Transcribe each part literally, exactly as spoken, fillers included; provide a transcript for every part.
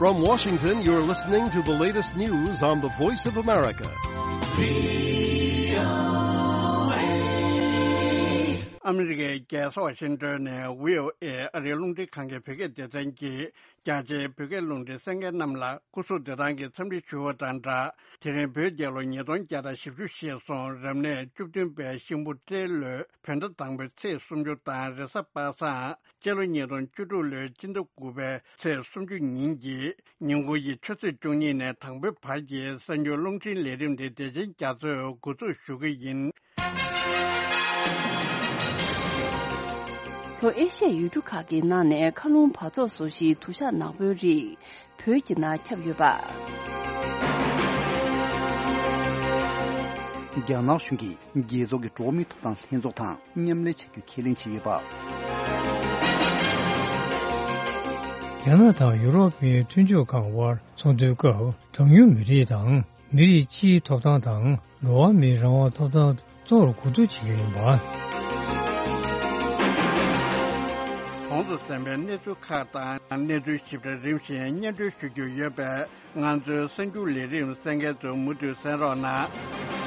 From Washington, you're listening to the latest news on the Voice of America. ཨ་མི་རི་ཀའི་རྒྱལ་ས་ཝ་ཤིང་ཏོན་ནས་བྷི་ཨོ་ཨེ་ཨ་རིའི་རླུང་འཕྲིན་ཁང་གི་བོད་སྐད་སྡེ་ཚན་གྱིས་རྒྱ་ཆེའི་བོད་སྐད་རླུང་འཕྲིན་གསན་མཁན་རྣམས་ལ་སྐུ་གཟུགས་བདེ་ཐང་གི་འཚམས་འདྲི་ཞུ་བ་དང་སྦྲགས། དེ་རིང་བོད་རྒྱལ་ལོ་ཉིས་སྟོང་བརྒྱ་དང་བཞི་བཅུ་ཞེས་སོང་རབ་གནས་བཅུ་བདུན་པའི་ཤིང་བུ་སྤྲེལ་ལོའི་བོད་ཟླ་དང་པོའི་ཚེས་སུམ་ཅུ་དང་རེས་གཟའ་པ་སངས་སྤྱི་ལོ་ཉིས་སྟོང་བཅུ་དྲུག་ལོའི་སྤྱི་ཟླ་དགུ་པའི་ཚེས་སུམ་ཅུ་ཉིན་གྱི་ཉིན་གུང་གི་ཆུ་ཚོད་བཅུ་གཉིས་ནས་དང་པོའི་བར་གྱི་གསར་འགྱུར་རླུང་འཕྲིན་ལས་རིམ་དེ་བདེ་ཆེན་རྒྱ་མཚོས་འགོ་འཛུགས་ཞུ་གི་ཡིན། ལྷོ་ཨེ་ཤ་ཡའི་ཡུལ་གྲུ་ཁག་གི་ནང་ནས་མཁའ་རླུང་འབག་བཙོག་བཟོ་གཞིའི་དུ་ཞག་ནག་པོའི་རིགས་བོད་ཀྱི་ནང་ཁྱབ་ཡོད་པ། རྒྱ་ནག་གཞུང་གིས་རྒྱལ་ཚོགས་ཀྱི་འགྲོ་བ་མིའི་ཐོབ་ཐང་ལྷན་ཚོགས་དང་མཉམ་ལས་བྱ་རྒྱུ་ཁས་ལེན་བྱས་ཡོད་པ། རྒྱ་ནག་དང་ཡུ་རོབ་པའི་མཐུན་ཕྱོགས་ཁང་དབར་ཚོགས་འདུའི་སྐབས་གྲངས་ཉུང་མི་རིགས་དང་མི་རིགས་སྤྱིའི་ཐོབ་ཐང་དང་འགྲོ་བ་མིའི་རང་དབང་ཐོབ་ཐང་གཙོ་བོར་གོ་བསྡུར་བྱེད་ཀྱི་ཡིན་པ། གོང་དུ་གསན་པའི་གནས་ཚུལ་ཁག་དང་གནས་ཚུལ་ཞིབ་ཕྲ་རིམ་བཞིན་སྙན་སྒྲོན་ཞུ་རྒྱུ་ཡོད་པས། ང་ཚོའི་གསར་འགྱུར་ལས་རིམ་གསན་མཁན་ཚོས་མུ་མཐུད་གསན་རོགས་གནང་།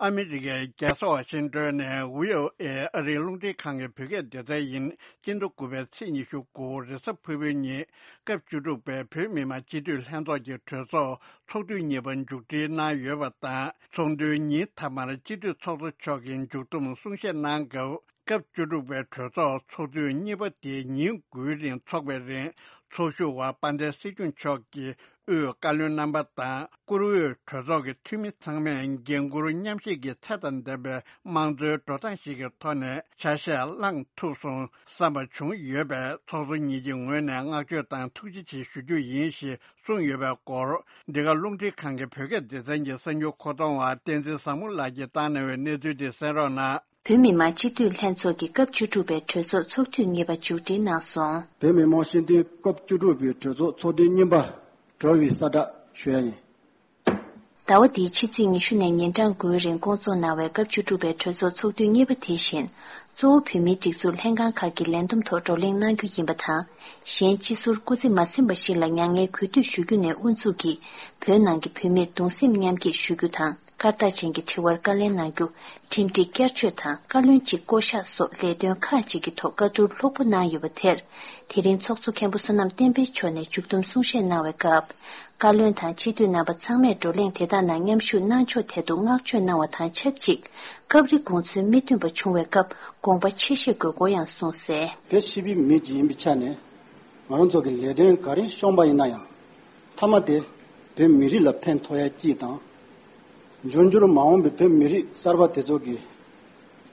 ཨ་མི་རི་ཀའི་རྒྱལ་ས་ཝ་ཤིང་ཏོན་ནས་བྷི་ཨོ་ཨེ་ཨ་རིའི་རླུང་འཕྲིན་ཁང་གི་བོད་སྐད་སྡེ་ཚན་ཡིན། སྤྱི་ཟླ་དགུ་པའི་ཚེས་ཉི་ཤུ་དགུ་རེས་གཟའ་ཕུར་བུའི་ཉིན་སྐབས་བཅུ་དྲུག་པའི་བོད་མི་མང་སྤྱི་འཐུས་ལྷན་ཚོགས་ཀྱི་གྲོས་ཚོགས་ཚོགས་དུས་གཉིས་པ་མཇུག་སྒྲིལ་གནང་ཡོད་པ་དང་། ཚོགས་འདུའི་ཉིན་མཐའ་མར་སྤྱི་འཐུས་ཚོགས་གཙོ་མཆོག་གིས་མཇུག་བསྡོམས་གསུང་བཤད་གནང་སྐབས། སྐབས་བཅུ་དྲུག་པའི་གྲོས་ཚོགས་ཚོགས་དུས་གཉིས་པ་དེ་ཉིན་དགུའི་རིང་འཚོགས་པའི་རིང་། ཚོགས་ཞུགས་པ་དཔལ་ལྡན་སྲིད་སྐྱོང་མཆོག་གིས་དབུས་བཀའ་བློན་རྣམ་པ་དང་། བཀུར་འོས་གྲོས་ཚོགས་ཀྱི་འཐུས་མི་ཚང་མས་འགན་འཁུར་མཉམ་བཞེས་ཀྱི་ཚད་དང་ལྡན་པའི་དམངས་གཙོའི་འགྲོ་སྟངས་ཤིག་གི་ཐོག་ནས་ཆ་ཤས་བླངས་ཐུབ་སོང་བསམ་པ་བྱུང་ཡོད་པས། ཚོགས་གཙོ་གཉིས་ཀྱི་ངོས་ནས་བསྔགས་བརྗོད་དང་ཐུགས་རྗེ་ཆེ་ཞུ་རྒྱུ་ཡིན་ཞེས་གསུངས་ཡོད་པའི་སྐོར། འདི་ག་རླུང་འཕྲིན་ཁང་གི་བོད་སྐད་སྡེ་ཚན་གྱི་གསར་འགྱུར་མཁོ་གཏོང་བ་བསྟན་འཛིན་བཟང་མོ་ལགས་ཀྱིས་བཏང་གནང་བའི་གནས་ཚུལ་དེ་གསན་རོགས་གནང་། བོད་མི་མང་སྤྱི་འཐུས་ལྷན་ཚོགས་ཀྱི་སྐབས་བཅུ་དྲུག་པའི་གྲོས་ཚོགས་ཚོགས་དུས་གཉིས་པ་མཇུག་སྒྲིལ་གནང་སོང་། བོད་མི་མང་སྤྱི་འཐུས་སྐབས་བཅུ་དྲུག་པའི་གྲོས་ཚོགས་ཚོགས་དུས་གཉིས་པ་གྲོལ་བའི་གསལ་བསྒྲགས་ཞུ་ཡ་ཡིན། ཟླ་བ་འདིའི་ཕྱི་ཚེས་ཉི་ཤུ་ནས་ཉིན་གྲངས་དགུའི་རིང་བསྐོང་ཚོགས་གནང་བའི་སྐབས་བཅུ་དྲུག་པའི་གྲོས་ཚོགས་ཚོགས་དུས་གཉིས་པ་དེ་བཞིན། གཙོ་བོ་བོད་མིའི་སྒྲིག་འཛུགས་ལྷན་ཁང་ཁག་གི་ལས་བསྡོམས་ཐོག་བགྲོ་གླེང་གནང་རྒྱུ་ཡིན་པ་དང་། གཞན་སྤྱི་ཟུར་སྐུ་ཚེ་མ་ཟིན་པ་ཞིག་ལ་མྱ་ངན་གུས་འདུད་ཞུ་རྒྱུ་ནས་དབུ་འཛུགས་ཀྱིས། བོད་ནང་གི་བོད་མིར་གདུང་སེམས་མཉམ་སྐྱེད་ཞུ་རྒྱུ་དང་། སྐར་རྟགས་ཅན་གྱི་དྲི་བར་བཀའ་ལན་གནང་རྒྱུ། ཁྲིམས་སྒྲིག་བསྐྱར་བཅོས་དང་བཀའ་བློན་གཅིག་བསྐོ་གཞག་སོགས་ལས་དོན་ཁག་ཅིག་གི་ཐོག་བཀའ་བསྡུར་ལྷུག་པོ་གནང་ཡོད་པ་དེར། དེ་རིང་ཚོགས་གཙོ་མཁན་པོ་བསོད་ནམས་བསྟན་འཕེལ་མཆོག་ནས་མཇུག་བསྡོམས་གསུང་བཤད་གནང་བའི་སྐབས། བཀའ་བློན་དང་སྤྱི་འཐུས་རྣམ་པ་ཚང་མས་བགྲོ་གླེང་དེ་དག་ནང་མཉམ་ཞུགས་གནང་ཕྱོགས་ཐད་དུ་བསྔགས་བརྗོད་གནང་བ་དང་ཆབས་ཅིག་སྐབས་རེ་དགོངས་ཚུལ་མི་མཐུན་པ་བྱུང་བའི་སྐབས་དགོངས་པ་ཆེ་བཞེས་དགོས་སྐོར་ཡང་གསུངས་གསལ། བོད་སྤྱི་པའི་མི་ཅིག་ཡིན་པའི་ཆ་ནས་ང་རང་ཚོ་གི་ལས་དོན་ག་རེ་བཤོམས་པ་ཡིན་ན་ཡང་། མཐའ་མ་དེ་བོད་མི་རིགས་ལ་ཕན་ཐོགས་ཡ་གཅིག་དང་། འབྱུང་འགྱུར་མ་འོངས་པའི་བོད་མི་རིགས་གསར་པ་དེ་ཚོ་གིས་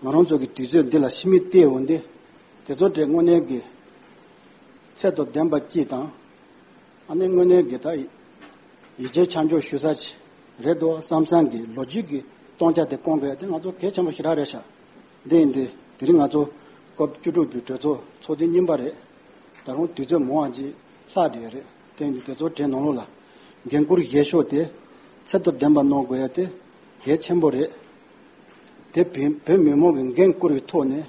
ང་རང་ཚོ་གི་དུས་ཚོད་འདི་ལ་ཕྱི་མིག་བལྟས་འོང་དུས། དེ་ཚོ་དེ་དངོས་གནས་ཀྱི་ཚད་དང་ལྡན་པ་གཅིག་དང་། ཨ་ནི་དངོས་གནས་ཀྱི་ད་ཡིད་ཆེས་ཆ་འཇོག་ཞུ་ས་ཅིག་རེད་འདུག་བསམ་བསམ་གྱི་ལོ་རྒྱུས་ཀྱི་སྟོང་ཆ་དེ་སྐོང་དགོས་ཡ་དེ་ང་ཚོ་གལ་ཆེན་པོ་ཞེ་དྲག་རེད་ཤག་འདི་ཡིན་དུས་དེ་རིང་ང་ཚོ་སྐབས་བཅུ་དྲུག་པའི་གྲོས་ཚོགས་ཚོགས་དུས་གཉིས་པ་རེད། ད་རུང་དུས་ཚོད་མང་བ་ཅིག་ལྷག་བསྡད་ཡོད་རེད། དེ་ཡིན་དུས་དེ་ཚོ་གྲས་ནང་ལོགས་ལ་འགན་འཁུར་བཞེས་ཕྱོགས་དེ་ཚད་དང་ལྡན་པ་གནང་དགོས་ཡ་དེ་གལ་ཆེན་པོ་རེད། དེ་བོད་བོད་མི་མང་གི་འགན་བསྐུར་བའི་ཐོག་ནས་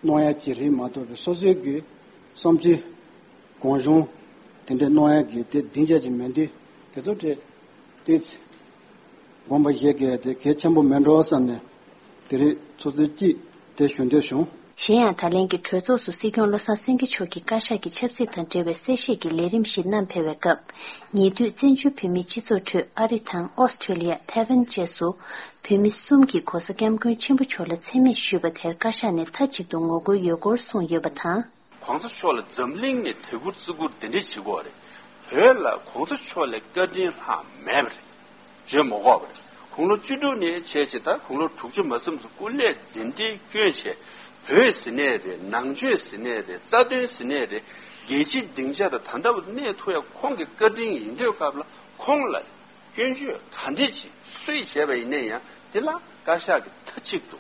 གནང་ཡ་ཅིག་རེད་མ་གཏོགས་པའི་སོ་སོའི་གི་བསམ་ཚུལ་གང་བྱུང་དེ་འདྲ་གནང་ཡ་གི་དེ་སྡིངས་ཆ་ཅིག་མེད་དུས་དེ་ཚོ་དེ་དེ་ཚེ་དགོངས་པ་བཞེས་དགོས་ཡ་དེ་གལ་ཆེན་པོ་མེད་འགྲོ་བསམ་ནས་དེ་རིང་ཚོགས་གཙོ་གཅིག་དེ་ཞུ་འདོད་བྱུང་། གཞན་ཡང་ད་ལན་གྱི་གྲོས་ཚོགས་སུ་སྲིད་སྐྱོང་བློ་བཟང་སེང་གེ་མཆོག་གིས་བཀའ་ཤག་གི་ཆབ་སྲིད་དང་འབྲེལ་བའི་གསལ་བཤད་ཀྱི་ལས་རིམ་ཞིག་བསྣམས་ཕེབས་པའི་སྐབས། ཉེ་དུས་བཙན་བྱོལ་བོད་མིའི་སྤྱི་ཚོགས་ཁྲོད་ཨ་རི་དང་ཨོ་སི་ཁྲེ་ལི་ཡ། ཐའེ་ཝན་བཅས་སུ་བོད་མི་གསུམ་གྱིས་༸གོང་ས་༸སྐྱབས་མགོན་ཆེན་པོ་མཆོག་ལ་མཚན་སྨད་ཞུས་པ་དེར་བཀའ་ཤག་ནས་མཐའ་གཅིག་ཏུ་ངོ་རྒོལ་ཡོད་སྐོར་གསུངས་ཡོད་པ་དང་། ༸གོང་ས་མཆོག་ལ་འཛམ་གླིང་ནས་དད་བཀུར་བརྩི་བཀུར་དེ་འདྲས་བྱེད་དགོས་རེད། བོད་ལ་༸གོང་ས་མཆོག་ལས་བཀའ་དྲིན་ལྷག་མེད་པ་རེད། བརྗོད་མ་དགོས་པ་རེད། དགུང་ལོ་བཅུ་དྲུག་ནས་བྱས་བྱས་ད་དགུང་ལོ་དྲུག་ཅུ་མ་ཟིན་ཙམ་སྐུ་ལས་འདི་འདྲའི་བསྐྱོན་བྱས། བོད་ཟེར་ནས་རེད། ནང་ཆོས་ཟེར་ནས་རེད། རྩ་དོན་ཟེར་ནས་རེད། རྒྱལ་སྤྱིའི་སྡིངས་ཆ་དང་ད་ལྟ་བར་གནས་ཐུབ་ཡ་ཁོང་གི་བཀའ་དྲིན་ཡིན་དུས་སྐབས་ལ་ཁོང་ལ་སྐྱོན་བརྗོད་ག་འདྲས་ཅིག་སུས་བྱས་པ་ཡིན་ན་ཡང་དེ་ལ་བཀའ་ཤག་གིས་མཐའ་གཅིག་ཏུ་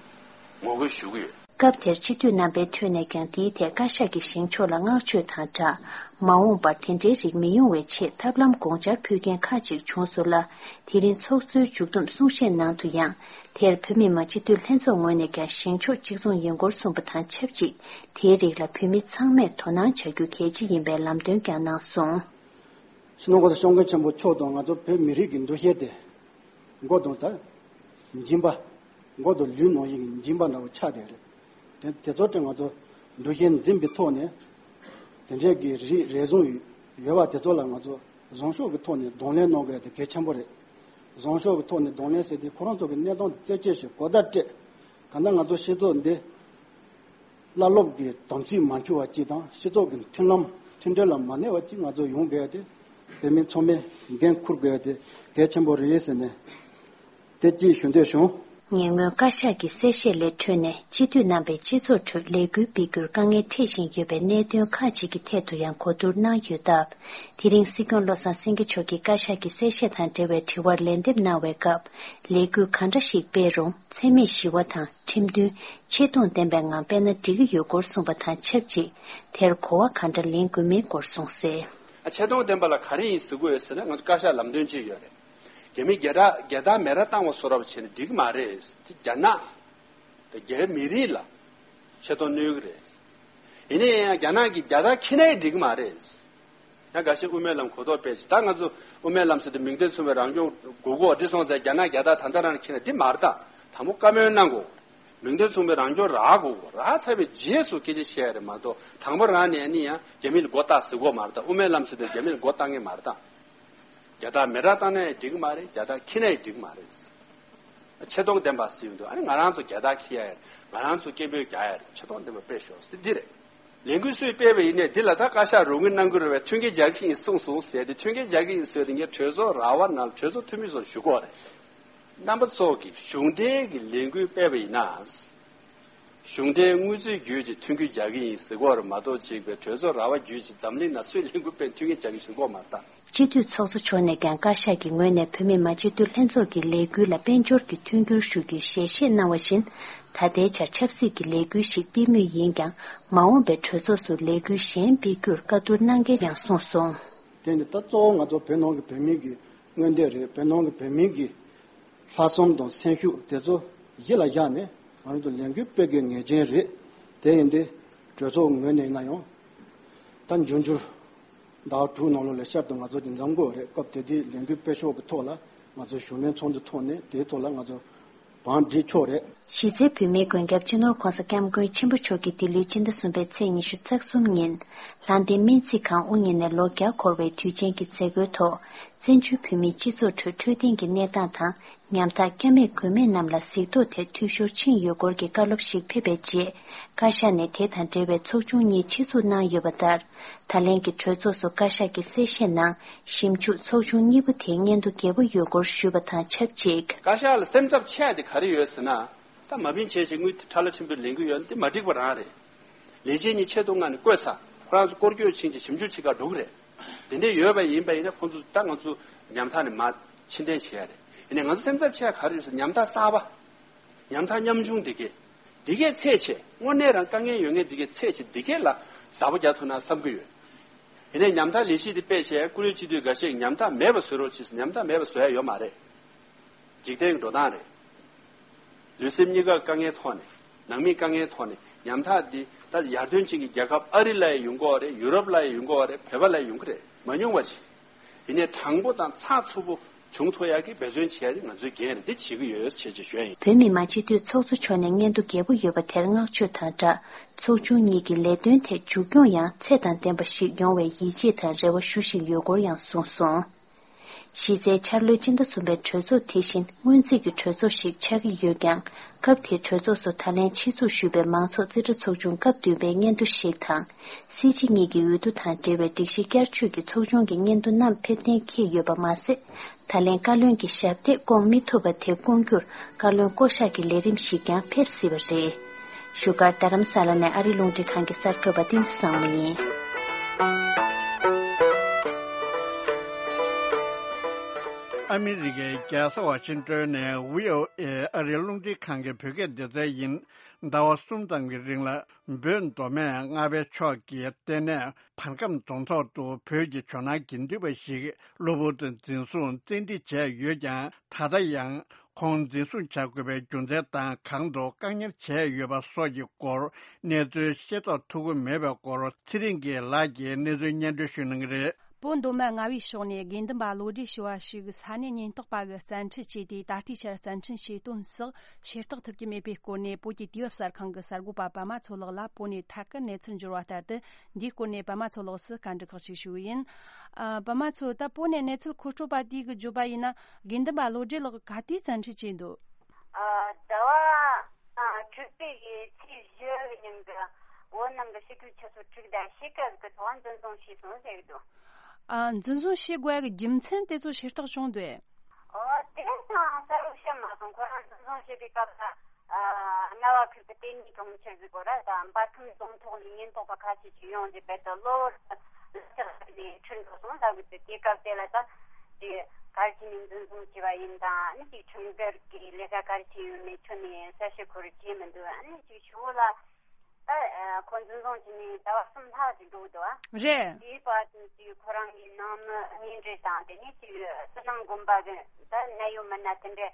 ངོ་རྒོལ་ཞུ་གི་ཡོད། སྐབས་དེར་སྤྱི་འཐུས་རྣམ་པའི་ཁྲོད་ནས་ཀྱང་འདིའི་ཐད་བཀའ་ཤག་གིས་བཞེངས་ཕྱོགས་ལ་བསྔགས་བརྗོད་དང་སྦྲགས། མ་འོངས་པར་དེ་འདྲའི་རིགས་མི་ཡོང་བའི་ཆེད་ཐབས་ལམ་དགོངས་འཆར་ཕུལ་མཁན་ཁག་ཅིག་བྱུང་སོང་ལ། དེ་རིང་ཚོགས་གཙོའི་མཇུག་བསྡོམས་གསུང་བཤད་ནང་དུ་ཡང་། དེར་བོད་མི་མང་སྤྱི་འཐུས་ལྷན་ཚོགས་ངོས་ནས་ཀྱང་བཞེངས་ཕྱོགས་གཅིག་མཚུངས་ཡིན་སྐོར་གསུངས་པ་དང་ཆབས་ཅིག་དེའི་རིགས་ལ་བོད་མི་ཚང་མས་དོ་སྣང་བྱ་རྒྱུ་གལ་ཆེ་ཡིན་པའི་ལམ་སྟོན་ཀྱང་གནང་སོང་། སྤྱི་ནོར་༸གོང་ས་༸སྐྱབས་མགོན་ཆེན་པོ་མཆོག་དང་ང་ཚོ་བོད་མི་རིགས་ཀྱི་འདུ་ཤེས་དེ། མགོ་དང་ད། སྦྱིན་པ། མགོ་དང་ལུས་ནང་བཞིན་གྱི་སྦྱིན་པ་འདྲ་བོ་ཆགས་བསྡད་རེད། དེ་དེ་ཚོ་དེ་ང་ཚོ་འདུ་ཤེས་འཛིན་པའི་ཐོག་ནས། དེ་འདྲའི་གི་རིགས་རེ་ཟུང་ཡོད་པ་དེ་ཚོ་ལ་ང་ཚོ་བཟང་ཕྱོགས་ཀྱི་ཐོག་ནས་གདོང་ལེན་གནང་དགོས་དེ་གལ་ཆེན་པོ་རེད། བཟང་ཕྱོགས་ཀྱི་ཐོག་ནས་གདོང་ལེན་ཟེར་དུས་ཁོ་རང་ཚོ་གི་གནས་སྟངས་དེ་རྩད་གཅོད་བྱེད་གོ་བརྡ་སྤྲད། གང་ལྟར་ང་ཚོ་སྤྱི་ཚོགས་འདི། བླ་སློབ་ཀྱི་དམ་ཚིག་མ་འཆུ་བ་གཅིག་དང་སྤྱི་ཚོགས་ཀྱི་མཐུན་ལམ་མཐུན་སྒྲིལ་ལ་མ་གནས་པ་གཅིག་ང་ཚོ་ཡོང་དགོས་ཏེ། བོད་མི་ཚང་མས་འགན་འཁུར་དགོས་ཏེ་གལ་ཆེན་པོ་རེད་ཟེར་ནས་དེ་གཅིག་ཞུ་འདོད་བྱུང་། ཉེ་སྔོན་བཀའ་ཤག་གི་གསལ་བཤད་ལས་འཕྲོས་ནས་སྤྱི་འཐུས་རྣམ་པས་སྤྱི་ཚོགས་ཁྲོད་ལས་འགུལ་སྤེལ་རྒྱུར་དཀའ་ངལ་འཕྲད་བཞིན་ཡོད་པའི་གནད་དོན་ཁག་ཅིག་གི་ཐད་དུ་ཡང་གོ་བསྡུར་གནང་ཡོད་སྟབས། དེ་རིང་སྲིད་སྐྱོང་བློ་བཟང་སེང་གེ་མཆོག་གིས་བཀའ་ཤག་གི་གསལ་བཤད་དང་འབྲེལ་བའི་དྲི་བར་ལན་འདེབས་གནང་བའི་སྐབས། ལས་འགུལ་གང་འདྲ་ཞིག་སྤེལ་རུང་འཚེ་མེད་ཞི་བ་དང་ཁྲིམས་མཐུན། ཆེ་མཐོང་ལྡན་པའི་ངང་སྤེལ་ན་འགྲིག་གི་ཡོད་སྐོར་གསུངས་པ་དང་ཆབས་ཅིག་དེར་གོ་བ་གང་འདྲ་ལེན་དགོས་མིན་སྐོར་གསུངས་གསལ། ཨ་ཆེ་མཐོང་ལྡན་པ་ལ་ག་རེ་ཡིན་ཟེར་དགོས་ཡོད་ཟེར་ན། ང་ཚོ་བཀའ་ཤག་ལམ་སྟོན་ཅིག་ཡོད་རེད། རྒྱ་མི་རྒྱ་དག་རྒྱ་དག་མེ་ར་བཏང་བ་བཟོ་འདྲ་བྱས་ན་འགྲིག་གི་མ་རེད། དེ་རྒྱ་ནག་དང་རྒྱ་མི་རིགས་ལ་ཆེ་མཐོང་གནོད་ཀྱི་རེད། ཡིན་ན་ཡང་རྒྱ་ནག་གིས་རྒྱ་དག་ཁྱེར་ན་ཡང་འགྲིག་གི་མ་རེད། ཡང་འགའ་ཤས་དབུ་མའི་ལམ་གོ་རྟོགས་སྤེལ་ཞིང་། ད་ང་ཚོ་དབུ་མའི་ལམ་ཟེར་དུས་མིང་དོན་མཚུངས་པའི་རང་སྐྱོང་དགོས་གོ་འདི་སོང་ཙང་རྒྱ་ནག་རྒྱ་དག་ད་ལྟ་རང་ཁྱེར་ན་འདི་མ་རེད། ད་དང་པོ་བཀའ་མོལ་གནང་དགོས། མིང་དོན་མཚུངས་པའི་རང་སྐྱོང་རག་དགོས། རག་ཚར་བའི་རྗེས་སུ་སྐད་ཆ་བཤད་ཡ་རེད་མ་གཏོགས། དང་པོ་རང་ནས་ནི་ཡང་རྒྱ་མི་ལ་མགོ་བཏགས་ཟེར་གོ་མ་རེད། ད་དབུ་མའི་ལམ་ཟེར་དུས་རྒྱ་མི་ལ་མགོ་བཏགས་ངེས་མ་རེད། ད་རྒྱ་དག་མེ་རག་བཏང་ན་ཡང་འགྲིག་གི་མ་རེད། རྒྱ་དག་ཁྱེར་ན་ཡང་འགྲིག་གི་མ་རེད། ཆེ་མཐོང་ལྡན་པ་ཟེར་ཡོང་དུས། ཨ་ནི་ང་རང་ཚོ་རྒྱ་དག་ཁྱེར་ཡ་ཡིན། ང་རང་ཚོ་སྐད་འབོད་རྒྱག་ཡ་རེད། ཆེ་མཐོང་ལྡན་པ་དཔེ་ཤོག་ཟེར་འདི་རེད། ལས་འགུལ་སུས་སྤེལ་བ་ཡིན་ནའི་འདི་ལ་ད་བཀའ་ཤག་རོགས་དངུལ་གནང་གི་རེད་པས། མཐུན་རྐྱེན་སྦྱར་གྱི་ཡིན་གསུངས་སོང་ཟེར་ཏེ། མཐུན་རྐྱེན་སྦྱར་གྱི་ཡིན་ཟེར་དེ་ངས་གྲོས་ཚོགས་ར་བ་ནང་གྲོས་ཚོགས་འཐུས་མི་ཚོར་ཞུ་གི་ཡོད་རེད། རྣམ་པ་ཚོ་གིས་གཞུང་འབྲེལ་གྱི་ལས་འགུལ་སྤེལ་བ་ཡིན་ན། གཞུང་འབྲེལ་དངུལ་རྩིས་བརྒྱུད་ཀྱི་མཐུན་རྐྱེན་སྦྱར་གྱི་ཡིན་ཟེར་གྱི་ཡོད་རེད་མ་གཏོགས། ཅིག་པའི་གྲོས་ཚོགས་ར་བ་བརྒྱུད་ཀྱི་འཛམ་གླིང་ན་སུས་ལས་འགུལ་སྤེལ་མཐུན་རྐྱེན་སྦྱར་གྱི་ཡིན་ཟེར་གྱི་ཡོད་མ་རེད་ད། སྤྱི་འཐུས་ཚོགས་གཙོ་མཆོག་ནས་ཀྱང་བཀའ་ཤག་གི་ངོས་ནས་བོད་མི་མང་སྤྱི་འཐུས་ལྷན་ཚོགས་ཀྱི་ལས་འགུལ་ལ་དཔལ་འབྱོར་གྱི་མཐུན་འགྱུར་ཞུ་རྒྱུའི་ཞལ་བཞེས་གནང་བ་བཞིན། ད་ལྟའི་ཆར་ཆབ་སྲིད་ཀྱི་ལས་འགུལ་ཞིག་སྤེལ་མུས་ཡིན་ཀྱང་། མ་འོངས་པའི་གྲོས་ཚོགས་སུ་ལས་འགུལ་གཞན་སྤེལ་རྒྱུར་བཀའ་བསྡུར་གནང་གལ་ཡང་གསུངས་སོང་། དེ་ནི་ད་གཙོ་བོ་ང་ཚོ་བོད་ནང་གི་བོད་མི་གི་མངོན་འདོད་རེད། བོད་ནང་གི་བོད་མི་གི་ལྷག་བསམ་དང་སེམས་ཤུགས་དེ་ཚོ་གཞི་ལ་བཞག་ནས་ང་ཚོ་ལས་འགུལ་སྤེལ་དགོས་ངེས་ཅན་རེད། དེ་ཡིན་དུས་གྲོས་ཚོགས་ངོས་ནས་ཡིན་ན་ཡང་། ད་འབྱུང་འགྱུར་ཟླ་བ་དྲུག་ནང་ལོགས་ལ་བསྐྱར་དུ་ང་ཚོ་གི་འཛོམས་དགོས་རེད། སྐབས་དེ་དུས་ལས་འགུལ་སྤེལ་ཕྱོགས་ཀྱི་ཐོག་ལ་ང་ཚོ་ཞུ་མོལ་ཚོགས་འདུ་ཐོག་ནས་དེའི་ཐོག་ལ་ང་ཚོ་བང་སྒྲིག་ཆོག་རེད། གཞི་རྩའི་བོད་མིའི་མགོན་སྐྱབས་སྤྱི་ནོར་༸གོང་ས་༸སྐྱབས་མགོན་ཆེན་པོ་མཆོག་གིས་འདི་ལོའི་ཕྱི་ཟླ་གསུམ་པའི་ཚེས་ཉི་ཤུ་རྩ་གསུམ་ཉིན། ལྷ་ལྡན་སྨན་རྩིས་ཁང་དབུ་བརྙེས་ནས་ལོ་བརྒྱ་འཁོར་བའི་དུས་ཆེན་གྱི་མཛད་སྒོའི་ཐོག་བཙན་བྱོལ་བོད་མིའི་སྤྱི་ཚོགས་ཁྲོད་འཕྲོད་བསྟེན་གྱི་གནས་སྟངས་དང་། ཉམ་ཐག་སྐྱབས་མེད་མགོན་མེད་རྣམས་ལ་གཟིགས་རྟོག་ཐད་འཐུས་ཤོར་ཕྱིན་ཡོད་སྐོར་གྱི་བཀའ་སློབ་ཞིག་ཕེབས་པའི་རྗེས། བཀའ་ཤག་ནས་དེ་དང་འབྲེལ་བའི་ཚོགས་ཆུང་གཉིས་ཆེད་འཛུགས་གནང་ཡོད་པ་ལྟར། ད་ལན་གྱི་གྲོས་ཚོགས་སུ་བཀའ་ཤག་གི་གསལ་བཤད་ནང་། ཞིབ་འཇུག་ཚོགས་ཆུང་གཉིས་པོ་དེའི་སྙན་ཐོ་རྒྱས་པོ་ཡོད་སྐོར་ཞུས་པ་དང་ཆབས་ཅིག་བཀའ་ཤག་ལ་སེམས་འཚབ་ཆེ་ཡ་དེ་ག་རེ་ཡོད་ཟེར་ན། ད་མ་བིན་བྱས་བྱས་དངུལ་དེ་ཁྲ་ལ་ཁྲིམས་དཔོན་ལེན་གྱི་ཡོད་ན་དེ་མ་འགྲིག་པ་རང་རེད། ལས་བྱེད་གཉིས་ཆེད་གཏོང་ངང་ནས་བསྐོས་ཚར། ཁོ་རང་ཚོ་སྐོར་སྐྱོད་ཕྱིན་གྱི་ཞིབ་འཇུག་བྱེད་གར་འགྲོ་གི་རེད། དེ་འདྲས་ཡོད་པ་ཡིན་པ་ཡིན་ན་ཁོང་ཚོ་ད་ང་ཚོ་ཉམ་ཐག་ནས་མར་ཕྱིར་འཐེན་བྱེད་ཡ་རེད། ཡིན་ནའི་ང་ཚོ་སེམས་འཚབ་ཆེ་ཡ་ག་རེ་ཡོད་ཟེར། ཉམ་ཐག་གསར་པ། ཉམ་ཐག་ཉམ་ཆུང་འདི་གས། འདི་གས་ཚད་ཆེ། དངོས་གནས་རང་དཀའ་ངལ་ཡོད་མཁན་འདི་གས་ཚད་ཆེ། འདི་གས་ལ་བདག་པོ་རྒྱག་ཐུབ་ན་བསམ་གྱི་ཡོད། ཡིན་ནའི་ཉམ་ཐག་ལས་གཞི་འདི་སྤེལ་བྱས་བཀུར་འོས་སྤྱི་འཐུས་འགའ་ཤས་ཉམ་ཐག་མེད་པ་བཟོ་རོགས་བྱེད་ཟེར། ཉམ་ཐག་མེད་པ་བཟོ་ཡ་ཡོད་མ་རེད། འཇིག་རྟེན་གྱི་འགྲོ་སྟངས་རེད། ལུས་སེམས་གཉིས་ཀ་དཀའ་ངལ་ཐོག་ནས། ནང་མིའི་དཀའ་ངལ་ཐོག་ནས་ཉམ་ཐག་འདི་ད་ཡར་ཐོན་ཅན་གྱི་རྒྱལ་ཁབ་ཨ་རི་ལ་ཡང་ཡོང་གི་ཡོད་རེད། ཡུ་རོབ་ལ་ཡང་ཡོང་གི་ཡོད་རེད། བོད་པ་ལ་ཡང་ཡོང་གི་རེད། མ་ཉུང་བ་ཞིག་ཡིན་ནའི་དྲང་པོ་དང་ཚགས་ཚུད་པོ་བྱུང་ཐུབ་ཡག་གི་འབད་བརྩོན་བྱེད་ཡག་དེ་ང་ཚོའི་འགན་རེད། འདི་བྱེད་ཀྱི་ཡོད་ཅེས་ཅེས་ཞུ་ཡ་ཡིན། བོད་མི་མང་སྤྱི་འཐུས་ཚོགས་གཙོ་མཆོག་ནས་སྙན་ཐོ་རྒྱས་པོ་ཡོད་པ་དེར་བསྔགས་བརྗོད་དང་སྦྲགས། ཚོགས་ཆུང་གཉིས་ཀྱི་ལས་དོན་ཐད་མཇུག་སྐྱོང་ཡང་ཚད་དང་ལྡན་པ་ཞིག་ཡོང་བའི་ཡིད་ཆེས་དང་རེ་བ་ཞུ་བཞིན་ཡོད་སྐོར་ཡང་གསུངས་སོང་། གཞི་རྩའི་འཆར་ལོའི་སྤྱི་ཟླ་གསུམ་པའི་གྲོས་ཚོགས་དེ་བཞིན་སྔོན་རྩིས་ཀྱི་གྲོས་ཚོགས་ཤིག་ཆགས་ཀྱི་ཡོད་ཀྱང་། སྐབས་དེའི་གྲོས་ཚོགས་སུ་ད་ལན་ཆེད་འཛུགས་ཞུས་པའི་མང་ཚོགས་རྩིས་ཁྲ་ཚོགས་ཆུང་སྐབས་བདུན་པའི་སྙན་ཐོ་ཞིག་དང་། སྲིད་སྤྱི་གཉིས་ཀྱི་འོས་བསྡུ་དང་འབྲེལ་བའི་སྒྲིག་གཞི་བསྐྱར་བཅོས་ཀྱི་ཚོགས་ཆུང་གི་སྙན་ཐོ་རྣམས་ཕེབས་གཏན་འཁེལ་ཡོད་པ་མ་ཟད། ད་ལན་བཀའ་བློན་གྱི་ཞབས་སྟེགས་བསྐོང་མི་ཐུབ་པ་དེ་བསྐོང་རྒྱུར་བཀའ་བློན་བསྐོ་གཞག་གི་ལས་རིམ་ཞིག་ཀྱང་ཕེབས་སྲིད་པ་རེད། བཞུགས་སྒར་རྡ་རམ་ས་ལ་ནས་ཨ་རི་རླུང་འཕྲིན་ཁང་གི་གསར་འགོད་པ་བསྟན་འཛིན་བཟང་མོ་ཡིན། ཨ་མི་རི་ཀའི་རྒྱལ་ས་ཝ་ཤིང་ཏོན་ནས་བྷི་ཨོ་ཨེ་ཨ་རིའི་རླུང་འཕྲིན་ཁང་གི་བོད་སྐད་སྡེ་ཚན་ཡིན། ཟླ་བ་གསུམ་ཙམ་གྱི་རིང་ལ་བོད་མདོ་སྨད་རྔ་བའི་ཕྱོགས་ཀྱི་ལྟེ་གནས་བར་ཁམས་རྫོང་ཐོག་ཏུ་བོད་ཀྱི་ཇོ་ནང་དགེ་འདུན་པ་ཞིག་གློ་བུར་དུ་འཛིན་བཟུང་བཙན་ཁྲིད་བྱས་ཡོད་ཀྱང་། ད་ལྟ་ཡང་ཁོང་འཛིན་བཟུང་བྱ་དགོས་པའི་རྒྱུ་མཚན་དང་། གང་དུ་བཀག་ཉར་བྱས་ཡོད་པ་སོགས་ཀྱི་སྐོར་གནས་ཚུལ་ཤེས་རྟོགས་ཐུབ་ཀྱི་མེད་པའི་སྐོར། ཚེ་རིང་སྐྱིད་ལགས་ཀྱིས་གནས་ཚུལ་སྙན་སྒྲོན་ཞུ་གནང་གི་རེད། བོད་མདོ་སྨད་རྔ་བའི་ཕྱོགས་ནས་དགེ་འདུན་པ་བློ་གྲོས་ཞུ་བ་ཞིག་ས་གནས་ཉེན་རྟོག་པ་གིས་བཙན་ཁྲིད་བྱས་ཏེ། ད་ལྟའི་ཆར་བཙན་ཁྲིད་བྱས་དོན་སོགས་ཤེས་རྟོགས་ཐུབ་ཀྱི་མེད་པའི་སྐོར་ནས། བོད་ཀྱི་དུས་བབ་གསར་ཁང་གི་གསར་འགོད་པ་པདྨ་མཚོ་ལགས་ལ་བོད་ནས་ཐད་ཀར་གནས་ཚུལ་འབྱོར་བ་ལྟར་དུ། འདིའི་སྐོར་ནས་པདྨ་མཚོ་ལགས་སུ་བཀའ་འདྲི་ཁག་ཅིག་ཞུ་གི་ཡིན། ཨ། པདྨ་མཚོ། ད་བོད་ནས་གནས་ཚུལ་མཁོ་སྤྲོད་པ་དེ་གིས་བརྗོད་པ་ཡིན་ན། དགེ་འདུན་པ་བློ་གྲོས་ལགས་ག་དུས་བཙན་ཁྲིད་བྱས་འདུག་ཨ། ཟླ་བ་ཨ་དྲུག་པའི་གི་ཚེས་བཞི་གི་ཉིན་གྱི་བོད་ནང་གི་ཕྱི་དྲིལ་ཆུ་ཚོད་དྲུག་དང་ཕྱེད་ཀ་གི་ཐོག་འཛིན་བཟུང་བྱས་སོང་ཟེར་གི་འདུག་ཨ། འཛིན་བཟུང་བྱེད་དགོས་ཀྱི་རྒྱུ་མཚན་དེ་ཚོ་ཤེས་རྟོགས་བྱུང་འདུག་ཨོ། དེ་ཚང་གསལ་པོ་ཤེས་མ་སོང་། ཁོ་རང་འཛིན་བཟུང་བྱེད་པའི་སྐབས་ལ། ཨ། རྔ་བ་ཁུལ་གྱི་ལྟེ་གནས་གྲོང་ཁྱེར་ཟིག་གོ་ར་དང་། འབར་ཁམས་རྫོང་ཐོག་ནས་ཉེན་རྟོག་པ་ཁ་ཤས་ཤིག་ཡོང་རྗེས་རྦད་དེ་གློ་བུར་དུ་ལག་ཆ་ཁྲིད་འགྲོ་སོང་ལབ་གི་འདུག་དེ་སྐབས་དེ་ལ་ད་དེ་ག་རེ་བྱས་ནས་འཛིན་བཟུང་བྱས་པ་ཡིན་དང་། ཨ་ནི་ཅིག་ཁྲིམས་འགལ་གྱི་ལས་ཀ་ག་རེ་བྱས་ཡོད་མེད་ཁྱོན་ནས་གསལ་བཤད་ཁོ་རང་བྱས་མི་འདུག་ཨ་ནི་ཅིག་ཞུ་བོ་ལ། ད་ཨ་ཁོ་འཛིན་བཟུང་བྱས་ནས་ཟླ་བ་གསུམ་ལྷག་ཅིག་འགྲོ་གི་འདུག་ཨ། རེད། དེའི་བར་དུ་ཅིག་ཁོ་རང་གི་ནང་མི་གཉེན་འབྲེལ་དང་། དེ་ནས་ཅིག་ཕྱི་ནང་དགོན་པ་གི་ད་གནད་ཡོད་མི་སྣ་དེ་འདྲས་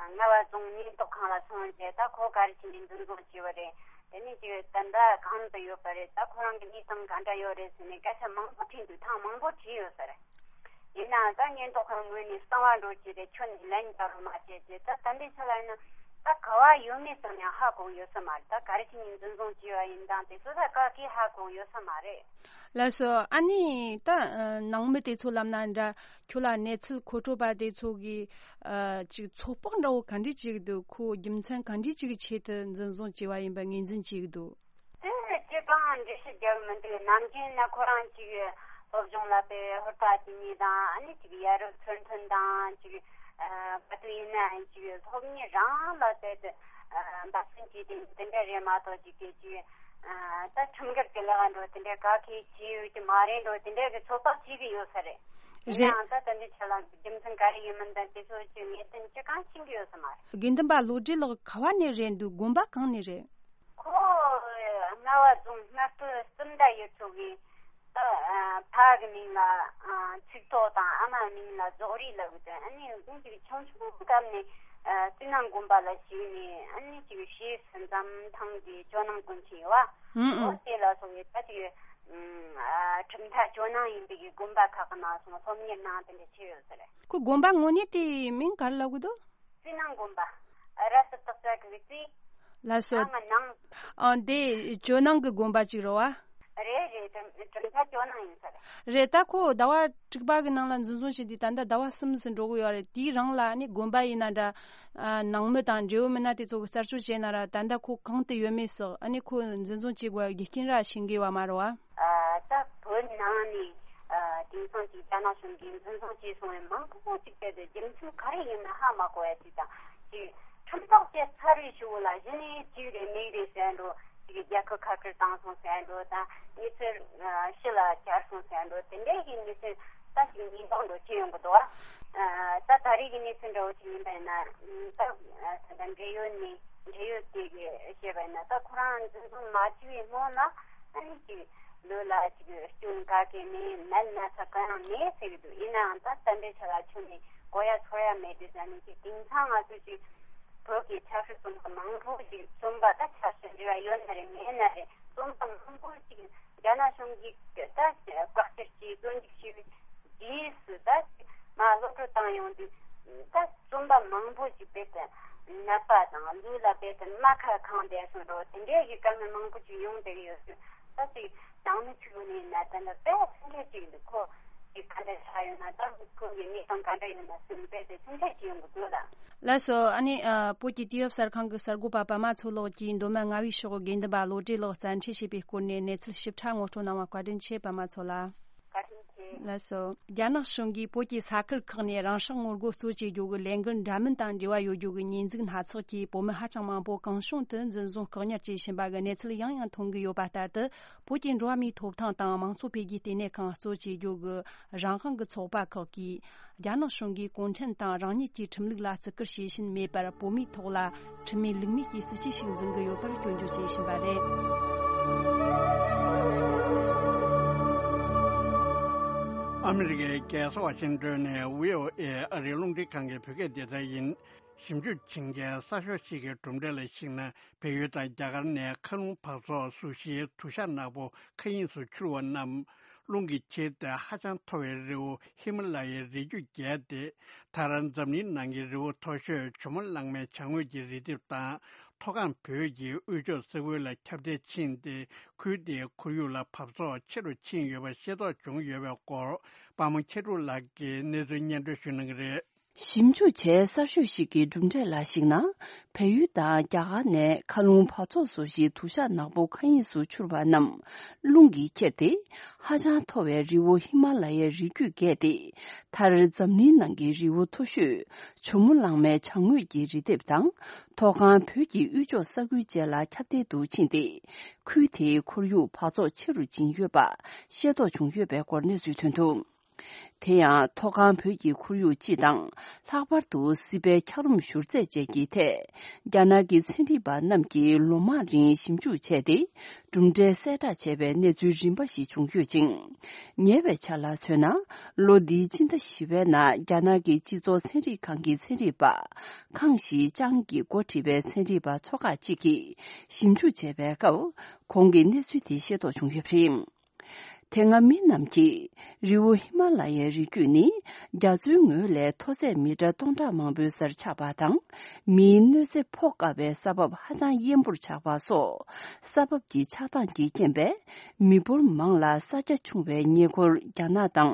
རྔ་བ་རྫོང་ཉེན་རྟོག་ཁང་ལ་སོང་རྗེས། ད་ཁོ་ག་རེ་བྱས་ནས་འཛིན་བཟུང་བྱས་པ་རེད། དེ་ནས་ཅིག་ད་ལྟ་གང་དུ་ཡོད་པ་རེད། ད་ཁོ་རང་གི་གནས་སྟངས་ག་འདྲ་ཡོད་རེད་ཟེར་ནས་སྐད་ཆ་མང་པོ་དྲིས་འདུག་ཐེངས་མང་པོ་དྲིས་ཡོད་ས་རེད། ཡིན་ནའང་ད་ཉེན་རྟོག་ཁང་ངོས་ནས་གསང་བ་འགྲོ་བྱས་ཏེ་ཁྱོན་ནས་ལན་རྒྱག་རོགས་མ་བྱས་ཅེས། ད་ད་ལྟའི་ཆ་ལ་ཡིན་ན་ད་ག་བ་ཡོད་མེད་ཙམ་ཡང་ཧ་གོ་ཡོད་ས་མ་རེད། ད་ག་རེ་བྱས་ནས་འཛིན་བཟུང་བྱས་པ་ཡིན་དང་དེ་ཚོ་ད་ག་གིས་ཧ་གོ་ཡོད་ས་མ་རེད། ལགས་སོ། ཨ་ནི་ད་ནང་མི་དེ་ཚོ་ལབ་ན་འདྲ། ཁྱོད་ལ་གནས་ཚུལ་མཁོ་སྤྲོད་པ་དེ་ཚོ་གིས་ཨ་ཅིག་ཚོད་དཔག་འདྲ་བོ་ག་འདྲས་བྱེད་ཀྱི་འདུག་ཁོ་རྒྱུ་མཚན་ག་འདྲས་ཅིག་གི་ཆེད་དུ་འཛིན་བཟུང་བྱས་པ་ཡིན་པ་ངོས་འཛིན་བྱེད་ཀྱི་འདུག་དེ་ཅི་གང་འགྲེལ་བཤད་རྒྱག་མི་འདུག་ནམ་རྒྱུན་ན་ཁོ་རང་ཅིག་སློབ་སྦྱོང་ལ་དཔེ་ཧུར་ཐག་བྱེད་མཁན་དང་། ཨ་ནི་ཅིག་ཡ་རབས་ཚུལ་མཐུན་དང་། ཅིག་ཨ་ག་དུས་ཡིན་ནའང་ཅིག་སློབ་གཉེར་རང་ལ་དཔེ་དེ་ཨ་འབད་བརྩོན་བྱེད་དེ་དེ་འདྲ་རེད་མ་གཏོགས། ཅིག་གིས་ཅིག་ཨ་ད་ཁྲིམས་འགལ་གྱི་ལས་ཀ་འགྲོ་དེ་འདྲ་ག་གིས་བྱེད་ཡོད་ཀྱི་མ་རེད་འགྲོ་དེ་འདྲ་གི་ཚོད་དཔག་བྱེད་ཀྱི་ཡོད་ས་རེད། ཡིན་རེད། ནའང་ད་ད་འདི་ཆ་ལ་རྒྱུ་མཚན་ག་རེ་ཡིན་མིན་དང་དེ་ཚོ་ཅིག་ངེས་གཏན་ཅི་གང་ཤེས་ཀྱི་ཡོད་ས་མ་རེད། དགེ་འདུན་པ་བློ་གྲོས་ལགས་ག་བ་ནས་རེད་འདུག་དགོན་པ་གང་ནས་རེད། ཁོ་རྔ་བ་རྫོང་སྔ་སྟོད་སུམ་མདའ་ཡུལ་ཚོ་གི་ད་ཨ་ཕ་གི་མིང་ལ་ཨ་ཚིག་ཐོག་དང་། ཨ་མ་མིང་ལ་རྫོགས་རིགས་ལབ་གི་འདུག་ཨ་ནི་ཁོང་ཅིག་ཆུང་ཆུང་སྐབས་ནས་ཨ་སྤྱི་ནང་དགོན་པ་ལ་ཞུགས་ནས། ཨ་ནི་ཅིག་ཞེས་སུ་འཛམ་ཐང་གི་ཇོ་ནང་དགོན་ཆེན་ཡོད་བ། ཨུ་ཨུ། འོ་དེ་ལ་སོང་བའི་ད་ཅིག་ཨ་གྲུབ་མཐའ་ཇོ་ནང་ཡིན་པའི་གི་དགོན་པ་ཁག་གི་ནང་སོང་སློབ་གཉེར་གནང་དེ་འདྲ་བྱས་ཡོད་ས་རེད། ཁོ་དགོན་པ་དངོས་གནས་དེའི་མིང་ག་རེ་ལབ་གི་འདུག་སྤྱི་ནང་དགོན་པ། ར་སུ་སྟག་ས་གི་སྤྱི། ལགས་སོ། ནང་གི་ནང་། ཨ་འདི་ཇོ་ནང་གི་དགོན་པ་ཅིག་རེད་བ། རེད་རེད། གྲུབ་གྲུབ་མཐའ་ཇོ་ནང་ཡིན་ས་རེད། རེད། ད་ཁོ་ཟླ་བ་དྲུག་པ་གི་ནང་ལ་འཛིན་བཟུང་བྱས་ཏེ་ད་ལྟ་ཟླ་བ་གསུམ་ཙམ་འགྲོ་གི་ཡོད་རེད། དེའི་རིང་ལ་ཨ་ནི་དགོན་པ་ཡིན་ན་འདྲ། ཨ་ནང་མི་དང་འབྲེལ་ཡོད་མི་སྣ་དེ་ཚོ་གིས་རྩད་གཅོད་བྱས་ན་ར། ད་ལྟ་ཁོ་གང་དུ་ཡོད་མེད་སོགས། ཨ་ནི་ཁོ་འཛིན་བཟུང་བྱེད་དགོས་རྒྱུ་རྐྱེན་ར་ཤེས་ཀྱི་ཡོད་མ་རེད་བ། ཨ་ད་བོད་ནང་ནས་ཨ་དེང་སང་ཅིག་རྒྱ་ནག་གཞུང་གིས་འཛིན་བཟུང་བྱས་སོང་བའི་མང་པོ་ཅིག་དེ་དེ་རྒྱུ་མཚན་ག་རེ་ཡིན་ན་ཧ་མ་གོ་ཡ་ཅིག་དང་། ཅིག་ཁྲིམས་ཐག་བཅད་ཚར་བའི་གཞུག་ལ་གཞི་ནས་ཅིག་རེད་མིག་རེད་ཟེར་འགྲོ། ཅིག་རྒྱལ་ཁབ་ཁ་བྲལ་བཏང་སོང་ཟེར་འགྲོ་དང་། མི་ཚེ་ཕྱི་ལ་གྱར་སོང་ཟེར་འགྲོ། དེ་འདྲའི་གི་མི་ཚེ་ད་ཅིག་ཉེན་རྟོག་འགྲོ་ཅི་ཡོང་གི་འདུག་བ། ད་ད་རེས་ཀྱི་གནས་ཚུལ་འདྲ་བོ་ཅིག་ཡིན་པ་ཡིན་ན། ད་ད་འབྲེལ་ཡོད་ནས་འབྲེལ་ཡོད་དེ་གི་བཤད་པ་ཡིན་ན། ད་ཁོ་རང་འཛིན་བཟུང་མ་བྱས་པའི་སྔོན་ལ་ཨ་ནི་ཅིག་ལུས་ལ་ཅིག་སྐྱོན་ག་གེ་མེད། ནད་ན་ཚ་གང་ཡང་མེད་ཟེར་གི་འདུག་ཡིན་ནའང་ད་ད་ལྟའི་ཆ་ལ་ཁྱོན་ནས་གོ་ཡ་ཚོར་ཡ་མེད་དུས་ཙང་ནས། ཅིག་དེང་སང་ང་ཚོས་ཅིག་བོད་ཀྱི་ཆབ་སྲིད་བཙོན་པ་མང་པོ་ཞིག་བཙོན་པ། ད་ཆབ་སྲིད་འབྲེལ་བ་ཡོད་ན་རེད་མེད་ན་རེད། བཙོན་པ་མང་པོ་ཞིག་རྒྱ་ནག་གཞུང་གིས་ད་བཀག་སྐྱིལ་གྱིས་བཙོན་འཇུག་བྱས་པའི་རྗེས་སུ། ད་མར་གློད་བཀྲོལ་བཏང་ཡོང་དུས། ད་བཙོན་པ་མང་པོ་ཞིག་རྦད་དེ་ནད་པ་དང་ལུས་ལ་རྦད་དེ་རྨ་ཁ་གང་བསྡད་སོང་འགྲོ། དེ་འདྲའི་གི་དཀའ་ངལ་མང་པོ་ཞིག་ཡོང་བསྡད་ཀྱི་ཡོད་ཚུལ། ད་ཅིག་ནང་མི་ཚོའི་ངོས་ནས་ན་ད་ལྟ་དཔེ་སེམས་ཁྲལ་ཅིག་འདུག་ཁོ་ཅིག་ག་འདྲ་ཆགས་ཡོད་ན། ད་ཁོང་གི་གནས་སྟངས་ག་འདྲ་ཡོད་ན་ཟེར་ནས་དཔེ་དེ་སེམས་ཁྲལ་ཅིག་ཡོང་གི་འདུག་ལ། ལགས་སོ། ཨ་ནི་ཨ་བོད་ཀྱི་དུས་བབ་གསར་ཁང་གི་གསར་འགོད་པ་པདྨ་མཚོ་ལགས་ཀྱིས་མདོ་སྨད་རྔ་བའི་ཕྱོགས་དགེ་འདུན་པ་བློ་གྲོས་ལགས་བཙན་ཁྲིད་བྱས་པའི་སྐོར་ནས་གནས་ཚུལ་ཞིབ་ཕྲ་ངོ་སྤྲོད་གནང་བ་བཀའ་དྲིན་ཆེ། པདྨ་མཚོ་ལགས། བཀའ་དྲིན་ཆེ། ལགས་སོ། རྒྱ་ནག་གཞུང་གིས་བོད་ཀྱི་ས་ཁུལ་ཁག་ནས་རང་སྲོག་ངོ་རྒོལ་གཙོ་བྱེད་རྒྱུ་གི་ལས་འགུལ་འདྲ་མིན་དང་འབྲེལ་བ་ཡོད་རྒྱུ་གི་ཉེས་འཛུགས་སྣ་ཚོགས་ཀྱིས་བོད་མི་ཧ་ཅང་མང་པོ་གང་བྱུང་དུ་འཛིན་བཟུང་བཀག་ཉར་བྱས་ཕྱིན་པ་གི་གནས་ཚུལ་ཡང་ཡང་ཐོན་གྱི་ཡོད་པ་ལྟར་དུ། བོད་ཀྱི་འགྲོ་བ་མིའི་ཐོབ་ཐང་དང་མང་གཙོ་འཕེལ་རྒྱས་ལྟེ་གནས་ཁང་གཙོ་བྱེད་རྒྱུ་གི་རང་དབང་གི་ཚོགས་པ་ཁག་གིས། རྒྱ་ནག་གཞུང་གིས་གུང་ཁྲན་ཏང་རང་ཉིད་ཀྱི་ཁྲིམས་ལུགས་ལ་བརྩི་བཀུར་བྱེད་བཞིན་མེད་པར། བོད་མིའི་ཐོག་ལ་ཁྲིམས་མེད་ལུགས་མེད་ཀྱི་སྲིད་བྱུས་ཤིག་འཛིན་གྱི་ཡོད་པར་སྐྱོན་བརྗོད་བྱེད་བཞིན་པ་རེད། ཨ་མི་རི་ཀའི་རྒྱལ་ས་ཝ་ཤིང་ཏོན་ནས་བྷི་ཨོ་ཨེ་ཨ་རིའི་རླུང་འཕྲིན་ཁང་གི་བོད་སྐད་སྡེ་ཚན་ཡིན། ཞིབ་འཇུག་བྱེད་མཁན་གསར་ཤོག་ཞིག་གི་གྲུབ་འབྲས་ལ་གཞིགས་ན། བལ་ཡུལ་དང་རྒྱ་གར་ནས་མཁའ་རླུང་འབག་བཙོག་གཟུགས་གཞིའི་དུ་ཞགས་ནག་པོ་མཁའ་དབྱིངས་སུ་འཕྱུར་བ་རྣམས། རླུང་གིས་ཁྱེར་ཏེ་ཧ་ཅང་མཐོ་བའི་རི་བོ་ཧི་མ་ལ་ཡའི་རི་རྒྱུད་བརྒལ་ཏེ། མཐར་འཛམ་གླིང་ནང་གི་རི་བོ་མཐོ་ཤོས་ཇོ་མོ་གླང་མའི་བྱང་ངོས་ཀྱི་རི་ལྡེབས་དང་། མཐོ་སྒང་བོད་ཀྱི་དབུས་ཕྱོགས་ས་ཁུལ་ལ་ཁྱབ་གདལ་ཕྱིན་ཏེ། ཁུལ་དེའི་ཁོར་ཡུག་ལ་འབག་བཙོག་ཆེ་རུ་ཕྱིན་ཡོད་པ་ཤེས་རྟོགས་བྱུང་ཡོད་པའི་སྐོར། པདྨ་མཁས་གྲུབ་ལགས་ཀྱིས་གནས་ཚུལ་སྙན་སྒྲོན་ཞུ་གནང་གི་རེད། ཞིབ་འཇུག་བྱས་གསར་ཤོག་ཞིག་གི་གྲུབ་འབྲས་ལ་གཞིགས་ན། བལ་ཡུལ་དང་རྒྱ་གར་ནས་མཁའ་རླུང་འབག་བཙོག་བཟོ་གཞིའི་དུ་ཞགས་ནག་པོ་མཁའ་དབྱིངས་སུ་འཕྱུར་བ་རྣམས། རླུང་གིས་ཁྱེར་ཏེ། ཧ་ཅང་མཐོ་བའི་རི་བོ་ཧི་མ་ལ་ཡའི་རི་རྒྱུད་བརྒལ་ཏེ། མཐར་འཛམ་གླིང་ནང་གི་རི་བོ་མཐོ་ཤོས་ཇོ་མོ་གླང་མའི་བྱང་ངོས་ཀྱི་རི་ལྡེབས་དང་། མཐོ་སྒང་བོད་ཀྱི་དབུས་ཕྱོགས་ས་ཁུལ་བཅས་ལ་ཁྱབ་གདལ་དུ་ཕྱིན་ཏེ། ཁུལ་དེའི་ཁོར་ཡུག་འབག་བཙོག་ཆེ་རུ་ཕྱིན་ཡོད་པ་ཤེས་རྟོགས་བྱུང་ཡོད་པའི་སྐོར་གནས་ཚུལ་ཐོན་འདུག། དེ་ཡང་མཐོ་སྒང་བོད་ཀྱི་ཁོར་ཡུག་སྤྱི་དང་། ལྷག་པར་དུ་སྲིད་པའི་འཁྱགས་རོམ་བཞུར་རྫས་བཅས་ཀྱི་ཐད། རྒྱ་ནག་གི་ཚན་རིག་པ་རྣམས་ཀྱིས་ལོ་མང་རིང་ཞིབ་འཇུག་བྱས་ཏེ། གྲུབ་འབྲས་གསལ་བསྒྲགས་བྱས་པའི་གནས་ཚུལ་རིམ་པ་ཞིག་བྱུང་ཡོད་ཅིང་། ཉེ་བའི་ཆར་ལ་མཚོན་ན། ལོ་འདིའི་སྤྱི་ཟླ་བཞི་པའི་ནང་རྒྱ་ནག་གི་སྤྱི་ཚོགས་ཚན་རིག་ཁང་གི་ཚན་རིག་པ། ཁང་ཞི་ཅང་གིས་འགོ་ཁྲིད་པའི་ཚན་རིག་པ་ཚོ་ཁག་ཅིག་གིས་ཞིབ་འཇུག་བྱས་པའི་སྐབས། ཁོང་གིས་གནས་ཚུལ་དེ་ཤེས་རྟོགས་བྱུང་ཡོད་པ་རེད། དེ་སྔ་མི་རྣམས་ཀྱིས་རི་བོ་ཧི་མ་ལ་ཡའི་རི་རྒྱུད་ནི་རྒྱ་མཚོའི་ངོས་ལས་མཐོ་ཚད་མི་ཊར་སྟོང་ཕྲག་མང་པོའི་སར་ཆགས་པ་དང་། མིའི་གནོད་འཚེ་ཕོག་དཀའ་བའི་ས་བབ་ཧ་ཅང་ཡན་པོར་ཆགས་པ་སོགས། ས་བབ་ཀྱི་ཆགས་སྟངས་ཀྱི་རྐྱེན་པས། མི་འབོར་མང་ལ་ས་རྒྱ་ཆུང་བའི་ཉེ་འཁོར་རྒྱ་ནག་དང་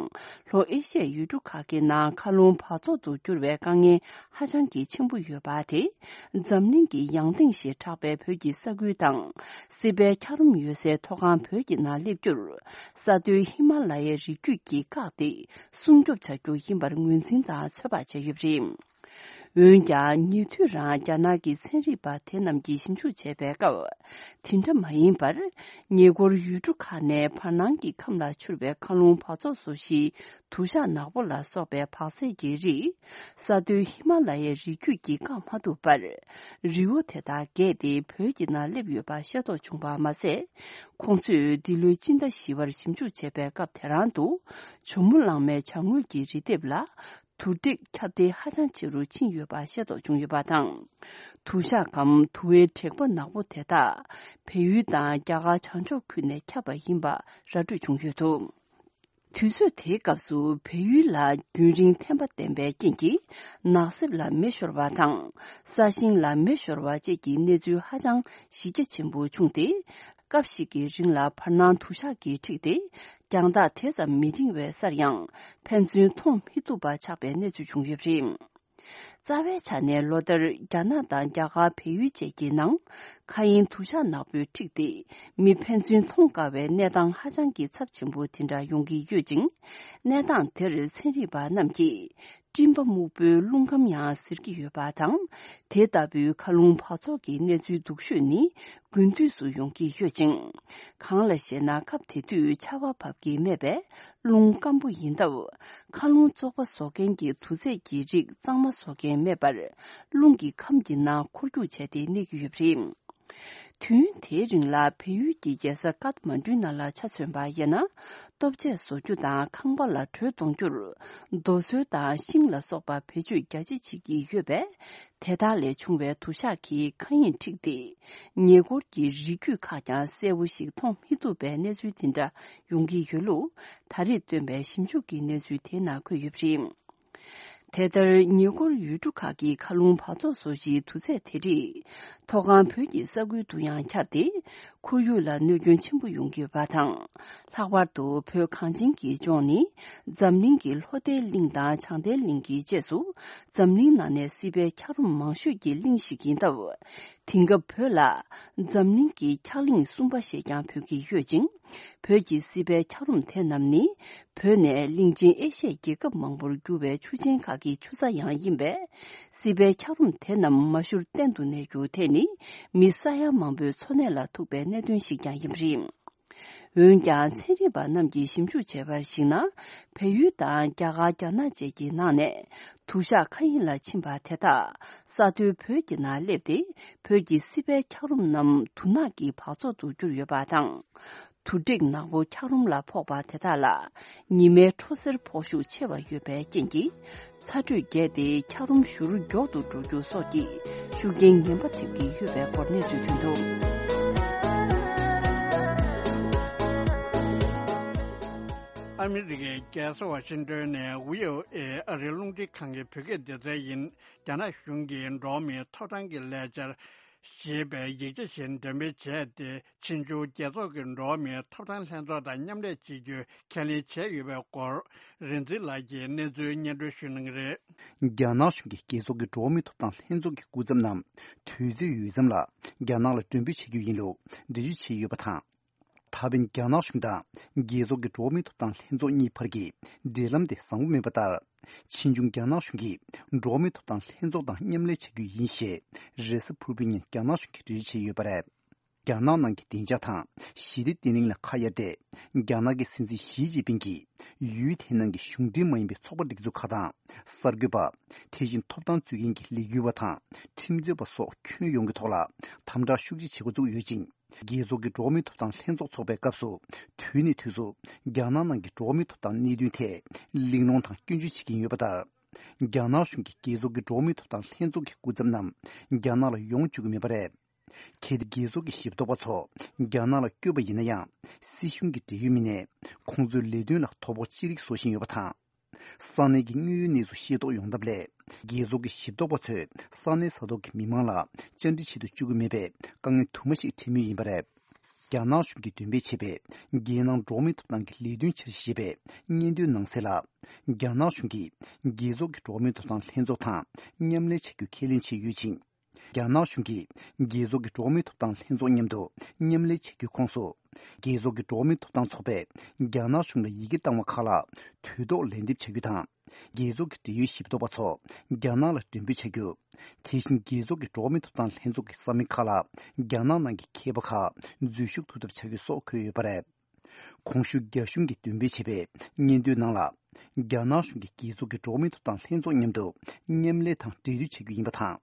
ལྷོ་ཨེ་ཤི་ཡའི་ཡུལ་གྲུ་ཁག་གི་ནང་མཁའ་རླུང་འབག་བཙོག་ཏུ་གྱུར་བའི་དཀའ་ངལ་ཧ་ཅང་གི་ཆེན་པོ་ཡོད་པ་དེ། འཛམ་གླིང་གི་ཡང་སྟེང་ཞེས་གྲགས་པའི་བོད་ཀྱི་ས་ཁུལ་དང་། སྲིད་པའི་འཁྱགས་རོམ་ཡོད་སའི་མཐོ་སྒང་བོད་ཀྱི་ནང་སླེབས་རྒྱུར། ས་མཐོའི་ཧི་མ་ལ་ཡའི་རི་རྒྱུད་ཀྱིས་བཀག་སྟེ། སྲུང་སྐྱོབ་བྱ་རྒྱུ་ཡིན་པར་ངོས་འཛིན་དང་ཚོད་དཔག་བྱས་ཡོད་པ་རེད། འོན་ཀྱང་། ཉེ་དུས་རང་རྒྱ་ནག་གི་ཚན་རིག་པ་དེ་རྣམས་ཀྱིས་ཞིབ་འཇུག་བྱས་པའི་སྐབས། དེ་འདྲ་མ་ཡིན་པར། ཉེ་འཁོར་ཡུལ་གྲུ་ཁག་ནས་བར་སྣང་གི་ཁམས་ལ་འཕྱུར་བའི་མཁའ་རླུང་འབག་བཙོག་བཟོ་གཞིའི་དུ་ཞགས་ནག་པོ་ལ་སོགས་པའི་འབག་རྫས་ཀྱི་རིགས། ས་མཐོའི་ཧི་མ་ལ་ཡའི་རི་རྒྱུད་ཀྱིས་བཀག་མ་ཐུབ་པར། རི་བོ་དེ་དག་བརྒལ་ཏེ་བོད་ཀྱི་ནང་སླེབས་ཡོད་པ་ཤེས་རྟོགས་བྱུང་བ་མ་ཟད། ཁོང་ཚོས་འདི་ལོའི་སྤྱི་ཟླ་བཞི་པར་ཞིབ་འཇུག་བྱས་པའི་སྐབས་དེ་རང་དུ། ཇོ་མོ་གླང་མའི་བྱང་ངོས་ཀྱི་རི་ལྡེབས་ལ། དུ་དྲེག་ཁྱབ་གདལ་ཧ་ཅང་ཆེ་རུ་ཕྱིན་ཡོད་པ་ཤེས་རྟོགས་བྱུང་ཡོད་པ་དང་། དུ་ཞགས་གམ་དུ་བའི་དྲེག་པ་ནག་པོ་དེ་དག་བལ་ཡུལ་དང་རྒྱ་གར་བྱང་ཕྱོགས་ཁུལ་ནས་ཁྱབ་པ་ཡིན་པ་ར་སྤྲོད་བྱུང་ཡོད་འདུག། དུས་ཚོད་དེའི་སྐབས་སུ་བལ་ཡུལ་ལ་རྒྱུན་རིང་ཐན་པ་ལྡན་པའི་རྐྱེན་གྱིས། ནགས་གསེབ་ལ་མེ་ཤོར་བ་དང་། ས་ཞིང་ལ་མེ་ཤོར་བ་བཅས་ཀྱི་གནས་ཚུལ་ཧ་ཅང་གཞི་རྒྱ་ཆེན་པོ་བྱུང་སྟེ། སྐབས་ཤིག་གི་རིང་ལ་བར་སྣང་དུ་ཞགས་ཀྱིས་འཁྲིགས་ཏེ། རྒྱང་ཐག་དེ་ཙམ་མི་རིང་བའི་སར་ཡང་། ཕན་ཚུན་མཐོང་མི་ཐུབ་པ་ཆགས་པའི་གནས་ཚུལ་བྱུང་ཡོད་པ་རེད། རྩ་བའི་ཆ་ནས་ལོ་ལྟར་རྒྱ་ནག་དང་རྒྱ་གར་བལ་ཡུལ་བཅས་ཀྱི་ནང་། མཁའ་དབྱིངས་དུ་ཞགས་ནག་པོས་འཁྲིགས་ཏེ། མི་ཕན་ཚུན་མཐོང་དཀའ་བའི་གནས་སྟངས་ཧ་ཅང་གི་ཚབས་ཆེན་པོ་དེ་འདྲ་ཡོང་གི་ཡོད་ཅིང་། གནས་སྟངས་དེར་ཚན་རིག་པ་རྣམས་ཀྱིས། སྤྲིན་པ་སྨུག་པོའི་རླུང་ཁམས་ཡང་ཟེར་གྱི་ཡོད་པ་དང་། དེ་ལྟ་བུའི་མཁའ་རླུང་འབག་བཙོག་གི་གནས་ཚུལ་སྡུག་ཤོས་ནི། དགུན་དུས་སུ་ཡོང་གི་ཡོད་ཅིང་། གང་ལ་ཞེ་ན། སྐབས་དེ་དུས་ཆར་པ་བབས་ཀྱི་མེད་པས། རླུང་སྐམ་པོ་ཡིན་སྟབས། མཁའ་རླུང་བཙོག་པ་བཟོ་མཁན་གྱི་དུག་རྫས་ཀྱི་རིགས་གཙང་མ་བཟོ་མཁན་མེད་པར། རླུང་གི་ཁམས་ཀྱི་ནང་འཁོར་རྒྱུག་བྱས་ཏེ་གནས་ཀྱི་ཡོད་པ་རེད། དུས་ཡུན་དེའི་རིང་ལ་བལ་ཡུལ་གྱི་རྒྱལ་ས་ཀཏ་མན་གྲུའི་ནང་ལ་ཆ་མཚོན་པ་ཡིན་ན། ལྟོ་ཆས་བཟོ་རྒྱུ་དང་ཁང་པ་ལ་དྲོད་གཏོང་རྒྱུར། རྡོ་སོལ་དང་ཤིང་ལ་སོགས་པ་བེད་སྤྱོད་རྒྱ་ཆེ་བྱེད་ཀྱི་ཡོད་པས། དེ་དག་ལས་བྱུང་བའི་དུ་ཞགས་ཀྱིས་མཁའ་དབྱིངས་འཁྲིགས་ཏེ། ཉེ་འཁོར་གྱི་རི་རྒྱུད་ཁག་ཀྱང་གསལ་བོ་ཞིག་མཐོང་མི་ཐུབ་པའི་གནས་ཚུལ་དེ་འདྲ་ཡོང་གི་ཡོད་ལུགས། ད་རེས་བཏོན་པའི་ཞིབ་འཇུག་གི་གནས་ཚུལ་དེའི་ནང་འཁོད་ཡོད་པ་རེད། དེ་ལྟར་ཉེ་འཁོར་ཡུལ་གྲུ་ཁག་གི་མཁའ་རླུང་འབག་བཙོག་བཟོ་གཞིའི་དུག་རྫས་དེ་རིགས། མཐོ་སྒང་བོད་ཀྱི་ས་ཁུལ་དུ་ཡང་ཁྱབ་སྟེ། ཁོར་ཡུག་ལ་གནོད་སྐྱོན་ཆེན་པོ་ཡོང་གི་ཡོད་པ་དང་། ལྷག་པར་དུ་བོད་གངས་ཅན་གྱི་ལྗོངས་ནི། འཛམ་གླིང་གི་ལྷོ་མཐའི་གླིང་དང་བྱང་མཐའི་གླིང་གི་རྗེས་སུ། འཛམ་གླིང་ནང་ནས་སྲིད་པའི་འཁྱགས་རོམ་མང་ཤོས་ཀྱི་གླིང་ཞིག་ཡིན་སྟབས། དེང་སྐབས་བོད་ལ། འཛམ་གླིང་གི་འཁྱགས་གླིང་གསུམ་པ་ཞེས་ཀྱང་འབོད་ཀྱི་ཡོད་ཅིང་། བོད་ཀྱི་སྲིད་པའི་འཁྱགས་རོམ་དེ་རྣམས་ནི། བོད་ནས་གླིང་ཆེན་ཨེ་ཤི་ཡའི་རྒྱལ་ཁབ་མང་པོར་རྒྱུ་བའི་ཆུ་ཆེན་ཁག་གི་ཆུ་རྩ་ཡང་ཡིན་པས། སྲིད་པའི་འཁྱགས་རོམ་དེ་རྣམས་མ་ཞུར་གཏན་དུ་གནས་རྒྱུ་དེ་ནི། མི་ས་ཡ་མང་པོའི་འཚོ་གནས་ལ་ཐུག་པའི་གནད་དོན་ཞིག་ཀྱང་ཡིན་པ་རེད། འོན་ཀྱང་། ཚན་རིག་པ་རྣམས་ཀྱིས་ཞིབ་འཇུག་བྱས་པར་གཞིགས་ན། བལ་ཡུལ་དང་རྒྱ་གར། རྒྱ་ནག་བཅས་ཀྱི་ནང་ནས། དུ་ཞག་མཁའ་དབྱིངས་ལ་ཕྱིན་པ་དེ་དག་ས་མཐོའི་བོད་ཀྱི་ནང་སླེབས་ཏེ། བོད་ཀྱི་སྲིད་པའི་འཁྱགས་རོམ་རྣམས་དུ་ནག་གི་བག་ཚོགས་སུ་གྱུར་ཡོད་པ་དང་། དུ་ཏྲིག་ནག་པོ་འཁྱགས་རོམ་ལ་ཕོག་པ་དེ་དག་ལ། ཉི་མའི་འཕྲོ་སེར་ཕོག་ཤུགས་ཆེ་བ་ཡོད་པའི་རྐྱེན་གྱིས། ཚ་དྲོད་རྒྱས་ཏེ། འཁྱགས་རོམ་ཞུ་རུ་མགྱོགས་དུ་འགྲོ་རྒྱུ་སོགས་ཀྱི་ཤུགས་རྐྱེན་ངན་པ་ཐེབས་ཀྱི་ཡོད་པའི་སྐོར་གནས་ཚུལ་ཐོན་འདུག། ཨ་མི་རི་ཀའི་རྒྱལ་ས་ཝ་ཤིང་ཏོན་ནས་ཝི་ཨོ་ཨེ་ཨ་རིའི་རླུང་འཕྲིན་ཁང་གི་བོད་སྐད་སྡེ་ཚན་ཡིན། རྒྱ་ནག་གཞུང་གིས་འགྲོ་བ་མིའི་ཐོབ་ཐང་གི་ལས་འཆར་ཞེས་པའི་ཡིག་ཆ་ཞིག་འདོན་སྤེལ་བྱས་ཏེ། ཕྱིས་འབྱུང་རྒྱལ་ཚོགས་ཀྱི་འགྲོ་བ་མིའི་ཐོབ་ཐང་ལྷན་ཚོགས་དང་མཉམ་ལས་བྱེད་རྒྱུའི་ཁས་ལེན་བྱས་ཡོད་པའི་སྐོར། རིག་འཛིན་ལགས་ཀྱིས་གནས་ཚུལ་སྙན་སྒྲོན་ཞུ་གནང་གི་རེད། རྒྱ་ནག་གཞུང་གིས་རྒྱལ་ཚོགས་ཀྱི་འགྲོ་བ་མིའི་ཐོབ་ཐང་ལྷན་ཚོགས་ཀྱི་སྐུ་ཚབ་རྣམས་དུས་ཚོད་ཡོལ་མཚམས་ལ་རྒྱ་ནག་ལ་མགྲོན་འབོད་བྱ་རྒྱུ་ཡིན་ལུགས་འགྲེལ་བརྗོད་བྱས་ཡོད་པ་དང་། ད་ཕན་རྒྱ་ནག་གཞུང་དང་རྒྱལ་ཚོགས་ཀྱི་འགྲོ་བ་མིའི་ཐོབ་ཐང་ལྷན་ཚོགས་གཉིས་བར་གྱི་འབྲེལ་ལམ་དེ་བཟང་པོ་མེད་པ་ལྟར། ཕྱིས་འབྱུང་རྒྱ་ནག་གཞུང་གིས་འགྲོ་བ་མིའི་ཐོབ་ཐང་ལྷན་ཚོགས་དང་མཉམ་ལས་བྱ་རྒྱུ་ཡིན་ཞེས་རེས་གཟའ་ཕུར་བུའི་ཉིན་རྒྱ་ནག་གཞུང་གིས་འགྲེལ་བརྗོད་བྱས་ཡོད་པ་རེད། རྒྱ་ནག་ནང་གི་བདེ་འཇགས་དང་ཞི་བདེ་བརྟན་ལྷིང་ལ་ཁ་གཡར་ཏེ། རྒྱ་ནག་གི་སྲིད་འཛིན་ཞི་ཅིན་ཕིང་གིས་ཡུལ་དེའི་ནང་གི་གཞུང་འབྲེལ་མ་ཡིན་པའི་ཚོགས་པ་སྒྲིག་འཛུགས་ཁག་དང་། གསར་འགོད་པ། དེ་བཞིན་ཐོབ་ཐང་རྩོད་མཁན་གྱི་ལས་འགུལ་བ་དང་ཁྲིམས་རྩོད་པ་སོགས་ཁྱོན་ཡོངས་ཀྱི་ཐོག་ལ་དམ་དྲག་ཤུགས་ཆེ་བྱེད་འགོ་བཙུགས་ཡོད་ཅིང་། རྒྱལ་ཚོགས་ཀྱི་འགྲོ་བ་མིའི་ཐོབ་ཐང་ལྷན་ཚོགས་འཚོགས་པའི་སྐབས་སུ། དུས་ནས་དུས་སུ་རྒྱ་ནག་ནང་གི་འགྲོ་བ་མིའི་ཐོབ་ཐང་གནད་དོན་ཐད་གླེང་སློང་དང་སྐྱོན་བརྗོད་བྱེད་ཀྱིན་ཡོད་པ་ལྟར། རྒྱ་ནག་གཞུང་གིས་རྒྱལ་ཚོགས་ཀྱི་འགྲོ་བ་མིའི་ཐོབ་ཐང་ལྷན་ཚོགས་ཀྱི་སྐུ་ཚབ་རྣམས་རྒྱ་ནག་ལ་ཡོང་བཅུག་གི་མེད་པ་རེད། གལ་ཏེ་རྒྱལ་ཚོགས་ཀྱི་ཞིབ་འཚོལ་བ་ཚོ་རྒྱ་ནག་ལ་བསྐྱོད་པ་ཡིན་ན་ཡང་། སྲིད་གཞུང་གི་འབྲེལ་ཡོད་མི་སྣས་ཁོང་ཚོའི་ལས་དོན་ལ་དོ་ཕོག་ཅི་རིགས་བཟོ་བཞིན་ཡོད་པ་དང་། ས་གནས་ཀྱི་དངོས་ཡོད་གནས་ཚུལ་ཤེས་རྟོགས་ཡོང་ཐབས་སླད། རྒྱལ་ཚོགས་ཀྱི་ཞིབ་འཚོལ་བ་ཚོས་ས་གནས་ས་ཐོག་གི་མི་མང་ལ་བཅར་འདྲི་བྱེད་དུ་བཅུག་གི་མེད་པའི་དཀའ་ངལ་དུ་མ་ཞིག་འཕྲད་མུས་ཡིན་པ་རེད། རྒྱ་ནག་གཞུང་གིས་འདོན་སྤེལ་བྱས་པའི་རྒྱལ་ནང་འགྲོ་བ་མིའི་ཐོབ་ཐང་གི་ལས་དོན་འཆར་གཞི་ཞེས་པའི་སྙན་ཐོའི་ནང་གསལ་ལ། རྒྱ་ནག་གཞུང་གིས་རྒྱལ་ཚོགས་ཀྱི་འགྲོ་བ་མིའི་ཐོབ་ཐང་ལྷན་ཚོགས་དང་མཉམ་ལས་བྱ་རྒྱུ་ཁས་ལེན་བྱས་ཡོད་ཅིང་། རྒྱ་ནག་གཞུང་གིས་རྒྱལ་ཚོགས་ཀྱི་འགྲོ་བ་མིའི་ཐོབ་ཐང་ལྷན་ཚོགས་མཉམ་དུ་མཉམ་ལས་བྱ་རྒྱུའི་ཁོངས་སུ། རྒྱལ་ཚོགས་ཀྱི་འགྲོ་བ་མིའི་ཐོབ་ཐང་ཚོགས་པས་རྒྱ་ནག་གཞུང་ལ་ཡི་གེ་བཏང་བ་ཁག་ལ་དུས་ཐོག་ལན་འདེབས་བྱ་རྒྱུ་དང་། རྒྱལ་ཚོགས་ཀྱི་འབྲེལ་ཡོད་ཞིབ་འཚོལ་བ་ཚོ་རྒྱ་ནག་ལ་མགྲོན་འབོད་བྱ་རྒྱུ། དེ་བཞིན་རྒྱལ་ཚོགས་ཀྱི་འགྲོ་བ་མིའི་ཐོབ་ཐང་ལྷན་ཚོགས་ཀྱི་ས་མིག་ཁག་ལ་རྒྱ་ནག་ནང་གི་མཁས་པ་ཁག་འཛུལ་ཞུགས་ཐུབ་ཐབས་བྱ་རྒྱུ་སོགས་འཁོད་ཡོད་པ་རེད། གོང་ཞུས་རྒྱ་གཞུང་གིས་འདོན་སྤེལ་བྱས་པའི་སྙན་ཐོའི་ནང་ལ། རྒྱ་ནག་གཞུང་གིས་རྒྱལ་ཚོགས་ཀྱི་འགྲོ་བ་མིའི་ཐོབ་ཐང་ལྷན་ཚོགས་མཉམ་དུ་མཉམ་ལས་དང་འབྲེལ་མཐུད་བྱ་རྒྱུ་ཡིན་པ་དང་།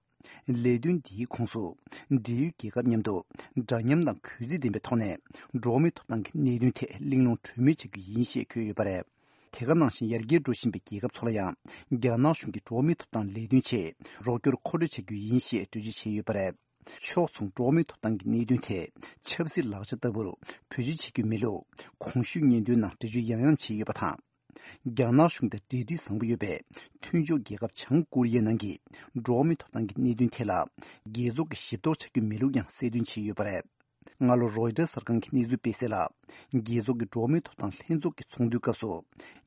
ལས་དོན་འདིའི་ཁོངས་སུ། འབྲེལ་ཡོད་རྒྱལ་ཁབ་མཉམ་དུ་འདྲ་མཉམ་དང་གུས་བརྩི་ལྡན་པའི་ཐོག་ནས་འགྲོ་བ་མིའི་ཐོབ་ཐང་གི་གནད་དོན་ཐད་གླེང་སློང་གྲོས་མོལ་བྱ་རྒྱུ་ཡིན་ཞེས་འཁོད་ཡོད་པ་རེད། དེ་ག་ནང་བཞིན་ཡར་རྒྱས་འགྲོ་བཞིན་པའི་རྒྱལ་ཁབ་ཚོ་ལ་ཡང་རྒྱ་ནག་གཞུང་གིས་འགྲོ་བ་མིའི་ཐོབ་ཐང་ལས་དོན་ཆེད་རོགས་སྐྱོར་མཁོ་སྤྲོད་བྱ་རྒྱུ་ཡིན་ཞེས་གྲོས་ཆོད་བྱས་ཡོད་པ་རེད། ཕྱོགས་མཚུངས་འགྲོ་བ་མིའི་ཐོབ་ཐང་གི་གནད་དོན་ཐད་ཆབ་སྲིད་ལག་ཆ་ལྟ་བུར་བེད་སྤྱོད་བྱེད་རྒྱུ་མེད་ལུགས་གོང་ཞུས་སྙན་ཐོའི་ནང་འགྲེལ་བརྗོད་ཡང་ཡང་བྱས་ཡོད་པ་དང་། རྒྱ་ནག་གཞུང་དང་འབྲེལ་འདྲིས་བཟང་པོ་ཡོད་པའི་མཐུན་ཕྱོགས་རྒྱལ་ཁབ་བྱང་ཀོ་རི་ཡའི་ནང་གི་འགྲོ་བ་མིའི་ཐོབ་ཐང་གི་གནད་དོན་ཐད་ལ་རྒྱལ་ཚོགས་ཀྱིས་ཞིབ་རྟོག་བྱ་རྒྱུ་མེད་ལུགས་ཡང་གསལ་སྟོན་བྱས་ཡོད་པ་རེད། སྔ་ལོ་རོའི་ཊར་གསར་ཁང་གི་གནས་ཚུལ་སྤེལ་གསལ་ལ། རྒྱལ་ཚོགས་ཀྱི་འགྲོ་བ་མིའི་ཐོབ་ཐང་ལྷན་ཚོགས་ཀྱི་ཚོགས་འདུའི་སྐབས་སུ།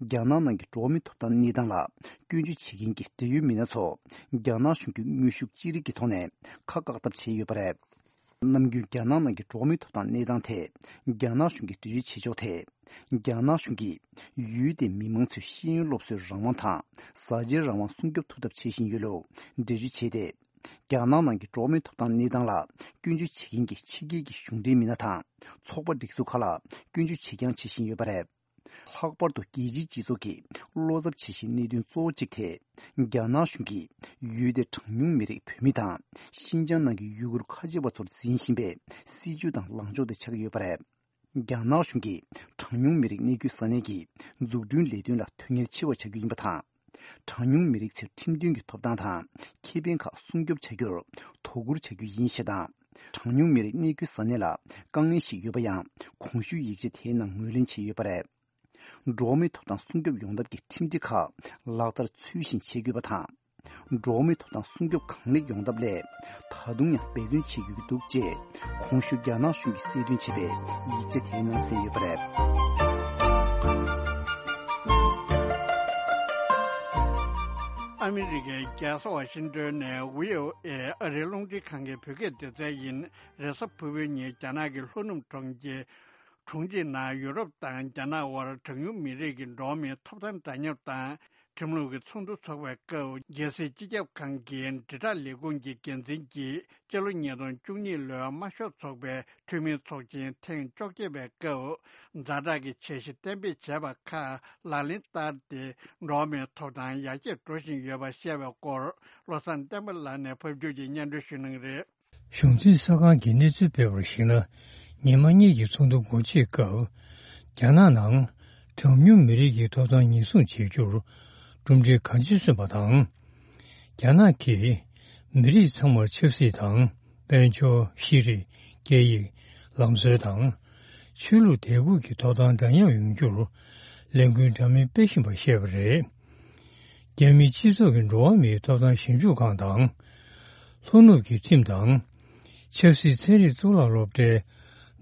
རྒྱ་ནག་ནང་གི་འགྲོ་བ་མིའི་ཐོབ་ཐང་གནས་སྟངས་ལ་སྐྱོན་བརྗོད་བྱེད་མཁན་གྱི་འབྲེལ་ཡོད་མི་སྣ་ཚོ་རྒྱ་ནག་གཞུང་གི་དངོས་ཤུགས་ཅི་རིགས་ཀྱི་ཐོག་ནས་ཁ་བཀག་ཐབས་བྱས་ཡོད་པ་རེད། ནམ་རྒྱུན་རྒྱ་ནག་ནང་གི་འགྲོ་བ་མིའི་ཐོབ་ཐང་གནས་སྟངས་ཐད་རྒྱ་ནག་གཞུང་གིས་འགྲེལ་བརྗོད་བྱེད་ཕྱོགས་ཐད། རྒྱ་ནག་གཞུང་གིས་ཡུལ་དེའི་མི་མང་ཚོའི་ཤེས་ཡོན་སློབ་གསོའི་རང་དབང་དང་བཟའ་བཅའི་རང་དབང་སྲུང་སྐྱོབ་ཐུབ་ཐབས་བྱེད་བཞིན་ཡོད་ལུགས་འགྲེལ་བརྗོད་བྱས་ཏེ། རྒྱ་ནག་ནང་གི་འགྲོ་བ་མིའི་ཐོབ་ཐང་གནས་སྟངས་ལ་སྐྱོན་བརྗོད་བྱེད་མཁན་གྱི་ཕྱི་རྒྱལ་གྱི་གཞུང་འབྲེལ་མི་སྣ་དང་ཚོགས་པ་སྒྲིག་འཛུགས་ཁག་ལ་སྐྱོན་བརྗོད་བྱེད་རྐྱང་བྱེད་བཞིན་ཡོད་པ་རེད། ལྷག་པར་དུ་རྒྱལ་སྤྱིའི་སྤྱི་ཚོགས་ཀྱིས་བློ་འཚབ་བྱེད་བཞིན་གནད་དོན་གཙོ་བོ་གཅིག་དེ། རྒྱ་ནག་གཞུང་གིས་ཡུལ་དེའི་གྲངས་ཉུང་མི་རིགས་བོད་མི་དང་ཤིན་ཅང་ནང་གི་ཡུ་གུར་ཁ་ཆེ་བ་ཚོར་འཛིན་བཞིན་པའི་སྲིད་བྱུས་དང་ལངས་ཕྱོགས་དེ་ཆགས་ཀྱི་ཡོད་པ་རེད། རྒྱ་ནག་གཞུང་གིས་གྲངས་ཉུང་མི་རིགས་གནས་སྡོད་ས་གནས་ཀྱི་འཛུགས་སྐྲུན་ལས་དོན་ལ་དོན་གཉེར་ཆེ་བ་བྱ་རྒྱུ་ཡིན་པ་དང་། གྲངས་ཉུང་མི་རིགས་ཚོའི་ཁྲིམས་མཐུན་གྱི་ཐོབ་ཐང་དང་ཁེ་ཕན་ཁག་སྲུང་སྐྱོབ་བྱ་རྒྱུར་དོ་ཁུར་བྱ་རྒྱུ་ཡིན་ཞེས་དང་། གྲངས་ཉུང་མི་རིགས་གནས་སྡོད་ས་གནས་ལ་དཀའ་ངལ་ཞིག་ཡོད་པ་ཡང་གོང་ཞུས་ཡིག་ཆ་དེའི་ནང་ངོས་ལེན་བྱས་ཡོད་པ་རེད། འགྲོ་བ་མིའི་ཐོབ་ཐང་སྲུང་སྐྱོབ་ཡོང་ཐབས་ཀྱི་ཁྲིམས་སྒྲིག་ཁག་ལག་བསྟར་ཚུལ་བཞིན་བྱེད་དགོས་པ་དང་། འགྲོ་བ་མིའི་ཐོབ་ཐང་སྲུང་སྐྱོབ་གང་ལེགས་ཡོང་ཐབས་སླད། ད་དུང་ཡང་འབད་བརྩོན་བྱེད་དགོས་ཀྱི་འདུག་ཅེས། གོང་ཞུས་རྒྱ་ནག་གཞུང་གིས་གསལ་སྟོན་བྱས་པའི་ཡིག་ཆ་དེའི་ནང་གསལ་ཡོད་པ་རེད། ཨ་མི་རི་ཀའི་རྒྱལ་ས་ཝ་ཤིང་ཏོན་ནས་ཝི་ཨོ་ཨེ་ཨ་རིའི་རླུང་འཕྲིན་ཁང་གི་བོད་སྐད་སྡེ་ཚན་ཡིན། རེས་གཟའ་ཕུར་བུའི་ཉིན་རྒྱ་ནག་གི་ལྷོ་ནུབ་གྲོང་ཁྱེར་ གྲོང་ཁྱེར་ནང་ཡུ་རོབ་དང་རྒྱ་ནག་དབར་གྲངས་ཉུང་མི་རིགས་ཀྱི་འགྲོ་བ་མིའི་ཐོབ་ཐང་འདྲ་མཉམ་དང་། ཁྲིམས་ལུགས་ཀྱི་ཚོགས་འདུ་འཚོགས་པའི་སྐབས། རྒྱལ་སྲིད་སྤྱི་ཁྱབ་ཁང་གི་དྲིལ་བསྒྲགས་ལས་ཁུངས་ཀྱི་འགན་འཛིན་གྱིས། སྤྱི་ལོ་ཉིས་སྟོང་བཅུ་གཉིས་ལོའི་དམར་ཤོག་ཚོགས་པའི་འཐུས་མིའི་ཚོགས་ཆེན་ཐེངས་བཅོ་བརྒྱད་པའི་སྐབས། ཛ་དྲག་གི་འཆར་གཞི་གཏན་འབེབས་བྱས་པ་ཁག་ལག་ལེན་བསྟར་ཏེ། འགྲོ་བ་མིའི་ཐོབ་ཐང་ཡར་རྒྱས་འགྲོ་བཞིན་ཡོད་པ་བཤད་པའི་སྐོར། བློ་བཟང་བསྟན་པ་ལགས་ནས་ཕབ་སྒྱུར་གྱིས་སྙན་སྒྲོན་ཞུ་གནང་གི་རེད། གཞུང་འཛིན་གསར་ཁང་གིས་གནས་ཚུལ་སྤེལ་བར་གཞིགས་ན། ཉི་མ་གཉིས་ཀྱི་ཚོགས་འདུ་འགོ་འབྱེད་སྐབས། རྒྱ་ནག་ནང་གྲངས་ཉུང་མི་རིགས་ཀྱི་ཐོབ་ཐང་ཉེན་སྲུང་བྱེད་རྒྱུར་གྲུབ་འབྲས་གང་ཆེ་སོན་པ་དང་། རྒྱ་ནག་གིས་མི་རིགས་ཚང་མར་ཆབ་སྲིད་དང་། དཔལ་འབྱོར། ཤེས་རིག་སྐད་ཡིག་ལམ་སྲོལ་དང་། ཆོས་ལུགས་དད་གུས་ཀྱི་ཐོབ་ཐང་འདྲ་མཉམ་ཡོང་རྒྱུར་ལས་འགུལ་འདྲ་མིན་སྤེལ་བཞིན་པ་བཤད་པ་རེད། རྒྱ་མིའི་སྤྱི་ཚོགས་ཀྱི་འགྲོ་བ་མིའི་ཐོབ་ཐང་ཞིབ་འཇུག་ཁང་དང་། ལྷོ་ནུབ་ཀྱི་ཁྲིམས་དང་། ཆབ་སྲིད་ཚན་རིག་གཙུག་ལག་སློབ་གྲྭའི་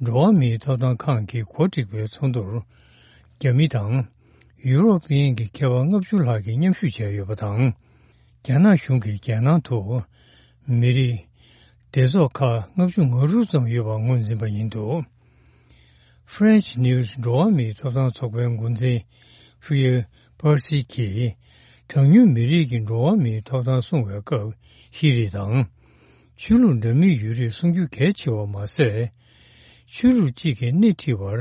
འགྲོ་བ་མིའི་ཐོབ་ཐང་ཁང་གིས་གོ་སྒྲིག་པའི་ཚོགས་འདུར། རྒྱ་མི་དང་ཡུ་རོབ་པའི་གི་མཁས་པ་ལྔ་བཅུ་ལྷག་གིས་མཉམ་ཞུགས་བྱས་ཡོད་པ་དང་། རྒྱ་ནག་གཞུང་གིས་རྒྱལ་ནང་དུ་མི་རིགས་སྡེ་ཚོགས་ཁག་ལྔ་བཅུ་ང་དྲུག་ཙམ་ཡོད་པ་ངོས་འཛིན་པ་ཡིན་འདུག French News འགྲོ་བ་མིའི་ཐོབ་ཐང་ཚོགས་པའི་འགོ་འཛིན་ཕུ་ཡེ་པར་སི་གིས། གྲངས་ཉུང་མི་རིགས་ཀྱི་འགྲོ་བ་མིའི་ཐོབ་ཐང་སྲུང་བའི་སྐབས་ཤེས་རིག་དང་། ཆོས་ལུགས་འདྲ་མིན་ཡོད་རིགས་སྲུང་རྒྱུ་གལ་ཆེ་བ་མ་ཟད། ཆོས་ལུགས་གཅིག་གིས་སྣེ་ཁྲིད་པར་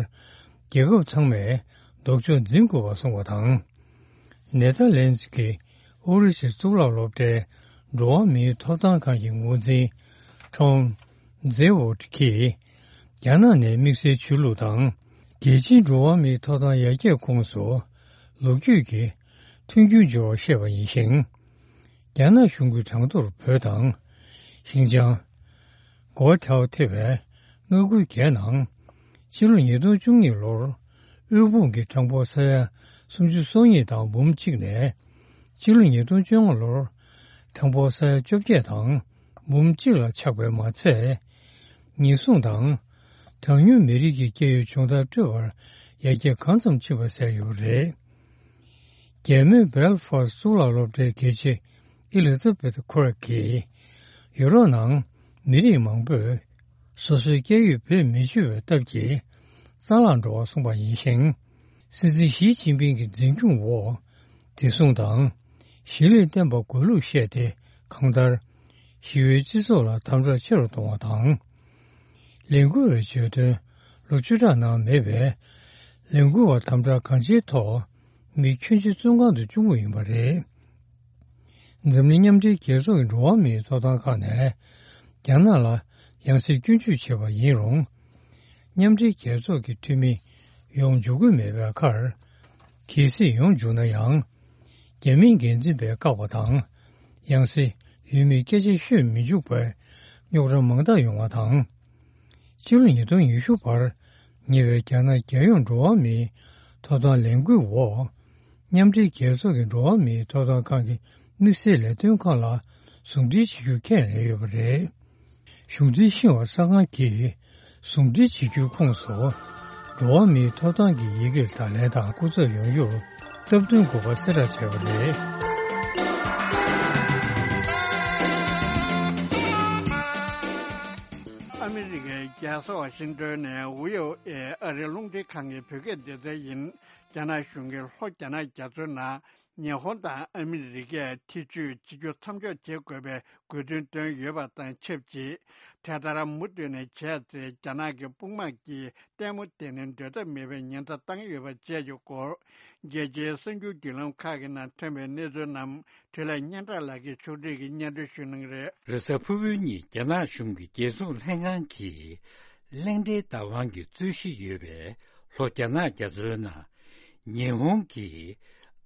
རྒྱལ་ཁབ་ཚང་མས་ལྡོག་ཕྱོགས་འཛིན་དགོས་པ་གསུངས་པ་དང་། ནེ་ཐར་ལེན་ཛི་གི་ཨོ་རི་སིར་གཙུག་ལག་སློབ་གྲྭའི་འགྲོ་བ་མིའི་ཐོབ་ཐང་ཁང་གི་འགོ་འཛིན་ཁྲོང་ཛེ་ཝོ་ཊི་གིས། རྒྱ་ནག་ནས་དམིགས་བསལ་ཆོས་ལུགས་དང་། རྒྱལ་སྤྱིའི་འགྲོ་བ་མིའི་ཐོབ་ཐང་ཡར་རྒྱས་ཁོངས་སུ་ལོ་རྒྱུས་ཀྱི་མཐུན་འགྱུར་འབྱོར་བར་བཤད་པ་ཡིན་ཞིང་། རྒྱ་ནག་གཞུང་གིས་གྲངས་ཐོར་བོད་དང་། ཤིན་ཅང་། གོ་ཐའོ་ཐེ་བའི་མངའ་ཁུལ་བརྒྱད་ནང་། ཕྱི་ལོ་ཉིས་སྟོང་བཅུ་གཉིས་ལོར་དབུལ་ཕོངས་ཀྱི་གྲངས་འབོར་ས་ཡ་སུམ་ཅུ་སོ་གཉིས་དང་འབུམ་གཅིག་ནས། ཕྱི་ལོ་ཉིས་སྟོང་བཅོ་ལྔ་ལོར་གྲངས་འབོར་ས་ཡ་བཅོ་བརྒྱད་དང་འབུམ་གཅིག་ལ་ཆག་པས་མ་ཚད། ཉེན་སྲུང་དང་། གྲངས་ཉུང་མི་རིགས་ཀྱི་སྐྱེ་ཡུལ་སྦྱོང་བརྡར་སྤྲོད་པར་ཡར་རྒྱས་གང་ཙམ་ཕྱིན་པ་གསལ་ཡོད་པ་རེད། རྒྱལ་མོས་སྦེལ་ཧྥ་སི་གཙུག་ལག་སློབ་གྲྭའི་དགེ་ཆེ་ཨེ་ལི་ཛ་བེཐ་ཁུ་རག་གིས། ཡུ་རོབ་ནང་མི་རིགས་མང་པོས་སོ་སོའི་སྐྱེ་ཡུལ་བེད་མི་སྤྱོད་པའི་སྟབས་ཀྱིས། རྩ་བརླག་འགྲོ་བ་གསུངས་པ་ཡིན་ཞིང་། སྲིད་འཛིན་ཞི་ཅིན་ཕིང་གི་འཛིན་སྐྱོང་འོག་བདེ་སྲུང་དང་། ཞི་བདེ་བརྟན་པ་དགོས་ལུགས་བཤད་དེ། གང་ལྟར། ཞི་བའི་སྤྱི་ཚོགས་ལ་དམ་དྲག་ཆེ་རུ་གཏོང་བ་དང་། ལས་འགུལ་བའི་བརྗོད་དོན་ལོ་བཅུ་ཕྲག་ནང་མེད་པས། ལས་འགུལ་བ་དམ་དྲག་གང་ཅིའི་ཐོག་མི་ཁྱོན་ཆེ་བཙོན་ཁང་དུ་བཅུག་མུས་ཡིན་པ་རེད། འཛམ་གླིང་མཉམ་འབྲེལ་རྒྱལ་ཚོགས་ཀྱི་འགྲོ་བ་མིའི་ཐོབ་ཐང་ཁག་ནས་རྒྱ་ནག་ལ་ཡང་སེ་སྐྱོན་བརྗོད་བྱས་པ་ཡིན་རུང་། མཉམ་འབྲེལ་རྒྱལ་ཚོགས་ཀྱི་འཐུས་མི་ཡོང་འཇུག་གི་མེད་པའི་ཁར། གལ་སྲིད་ཡོང་འཇུག་ན་ཡང་། རྒྱ་མིའི་འགན་འཛིན་པས་བཀག་པ་དང་། ཡང་སེ་ཡུལ་མིའི་སྐད་ཆ་ཤོད་མི་འཇུག་པའི་རྙོག་དྲ་མང་དག་ཡོང་བ་དང་། ཕྱི་ལོ་ཉིས་སྟོང་ཉི་ཤུ་བར་ཉེ་བའི་རྒྱ་ནག་རྒྱལ་ཡོངས་འགྲོ་བ་མིའི་ཐོབ་ཐང་ལས་འགུལ་འོག་མཉམ་འབྲེལ་རྒྱལ་ཚོགས་ཀྱི་འགྲོ་བ་མིའི་ཐོབ་ཐང་ཁང་གི་དམིགས་བསལ་ལས་དོན་ཁང་ལ་ཟུང་འབྲེལ་བྱེད་རྒྱུ་ཁས་ལེན་ཡོད་པ་རེད། གཞུང་འཛིན་ཤིན་ཧྭ་གསར་ཁང་གིས་ཟུང་འབྲེལ་བྱེད་རྒྱུའི་ཁོངས་སུ། འགྲོ་བ་མིའི་ཐོབ་ཐང་གི་ཡི་གེར་བརྡ་ལན་དང་སྐུ་ཚབ་ཡོང་རྒྱུར་སྟབས་བསྟུན་དགོས་པ་གསལ་བསྒྲགས་བྱས་པ་རེད། ཨ་མི་རི་ཀའི་རྒྱལ་ས་ཝ་ཤིང་ཏོན་ནས་ཝི་ཨོ་ཨེ་ཨ་རིའི་རླུང་འཕྲིན་ཁང་གི་བོད་སྐད་སྡེ་ཚན་ཡིན། རྒྱ་ནག་གཞུང་གིས་ལྷོ་རྒྱ་ནག་རྒྱ་མཚོའི་ནང་ཉི་ཧོང་དང་ཨ་མི་རི་ཀས་ཐེ་བྱུས་བྱེད་རྒྱུ་མཚམས་འཇོག་བྱེད་དགོས་པའི་དགོས་འདུན་བཏོན་ཡོད་པ་དང་ཆབས་ཅིག་དེ་ལྟར་མུ་མཐུད་ནས་བྱས་ཚེ། རྒྱ་ནག་གི་དཔུང་དམག་གིས་ལྟད་མོ་བལྟས་ནས་སྡོད་ཐབས་མེད་པའི་ཉེན་བརྡ་བཏང་ཡོད་པ་བཅས་ཀྱི་སྐོར། རྒྱལ་སྤྱིའི་གསར་འགྱུར་བརྒྱུད་ལམ་ཁག་གི་ནང་ཐོན་པའི་གནས་ཚུལ་རྣམས་འཕྲིན་ལས་སྙན་གྲགས་ལགས་ཀྱིས་ཕྱོགས་སྒྲིག་གིས་སྙན་སྒྲོན་ཞུ་གནང་གི་རེད། རེས་གཟའ་ཕུར་བུའི་ཉིན་རྒྱ་ནག་གཞུང་གི་རྒྱལ་སྲུང་ལྷན་ཁང་གིས། གླེང་སྟེགས་བདག་དབང་གི་རྩོད་གཞི་ཡོད་པའི་ལྷོ་རྒྱ་ནག་རྒྱ་མཚོའི་ནང་། ཉི་ཧོང་གིས་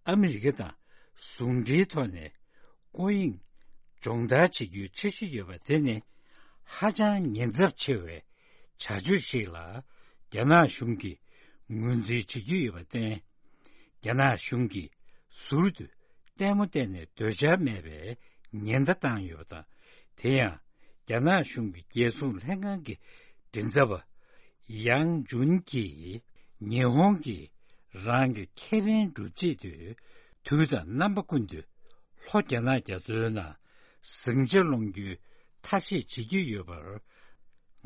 ཨ་མི་རི་ཀ་དང་ཟུང་འབྲེལ་ཐོག་ནས་སྐོར་གཡེང་སྦྱོང་བརྡར་བྱེད་རྒྱུའི་འཆར་གཞི་ཡོད་པ་དེ་ནི་ཧ་ཅང་ཉེན་ཚབས་ཆེ་བའི་བྱ་སྤྱོད་ཞིག་ལ་རྒྱ་ནག་གཞུང་གིས་ངོས་འཛིན་བྱེད་ཀྱི་ཡོད་པར་བརྟེན། རྒྱ་ནག་གཞུང་གིས་ཟུར་དུ་ལྟད་མོ་བལྟས་ནས་སྡོད་འཆར་མེད་པའི་ཉེན་བརྡ་བཏང་ཡོད་པ་དང་། དེ་ཡང་རྒྱ་ནག་གཞུང་གི་རྒྱལ་སྲུང་ལྷན་ཁང་གི་མགྲིན་ཚབ་པ་ཡང་ཇུན་གྱིས། ཉི་ཧོང་གིས་རང་གི་ཁེ་ཕན་སྒྲུབ་ཆེད་དུ་དུས་དང་རྣམ་པ་ཀུན་ཏུ་ལྷོ་རྒྱ་ནག་རྒྱ་མཚོའི་ནང་ཟིང་ཆ་སློང་རྒྱུའི་ཐབས་ཤེས་བྱེད་ཀྱི་ཡོད་པར།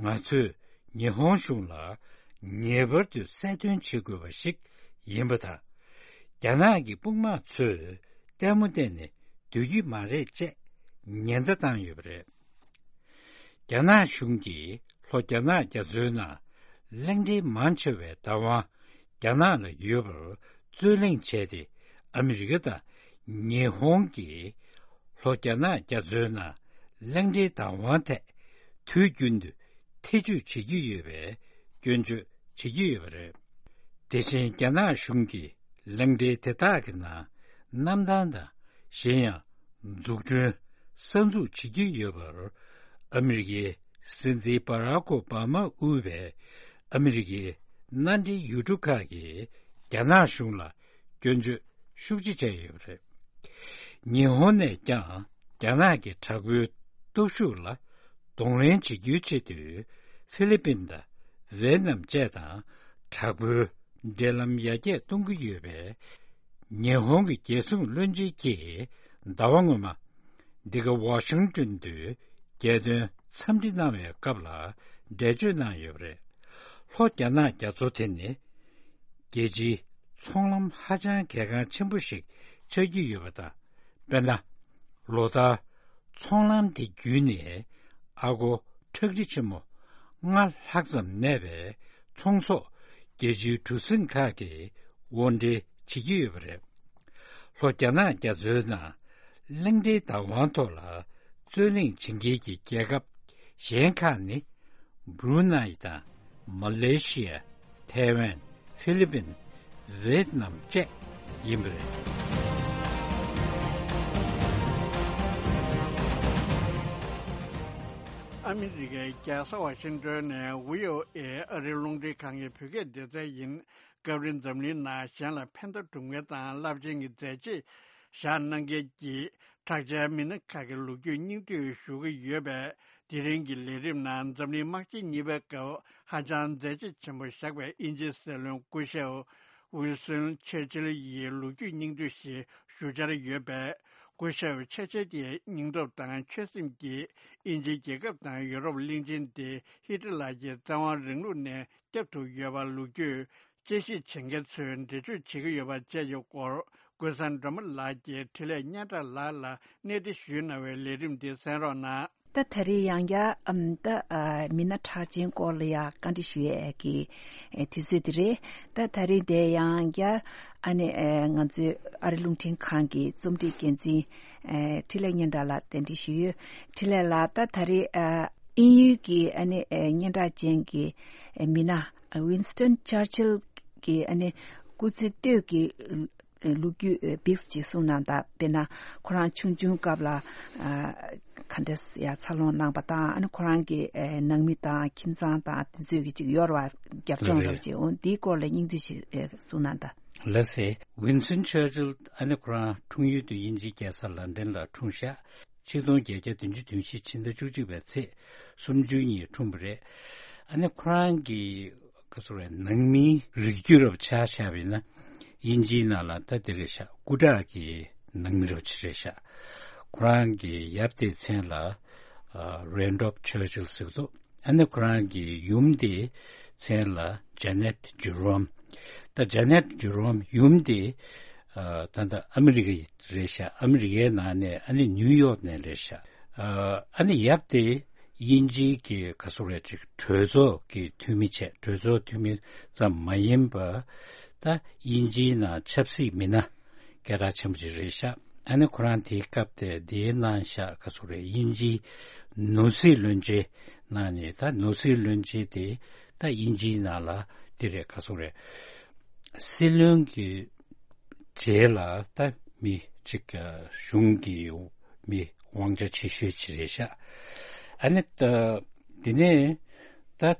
ང་ཚོས་ཉི་ཧོང་གཞུང་ལ་ ངེས་པར་དུ་གསལ་སྟོན་བྱེད་དགོས་པ་ཞིག་ཡིན་པ་དང་། རྒྱ་ནག་གི་དཔུང་དམག་ཚོས་ལྟད་མོ་བལྟས་ནས་སྡོད་ཀྱི་མ་རེད་ཅེས་ཉེན་བརྡ་བཏང་ཡོད་པ་རེད། རྒྱ་ནག་གཞུང་གིས་ལྷོ་རྒྱ་ནག་རྒྱ་མཚོའི་ནང་གླིང་ཕྲན་མང་ཆེ་བའི་བདག་དབང་རྒྱ་ནག་ལ་ཡོད་པར་རྩོད་གླེང་བྱས་ཏེ། ཨ་མི་རི་ཀ་དང་ཉི་ཧོང་གིས་ལྷོ་རྒྱ་ནག་རྒྱ་མཚོའི་ནང་གླིང་ཕྲན་བདག་དབང་ཐད་དུས་རྒྱུན་དུ་ཐེ་བྱུས་བྱེད་ཀྱི་ཡོད་པའི་སྐྱོན་བརྗོད་བྱེད་ཀྱི་ཡོད་པ་རེད། དེ་བཞིན་རྒྱ་ནག་གཞུང་གིས་གླིང་ཕྲན་དེ་དག་གི་ནང་གནམ་ཐང་དང་གཞན་ཡང་འཛུགས་སྐྲུན་གསར་འཛུགས་བྱེད་ཀྱི་ཡོད་པར། ཨ་མི་རི་ཀའི་སྲིད་འཛིན་བྷ་རག་ཨོ་བྷ་མ་དབུས་པའི་ཨ་མི་རི་ཀའི་མནའ་འབྲེལ་ཡུལ་གྲུ་ཁག་གིས་རྒྱ་ནག་གཞུང་ལ་སྐྱོན་བརྗོད་ཤུགས་ཆེ་བྱས་ཡོད་པ་རེད། ཉི་ཧོང་ནས་ཀྱང་རྒྱ་ནག་གི་དྲག་པོའི་སྟོབས་ཤུགས་ལ་གདོང་ལེན་བྱེད་རྒྱུའི་ཆེད་དུ་ཧྥི་ལི་པིན་དང་ཝེ་ཏི་ནམ་བཅས་དང་དྲག་པོའི་འབྲེལ་ལམ་ཡར་རྒྱས་གཏོང་གི་ཡོད་པས། ཉི་ཧོང་གི་རྒྱལ་སྲུང་བློན་ཆེན་གྱིས་ཟླ་བ་སྔོན་མ་འདི་ག་ཝ་ཤིང་ཏོན་དུ་རྒྱལ་དོན་འཚམས་འདྲི་གནང་བའི་སྐབས་ལ་འགྲེལ་བརྗོད་གནང་ཡོད་པ་རེད། ལྷོ་རྒྱ་ནག་རྒྱ་མཚོ་དེ་ནི་རྒྱལ་སྤྱིའི་ཚོང་ལམ་ཧ་ཅང་གལ་འགངས་ཆེན་པོ་ཞིག་ཆགས་ཀྱི་ཡོད་པ་དང་། དཔེར་ན། ལོ་ལྟར་ཚོང་ལམ་དེ་བརྒྱུད་ནས་ཨ་སྒོར་ཁྲག་ཁྲིག་ཆེན་མོ་ལྔ་ལྷག་ཙམ་གནས་པའི་ཚོང་ཟོག་རྒྱལ་སྤྱིའི་གྲུ་གཟིངས་ཁག་གིས་དབོར་འདྲེན་བྱེད་ཀྱི་ཡོད་པ་རེད། ལྷོ་རྒྱ་ནག་རྒྱ་མཚོའི་ནང་གླིང་ཕྲན་བདག་དབང་ཐོག་ལ་རྩོད་གླེང་བྱེད་མཁན་གྱི་རྒྱལ་ཁབ་གཞན་ཁག་ནི། བྷུ་རུ་ནའི་དང་མ་ལེ་ཤི་ཡ། ཐའེ་ཝན། ཧྥི་ལི་པིན། ཝེ་ཏི་ནམ་བཅས་ཡིན་པ་རེད། ཨ་མི་རི་ཀའི་རྒྱལ་ས་ཝ་ཤིང་ཏོན་ནས་ཝི་ཨོ་ཨེ་ཨ་རིའི་རླུང་འཕྲིན་ཁང་གི་བོད་སྐད་སྡེ་ཚན་ཡིན། སྐབས་རེ་འཛམ་གླིང་ནང་གཞན་ལ་ཕན་ཐོགས་སྒྲུབ་མཁན་དང་རླབས་ཆེན་གྱི་མཛད་རྗེས་བཞག་གནང་མཁན་གྱི་གྲགས་ཅན་མི་སྣ་ཁག་གི་ལོ་རྒྱུས་སྙིང་བསྡུས་ཞུ་གི་ཡོད་པས། དེ་རིང་གི་ལས་རིམ་ནང་འཛམ་གླིང་དམག་ཆེན་གཉིས་པའི་སྐབས་ཧ་ཅང་མཛད་རྗེས་ཆེན་པོ་བཞག་པའི་དབྱིན་ཇིའི་སྲིད་བློན་སྐུ་ཞབས་ཝིན་སྟོན་ཆར་ཆིལ་ཡི་ལོ་རྒྱུས་སྙིང་བསྡུས་ཤིག་ཞུ་འཆར་ཡོད་པས། སྐུ་ཞབས་ཆར་ཆིལ་གྱི་སྙིང་སྟོབས་དང་ཆོད་སེམས་ཀྱིས་དབྱིན་ཇིའི་རྒྱལ་ཁབ་དང་ཡོ་རོབ་གླིང་ཆེན་དེ་ཧི་ཊི་ལར་གྱི་བཙན་དབང་རིང་ལུགས་ནས་བསྐྱབས་ཐུབ་ཡོད་པ་ལོ་རྒྱུས། དཔྱད་ཞིབ་བྱེད་མཁན་ཚོས་འགྲེལ་བརྗོད་བྱེད་ཀྱི་ཡོད་པ་བཅས་ཀྱི་སྐོར། ཀུན་བཟང་སྒྲོལ་མ་ལགས་ཀྱིས་འཕྲིན་ལས་སྙན་གྲགས་ལགས་ལ་གནས་འདྲི་ཞུས་གནང་བའི་ལས་རིམ་འདི་གསན་རོགས་གནང་། ད་ད་རེས་ཡང་བསྐྱར་ཨམ་ད་ཨ་མི་སྣ་གྲགས་ཅན་སྐོར་ལ་ཡང་བཀའ་འདྲི་ཞུ་ཡས་ཀྱི་ཨེ་དུས་ཚོད་འདི་རེད། ད་ད་རེས་དེ་ཡང་བསྐྱར་ཨ་ནི་ཨེ་ང་ཚོའི་ཨ་རི་རླུང་འཕྲིན་ཁང་གི་རྩོམ་སྒྲིག་འགན་འཛིན་ཨེ་འཕྲིན་ལས་སྙན་གྲགས་ལགས་གདན་འདྲི་ཞུ་ཡོད། འཕྲིན་ལས་ལགས། ད་ད་རེས་ཨ་དབྱིན་ཡུལ་གྱི་ཨ་ནི་ཨེ་སྙན་གྲགས་ཅན་གྱི་ཨེ་མི་སྣ། ཝིན་སྟོན་ཆར་ཆིལ་གྱི་ཨ་ནི་སྐུ་ཚེ་སྟོད་ཀྱི་ལོ་རྒྱུས་བིབ་ཅིག་གསུངས་གནང་དང་། དཔེར་ན་ཁོ་རང་ཆུང་ཆུང་སྐབས་ལ་ཨ་ག་འདྲས་ཡ་འཚར་ལོངས་གནང་པ་དང་། ཨ་ནི་ཁོ་རང་གི་ཨེ་ནང་མི་དང་ཁྱིམ་ཚང་དང་དེ་ཚོས་ཀྱི་ཅིག་ཡོད་རེད་བ། རྒྱབ་ལགས་ལྗོངས་རེད་རེད། བ་ཅིག་འོང་འདིའི་སྐོར་ལ་སྙིང་བསྡུས་ཤིག་ཨེ་གསུངས་གནང་དང་། ལགས་སེ། ཝིན་སྟོན་ཆར་ཆིལ་ཨ་ནི་ཁོ་རང་འཁྲུངས་ཡུལ་དུ་དབྱིན་ཇིའི་རྒྱལ་ས་ལན་ཌན་ལ་འཁྲུངས་ཤག་ཆིག་སྟོང་བརྒྱད་བརྒྱ་བདུན་ཅུ་དོན་བཞི་ཕྱི་ཟླ་བཅུ་གཅིག་པའི་ཚེས་སུམ་ཅུ་ཉིན་འཁྲུངས་པ་རེད། ཨ་ནི་ཁོ་རང་གི་ག་ཟེར་བའི་ནང་མིའི་རིགས་རྒྱུད་རབ་ཆ་བཞག་པ་ཡིན་ན། དབྱིན་ཇིའི་ནང་ལ་ད་དེ་རེད་ཤག་སྐུ་དྲག་གི་ནང་མི་རབ་ཆེ་རེད་ཤག་ཁོ་རང་གི་ཡབ་དེའི་མཚན་ལ་རེན་ཌོབ་ཆར་ཆིལ་ཟེར་གི་འདུག་ཨ་ནི་ཁོ་རང་གི་ཡུམ་དེའི་མཚན་ལ་ཇ་ནེད་ཇེ་རོམ། ད་ཇ་ནེད་ཇེ་རོམ་ཡུམ་དེ་ཨ་ད་ལྟ་ཨ་མི་རི་ཀ་རེད་ཤག་ཨ་མི་རི་ཀའི་ནང་ནས་ཨ་ནི་ནིའུ་ཡོག་ནས་རེད་ཤག་ཨ་ནི་ཡབ་དེ་དབྱིན་ཇིའི་གི་ག་ཟེར་རེད་ཅིག་གྲོས་ཚོགས་ཀྱི་འཐུས་མི་བྱས། གྲོས་ཚོགས་འཐུས་མི་ཙམ་མ་ཡིན་པ་ད་དབྱིན་ཇིའི་ནང་ཆབ་སྲིད་མི་སྣ་སྐད་གྲགས་ཆེན་པོ་ཅིག་རེད་ཤག་ཨ་ནི་ཁོ་རང་དེའི་སྐབས་དེ་དེའི་ནང་ཤག་ག་ཟེར་རེད། དབྱིན་ཇིའི་ནོར་སྲིད་བློན་ཆེན་ནང་ནས། ད་ནོར་སྲིད་བློན་ཆེན་དེ་ད་དབྱིན་ཇིའི་ནང་ལ་དེ་རེད། ག་ཟེར་རེད། སྲིད་བློན་གྱི་རྗེས་ལ་ད་མི་གཅིག་གཞུང་གི་མི་དབང་ཆ་ཆེ་ཤོས་ཅིག་རེད་ཤག་ཨ་ནི་ད་དེ་ནས་ད་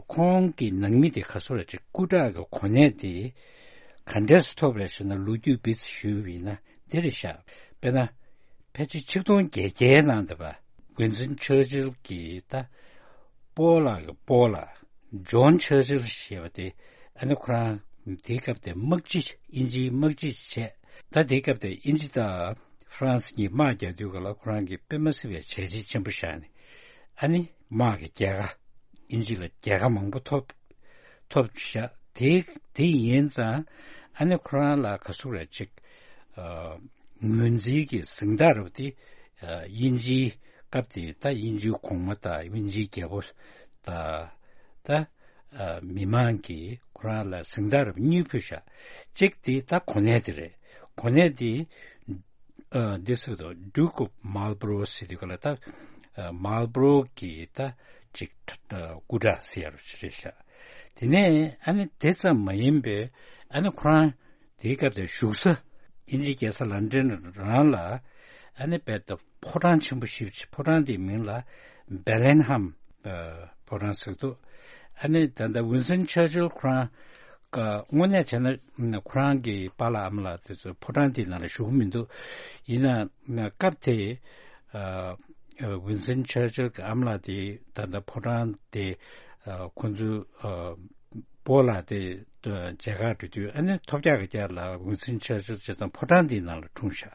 ཁོང་གི་ནང་མི་དེ་ག་ཟེར་རེད་ཅིག་སྐུ་དྲག་གི་གོ་གནས་དེ་ག་འདྲས་སུ་ཐོབ་རེད་ཟེར་ན། ལོ་རྒྱུས་སྤེལ་ཚིག་ཞུས་པ་ཡིན་ན་དེ་རེད་ཤག་དཔེར་ན་ཕལ་ཆེར་ཆིག་སྟོང་བརྒྱད་བརྒྱའི་ནང་དུ་བ་ཝིན་སྟོན་ཆར་ཆིལ་གྱི་ད་སྤོ་ལགས་ཀྱི་སྤོ་ལགས་ཇོན་ཆར་ཆིལ་ཞེས་པ་དེ། ཨ་ནི་ཁོ་རང་དེའི་སྐབས་དེ་དམག་སྤྱི། དབྱིན་ཇིའི་དམག་སྤྱི་བྱས། ད་དེའི་སྐབས་དེ་དབྱིན་ཇི་དང་ཧྥ་རན་སི་གཉིས་དམག་རྒྱག་དུས་སྐབས་ལ་ཁོ་རང་གིས་དཔེ་མ་སྲིད་པའི་བྱས་རྗེས་ཆེན་པོ་བཞག་ནས། ཨ་ནི་དམག་གི་རྒྱལ་ཁ། དབྱིན་ཇི་ལ་རྒྱལ་ཁ་མང་པོ་ཐོབ། ཐོབ་ཤག་དེ་དེ་ཡིན་ཙང་ཨ་ནི་ཁོ་རང་ལ་ག་ཟེར་རེད་ཅིག་ཨ་ངོས་འཛིན་གྱི་གཟེངས་རྟགས་རེད་པ་དེ། ཨ་དབྱིན་ཇིའི་སྐབས་དེ་ད་དབྱིན་ཇིའི་གོང་མ་དང་དབྱིན་ཇིའི་རྒྱལ་པོ་དང་ད་ཨ་མི་མང་གིས་ཁོ་རང་ལ་གཟེངས་རྟགས་རེད་པ་གཉིས་ཕུལ་ཤག་གཅིག་དེ་ད་གོ་གནས་དེ་རེད། གོ་གནས་དེ་ཨ་འདི་ཟེར་དུས་Duke of Marlborough ཟེར་དུས་ག་ལ་ད་ཨ་Marlborough གི་ད་ཅིག་ཨ་སྐུ་དྲག་ཟེར་ཡ་རེད་ཤག་དེ་ནས་ཨ་ནི་དེ་ཙམ་མ་ཡིན་པའི་ཨ་ནི་ཁོ་རང་དེའི་སྐབས་དེ་བཞུགས་ས་དབྱིན་ཇིའི་རྒྱལ་ས་ལན་ཌན་རང་ལ་ཨ་ནི་རྦད་དེ་ཕོ་བྲང་ཆེན་པོ་ཞེ་པོ་ཅིག་ཕོ་བྲང་དེའི་མིང་ལ་Bellingham ཕོ་བྲང་ཟེར་འདུག་ཨ་ནི་ད་ལྟ་ཝིན་སྟོན་ཆར་ཅིལ་ཁོ་རང་དངོས་གནས་བྱས་ན་ཁོ་རང་གི་པཱ་ལགས་ཨ་མ་ལགས་དེ་ཚོ་ཕོ་བྲང་དེའི་ནང་ལ་བཞུགས་མི་འདུག་ཡིན་ན་སྐབས་དེ་ཝིན་སྟོན་ཆར་ཅིལ་གྱི་ཨ་མ་ལགས་དེ་ད་ལྟ་ཕོ་བྲང་དེ་ཁོ་ཚོའི་སྤོ་ལགས་དེ་མཇལ་ཁ་འགྲོ་དུས་ཨ་ནི་ཐོལ་རྒྱག་གི་རྒྱབ་ལ་ཝིན་སྟོན་ཆར་ཅིལ་བྱས་ཙང་ཕོ་བྲང་དེའི་ནང་ལ་འཁྲུངས་ཤག་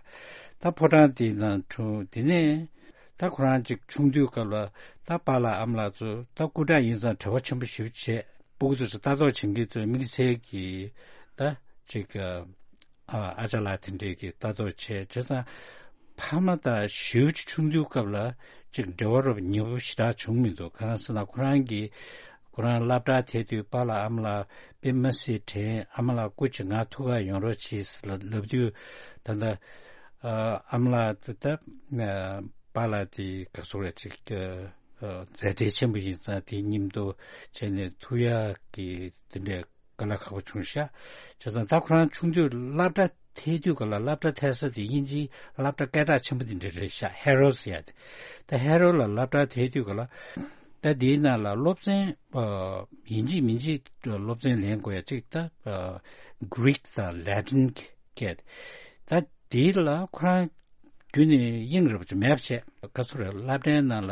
ད་ཕོ་བྲང་དེའི་ནང་འཁྲུངས་དེ་ནས་ད་ཁོ་རང་ཅིག་ཆུང་དུས་སྐབས་ལ་ད་པཱ་ལགས་ཨ་མ་ལགས་ཚོ་ད་སྐུ་དྲག་ཡིན་ཙང་བྲེལ་བ་ཆེན་པོ་ཞེ་པོ་བྱས། སྤུ་གུ་ཚོ་ལྟ་རྟོག་བྱེད་མཁན་ཚོས་དམིགས་བསལ་གྱིས་ད་ཅིག་ཨ་ཨ་ཅག་ལགས་དེ་འདྲས་ཀྱིས་ལྟ་རྟོག་བྱས། བྱས་ཙང་ཕ་མ་དང་ཞེ་པོ་ཅིག་ཆུང་དུས་སྐབས་ལ་ཅིག་འབྲེལ་བ་རོབ་ཉེ་པོ་ཞེ་དྲག་བྱུང་མི་འདུག་གང་ཟེར་ན་ཁོ་རང་གིས་ཁོ་རང་སློབ་གྲྭར་ཐད་དུས་པཱ་ལགས་ཨ་མ་ལགས་དཔེ་མ་སྲིད་དྲན། ཨ་མ་ལགས་སྐུ་མཁྱེན་ང་ཐུག་ག་ཡོང་རོགས་གྱིས་ལབ་དུས་ད་ལྟ་ཨ་མ་ལགས་ད་པཱ་ལགས་དེ་ག་ཟེར་རེད་ཅིག་མཛད་བྲེལ་ཆེན་པོ་ཡིན་ཙང་དེའི་མཉམ་དུ་བྱས་ནས་ཐུག་ཡག་གི་དེ་འདྲའི་དཀའ་ལས་ཁག་པོ་བྱུང་ཤག་བྱས་ཙང་ད་ཁོ་རང་ཆུང་དུས་སློབ་གྲྭ་ཐད་དུས་ག་ལ་སློབ་གྲྭ་ཐད་ས་དེ་དབྱིན་ཇིའི་སློབ་གྲྭ་སྐད་གྲགས་ཆེན་པོ་དེ་འདྲ་རེད་ཤག་ཧེ་རོ་ཟེར་ཡ་དེ། ད་ཧེ་རོ་ལ་སློབ་གྲྭ་ཐད་དུས་ག་ལ་ད་དེའི་ནང་ལ་སློབ་ཚན་ཡིན་གཅིག་མིན་གཅིག་སློབ་ཚན་ལེན་དགོས་ཡ་གཅིག་ད་Greek་དང་Latin་སྐད་ད། དེ་ལ་ཁོ་རང་རྒྱུན་ནས་དབྱིངས་རེ་བ་ཅིག་མེད་པ་བྱས། ག་ཚོད་རེད། སློབ་གྲྭའི་ནང་ལ་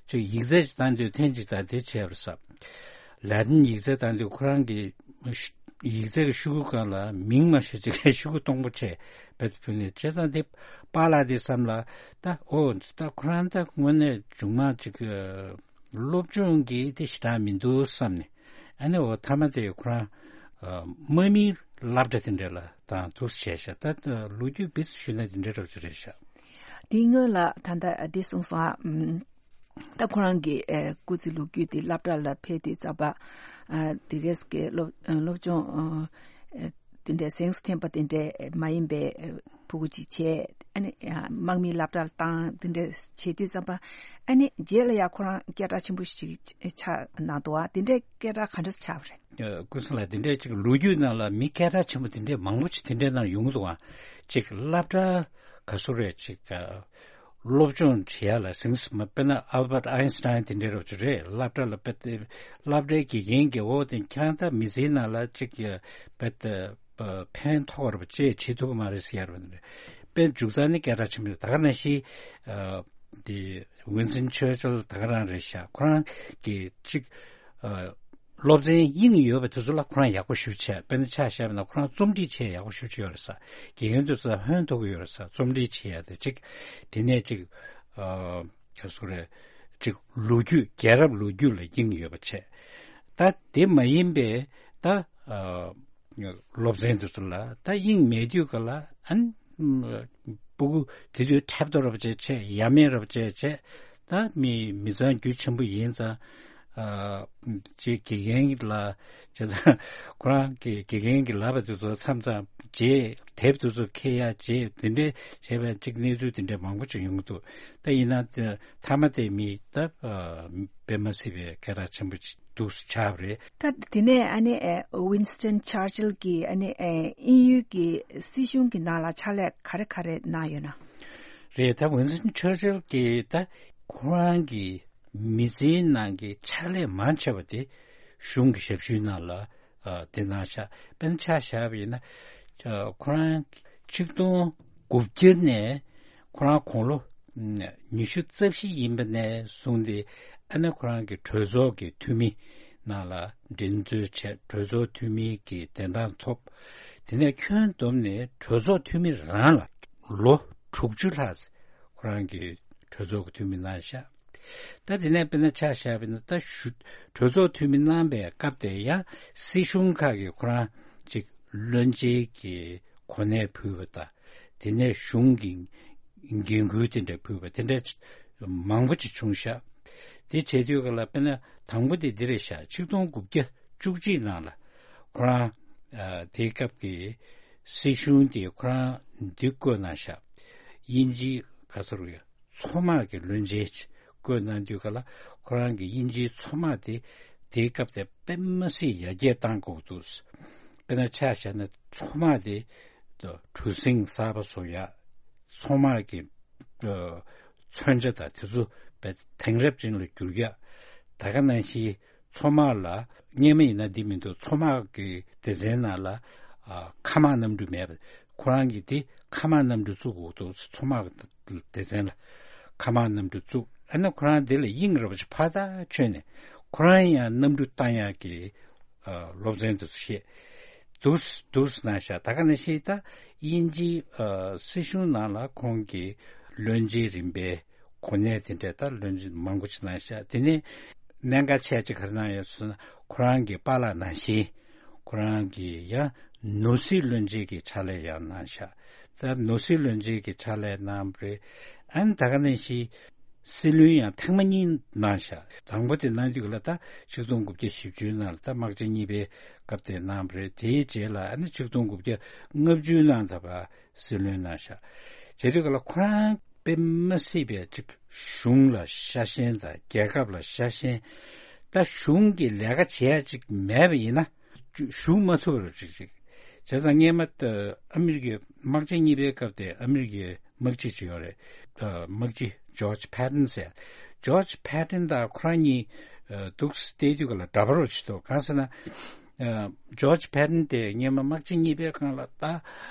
ཅིག་ཡིག་ཚད་ཅིག་བཏང་དུས་ཐེངས་གཅིག་དང་དེ་བྱས་པ་རེད་ཟེར། ལ་ཏིན་ཡིག་ཚད་བཏང་དུས་ཁོ་རང་གི་ཡིག་ཚད་ཀྱི་ཤོག་གུ་སྒང་ལ་མིང་མ་ཤོད་ཅིག་ཤོག་གུ་སྟོང་པ་བྱས་བེད་ཕུལ་ནས་བྱས་ཙང་དེ་པཱ་ལགས་དེ་བསམ་ལ་ད་ཨོ་ད་ཁོ་རང་ད་དངོས་གནས་མཇུག་མ་ཅིག་སློབ་སྦྱོང་གི་དེ་ཞེ་དྲག་མི་འདུག་བསམ་ནས། ཨ་ནི་འོ་མཐའ་མ་དེ་ཁོ་རང་ཨ་དམག་མིའི་སློབ་གྲྭ་དེ་འདྲ་ལ་བཏང་འདུག་བྱས་ཤག་ད་ལོ་རྒྱུས་སྦིས་ཞུས་ན་དེ་འདྲ་འདྲ་པོ་ཅིག་རེད་ཤག་དེའི་སྔོན་ལ་ད་ལྟ་འདི་གསུངས་སོང་ཨ། ཨམ། ད་ཁོ་རང་གི་ཨེ་སྐུ་ཚེ་ལོ་རྒྱུས་དེ་སློབ་གྲྭ་ལ་ཕེབས་དུས་ཙམ་པ་ཨ་དེ་གས་ཀྱི་སློབ་སློབ་སྦྱོང་ཨ་དེ་འདྲའི་གཟེངས་སུ་ཐོན་པ་དེ་འདྲའི་མ་ཡིན་པའི་ཕྲུ་གུ་ཅིག་བྱས། ཨ་ནི་དམག་མིའི་སློབ་གྲྭར་བཏང་། དེ་འདྲ་བྱེད་དུས་ཙམ་པ་ཨ་ནི་རྗེས་ལ་ཡང་ཁོ་རང་སྐད་གྲགས་ཆེན་པོ་ཞིག་ཆགས་གནང་འདུག་ཨ། དེ་འདྲའི་སྐད་གྲགས་ག་འདྲ་ཆགས་པ་རེད། ཀུན་བཟང་ལགས་དེ་འདྲའི་ཅིག་ལོ་རྒྱུས་ནང་ལ་མི་སྐད་གྲགས་ཆེན་པོ་དེ་འདྲའི་མང་པོ་ཅིག་དེ་འདྲའི་ནང་ཡོང་གི་འདུག་ཨ། ཅིག་སློབ་གྲྭ་ག་ཚོད་རེད་ཅིག་སློབ་སྦྱོང་བྱེད་ཡ་ལ་གཟེངས་སུ་མ་དཔེར་ན་Albert Einstein་དེ་འདྲའི་རོབ་ཅིག་རེད། སློབ་གྲྭ་ལ་དཔེ་སློབ་གྲྭའི་དགེ་རྒན་གྱིས་འོ་དེ་ཁྱེད་རང་ད་མི་ཚེའི་ནང་ལ་ཅིག་དཔེ་ཕན་ཐོགས་རབས་ཅེས་བྱེད་ཐུབ་ཀྱི་མ་རེད་ཟེར་ཡ་རེད། དཔེ་མཇུག་རྩ་ནས་སྐད་གྲགས་ཆེན་པོ་རེད། ད་ག་ནང་བཞིན་དེ་Winston Churchill་ད་ག་རང་རེད་ཤག་ཁོ་རང་གིས་ཅིག་སློབ་ཚན་དབྱིངས་ཡོད་པ་དེ་ཚོ་ལ་ཁོ་རང་ཡག་པོ་ཞེ་པོ་བྱས། དཔེར་ན་ཆ་བཞག་པ་ན་ཁོ་རང་རྩོམ་སྒྲིག་བྱེད་ཡག་པོ་ཞེ་པོ་ཅིག་ཡོད་རེད་ས། དགེ་རྒན་དེ་ཚོ་ལ་ཕན་ཐོགས་ཀྱི་ཡོད་རེད་ས། རྩོམ་སྒྲིག་བྱེད་ཡ་དེ་ཅིག་དེ་ནས་ཅིག་ཨ་ག་ཚོད་རེད། ཅིག་ལོ་རྒྱུས་རྒྱལ་རབས་ལོ་རྒྱུས་ལ་དབྱིངས་ཡོད་པ་བྱས། ད་དེ་མ་ཡིན་པའི་ད་ཨ་སློབ་ཚན་དེ་ཚོ་ལ་ད་དབྱིངས་མེད་དུས་ག་ལ་ཨ་ནི་སྤུ་གུ་དེ་དུས་འཁྲབ་སྟོན་རབ་བྱས་བྱས། ཡ་མེད་རབ་བྱས་བྱས། ད་མི་མི་ཚང་རྒྱུ་ཆེན་པོ་ཡིན་ཙང་ཨ་ཅིག་དགེ་རྒན་ལ་བྱས་ཙང་ཁོ་རང་གི་དགེ་རྒན་གྱི་ལབ་པ་དེ་ཚོ་མཚམས་མཚམས་བརྗེད། དེབ་དེ་ཚོ་འཁྱེར་ཡ་བརྗེད། དེ་འདྲས་བྱས་པའི་ཅིག་གནས་ཚུལ་དེ་འདྲས་མང་པོ་ཅིག་ཡོང་གི་འདུག་ད་ཡིན་ན་མཐའ་མ་དེ་མི་ད་དཔེ་མ་སྲིད་པའི་སྐད་གྲགས་ཆེན་པོ་ཅིག་འདུག་སེ་ཆགས་པ་རེད། ད་དེ་ནས་ཨ་ནི་ཨེ་Winston Churchill་གྱིས་ཨ་ནི་ཨེ་དབྱིན་ཡུལ་གྱི་སྲིད་གཞུང་གི་ནང་ལ་ཕྱག་ལས་ག་རེ་ག་རེ་གནང་ཡོད་ན། རེད། ད་Winston Churchill་གྱིས་ད་ཁོ་རང་གི་མི་ཚེའི་ནང་གི་ཕྱག་ལས་མང་ཆེ་བ་དེ་གཞུང་གི་ཞབས་ཞུའི་ནང་ལ་ཨ་དེ་གནང་ཤག་དཔེར་ན་ཆ་བཞག་པ་ཡིན་ན་ཨ་ཁོ་རང་ཆིག་སྟོང་དགུ་བརྒྱ་ནས་ཁོ་རང་དགུང་ལོ་ཉི་ཤུ་རྩ་བཞི་ཡིན་པ་ནས་བཟུང་སྟེ་ཨ་ནི་ཁོ་རང་གི་གྲོས་ཚོགས་ཀྱི་འཐུས་མི་ནང་ལ་འགྲན་རྩོད་བྱས། གྲོས་ཚོགས་འཐུས་མི་གི་གདན་གྲངས་ཐོབ། དེ་ནས་ཁྱོན་བསྡོམས་ནས་གྲོས་ཚོགས་འཐུས་མི་རང་ལ་ལོ་དྲུག་ཅུ་ལྷག་ཁོ་རང་གི་གྲོས་ཚོགས་ཀྱི་འཐུས་མི་གནང་ཤག་ད་དེ་ནས་དཔེར་ན་ཆ་བཞག་པ་ཡིན་ན་ད་གཞུ་གྲོས་ཚོགས་འཐུས་མི་གནང་པའི་སྐབས་དེ་ཡང་སྲིད་གཞུང་ཁག་གིས་ཁོ་རང་ཅིག་བློན་ཆེན་གྱི་གོ་གནས་ཕུལ་བ་དང་། དེ་ནས་གཞུང་གི་འགན་ཁུར་དེ་འདྲ་ཕུལ་བ་དེ་འདྲ་མང་པོ་ཅིག་བྱུང་ཤག་དེ་བྱེད་དུས་ག་ལ་དཔེར་ན་དང་པོ་དེ་འདི་རེད་ཤག་ཆིག་སྟོང་དགུ་བརྒྱ་བཅུ་གཅིག་ནང་ལ་ཁོ་རང་ཨ་དེའི་སྐབས་ཀྱི་སྲིད་གཞུང་དེ་ཁོ་རང་འདི་བསྐོས་གནང་ཤག་དབྱིན་ཇིའི་ག་ཚོད་རེད། མཚོ་དམག་གི་བློན་ཆེན་ཅིག་བསྐོས་གནང་དུས་ག་ལ་ཁོ་རང་གི་དབྱིན་ཇིའི་མཚོ་དམག་དེ་དེའི་སྐབས་དེ་དཔེ་མ་སྲིད་ཡར་རྒྱས་བཏང་དགོས་འདུག་དཔེར་ན་ཆ་བཞག་ན་མཚོ་དམག་དེ་གྲུ་གཟིངས་གསར་པ་བཟོ་ཡག་མཚོ་དམག་གི་མཚོན་ཆ་དང་དེ་ཚོ་དེང་རབས་ཅན་ལ་བསྒྱུར་ཡག་ད་ག་ནང་བཞིན་མཚོ་དམག་ལ་སྔོན་མ་ཡིན་ན་འདི་མི་འདུག་མཚོ་དམག་གི་སྡེ་ཚན་ནང་ལ་ཨ་མཁའ་དམག་གནམ་གྲུ་མེད་པ། ཁོ་རང་གིས་དེ་མཁའ་དམག་གནམ་གྲུ་བཙུགས་དགོས་འདུག་མཚོ་དམག་སྡེ་ཚན་ལ་མཁའ་དམག་གནམ་གྲུ་བཙུགས། ཨ་ནི་ཁོ་རང་དེ་ལ་དབྱིངས་རིན་པོ་ཆེ་ཕར་ཚུར་བྱོན་ནས་ཁོ་རང་ཡང་གནམ་གྲུ་བཏང་ཡག་གི་ཨ་སློབ་ཚན་དེ་ཚོ་བཤད་འདུག་འདུག་གནང་ཤག་ད་ག་ནང་བཞིན་ད་དབྱིན་ཇིའི་ཨ་སྲིད་གཞུང་ནང་ལ་ཁོང་གིས་བློན་ཆེན་རིམ་པའི་གོ་གནས་དེ་འདྲ་ད་བློན་ཆེན་མང་པོ་ཅིག་གནང་ཤག་དེ་ནས་གནད་འགག་ཆེ་ཅིག་ག་རེ་གནང་ཡོད་ཟེར་ན་ཁོ་རང་གི་པཱ་ལགས་ནང་བཞིན་ཁོ་རང་གིས་ཡང་ནོར་སྲིད་བློན་ཆེན་གྱི་ཕྱག་ལས་ཡང་གནང་ཤག་ད་ནོར་སྲིད་བློན་ཆེན་གྱི་ཕྱག་ལས་གནང་བ་རེད། ཨ་ནི་ད་ག་ནང་བཞིན་སྲིད་བློན་ཡང་ཐེངས་མ་གཉིས་གནང་ཤག་དང་པོ་དེ་གནང་དུས་ལ་ད་ཆིག་སྟོང་དགུ་བརྒྱ་བཞི་བཅུ་ནང་ལ་ད་དམག་ཆེན་གཉིས་པའི་སྐབས་དེ་གནང་བ་རེད། དེའི་རྗེས་ལ་ཨ་ནི་ཆིག་སྟོང་དགུ་བརྒྱ་ལྔ་བཅུ་ནང་ད་བར་སྲིད་བློན་གནང་ཤག་བྱེད་དུས་ག་ལ་ཁོ་རང་དཔེ་མ་སྲིད་པའི་ཅིག་གཞུང་ལ་ཤ་ཞེན་དང་རྒྱལ་ཁབ་ལ་ཤ་ཞེན། ད་གཞུང་གི་ལས་ཀ་བྱེད་ཡ་ཅིག་མེད་པ་ཡིན་ན་བཞུགས་མ་ཐུབ་པ་ཅིག་ཅིག་བྱས་ཙང་སྔོན་མ་ཨ་མི་རི་ཀའི་དམག་ཆེན་གཉིས་པའི་སྐབས་དེ་ཨ་མི་རི་ཀའི་དམག་སྤྱི་ཅིག་ཡོད་རེད། དམག་སྤྱི་ཇོརྗ་ཕེ་ཏན་ཟེར། ཇོརྗ་ཕེ་ཏན་དང་ཁོ་རང་གཉིས་འདུག་བལྟས་དུས་ག་ལ་འདྲ་པོ་རོ་ཅིག་འདུག་གང་ཟེར་ན། ཇོརྗ་ཕེ་ཏན་དེ་སྔོན་མ་དམག་ཆེན་གཉིས་པའི་སྒང་ལ་ད་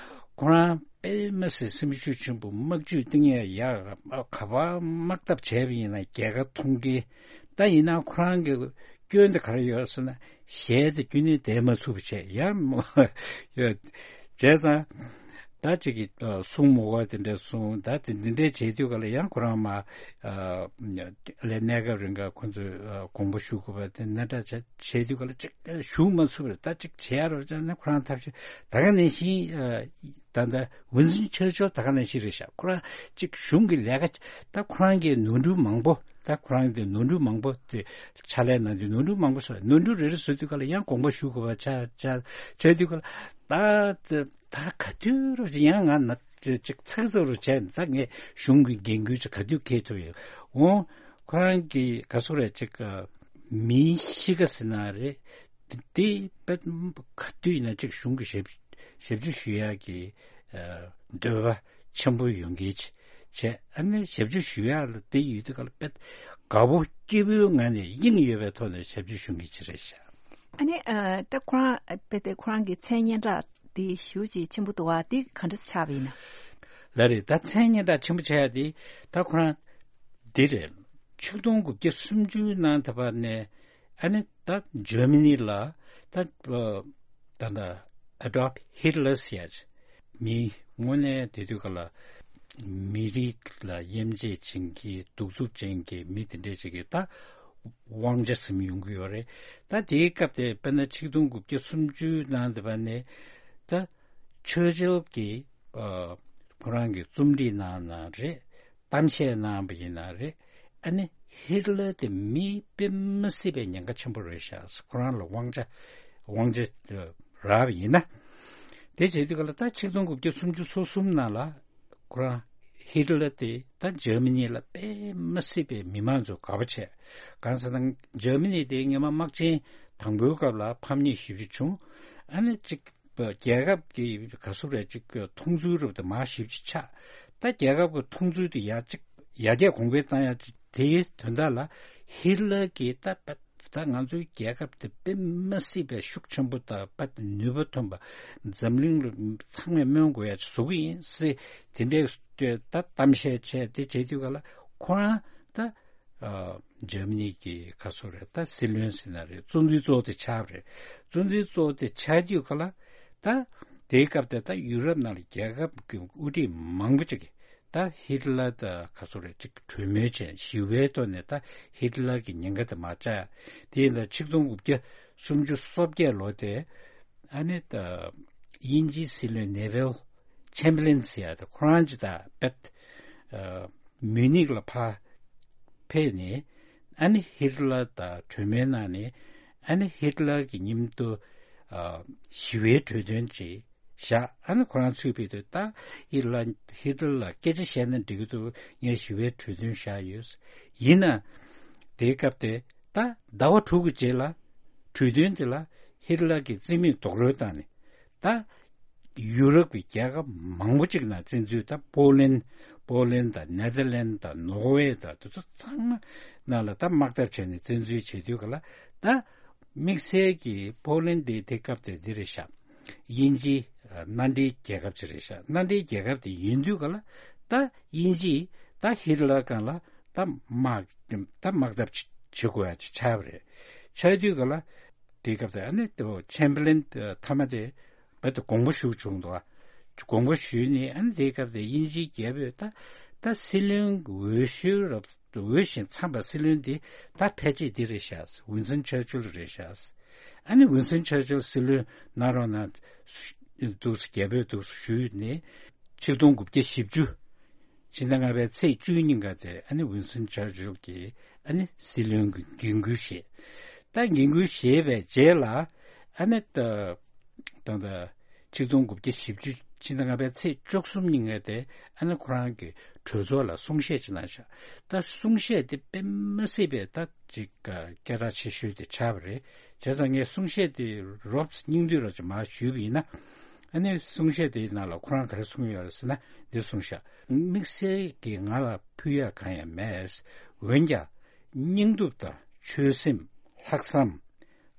ཁོ་རང་དཔེ་མ་སྲིད་སེམས་ཤུགས་ཆེན་པོ། དམག་ཇུས་གཏིང་ཡ་ཡག་ག་པར་དམག་འཐབ་བྱས་པ་ཡིན་ན་རྒྱལ་ཁ་མཐོང་གི། ད་ཡིན་ན་ཁོ་རང་གི་སྐྱོན་དེ་ག་རེ་ཡོད་ཟེར་ན་ཞལ་དེ་རྒྱུན་ནས་བསྡད་མ་ཚུགས་པ་བྱས་ཡ་མོ་ཡོད། བྱས་ཙང་ད་ཅིག་གིས་གསུང་མོ་བ་དེ་འདྲ་གསུང་། ད་དེ་འདི་འདྲའི་བྱེད་དུས་ག་ལ་ཡང་ཁོ་རང་མ་ལས་གནས་སྐབས་རིང་ག་ཁོ་ཚོས་དགོངས་པ་ཞུ་དགོས་པ་དེ་འདྲ་བྱེད་དུས་ག་ལ་ཅིག་ཞུ་མ་ཚུགས་པར་ད་ཅིག་བྱེད་ཡ་རོགས་བྱས་ན་ཁོ་རང་ཐབས་ཤེས་ད་ག་ནང་བཞིན་ད་ལྟ་ཝུན་སིན་ཆར་ཆིལ་ད་ག་ནང་བཞིན་རེད་ཤག་ཁོ་རང་ཅིག་གཞུང་གི་ལས་ཀ་ད་ཁོ་རང་གི་ནོར་འཁྲུལ་མང་པོ། ད་ཁོ་རང་གི་ནོར་འཁྲུལ་མང་པོ་དེ་ཕྱག་ལས་གནང་དུས་ནོར་འཁྲུལ་མང་པོ་བཟོས། ནོར་འཁྲུལ་རེ་རེ་བཟོ་དུས་ག་ལ་ཡང་དགོངས་པ་ཞུ་དགོས་པ་ཆགས་ཆགས་བྱས་དུས་ག་ལ་ད་ད་ག་དུས་རུ་ཡང་ང་ན་ཅིག་ཚགས་ཚུད་རུ་བྱས་ད་ངས་གཞུང་གི་འགན་ཁུར་ཅིག་ག་དུས་འཁྱེར་ཐུབ་ཡོད། འོང་ཁོ་རང་གི་ག་སུ་རེད་ཅིག་མིའི་གཤིས་ཀ་ཟེར་ན་རེད། དེ་དཔེ་ག་དུས་ཡིན་ན་ཅིག་གཞུང་གི་ཞབས་ཞབས་ཕྱི་ཞུ་ཡག་གི་འདོད་པ་ཆེན་པོ་ཡོང་གི་བྱས། ཨ་ནི་ཞབས་ཕྱི་ཞུ་ཡག་ལ་དེ་ཡོད་དུས་ག་ལ་དཔེ་དགའ་པོ་སྐྱིད་པོའི་ངང་ནས་དབྱིངས་ཡོད་པའི་ཐོག་ནས་ཞབས་ཕྱི་ཞུ་མཁན་ཅིག་རེད་ཤག་ཨ་ནི་ཨ་ད་ཁོ་རང་དཔེ་དེ་ཁོ་རང་གི་མཚན་སྙན་གྲགས་དེ་ཞེ་ཅིག་ཆེན་པོ་འདུག་བ། དེ་ག་འདྲ་ཆགས་པ་ཡིན་ན། ལགས་རེད། ད་མཚན་སྙན་གྲགས་ཆེན་པོ་ཆགས་ཡ་དེ་ད་ཁོ་རང་འདི་རེད། ཆིག་སྟོང་དགུ་བརྒྱ་སུམ་ཅུ་ནང་ད་བར་ནས་ཨ་ནི་ད་འཇར་མ་ནི་ལ་ད་ད་ད་ཨ་ཌོལཕ་ཧིཊ་ལར་ཟེར་ཡ་ཅིག་མི་དངོས་གནས་དེ་དུས་ག་ལ་མི་རིགས་ལ་དབྱེ་འབྱེད་བྱེད་མཁན་གདུག་རྩུབ་ཅན་གྱི་མི་དེ་འདྲས་ཅིག་གིས་ད་དབང་ཆ་ཟིན་ཡོང་གི་ཡོད་རེད། ད་དེའི་སྐབས་དེ་དཔེར་ན་ཆིག་སྟོང་དགུ་བརྒྱ་སུམ་ཅུ་ནང་དེ་བ་ནས་ད་ཆར་ཆིལ་གྱིས་ཨ་ཁོ་རང་གི་རྩོམ་སྒྲིག་གནང་ན་རེད། གཏམ་བཤད་གནང་བ་ཡིན་ན་རེད། ཨ་ནི་ཧིཊ་ལར་དེ་མི་དཔེ་མ་སྲིད་པའི་ཉེན་ཁ་ཆེན་པོ་རེད་ཤག་ཁོ་རང་ལ་དབང་ཆ་དབང་ཆ་རག་པ་ཡིན་ན། དེ་བྱེད་དུས་ག་ལ་ད་ཆིག་སྟོང་དགུ་བརྒྱ་སུམ་ཅུ་སོ་གསུམ་ནང་ལ་ཁོ་རང་ཧིཊ་ལར་དེ་ད་འཇར་མ་ནི་ལ་དཔེ་མ་སྲིད་པའི་མི་མང་ཚོ་དགའ་པོ་བྱས། གང་ཟེར་ན་འཇར་མ་ནི་དེ་སྔོན་མ་དམག་ཆེན་དང་པོའི་སྐབས་ལ་ཕམ་ཉེས་ཞེ་པོ་ཅིག་བྱུང་། ཨ་ནི་ཅིག་རྒྱལ་ཁབ་ཀྱི་ག་ཟེར་རེད་ཅིག་མཐོང་ཚུལ་རབ་ཏུ་མར་ཞེ་པོ་ཅིག་ཆགས། ད་རྒྱལ་ཁབ་ཀྱི་མཐོང་ཚུལ་དེ་ཡར་ཅིག་ཡར་རྒྱས་གོང་འཕེལ་བཏང་ཡ་ཅིག་དེའི་དོན་དག་ལ་ཧིཊ་ལར་གྱིས་ད་ད་ང་ཚོའི་རྒྱལ་ཁབ་དེ་དཔེ་མ་སྲིད་པའི་ཤུགས་ཆེན་པོ་དང་དཔེ་ནུས་པ་ཐོན་པ། འཛམ་གླིང་ལ་ཚང་མས་སྨོན་དགོས་ཡ་ཅིག་བཟོ་གི་ཡིན་ཟེར་དེ་འདྲའི་ད་གཏམ་བཤད་བྱས། དེ་བྱེད་དུས་ག་ལ་ཁོ་རང་ད་ཨ་འཇར་མ་ནི་གི་ག་ཟེར་རེད། ད་སྲིད་བློན་ཟེར་ན་རེད། གཙོ་འཛིན་གཙོ་བོ་དེ་ཆགས་པ་རེད། གཙོ་འཛིན་གཙོ་བོ་དེ་ཆགས་དུས་ག་ལ་ད་དེའི་སྐབས་དེ་ད་ཡུ་རོབ་ནང་ལ་རྒྱལ་ཁབ་ཀྱི་དབུ་ཁྲིད་མང་པོ་ཅིག་གིས་ ད་ཧིཊ་ལར་ད་ག་ཚོད་རེད་ཅིག་གྲོས་མོལ་བྱས་ཞི་བའི་ཐོག་ནས་ད་ཧིཊ་ལར་གྱི་ཉེན་ཁ་དེ་མར་བཅག་ཡ། དེ་ཡིན་ད་ཆིག་སྟོང་དགུ་བརྒྱ་སུམ་ཅུ་སོ་བརྒྱད་ལོ་དེ་ཨ་ནི་ད་དབྱིན་ཇིའི་སྲིད་བློན་ནེ་ཝིལ་ཆེམ་བར་ལིན་ཟེར་ཡ་ད་ཁོ་རང་ཅིག་ད་པེད་མིའུ་ནིག་ལ་ཕར་ཕེབས་ནས་ཨ་ནི་ཧིཊ་ལར་ད་གྲོས་མོལ་གནང་ནས་ཨ་ནི་ཧིཊ་ལར་གྱི་མཉམ་དུ་ཞི་བའི་གྲོས་དོན་ཅིག་བཞག་ཨ་ནི་ཁོ་རང་ཚུར་ཕེབས་དུས་ད་ཧིཊ་ལར་ཧིཊ་ལར་ལ་སྐད་ཆ་བཤད་ན་འགྲིག་གི་འདུག་ངས་ཞི་བའི་གྲོས་དོན་བཞག་ཡོད། ཡིན་ན་དེའི་སྐབས་དེ་ད་ཟླ་བ་དྲུག་གི་རྗེས་ལ་གྲོས་མཐུན་དེ་ལ་ཧིཊ་ལར་གྱི་རྩིས་མེད་རྡོག་རོལ་བཏང་ནས་ད་ཡུ་རོབ་ཀྱི་རྒྱལ་ཁབ་མང་པོ་ཅིག་ནང་བཙན་འཛུལ་ད་པོ་ལན་པོ་ལན་དང་ནེ་ཐར་ལན་དང་ནོར་ཝེ་དང་དེ་ཚོ་ཚང་མ་ནང་ལ་ད་དམག་འཐབ་བྱས་ནས་བཙན་འཛུལ་བྱེད་དུས་ག་ལ་ད་དམིགས་བསལ་གྱི་པོ་ལན་དེ་དེ་སྐབས་དེ་འདི་རེད་ཤག་དབྱིན་ཇིའི་མནའ་འབྲེལ་རྒྱལ་ཁབ་ཅིག་རེད་ཤག་མནའ་འབྲེལ་རྒྱལ་ཁབ་དེ་ཡིན་དུས་ག་ལ་ད་དབྱིན་ཇིས་ད་ཧིཊ་ལར་སྒང་ལ་ད་དམག་ད་དམག་འཐབ་བྱེད་དགོས་ཡ་ཅིག་ཆགས་པ་རེད། ཆགས་དུས་ག་ལ་དེའི་སྐབས་དེ་ཨ་ནི་ཆེམ་བར་ལིན་མཐའ་མ་དེ་བར་དུ་དགོངས་པ་ཞུ་བྱུང་འདུག་དགོངས་པ་ཞུས་ནས་ཨ་ནི་དེའི་སྐབས་དེ་དབྱིན་ཇིའི་རྒྱལ་པོས་ད་ད་སྲིད་བློན་འོས་ཤོལ་རབ་འོས་ཤིང་འཚམས་པ་སྲིད་བློན་འདི་ད་ཕལ་ཆེར་འདི་རེད་ཤག་ཝིན་སན་ཆར་ཆིལ་རེད་ཤག་ཨ་ནི་ཝིན་སན་ཆར་ཆིལ་སྲིད་བློན་གནང་རོགས་གནང་། འདུག་སེ་རྒྱལ་པོས་འདུག་སེ་ཞུས་ནས་ཆིག་སྟོང་དགུ་བརྒྱ་བཞི་བཅུ་ཕྱི་ཟླ་ལྔ་པའི་ཚེས་བཅུ་གཉིས་ཀ་དེ་ཨ་ནི་ཝིན་སན་ཆར་ཆིལ་གྱིས་ཨ་ནི་སྲིད་བློན་གྱི་འགན་འཁུར་བཞེས། ད་འགན་འཁུར་བཞེས་པའི་རྗེས་ལ་ཨ་ནི་ད་ད་ད་ཆིག་སྟོང་དགུ་བརྒྱ་བཞི་བཅུ་ཕྱི་ཟླ་ལྔ་པའི་ཚེས་བཅུ་གསུམ་ཉིན་ཀ་དེ་ཨ་ནི་ཁོ་རང་གི་གྲོས་ཚོགས་ལ་གསུང་བཤད་ཅིག་གནང་ཤག་ད་གསུང་བཤད་དེ་དཔེ་མ་སྲིད་པའི་ད་ཅིག་སྐད་གྲགས་ཆེ་ཤོས་དེ་ཆགས་པ་རེད། བྱས་ཙང་ངས་གསུང་བཤད་དེ་རོབ་སྙིང་བསྡུས་རོབ་ཅིག་མར་ཞུས་པ་ཡིན་ན། ཨ་ནི་གསུང་བཤད་དེའི་ནང་ལ་ཁོ་རང་ག་རེ་གསུངས་ཡོད་རེད་ཟེར་ན་འདི་གསུངས་ཤག་དམིགས་བསལ་གྱིས་ང་ལ་ཕུལ་ཡག་གང་ཡང་མེད། འོན་ཀྱང་སྙིང་སྟོབས་དང་ཆོད་སེམས། ལྷག་བསམ།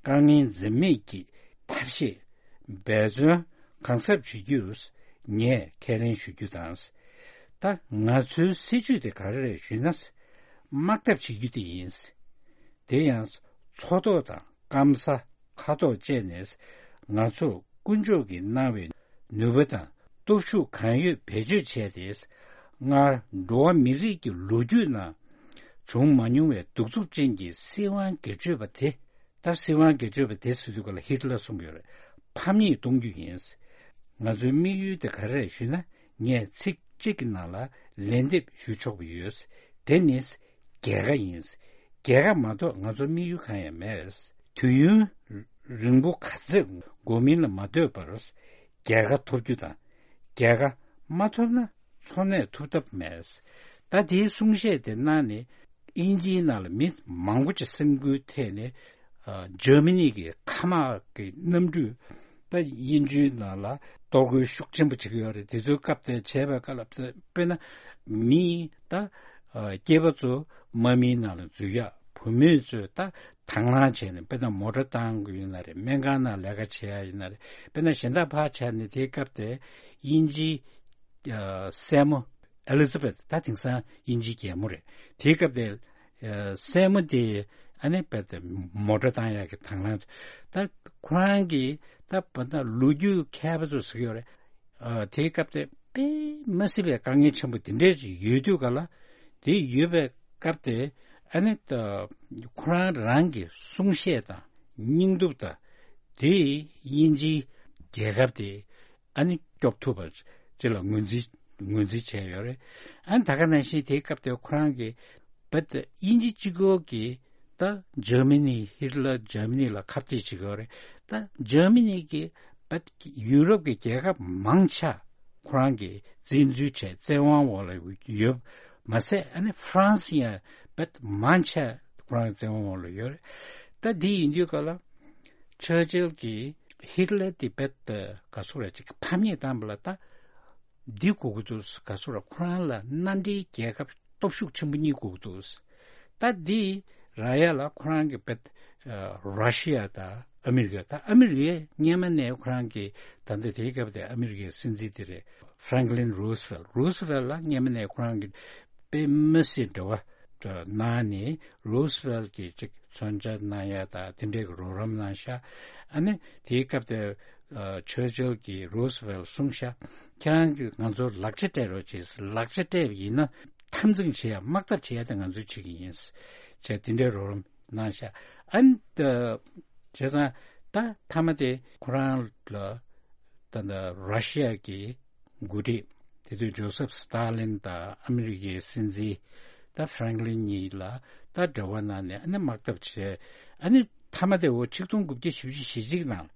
དཀའ་ངལ་འཛེམ་མེད་ཀྱི་ཐབས་ཤེས། འབད་བརྩོན་གང་ཟབ་བྱེད་རྒྱུར་ངས་ཁས་ལེན་ཞུ་རྒྱུ་དང་། ད་ང་ཚོའི་སྲིད་ཇུས་དེ་ག་རེ་རེད་ཞུས་ན། དམག་འཐབ་བྱེད་རྒྱུ་དེ་ཡིན། དེ་ཡང་མཚོ་ཐོག་དང་སྐམ་ས་མཁའ་ཐོག་བཅས་ནས་ང་ཚོར་དཀོན་མཆོག་གིས་གནང་བའི་ནུས་པ་དང་སྟོབས་ཤུགས་གང་ཡོད་བེད་སྤྱོད་བྱས་ཏེ། སྔར་འགྲོ་བ་མི་རིགས་ཀྱི་ལོ་རྒྱུས་ནང་བྱུང་མ་མྱོང་བའི་གདུག་རྩུབ་ཅན་གྱི་སྲིད་དབང་སྒེར་གཅོད་པ་དེ། ད་སྲིད་དབང་སྒེར་གཅོད་པ་དེ་ཟེར་དུས་ག་ལ་ཧིཊ་ལར་གསུངས་ཡོད་རེད། ཕམ་ཉེས་གཏོང་རྒྱུ་ཡིན། ང་ཚོའི་དམིགས་ཡུལ་དེ་ག་རེ་རེད་ཞུས་ན། ངས་ཚིག་གཅིག་གི་ནང་ལ་ལན་འདེབས་ཞུ་ཆོག་པ་ཡོད། དེ་ནི་རྒྱལ་ཁ་ཡིན། རྒྱལ་ཁ་མ་གཏོགས་ང་ཚོ་དམིགས་ཡུལ་གང་ཡང་མེད། དུས་ཡུན་རིང་པོ་ག་ཚོད་འགོར་མིན་ལ་མ་ལྟོས་པར་རྒྱལ་ཁ་ཐོབ་རྒྱུ་དང་། རྒྱལ་ཁ་མ་ཐོབ་ན་འཚོ་གནས་ཐུབ་ཐབས་མེད། ད་དེའི་གསུང་བཤད་དེ་གནང་ནས་དབྱིན་ཇིའི་ནང་ལ་མི་མང་པོ་ཅིག་སེམས་འགུལ་ཐེབས་ནས། ཨ། འཇར་མ་ནི་གི་མཁའ་དམག་གི་གནམ་གྲུས་ད་དབྱིན་ཇིའི་ནང་ལ་གཏོར་རྒོལ་ཤུགས་ཆེན་པོ་བྱེད་ཀྱི་ཡོད་རེད། དེ་ཚོའི་སྐབས་དེར་བྱས་པའི་སྐབས་ལ་དཔེར་ན་མི་ད་ཨ། སྐྱེས་པ་ཚོ་དམག་མིའི་ནང་ལ་འཛུལ་ཡག་བུད་མེད་ཚོས་ད་དང་བླངས་བྱས་ནས་དཔེར་ན་མོ་ཊ་བཏང་གི་ཡོད་ན་རེད། སྨན་ཁང་ནང་ལས་ཀ་བྱེད་ཡག་ཡིན་ན་རེད། དཔེར་ན་གཞན་དག་ཕར་བྱས་ནས་དེའི་སྐབས་དེར་དབྱིན་ཇིའི་ཨ། སྲས་མོ་ཨེ་ལི་ཛ་བེད། ད་དེང་སང་དབྱིན་ཇིའི་རྒྱལ་མོ་རེད། དེའི་སྐབས་དེར་ཨ། སྲས་མོ་དེ་ཨ་ནི་རྦད་དེ་མོ་ཊ་བཏང་ཡག་གི་དང་བླངས། ད་ཁོ་རང་གིས་ད་བར་ན་ལོ་རྒྱུས་མཁས་པ་ཚོས་ཟེར་གྱི་ཡོད་རེད། ཨ། དེའི་སྐབས་དེ་དཔེ་མ་སྲིད་པའི་དཀའ་ངལ་ཆེན་པོ་དེ་འདྲས་ཅིག་ཡོད་དུས་ག་ལ། དེ་ཡོད་པའི་སྐབས་དེ་ཨ་ནི་ད་ཁོ་རང་རང་གི་གསུང་བཤད་དང་སྙིང་སྟོབས་དང་དེས་དབྱིན་ཇིའི་རྒྱལ་ཁབ་དེ་ཨ་ནི་སྐྱོབ་ཐུབ་པ་ཅིག་ལ་ངོས་འཛིན་ངོས་འཛིན་བྱས་ཡོད་རེད། ཨ་ནི་ད་ག་ནང་བཞིན་དེའི་སྐབས་དེ་ཁོ་རང་གིས་བད་དབྱིན་ཇི་གཅིག་པོ་གིས་ད་འཇར་མ་ནི་ཧིཊ་ལར་འཇར་མ་ནི་ལ་ཁ་གཏད་བྱེད་ཀྱི་ཡོད་རེད། ད་འཇར་མ་ནི་གིས་བད་ཡུ་རོབ་ཀྱི་རྒྱལ་ཁབ་མང་ཆེ་ཁོ་རང་གིས་བཙན་འཛུལ་བྱས་བཙན་དབང་འོག་ལ་ཡོད་མ་ཟད། ཨ་ནི་ཧྥ་རན་སི་ཡང་བད་མང་ཆེ་ཁོ་རང་བཙན་དབང་འོག་ལ་ཡོད་རེད། ད་འདི་ཡིན་དུས་ག་ལ་ཆར་ཆིལ་གྱིས་ཧིཊ་ལར་དེ་བད་ག་ཚོད་རེད་ཅིག་ཕམ་ཉེས་བཏང་བ་ལ་ད། འདི་དགོས་ཀྱི་འདུག་ག་ཟེར་ར། ཁོ་རང་ལ་མནའ་འབྲེལ་རྒྱལ་ཁབ་སྟོབས་ཤུགས་ཆེན་པོ་གཉིས་དགོས་ཀྱི་འདུག་ད་འདི་རག་ཡ་ལ་ཁོ་རང་གི་བད་ར་ཤི་ཡ་དང་ཨ་མི་རི་ཀ། ད་ཨ་མི་རི་ཀས་སྔན་མ་ནས་ཁོ་རང་གི་ད་ལྟ་དེའི་སྐབས་དེ་ཨ་མི་རི་ཀའི་སྲིད་འཛིན་དེ་རེད། ཧྥ་རན་ཀི་ལིན་རུ་སི་ཝེལ། རུ་སི་ཝེལ་ལ་སྔན་མ་ནས་ཁོ་རང་གི་དཔེ་མི་སྲིད་འབྲེལ་བ་གནང་ནས། རུ་སི་ཝེལ་གྱིས་ཅིག་མཚོན་ཆ་གནང་ཡ་དང་དེ་འདྲའི་གི་རོགས་རམ་གནང་ཤག་ཨ་ནི་དེའི་སྐབས་དེ། ཨ་ཆོས་རྒྱལ་གྱིས་རུ་སི་ཝེལ་གསུངས་ཤག་ཁྱེད་རང་གིས་ང་ཚོར་ལག་ཆ་སྤྲད་རོགས་བྱེད། ལག་ཆ་སྤྲད་པ་ཡིན་ན་འཐབ་འཛིང་བྱེད་ཡ་དམག་འཐབ་བྱེད་ཡ་དེ་ང་ཚོས་བྱེད་ཀྱི་ཡིན་ཟེར་དེ་འདྲའི་རོགས་རམ་གནང་ཤག་ཨ་ནི་ད་བྱས་ཙང་ད་མཐའ་མ་དེ་ཁོ་རང་ལ་ད་ད་ར་ཤི་ཡ་གི་འགོ་ཁྲིད་དེ་དུས་ཇོ་སེབ་སི་ཏཱ་ལིན་དང་ཨ་མི་རི་ཀའི་སྲིད་འཛིན་ད་ཧྥ་རེང་ལིན་གཉིས་ལ་ད་འབྲེལ་བ་གནང་ནས་ཨ་ནི་དམག་འཐབ་བྱས། ཨ་ནི་མཐའ་མ་དེ་འོ་ཆིག་སྟོང་དགུ་བརྒྱ་བཞི་བཅུ་ཞེ་གཅིག་ནང་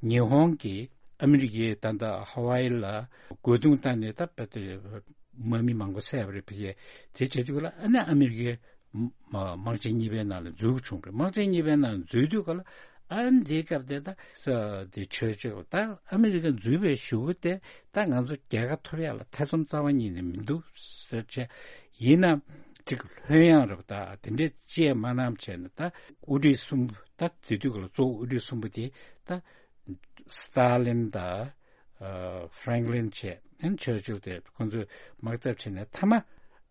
ཉི་ཧོང་གིས་ཨ་མི་རི་ཀའི་ད་ལྟ་ཧ་ཝའི་ལ་རྒོལ་རྡུང་བཏང་ནས་ད་དཔེ་དེ་དམག་མི་མང་པོ་བསད་པ་རེད། ཕ་གིའི་དེ་བྱེད་དུས་ལ་ཨ་ནི་ཨ་མི་རི་ཀའི་དམག་ཆེན་གཉིས་པའི་ནང་ལ་འཛུལ་བྱུང་བ་རེད། དམག་ཆེན་གཉིས་པའི་ནང་འཛུལ་དུས་ག་ལ་ཨ་ནི་དེའི་སྐབས་དེ་ད་ས་དེ་ཆོས་ཆོས་ད་ཨ་མི་རི་ཀ་འཛུལ་བའི་གཞུག་གུ་དེ་ད་ང་ཚོ་རྒྱལ་ཁ་ཐོབ་ཡག་ལ་ཐེ་ཚོམ་རྩ་བ་ཉིད་ནས་མི་འདུག་ཟེར་བྱས། ཡིན་ན་ཅིག་ལྷོད་ཡངས་རབ་ད་དེ་འདྲའི་ཅི་ཡང་མ་གནང་བྱས་ནས་ད་དབུ་ཁྲིད་གསུམ་ད་དེ་དུས་ག་ལ་གཙོ་བོ་དབུ་ཁྲིད་གསུམ་པོ་དེ་ད་སི་ཏཱ་ལིན་དང་ཧྥ་རེང་ལིན་བྱས་ཨན་ཆོས་ཆོས་དེ་ཁོང་ཚོས་དམག་འཐབ་བྱས་ནས་མཐའ་མ་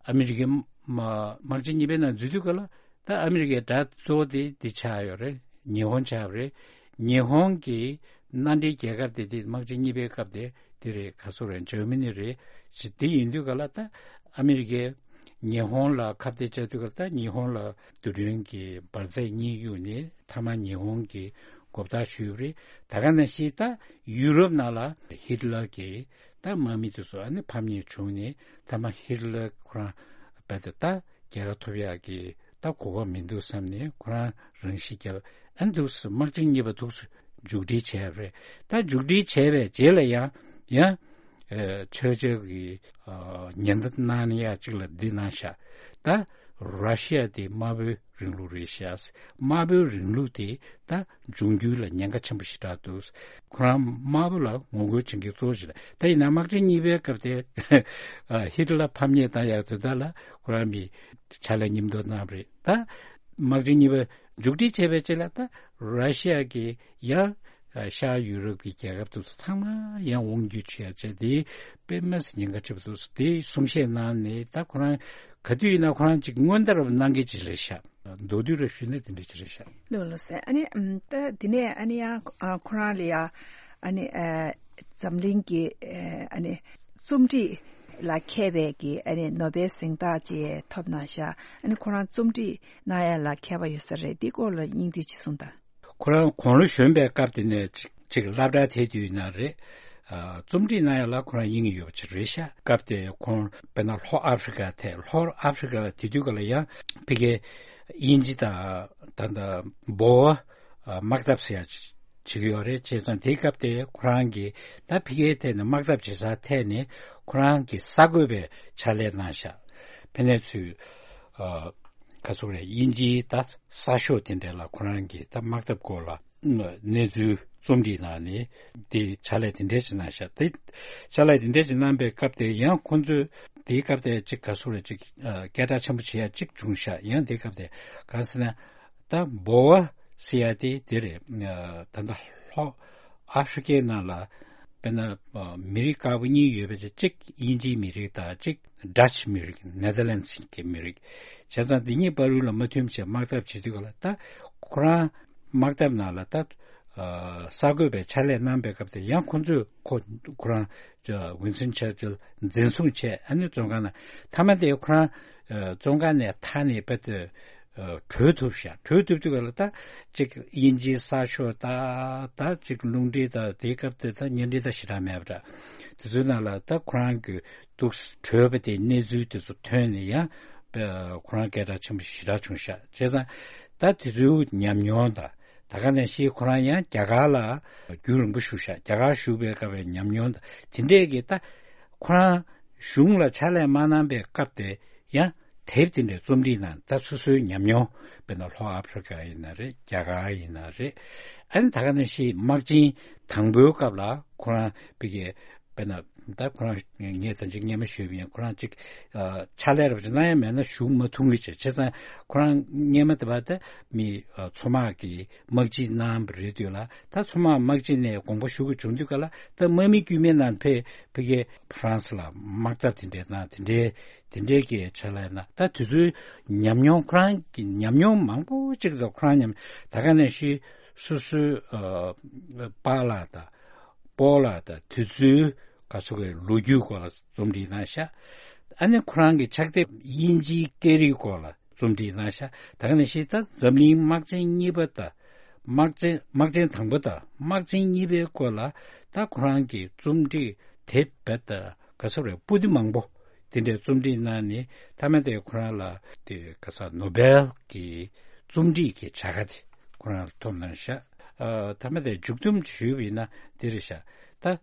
ཨ་མི་རི་ཀའི་དམག་ཆེན་གཉིས་པའི་ནང་འཛུལ་དུས་ག་ལ་ད་ཨ་མི་རི་ཀའི་དགྲ་གཙོ་བོ་དེ་འདི་ཆགས་ཡོད་རེད། ཉི་ཧོང་ཆགས་པ་རེད། ཉི་ཧོང་གི་མནའ་འབྲེལ་རྒྱལ་ཁབ་དེ་དེ་དམག་ཆེན་གཉིས་པའི་སྐབས་དེ་དེ་རེད། ག་སོ་རེད། འཇར་མ་ནི་རེད། ཞེས་དེ་ཡིན་དུས་ག་ལ་ད་ཨ་མི་རི་ཀའི་ཉི་ཧོང་ལ་ཁ་གཏད་བཅག་དུས་ག་ལ་ད་ཉི་ཧོང་ལ་རྡུལ་ཕྲན་གྱི་འབར་རྫས་གཉིས་གཡུགས་ནས་མཐའ་མ་ཉི་ཧོང་གི་མགོ་བཏགས་ཞུས་པ་རེད། ད་ག་ནང་བཞིན་ད་ཡུ་རོབ་ནང་ལ་ཧིད་ལར་གྱི་ད་དམག་མི་དེ་ཚོ་ཨ་ནི་ཕམ་ཉེས་བྱུང་ནས་མཐའ་མ་ཧིད་ལར་ཁོ་རང་རྦད་དེ་ད་རྒྱལ་ཁ་ཐོབ་ཡག་གི་ད་གོ་སྐབས་མི་འདུག་བསམ་ནས་ཁོ་རང་རང་ཤི་བརྒྱབ། ཨ་འདུག་སེ་དམག་ཆེན་གཉིས་པ་འདུག་སེ་མཇུག་སྒྲིལ་བྱས་པ་རེད། ད་མཇུག་སྒྲིལ་བྱས་པའི་རྗེས་ལ་ཡང་ཡང་ཨ་ཆོས་རྒྱལ་གྱི་ཨ་ཉེན་བརྡ་གནང་ཡག་ཅིག་ལ་འདི་གནང་ཤག་ད་ར་ཤི་ཡ་དེ་དམར་པོའི་རིང་ལུགས་རེད་ཤག་དམར་པོའི་རིང་ལུགས་དེ་ད་འབྱུང་འགྱུར་ལ་ཉེན་ཁ་ཆེན་པོ་ཞེ་དྲག་འདུག་ཁོ་རང་དམར་པོ་ལ་ངོ་རྒོལ་བྱེད་མཁན་གཙོ་བོ་ཞིག་རེད། ད་ཡིན་ན་དམག་ཆེན་གཉིས་པའི་སྐབས་དེ་ཨ་ཧི་ཏི་ལར་ཕམ་ཉེས་བཏང་ཡག་དེ་དག་ལ་ཁོ་རང་མི་ཕྱག་ལས་མཉམ་དུ་གནང་བ་རེད། ད་དམག་ཆེན་གཉིས་པ་མཇུག་སྒྲིལ་བྱས་པའི་རྗེས་ལ་ད་ར་ཤི་ཡ་གི་ཡང་ཤར་ཡུ་རོབ་ཀྱི་རྒྱལ་ཁབ་དེ་ཚོ་ཚང་མ་ཡང་དབང་སྒྱུར་བྱེད་ཡག་བྱས་དེ་དཔེ་མི་སྲིད་ཉེན་ཁ་ཆེ་པོ་འདུག་དེ་གསུང་བཤད་གནང་ནས་ད་ཁོ་རང་ག་དུས་ཡིན་ན་ཁོ་རང་ཅིག་སྔོན་བརྡ་རབ་གནང་གི་ཅིག་རེད་ཤག་མདོར་བསྡུས་རབ་ཞུས་ན་དེ་འདྲ་ཅིག་རེད་ཤག་ལོ་ལོ་ཟེར། ཨ་ནི་ཨམ་ད་དེ་ནས་ཨ་ནི་ཡང་ཨ་ཁོ་རང་ལ་ཡ་ཨ་ནི་ཨ་འཛམ་གླིང་གི་ཨ་ནི་རྩོམ་སྒྲིག་ལ་མཁས་པའི་གི་ཨ་ནི་ནོ་བེལ་གཟེངས་རྟགས་ཅིག་ཐོབ་གནང་ཤག་ཨ་ནི་ཁོ་རང་རྩོམ་སྒྲིག་གནང་ཡ་ལ་མཁས་པ་ཡོད་ས་རེད། འདི་སྐོར་ལ་སྙིང་བསྡུས་ཅིག་གསུངས་དང་། ཁོ་རང་དགུང་ལོ་གཞོན་པའི་སྐབས་དེ་ནས་ཅིག་ཅིག་སློབ་གྲྭ་དེ་དུས་ན་རེད། ཨ་རྩོམ་སྒྲིག་གནང་ཡ་ལ་ཁོ་རང་དབྱིངས་ཡོད་པ་ཅིག་རེད་ཤག་སྐབས་དེ་ཁོང་དཔེར་ན་ལྷོ་ཨ་ཧྥི་རི་ཀ་ཐད། ལྷོ་ཨ་ཧྥི་རི་ཀ་ལ་དེ་དུས་ག་ལ་ཡང་ཕ་གིའི་དབྱིན་ཇི་དང་ད་ལྟ་འབོ་བ་དམག་འཐབ་ཟེར་ཡ་ཅིག་བྱེད་ཀྱི་ཡོད་རེད། བྱས་ཙང་དེའི་སྐབས་དེ་ཁོ་རང་གིས་ད་ཕ་གིའི་ཐད་ནས་དམག་འཐབ་བྱེད་སར་ཐད་ནས་ཁོ་རང་གིས་གསར་འགོད་པའི་ཕྱག་ལས་གནང་ཤག་ཕ་ནས་ཚུར་ཨ་ག་ཚོད་རེད། དབྱིན་ཇིའི་ད་གསར་ཤོག་དེ་འདྲ་ལ་ཁོ་རང་གིས་ད་དམག་འཐབ་སྐོར་ལ་གནས་ཚུལ་རྩོམ་སྒྲིག་གནང་ནས་དེ་ཕྱག་ལས་དེ་འདྲ་ཞིག་གནང་ཤག་དེ་ཕྱག་ལས་དེ་འདྲ་ཞིག་གནང་པའི་སྐབས་དེ་ཡང་ཁོང་ཚོས་དེའི་སྐབས་དེ་ཅིག་ག་ཚོད་རེད། ཅིག་ཨ་སྐད་གྲགས་ཆེན་པོ་བྱེད་ཡ་ཅིག་བྱུང་ཤག་ཡང་དེའི་སྐབས་དེ་གང་ཟེར་ན་ད་འབོ་བ་ཟེར་ཡ་དེ་དེ་རེད། ཨ་ད་ལྟ་ལྷོ་ཨ་ཧྥི་རི་ཀའི་ནང་ལ་དཔེར་ན་ཨ་མི་རིགས་དཀར་པོ་གཉིས་ཡོད་པའི་ཆ་གཅིག་དབྱིན་ཇིའི་མི་རིགས་དང་གཅིག་ཌ་ཅི་མི་རིགས། ནེ་དར་ལེན་སི་གི་མི་རིགས། བྱས་ཙང་འདི་གཉིས་བར་དུ་ལ་མ་མཐུན་བྱས་དམག་འཐབ་བྱེད་དུས་ག་ལ་ད་ཁོ་རང་དམག་འཐབ་ནང་ལ་ད་ཨ་གསར་འགོད་པའི་ཕྱག་ལས་གནང་པའི་སྐབས་དེ་ཡང་ཁོ་ཚོས་ཁོ་ཁོ་རང་ཝིན་སྟོན་ཆར་ཅིལ་འཛིན་བཟུང་བྱས། ཨ་ནི་བཙོན་ཁང་ནང་མཐའ་མ་དེ་ཁོ་རང་ཨ་བཙོན་ཁང་ནས་ཐར་ནས་དཔེ་དེ་ཨ་བྲོས་ཐུབ་ཤག་བྲོས་ཐུབ་དུས་ག་ལ་ད་ཅིག་དབྱིན་ཇིའི་གསར་ཤོག་ད་ད་ཅིག་རླུང་འཕྲིན་ད་དེའི་སྐབས་དེ་ད་བརྙན་འཕྲིན་ད་ཞེ་དྲག་མེད་པ་འདྲ། དེ་ཚོའི་ནང་ལ་ད་ཁོ་རང་གི་འདུག་བྲོས་པ་དེ་གནས་ཚུལ་དེ་ཚོ་ཐོན་ནས་ཡང་ཁོ་རང་སྐད་གྲགས་ཆེན་པོ་ཞེ་དྲག་བྱུང་ཤག་བྱས་ཙང་ད་དེ་ཚོའི་ཉམས་མྱོང་དང་ད་ག་ནང་བཞིན་ཁོ་རང་ཡང་རྒྱ་གར་ལ་རྒྱུན་རིང་པོ་བཞུགས་ཤག་རྒྱ་གར་བཞུགས་པའི་སྐབས་པའི་ཉམས་མྱོང་དང་དེ་འདྲས་ཀྱི་ད་ཁོ་རང་གཞུང་ལ་ཕྱག་ལས་མ་གནང་པའི་སྐབས་དེ་ཡང་དེབ་དེ་འདྲའི་རྩོམ་སྒྲིག་གནང་། ད་སོ་སོའི་ཉམས་མྱོང་དཔེར་ན་ལྷོ་ཨ་ཧྥི་རི་ཀ་ཡིན་ན་རེད། རྒྱ་གར་ཡིན་ན་རེད། ཨ་ནི་ད་ག་ནང་བཞིན་དམག་ཆེན་དང་པོའི་སྐབས་ལ་ཁོ་རང་ཕ་གི་དཔེར་ན་ད་ཁོ་རང་ངས་ད་ཅིག་སྔོན་མ་ཞུས་པ་ཡིན། ཁོ་རང་ཅིག་ཨ་ཕྱག་ལས་རབ་ཅིག་གནང་ཡ་མེད་ན་བཞུགས་མ་ཐུབ་ངེས་བྱས། བྱས་ཙང་ཁོ་རང་སྔོན་མ་དེ་བར་ད་མི་ཨ་མཚོ་དམག་གི་དམག་སྤྱི་གནང་བ་རེད་དུས་ལ་ད་མཚོ་དམག་དམག་སྤྱི་ནས་དགོངས་པ་ཞུ་དགོས་བྱུང་དུས་ག་ལ་ད་དམག་མི་དཀྱུས་མའི་ནང་ཕེབས་ཕ་གི་ཧྥ་རན་སི་ལ་དམག་འཐབ་དེ་འདྲའི་གནང་། དེ་འདྲའི་དེ་འདྲའི་གི་ཆ་ལ་ན་ད་དེ་ཚོའི་ཉམས་མྱོང་ཁོ་རང་གི་ཉམས་མྱོང་མང་པོ་ཅིག་དང་ཁོ་རང་ཉམས་ད་ག་ནང་བཞིན་སོ་སོའི་ཨ་པཱ་ལགས་དང་ སྤོ་ལགས་དང་དེ་ཚོའི་ག་ཚོད་ཀྱི་ལོ་རྒྱུས་སྐོར་ལ་རྩོམ་བྲིས་གནང་ཤག་ཨ་ནི་ཁོ་རང་གི་ཕྱག་དེབ་དབྱིན་ཇིའི་སྐད་རིགས་སྐོར་ལ་རྩོམ་བྲིས་གནང་ཤག་ད་ག་ནང་བཞིན་ད་འཛམ་གླིང་དམག་ཆེན་གཉིས་པ་དང་། དམག་ཆེན་དམག་ཆེན་དང་པོ་དང་དམག་ཆེན་གཉིས་པའི་སྐོར་ལ་ད་ཁོ་རང་གི་རྩོམ་བྲིས་དེབ་བེད་དང་ག་ཚོད་རེད། པོ་ཏི་མང་པོ་དེ་འདྲའི་རྩོམ་བྲིས་གནང་ནས། མཐའ་མ་དེ་ཁོ་རང་ལ་དེ་ག་ས་ནོ་བེལ་གྱི་རྩོམ་བྲིས་ཀྱི་བྱ་དགའ་དེ་ཁོ་རང་ལ་ཐོབ་གནང་ཤག་ཨ། མཐའ་མ་དེ་མཇུག་སྡོམ་ཞུས་པ་ཡིན་ན་འདི་རེད་ཤག་ད་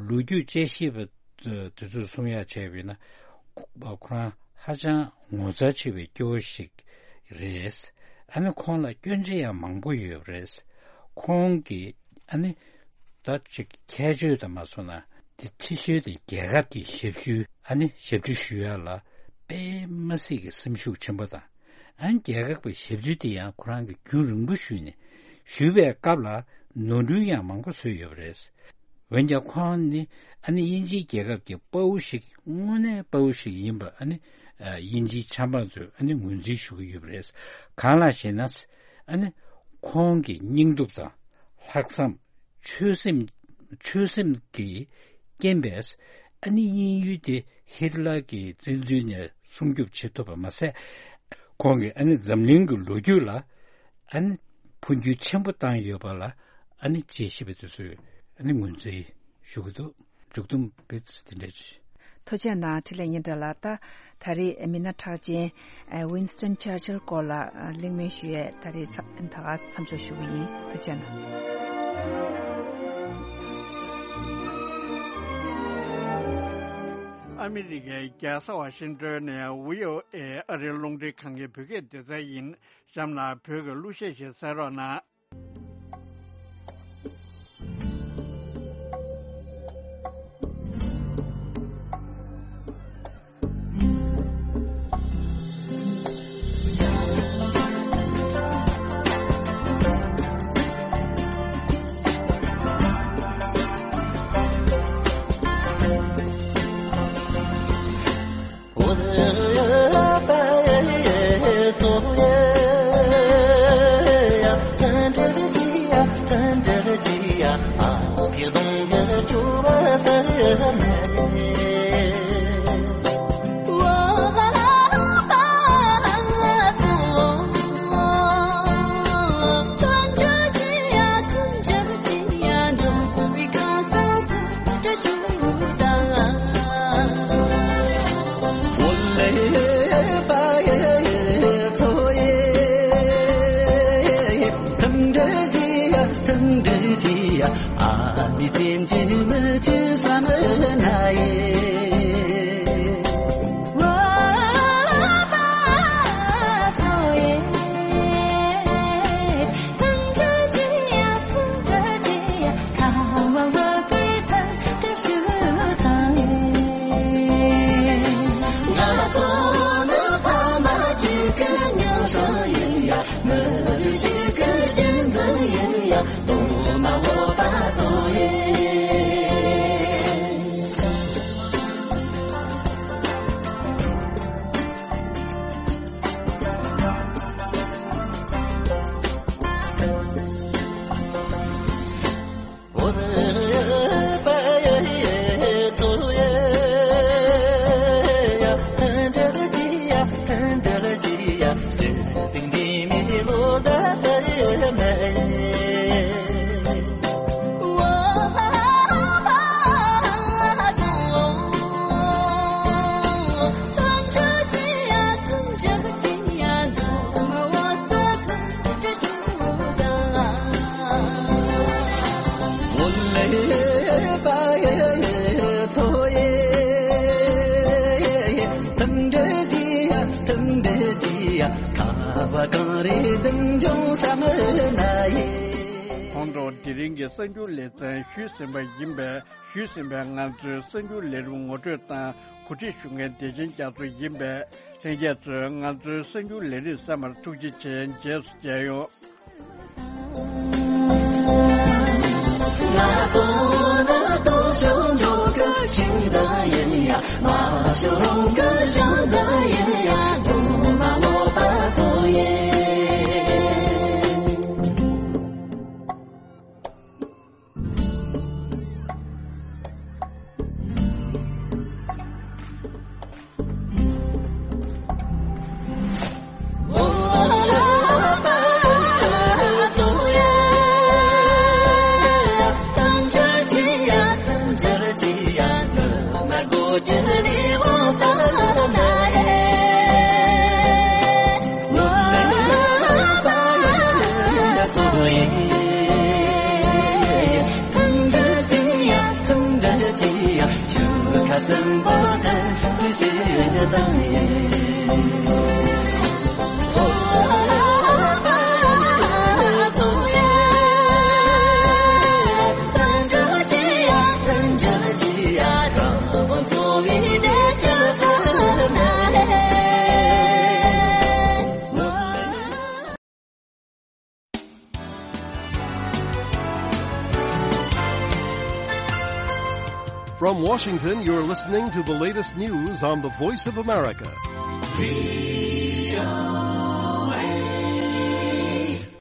ལོ་རྒྱུས་དཔྱད་ཞིབ་པ་དེ་ཚོས་གསུང་ཡག་བྱས་པ་ཡིན་ན། ཁོ་ཁོ་རང་ཧ་ཅང་ངོ་མཚར་ཆེ་བའི་སྐྱེ་བོ་ཞིག་རེད། ཨ་ནི་ཁོང་ལ་སྐྱོན་ཆ་ཡང་མང་པོ་ཡོད་པ་རེད། ཁོང་གིས་ཨ་ནི་ད་ཅིག་ཁྱད་ཆོས་དང་མ་སོང་ན་དེ་ཁྲི་ཤོད་དེ་རྒྱལ་ཁབ་ཀྱི་ཞབས་ཞུ་ཨ་ནི་ཞབས་ཕྱི་ཞུ་ཡ་ལ་དཔེ་མ་སྲིད་ཀྱི་སེམས་ཤུགས་ཆེན་པོ་དང་། ཨ་ནི་རྒྱལ་ཁབ་ཀྱི་ཞབས་ཕྱི་དེ་ཡང་ཁོ་རང་གིས་རྒྱུན་རིང་པོ་ཞུས་ནས་ཞུས་པའི་སྐབས་ལ་ནོར་འཁྲུལ་ཡང་མང་པོ་བཟོས་ཡོད་པ་རེད། འོན་ཀྱང་ཁོང་ནི་ཨ་ནི་དབྱིན་ཇིའི་རྒྱལ་ཁབ་ཀྱི་དཔའ་བོ་ཞིག་དངོས་གནས་དཔའ་བོ་ཞིག་ཡིན་པ་ཨ་ནི་ཨ། དབྱིན་ཇིའི་ཆབ་འབངས་ཚོས་ཨ་ནི་ངོས་འཛིན་ཞུ་གི་ཡོད་པ་རེད། གང་ལགས་ཤེ་ན། ཨ་ནི་ཁོང་གི་སྙིང་སྟོབས་དང་ལྷག་བསམ། ཆོད་སེམས། ཆོད་སེམས་ཀྱི་རྐྱེན་པས་ཨ་ནི་དབྱིན་ཡུལ་དེ་ཧིཊ་ལར་གྱི་བཙན་འཛུལ་ནས་སྲུང་སྐྱོབ་བྱེད་ཐུབ་པ་མ་ཟད། ཁོང་གིས་ཨ་ནི་འཛམ་གླིང་གི་ལོ་རྒྱུས་ལ་ཨ་ནི་འཕོ་འགྱུར་ཆེན་པོ་བཏང་ཡོད་པ་ལ་ཨ་ནི་དཔྱད་ཞིབ་པ་དེ་ཚོས་ཨ་ནི་ངོས་འཛིན་ཞུ་གི་འདུག་མཇུག་སྡོམ་དཔེ་ཚོ་དེ་འདྲ་ཞིག་ཐུགས་རྗེ་གནང་། འཕྲིན་ལས་སྙན་གྲགས་ལགས། ད་ད་རེས་མི་སྣ་གྲགས་ཅན་ཝིན་སི་ཊོན་ཆར་ཆིལ་སྐོར་ལ་གླེང་མོལ་ཞུ་ཡས་ད་རེས་ད་ག་མཚམས་འཇོག་ཞུ་གི་ཡིན། ཐུགས་རྗེ་གནང་། ཨ་མི་རི་ཀའི་རྒྱལ་ས་ཝ་ཤིང་ཏོན་ནས་བྷི་ཨོ་ཨེ་ཨ་རིའི་རླུང་འཕྲིན་ཁང་གི་བོད་སྐད་སྡེ་ཚན་ཡིན། གཤམ་ལ་བོད་ཀྱི་གླུ་གཞས་ཤིག་གསན་རོགས་གནང་། གོང་དུ་དེ་རིང་གི་གསར་འགྱུར་ལེ་ཚན་ཞུས་ཟིན་པ་ཡིན་པས། ཞུས་ཟིན་པའི་ང་ཚོའི་གསར་འགྱུར་ལས་རིམ་ངོ་སྤྲོད་དང་གོ་སྒྲིག་ཞུ་མཁན་བདེ་ཆེན་རྒྱ་མཚོ་ཡིན་པས། ལྷན་རྒྱས་ཚོས་ང་ཚོའི་གསར་འགྱུར་ལས་རིམ་གསན་པར་ཐུགས་རྗེ་ཆེ། རྗེས་སུ་མཇལ་ཡོང་། From Washington, you're listening to the latest news on the Voice of America.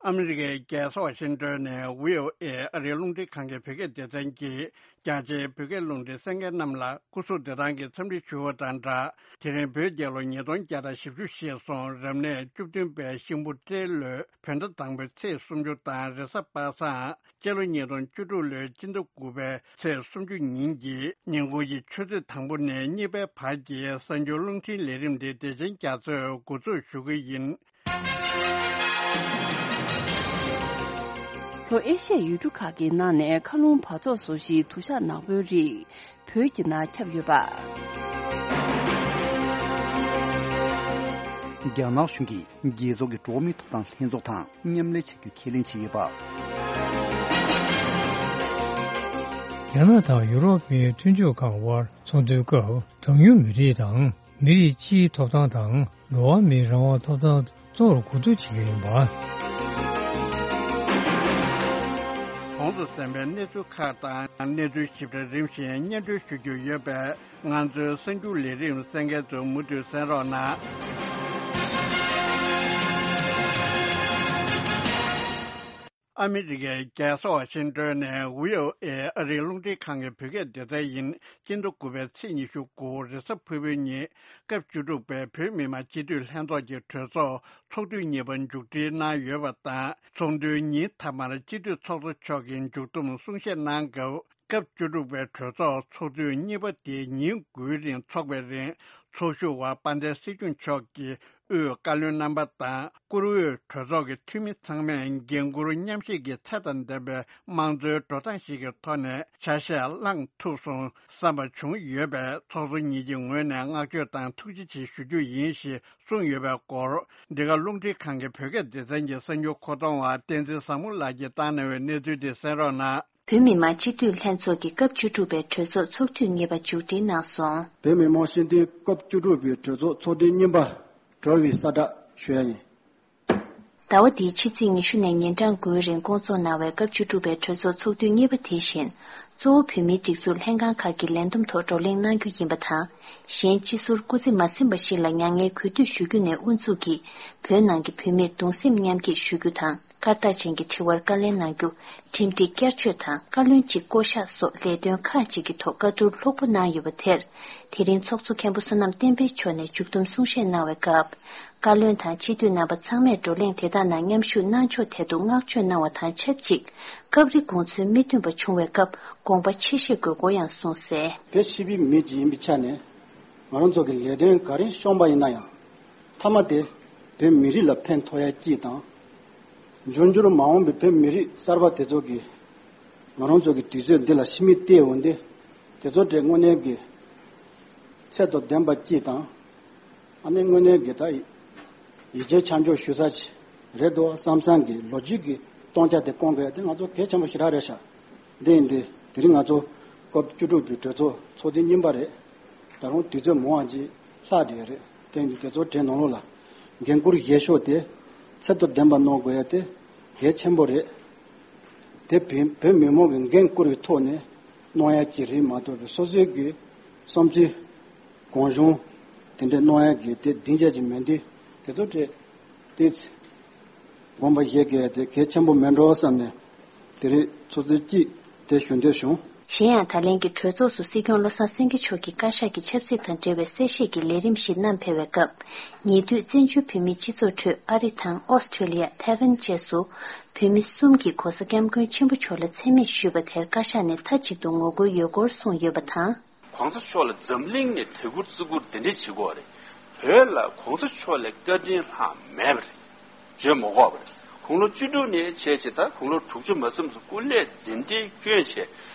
ཨ་མི་རི་ཀའི་རྒྱལ་ས་ཝ་ཤིང་ཏོན་ནས་བྷི་ཨོ་ཨེ་ཨ་རིའི་རླུང་འཕྲིན་ཁང་གི་བོད་སྐད་སྡེ་ཚན་གྱིས། རྒྱ་ཆེའི་བོད་སྐད་རླུང་འཕྲིན་གསན་མཁན་རྣམས་ལ་སྐུ་གཟུགས་བདེ་ཐང་གི་འཚམས་འདྲི་ཞུ་བ་དང་སྦྲགས། དེ་རིང་བོད་རྒྱལ་ལོ་ཉིས་སྟོང་བརྒྱ་དང་བཞི་བཅུ་ཞེས་སོང་། རབ་གནས་བཅུ་བདུན་པའི་ཤིང་བུ་སྤྲེལ་ལོའི་བོད་ཟླ་དང་པོའི་ཚེས་སུམ་ཅུ་དང་རེས་གཟའ་པ་སངས་སྤྱི་ལོ་ཉིས་སྟོང་བཅུ་དྲུག་ལོའི་སྤྱི་ཟླ་དགུ་པའི་ཚེས་སུམ་ཅུ་ཉིན་གྱི་ཉིན་གུང་གི་ཆུ་ཚོད་དང་པོ་ནས་གཉིས་པའི་བར་གྱི་གསར་འགྱུར་རླུང་འཕྲིན་ལས་རིམ་འདི་བདེ་ཆེན་རྒྱ་མཚོས་འགོ་འཛུགས་ཞུ་གི་ཡིན། ལྷོ་ཨེ་ཤ་ཡའི་ཡུལ་གྲུ་ཁག་གི་ནང་ནས་མཁའ་རླུང་འབག་བཙོག་བཟོ་གཞིའི་དུ་ཞག་ནག་པོའི་རིགས་བོད་ཀྱི་ནང་ཁྱབ་ཡོད་པ། རྒྱ་ནག་གཞུང་གིས་རྒྱལ་ཚོགས་ཀྱི་འགྲོ་བ་མིའི་ཐོབ་ཐང་ལྷན་ཚོགས་དང་མཉམ་ལས་བྱ་རྒྱུའི་ཁས་ལེན་བྱས་ཡོད་པ། རྒྱ་ནག་དང་ཡུ་རོབ་པའི་མཐུན་ཕྱོགས་ཁག་དབར་ཚོགས་འདུའི་སྐབས་གྲངས་ཉུང་མི་རིགས་དང་། མི་རིགས་སྤྱིའི་ཐོབ་ཐང་དང་འགྲོ་བ་མིའི་རང་དབང་ཐོབ་ཐང་གཙོ་བོར་གོ་བསྡུར་བྱེད་ཀྱི་ཡིན་པ། གོང་དུ་གསན་པའི་གནས་ཚུལ་ཁག་དང་གནས་ཚུལ་ཞིབ་ཕྲ་རིམ་བཞིན་སྙན་སྒྲོན་ཞུ་རྒྱུ་ཡོད་པས། ང་ཚོའི་གསར་འགྱུར་ལས་རིམ་གསན་མཁན་ཚོས་མུ་མཐུད་གསན་རོགས་གནང་། ཨ་མི་རི་ཀའི་རྒྱལ་ས་ཝ་ཤིང་ཏོན་ནས་བྷི་ཨོ་ཨེ་ཨ་རིའི་རླུང་འཕྲིན་ཁང་གི་བོད་སྐད་སྡེ་ཚན་ཡིན། སྤྱི་ཟླ་དགུ་པའི་ཚེས་ཉི་ཤུ་དགུ་རེས་གཟའ་ཕུར་བུའི་ཉིན་སྐབས་བཅུ་དྲུག་པའི་བོད་མི་མང་སྤྱི་འཐུས་ལྷན་ཚོགས་ཀྱི་གྲོས་ཚོགས་ཚོགས་དུས་གཉིས་པ་མཇུག་སྒྲིལ་གནང་ཡོད་པ་དང་། ཚོགས་འདུའི་ཉིན་མཐའ་མར་སྤྱི་འཐུས་ཚོགས་གཙོ་མཆོག་གིས་མཇུག་བསྡོམས་གསུང་བཤད་གནང་སྐབས། སྐབས་བཅུ་དྲུག་པའི་གྲོས་ཚོགས་ཚོགས་དུས་གཉིས་པ་དེ་ཉིན་དགུའི་རིང་འཚོགས་པའི་རིང་། ཚོགས་ཞུགས་པ་དཔལ་ལྡན་སྲིད་སྐྱོང་མཆོག་གིས་དབུས་བཀའ་བློན་རྣམ་པ་དང་། བཀུར་འོས་གྲོས་ཚོགས་ཀྱི་འཐུས་མི་ཚང་མས་འགན་འཁུར་མཉམ་བཞེས་ཀྱི་ཚད་དང་ལྡན་པའི་དམངས་གཙོའི་འགྲོ་སྟངས་ཤིག་གི་ཐོག་ནས་ཆ་ཤས་བླངས་ཐུབ་སོང་བསམ་པ་བྱུང་ཡོད་པས། ཚོགས་གཙོ་ཉིད་ཀྱི་ངོས་ནས་བསྔགས་བརྗོད་དང་ཐུགས་རྗེ་ཆེ་ཞུ་རྒྱུ་ཡིན་ཞེས་གསུངས་ཡོད་པའི་སྐོར། འདི་ག་རླུང་འཕྲིན་ཁང་གི་བོད་སྐད་སྡེ་ཚན་གྱི་གསར་འགྱུར་མཁོ་གཏོང་བ་བསྟན་འཛིན་བཟང་མོ་ལགས་ཀྱིས་བཏང་གནང་བའི་གནས་ཚུལ་དེ་གསན་རོགས་གནང་། བོད་མི་མང་སྤྱི་འཐུས་ལྷན་ཚོགས་ཀྱི་སྐབས་བཅུ་དྲུག་པའི་གྲོས་ཚོགས་ཚོགས་དུས་གཉིས་པ་མཇུག་སྒྲིལ་གནང་སོང་། བོད་མི་མང་སྤྱི་འཐུས་སྐབས་བཅུ་དྲུག་པའི་གྲོས་ཚོགས་ཚོགས་དུས་གཉིས་པ་གྲོལ་བའི་གསལ་བསྒྲགས་ཞུ་ཡ་ཡིན། ཟླ་བ་འདིའི་ཕྱི་ཚེས་ཉི་ཤུ་ནས་ཉིན་གྲངས་དགུའི་རིང་སྐོང་ཚོགས་གནང་བའི་སྐབས་བཅུ་དྲུག་པའི་གྲོས་ཚོགས་ཚོགས་དུས་གཉིས་པ་དེ་བཞིན། གཙོ་བོ་བོད་མིའི་སྒྲིག་འཛུགས་ལྷན་ཁང་ཁག་གི་ལས་བསྡོམས་ཐོག་བགྲོ་གླེང་གནང་རྒྱུ་ཡིན་པ་དང་། གཞན་སྤྱི་ཟུར་སྐུ་ཚེ་མ་ཟིན་པ་ཞིག་ལ་མྱ་ངན་གུས་འདུད་ཞུ་རྒྱུ་ནས་དབུ་འཛུགས་ཀྱིས། བོད་ནང་གི་བོད་མིར་གདུང་སེམས་མཉམ་སྐྱེད་ཞུ་རྒྱུ་དང་། སྐར་རྟགས་ཅན་གྱི་དྲི་བར་བཀའ་ལན་གནང་རྒྱུ། ཁྲིམས་སྒྲིག་བསྐྱར་བཅོས་དང་བཀའ་བློན་གཅིག་བསྐོ་གཞག་སོགས་ལས་དོན་ཁག་ཅིག་གི་ཐོག་བཀའ་བསྡུར་ལྷུག་པོ་གནང་ཡོད་པ་དེར། དེ་རིང་ཚོགས་གཙོ་མཁན་པོ་བསོད་ནམས་བསྟན་འཕེལ་མཆོག་ནས་མཇུག་བསྡོམས་གསུང་བཤད་གནང་བའི་སྐབས། བཀའ་བློན་དང་སྤྱི་འཐུས་རྣམ་པ་ཚང་མས་བགྲོ་གླེང་དེ་དག་ནང་མཉམ་ཞུགས་གནང་ཕྱོགས་ཐད་དུ་བསྔགས་བརྗོད་གནང་བ་དང་ཆབས་ཅིག་སྐབས་རེ་དགོངས་ཚུལ་མི་མཐུན་པ་བྱུང་བའི་སྐབས་དགོངས་པ་ཆེ་བཞེས་དགོས་སྐོར་ཡང་གསུངས་གསལ། བོད་ཆེ་བའི་མི་ཅིག་ཡིན་པའི་ཆ་ནས། ང་རང་ཚོ་གི་ལས་དོན་ག་རེ་བཤོམས་པ་ཡིན་ན་ཡང་། མཐའ་མ་དེ་བོད་མི་རིགས་ལ་ཕན་ཐོགས་ཡ་གཅིག་དང་། འབྱུང་འགྱུར་མ་འོངས་པའི་བོད་མི་རིགས་གསར་པ་དེ་ཚོ་གིས་ང་རང་ཚོ་གི་དུས་ཚོད་འདི་ལ་ཕྱི་མིག་བལྟས་འོང་དུས། དེ་ཚོ་གྲས་དངོས་གནས་ཀྱི་ཚད་དང་ལྡན་པ་གཅིག་དང་། ཨ་ནི་དངོས་གནས་ཀྱི་ད་ཡིད་ཆེས་ཆ་འཇོག་ཞུ་ས་ཅིག་རེད་འདུག་བསམ་བསམ་གྱི་ལོ་རྒྱུས་ཀྱི་སྟོང་ཆ་དེ་སྐོང་དགོས་ཡ་དེ་ང་ཚོ་གལ་ཆེན་པོ་ཞེ་དྲག་རེད་ཤག་འདི་ཡིན་དུས་དེ་རིང་ང་ཚོ་སྐབས་བཅུ་དྲུག་པའི་གྲོས་ཚོགས་ཚོགས་དུས་གཉིས་པ་རེད། ད་རུང་དུས་ཚོད་མང་བ་ཅིག་ལྷག་བསྡད་ཡོད་རེད། དེ་ཡིན་དུས་དེ་ཚོ་གྲས་ནང་ལོགས་ལ་འགན་འཁུར་བཞེས་ཕྱོགས་དེ་ཚད་དང་ལྡན་པ་གནང་དགོས་ཡ་དེ་གལ་ཆེན་པོ་རེད། དེ་བོད་བོད་མི་མང་གི་འགན་བསྐུར་བའི་ཐོག་ནས་གནང་ཡ་ཅིག་རེད་མ་གཏོགས་པའི་སོ་སོའི་གི་བསམ་ཚུལ་གང་བྱུང་དེ་འདྲ་གནང་ཡ་གི་དེ་སྡིངས་ཆ་ཅིག་མིན་དུས་དེ་ཚོ་གྲས་དེ་ཚེ་དགོངས་པ་བཞེས་དགོས་ཡ་དེ་གལ་ཆེན་པོ་མེད་འགྲོ་བསམ་ནས་དེ་རིང་ཚོགས་གཙོ་གཅིག་དེ་ཞུ་འདོད་བྱུང་། གཞན་ཡང་ད་ལན་གྱི་གྲོས་ཚོགས་སུ་སྲིད་སྐྱོང་བློ་བཟང་སེང་གེ་མཆོག་གིས་བཀའ་ཤག་གི་ཆབ་སྲིད་དང་འབྲེལ་བའི་གསལ་བཤད་ཀྱི་ལས་རིམ་ཞིག་བསྣམས་ཕེབས་པའི་སྐབས། ཉེ་དུས་བཙན་བྱོལ་བོད་མིའི་སྤྱི་ཚོགས་ཁྲོད་ཨ་རི་དང་ཨོ་སི་ཁྲེ་ལི་ཡ། ཐའེ་ཝན་བཅས་སུ་བོད་མི་གསུམ་གྱིས་ྋགོང་ས་ྋསྐྱབས་མགོན་ཆེན་པོ་མཆོག་ལ་མཚན་སྨད་ཞུས་པ་དེར་བཀའ་ཤག་ནས་མཐའ་གཅིག་ཏུ་ངོ་རྒོལ་ཡོད་སྐོར་གསུངས་ཡོད་པ་དང་། ྋགོང་ས་མཆོག་ལ་འཛམ་གླིང་ནས་དད་བཀུར་བརྩི་བཀུར་འདི་འདྲས་བྱེད་དགོས་རེད། བོད་ལ་ྋགོང་ས་མཆོག་ལས་བཀའ་དྲིན་ལྷག་མེད་པ་རེད། བརྗོད་མ་དགོས་པ་རེད། དགུང་ལོ་བཅུ་དྲུག་ནས་བྱས་བྱས་ད་དགུང་ལོ་དྲུག་ཅུ་མ་ཟིན་པ་སྐུ་ལས་འདི་འདྲའི་བསྐྱོན་བྱས།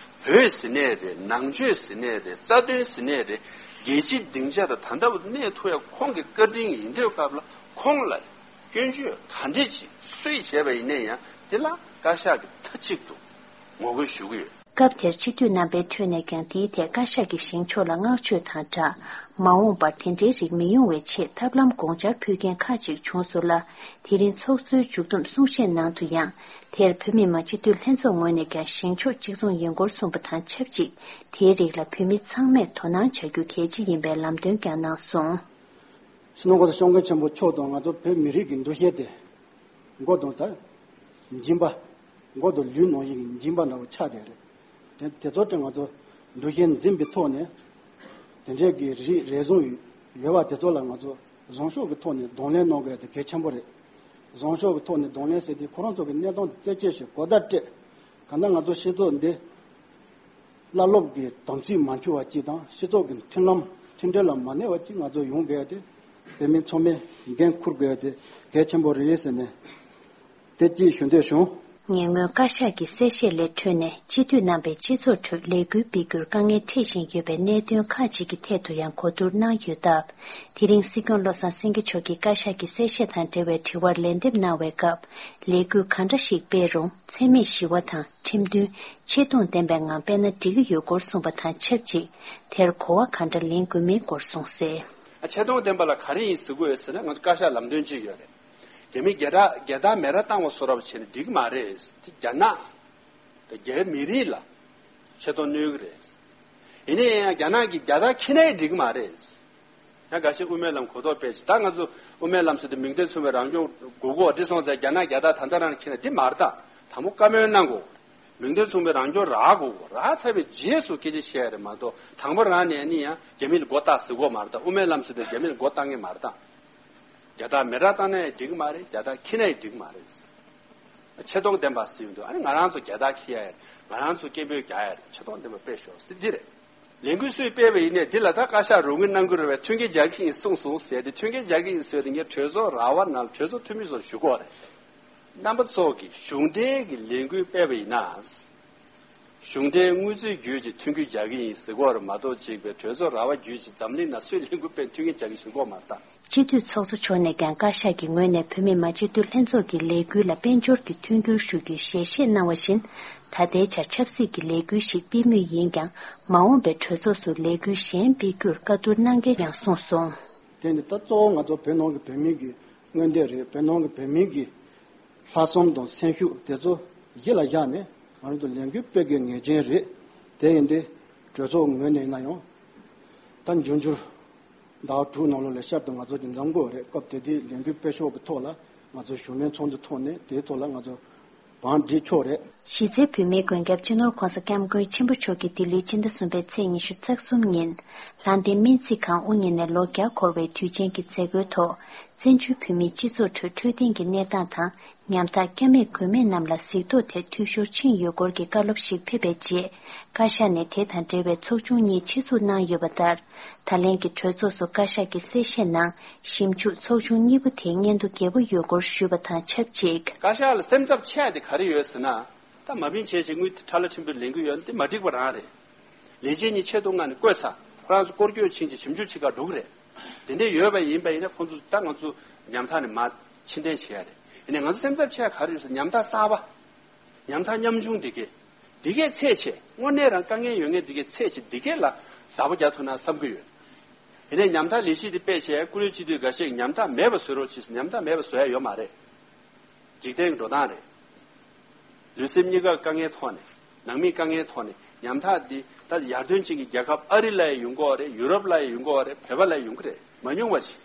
བོད་ཟེར་ནའི་རེད། ནང་ཆོས་ཟེར་ནའི་རེད། རྩ་དོན་ཟེར་ནའི་རེད། རྒྱལ་སྤྱིའི་སྡིངས་ཆ་དང་ད་ལྟ་བར་གནས་ཐུབ་ཡ་ཁོང་གི་བཀའ་དྲིན་ཡིན་དུས་སྐབས་ལ་ཁོང་ལ་སྐྱོན་བརྗོད་ག་འདྲས་ཅིག་སུས་བྱས་པ་ཡིན་ནའི་ཡང་དེ་ལ་བཀའ་ཤག་གིས་མཐའ་གཅིག་ཏུ་ངོ་རྒོལ་ཞུ་གི་ཡོད། སྐབས་དེར་སྤྱི་འཐུས་རྣམ་པའི་ཁྲོད་ནས་ཀྱང་དེའི་ཐད་བཀའ་ཤག་གིས་བཞེངས་ཕྱོགས་ལ་བསྔགས་བརྗོད་དང་སྦྲགས། མ་འོངས་པར་དེ་འདྲའི་རིགས་མི་ཡོང་བའི་ཆེད་ཐབས་ལམ་དགོངས་འཆར་ཕུལ་མཁན་ཁག་ཅིག་བྱུང་སོང་ལ། དེ་རིང་ཚོགས་གཙོའི་མཇུག་བསྡོམས་གསུང་བཤད་ནང་དུ་ཡང་། དེར་བོད་མི་མང་སྤྱི་འཐུས་ལྷན་ཚོགས་ངོས་ནས་ཀྱང་བཞེངས་ཕྱོགས་གཅིག་མཚུངས་ཡིན་སྐོར་གསུངས་པ་དང་ཆབས་ཅིག་དེའི་རིགས་ལ་བོད་མི་ཚང་མས་དོ་སྣང་བྱ་རྒྱུ་གལ་ཆེ་ཡིན་པའི་ལམ་སྟོན་ཀྱང་གནང་སོང་། སྤྱི་ནོར་༸གོང་ས་༸སྐྱབས་མགོན་ཆེན་པོ་མཆོག་དང་ང་ཚོ་བོད་མི་རིགས་ཀྱི་འདུ་ཤེས་དེ་མགོ་དང་ད་སྦྱིན་པ། མགོ་དང་ལུས་ནང་བཞིན་གྱི་སྦྱིན་པ་འདྲ་བོ་ཆགས་བསྡད་རེད། དེ་དེ་ཚོ་དེ་ང་ཚོ་འདུ་ཤེས་འཛིན་པའི་ཐོག་ནས་དེ་འདྲའི་གི་རིགས་རེ་ཟུང་ཡོད་པ་དེ་ཚོ་ལ་ང་ཚོ་བཟང་ཕྱོགས་ཀྱི་ཐོག་ནས་གདོང་ལེན་གནང་དགོས་ཡ་དེ་གལ་ཆེན་པོ་རེད། བཟང་ཕྱོགས་ཀྱི་ཐོག་ནས་གདོང་ལེན་ཟེར་དུས་ཁོ་རང་ཚོ་གི་གནས་སྟངས་དེ་རྩད་གཅོད་བྱེད་གོ་བརྡ་སྤྲད། གང་ལྟར་ང་ཚོ་སྤྱི་ཚོགས་འདི་བླ་སློབ་ཀྱི་དམ་ཚིག་མ་འཆུག་པ་ཅིག་དང་སྤྱི་ཚོགས་ཀྱི་མཐུན་ལམ་མཐུན་སྒྲིལ་ལ་མ་གནས་པ་ཅིག་ང་ཚོ་ཡོང་དགོས་ཡ་དེ་བོད་མི་ཚང་མས་འགན་འཁུར་དགོས་ཡ་དེ་གལ་ཆེན་པོ་རེད་ཟེར་ནས་དེ་གཅིག་ཞུ་འདོད་བྱུང་། ཉེ་སྔོན་བཀའ་ཤག་གི་གསལ་བཤད་ལས་འཕྲོས་ནས་སྤྱི་འཐུས་རྣམ་པས་སྤྱི་ཚོགས་ཁྲོད་ལས་འགུལ་སྤེལ་རྒྱུར་དཀའ་ངལ་འཕྲད་བཞིན་ཡོད་པའི་གནད་དོན་ཁག་ཅིག་གི་ཐད་དུ་ཡང་གོ་བསྡུར་གནང་ཡོད་སྟབས། དེ་རིང་སྲིད་སྐྱོང་བློ་བཟང་སེང་གེ་མཆོག་གིས་བཀའ་ཤག་གི་གསལ་བཤད་དང་འབྲེལ་བའི་དྲི་བར་ལན་འདེབས་གནང་བའི་སྐབས། ལས་འགུལ་ག་འདྲ་ཞིག་སྤེལ་རུང་འཚེ་མེད་ཞི་བ་དང་ཁྲིམས་མཐུན། ཆེ་མཐོང་ལྡན་པའི་ངང་སྤེལ་ན་འགྲིག་གི་ཡོད་སྐོར་གསུངས་པ་དང་ཆབས་ཅིག་དེར་གོ་བ་ག་འདྲ་ལེན་དགོས་མིན་སྐོར་གསུངས་གསལ། ཆེ་མཐོང་ལྡན་པ་ལ་ག་རེ་ཡིན་ཟེར་དགོས་ཡོད་ཟེར་ན་ང་ཚོ་བཀའ་ཤག་ལམ་སྟོན་ཅིག་ཡོད་རེད། རྒྱ་མི་རྒྱ་དག་རྒྱ་དག་མེ་ར་བཏང་བ་བཟོ་འདྲ་བྱས་ན་འགྲིག་གི་མ་རེད། དེ་རྒྱ་ནག་དང་རྒྱ་མི་རིགས་ལ་ཆེ་མཐོང་གནོད་ཀྱི་རེད། ཡིན་ན་ཡང་རྒྱ་ནག་གིས་རྒྱ་དག་ཁྱེར་ནའི་འགྲིག་གི་མ་རེད། ཡང་འགའ་ཤས་དབུ་མའི་ལམ་གོ་རྟོགས་སྤེལ་ཞིང་ད་ང་ཚོ་དབུ་མའི་ལམ་ཟེར་དུས་མིང་དོན་མཚུངས་པའི་རང་སྐྱོང་དགོས་གོ་འདི་སོང་ཙང་རྒྱ་ནག་རྒྱ་དག་ད་ལྟ་རང་ཁྱེར་ན་འདི་མ་རེད་ད། དང་པོ་བཀའ་མོལ་གནང་དགོས། མིང་དོན་མཚུངས་པའི་རང་སྐྱོང་རག་དགོས་གོ་རག་ཚར་བའི་རྗེས་སུ་སྐད་ཆ་བཤད་ཡ་རེད་མ་གཏོགས་དང་པོ་རང་ནས་ནི་ཡང་རྒྱ་མི་ལ་མགོ་བཏགས་ཟེར་གོ་མ་རེད་ད། དབུ་མའི་ལམ་ཟེར་དུས་རྒྱ་མི་ལ་མགོ་བཏགས་ངེས་མ་རེད་ད། རྒྱ་དག་མེ་རག་བཏང་ན་ཡང་འགྲིག་གི་མ་རེད། རྒྱ་དག་ཁྱེར་ན་ཡང་འགྲིག་གི་མ་རེད། ཆེ་མཐོང་ལྡན་པ་ཟེར་ཡོང་དུས་ཨ་ནི་ང་རང་ཚོ་རྒྱ་དག་ཁྱེར་ཡ་ཡ་རེད། ང་རང་ཚོ་སྐད་འབོད་རྒྱག་ཡ་རེད། ཆེ་མཐོང་ལྡན་པ་དཔེ་ཤོག་ཟེར་འདི་རེད། ལས་འགུལ་སུས་སྤེལ་བ་ཡིན་ནའི་འདི་ལ་ད་བཀའ་ཤག་རོགས་དངུལ་གནང་གི་རེད་བས་མཐུན་རྐྱེན་སྦྱར་གྱི་ཡིན་གསུངས་སོང་ཟེར་ཏེ་མཐུན་རྐྱེན་སྦྱར་གྱི་ཡིན་ཟེར་ཏེ་ངས་གྲོས་ཚོགས་ར་བ་ནང་གྲོས་ཚོགས་འཐུས་མི་ཚོར་ཞུ་གི་ཡོད་རེད། རྣམ་པ་ཚོ་གིས་གཞུང་འབྲེལ་གྱི་ལས་འགུལ་སྤེལ་བ་ཡིན་ན། གཞུང་འབྲེལ་དངུལ་རྩིས་བརྒྱུད་ཀྱི་མཐུན་རྐྱེན་སྦྱར་གྱི་ཡིན་ཟེར་གྱི་ཡོད་རེད་མ་གཏོགས་གཅིག་པའི་གྲོས་ཚོགས་ར་བ་བརྒྱུད་ཀྱི་འཛམ་གླིང་ནང་སུས་ལས་འགུལ་སྤེལ་མཐུན་རྐྱེན་སྦྱར་གྱི་ཡིན་ཟེར་གྱི་ཡོད་མ་རེད་ད། སྤྱི་འཐུས་ཚོགས་གཙོ་མཆོག་ནས་ཀྱང་བཀའ་ཤག་གིས་ངོས་ནས་བོད་མི་མང་སྤྱི་འཐུས་ལྷན་ཚོགས་ཀྱི་ལས་འགུལ་ལ་དཔལ་འབྱོར་གྱི་མཐུན་འགྱུར་ཞུ་རྒྱུའི་ཞལ་བཞེས་གནང་བ་བཞིན། ད་ལྟའི་ཆར་ཆབ་སྲིད་ཀྱི་ལས་འགུལ་ཞིག་སྤེལ་མུས་ཡིན་ཀྱང་། མ་འོངས་པའི་གྲོས་ཚོགས་སུ་ལས་འགུལ་གཞན་སྤེལ་རྒྱུར་བཀའ་བསྡུར་གནང་གལ་ཡང་གསུངས་སོང་། དེ་ནི་ད་གཙོ་བོ་ང་ཚོ་བོད་ནང་གི་བོད་མི་གི་མངོན་འདོད་རེད། བོད་ནང་གི་བོད་མི་གི་ལྷག་བསམ་དང་སེམས་ཤུགས་དེ་ཚོ་གཞི་ལ་བཞག་ནས་ང་རང་ཚོ་ལས་འགུལ་སྤེལ་དགོས་ངེས་ཅན་རེད། དེ་ཡིན་དུས་གྲོས་ཚོགས་ངོས་ནས་ཡིན་ན་ཡང་ད་འབྱུང་འགྱུར་ཟླ་བ་དྲུག་ནང་ལོགས་ལ་བསྐྱར་དུ་ང་ཚོ་གི་འཛོམས་དགོས་རེད། སྐབས་དེ་དུས་ལས་འགུལ་སྤེལ་ཕྱོགས་ཀྱི་ཐོག་ལ་ང་ཚོ་གཞུང་མིན་ཚོགས་འདུ་ཐོག་ནས་དེའི་ཐོག་ལ་ང་ཚོ་བང་སྒྲིག་ཆོག་རེད། གཞི་རྩའི་བོད་མིའི་མགོན་སྐྱབས་སྤྱི་ནོར་༸གོང་ས་༸སྐྱབས་མགོན་ཆེན་པོ་མཆོག་གིས་འདི་ལོའི་སྤྱི་ཟླ་གསུམ་པའི་ཚེས་ཉི་ཤུ་རྩ་གསུམ་ཉིན་ལྷ་ལྡན་སྨན་རྩིས་ཁང་དབུ་བརྙེས་ནས་ལོ་བརྒྱ་འཁོར་བའི་དུས་ཆེན་གྱི་མཛད་སྒོའི་ཐོག་བཙན་བྱོལ་བོད་མིའི་སྤྱི་ཚོགས་ཁྲོད་འཕྲོད་བསྟེན་གྱི་གནས་སྟངས་དང་ཉམ་ཐག་སྐྱབས་མེད་མགོན་མེད་རྣམས་ལ་གཟིགས་རྟོག་ཐད་འཐུས་ཤོར་ཕྱིན་ཡོད་སྐོར་གྱི་བཀའ་སློབ་ཞིག་ཕེབས་པའི་རྗེས། བཀའ་ཤག་ནས་དེ་དང་འབྲེལ་བའི་ཚོགས་ཆུང་གཉིས་ཆེད་འཛུགས་གནང་ཡོད་པ་ལྟར། ད་ལན་གྱི་གྲོས་ཚོགས་སུ་བཀའ་ཤག་གི་གསལ་བཤད་ནང་ཞིབ་འཇུག་ཚོགས་ཆུང་གཉིས་པོ་དེའི་སྙན་ཐོ་རྒྱས་པོ་ཡོད་སྐོར་ཞུས་པ་དང་ཆབས་ཅིག་བཀའ་ཤག་ལ་སེམས་འཚབ་ཆེ་བ་དེ་ག་རེ་ཡོད་ཟེར་ན། ད་མ་བིན་བྱས་བྱས་དངུལ་དེ་ཁྲ་ལ་ཁྲིམས་དཔོན་ལེན་གི་ཡོད་ན་དེ་མ་འགྲིག་པ་རང་རེད། ལས་བྱེད་གཉིས་ཆེད་དུ་མངགས་ནས་བསྐོས་ཚར། ཁོ་རང་ཚོ་སྐོར་སྐྱོད་ཕྱིན་བྱས་ཞིབ་འཇུག་བྱེད་ག་འགྲོ་གི་རེད། དེ་འདྲས་ཡོད་པ་ཡིན་པ་ཡིན་ན་ཁོང་ཚོ་ད་ང་ཚོ་ཉམ་ཐག་ནས་མར་ཕྱིར་འཐེན་བྱེད་ཡ་རེད། ཡིན་ནའི་ང་ཚོ་སེམས་འཚབ་ཆེ་བ་ག་རེ་ཡོད་ཟེར་ན་ཉམ་ཐག་གསར་པ། ཉམ་ཐག་ཉམ་ཆུང་འདི་གས། འདི་གས་ཚད་ཆེ་དངོས་གནས་རང་དཀའ་ངལ་ཡོད་མཁན་འདི་གས་ཚད་ཆེ་འདི་གས་ལ་བདག་པོ་རྒྱག་ཐུབ་ན་བསམ་གི་ཡོད། ཡིན་ནའི་ཉམ་ཐག་ལས་གཞི་འདི་སྤེལ་བྱས་ཀུ་ལུ་སྤྱི་འཐུས་འགའ་ཤས་ཀྱིས་ཉམ་ཐག་མེད་པ་བཟོ་རོགས་བྱེད་ཟེར་ཉམ་ཐག་མེད་པ་བཟོ་ཡ་ཡོད་མ་རེད། འཇིག་རྟེན་གྱི་འགྲོ་སྟངས་རེད། ལུས་སེམས་གཉིས་ཀ་དཀའ་ངལ་ཐོག་ནས་ནང་མིའི་དཀའ་ངལ་ཐོག་ནས་ཉམ་ཐག་འདི་ད་ཡར་ཐོན་ཅན་གྱི་རྒྱལ་ཁབ་ཨ་རི་ལ་ཡང་ཡོང་གི་ཡོད་རེད། ཡུ་རོབ་ལ་ཡང་ཡོང་གི་ཡོད་རེད། བོད་པ་ལ་ཡང་ཡོང་གི་རེད། མ་མྱོང་བ་ཞིག་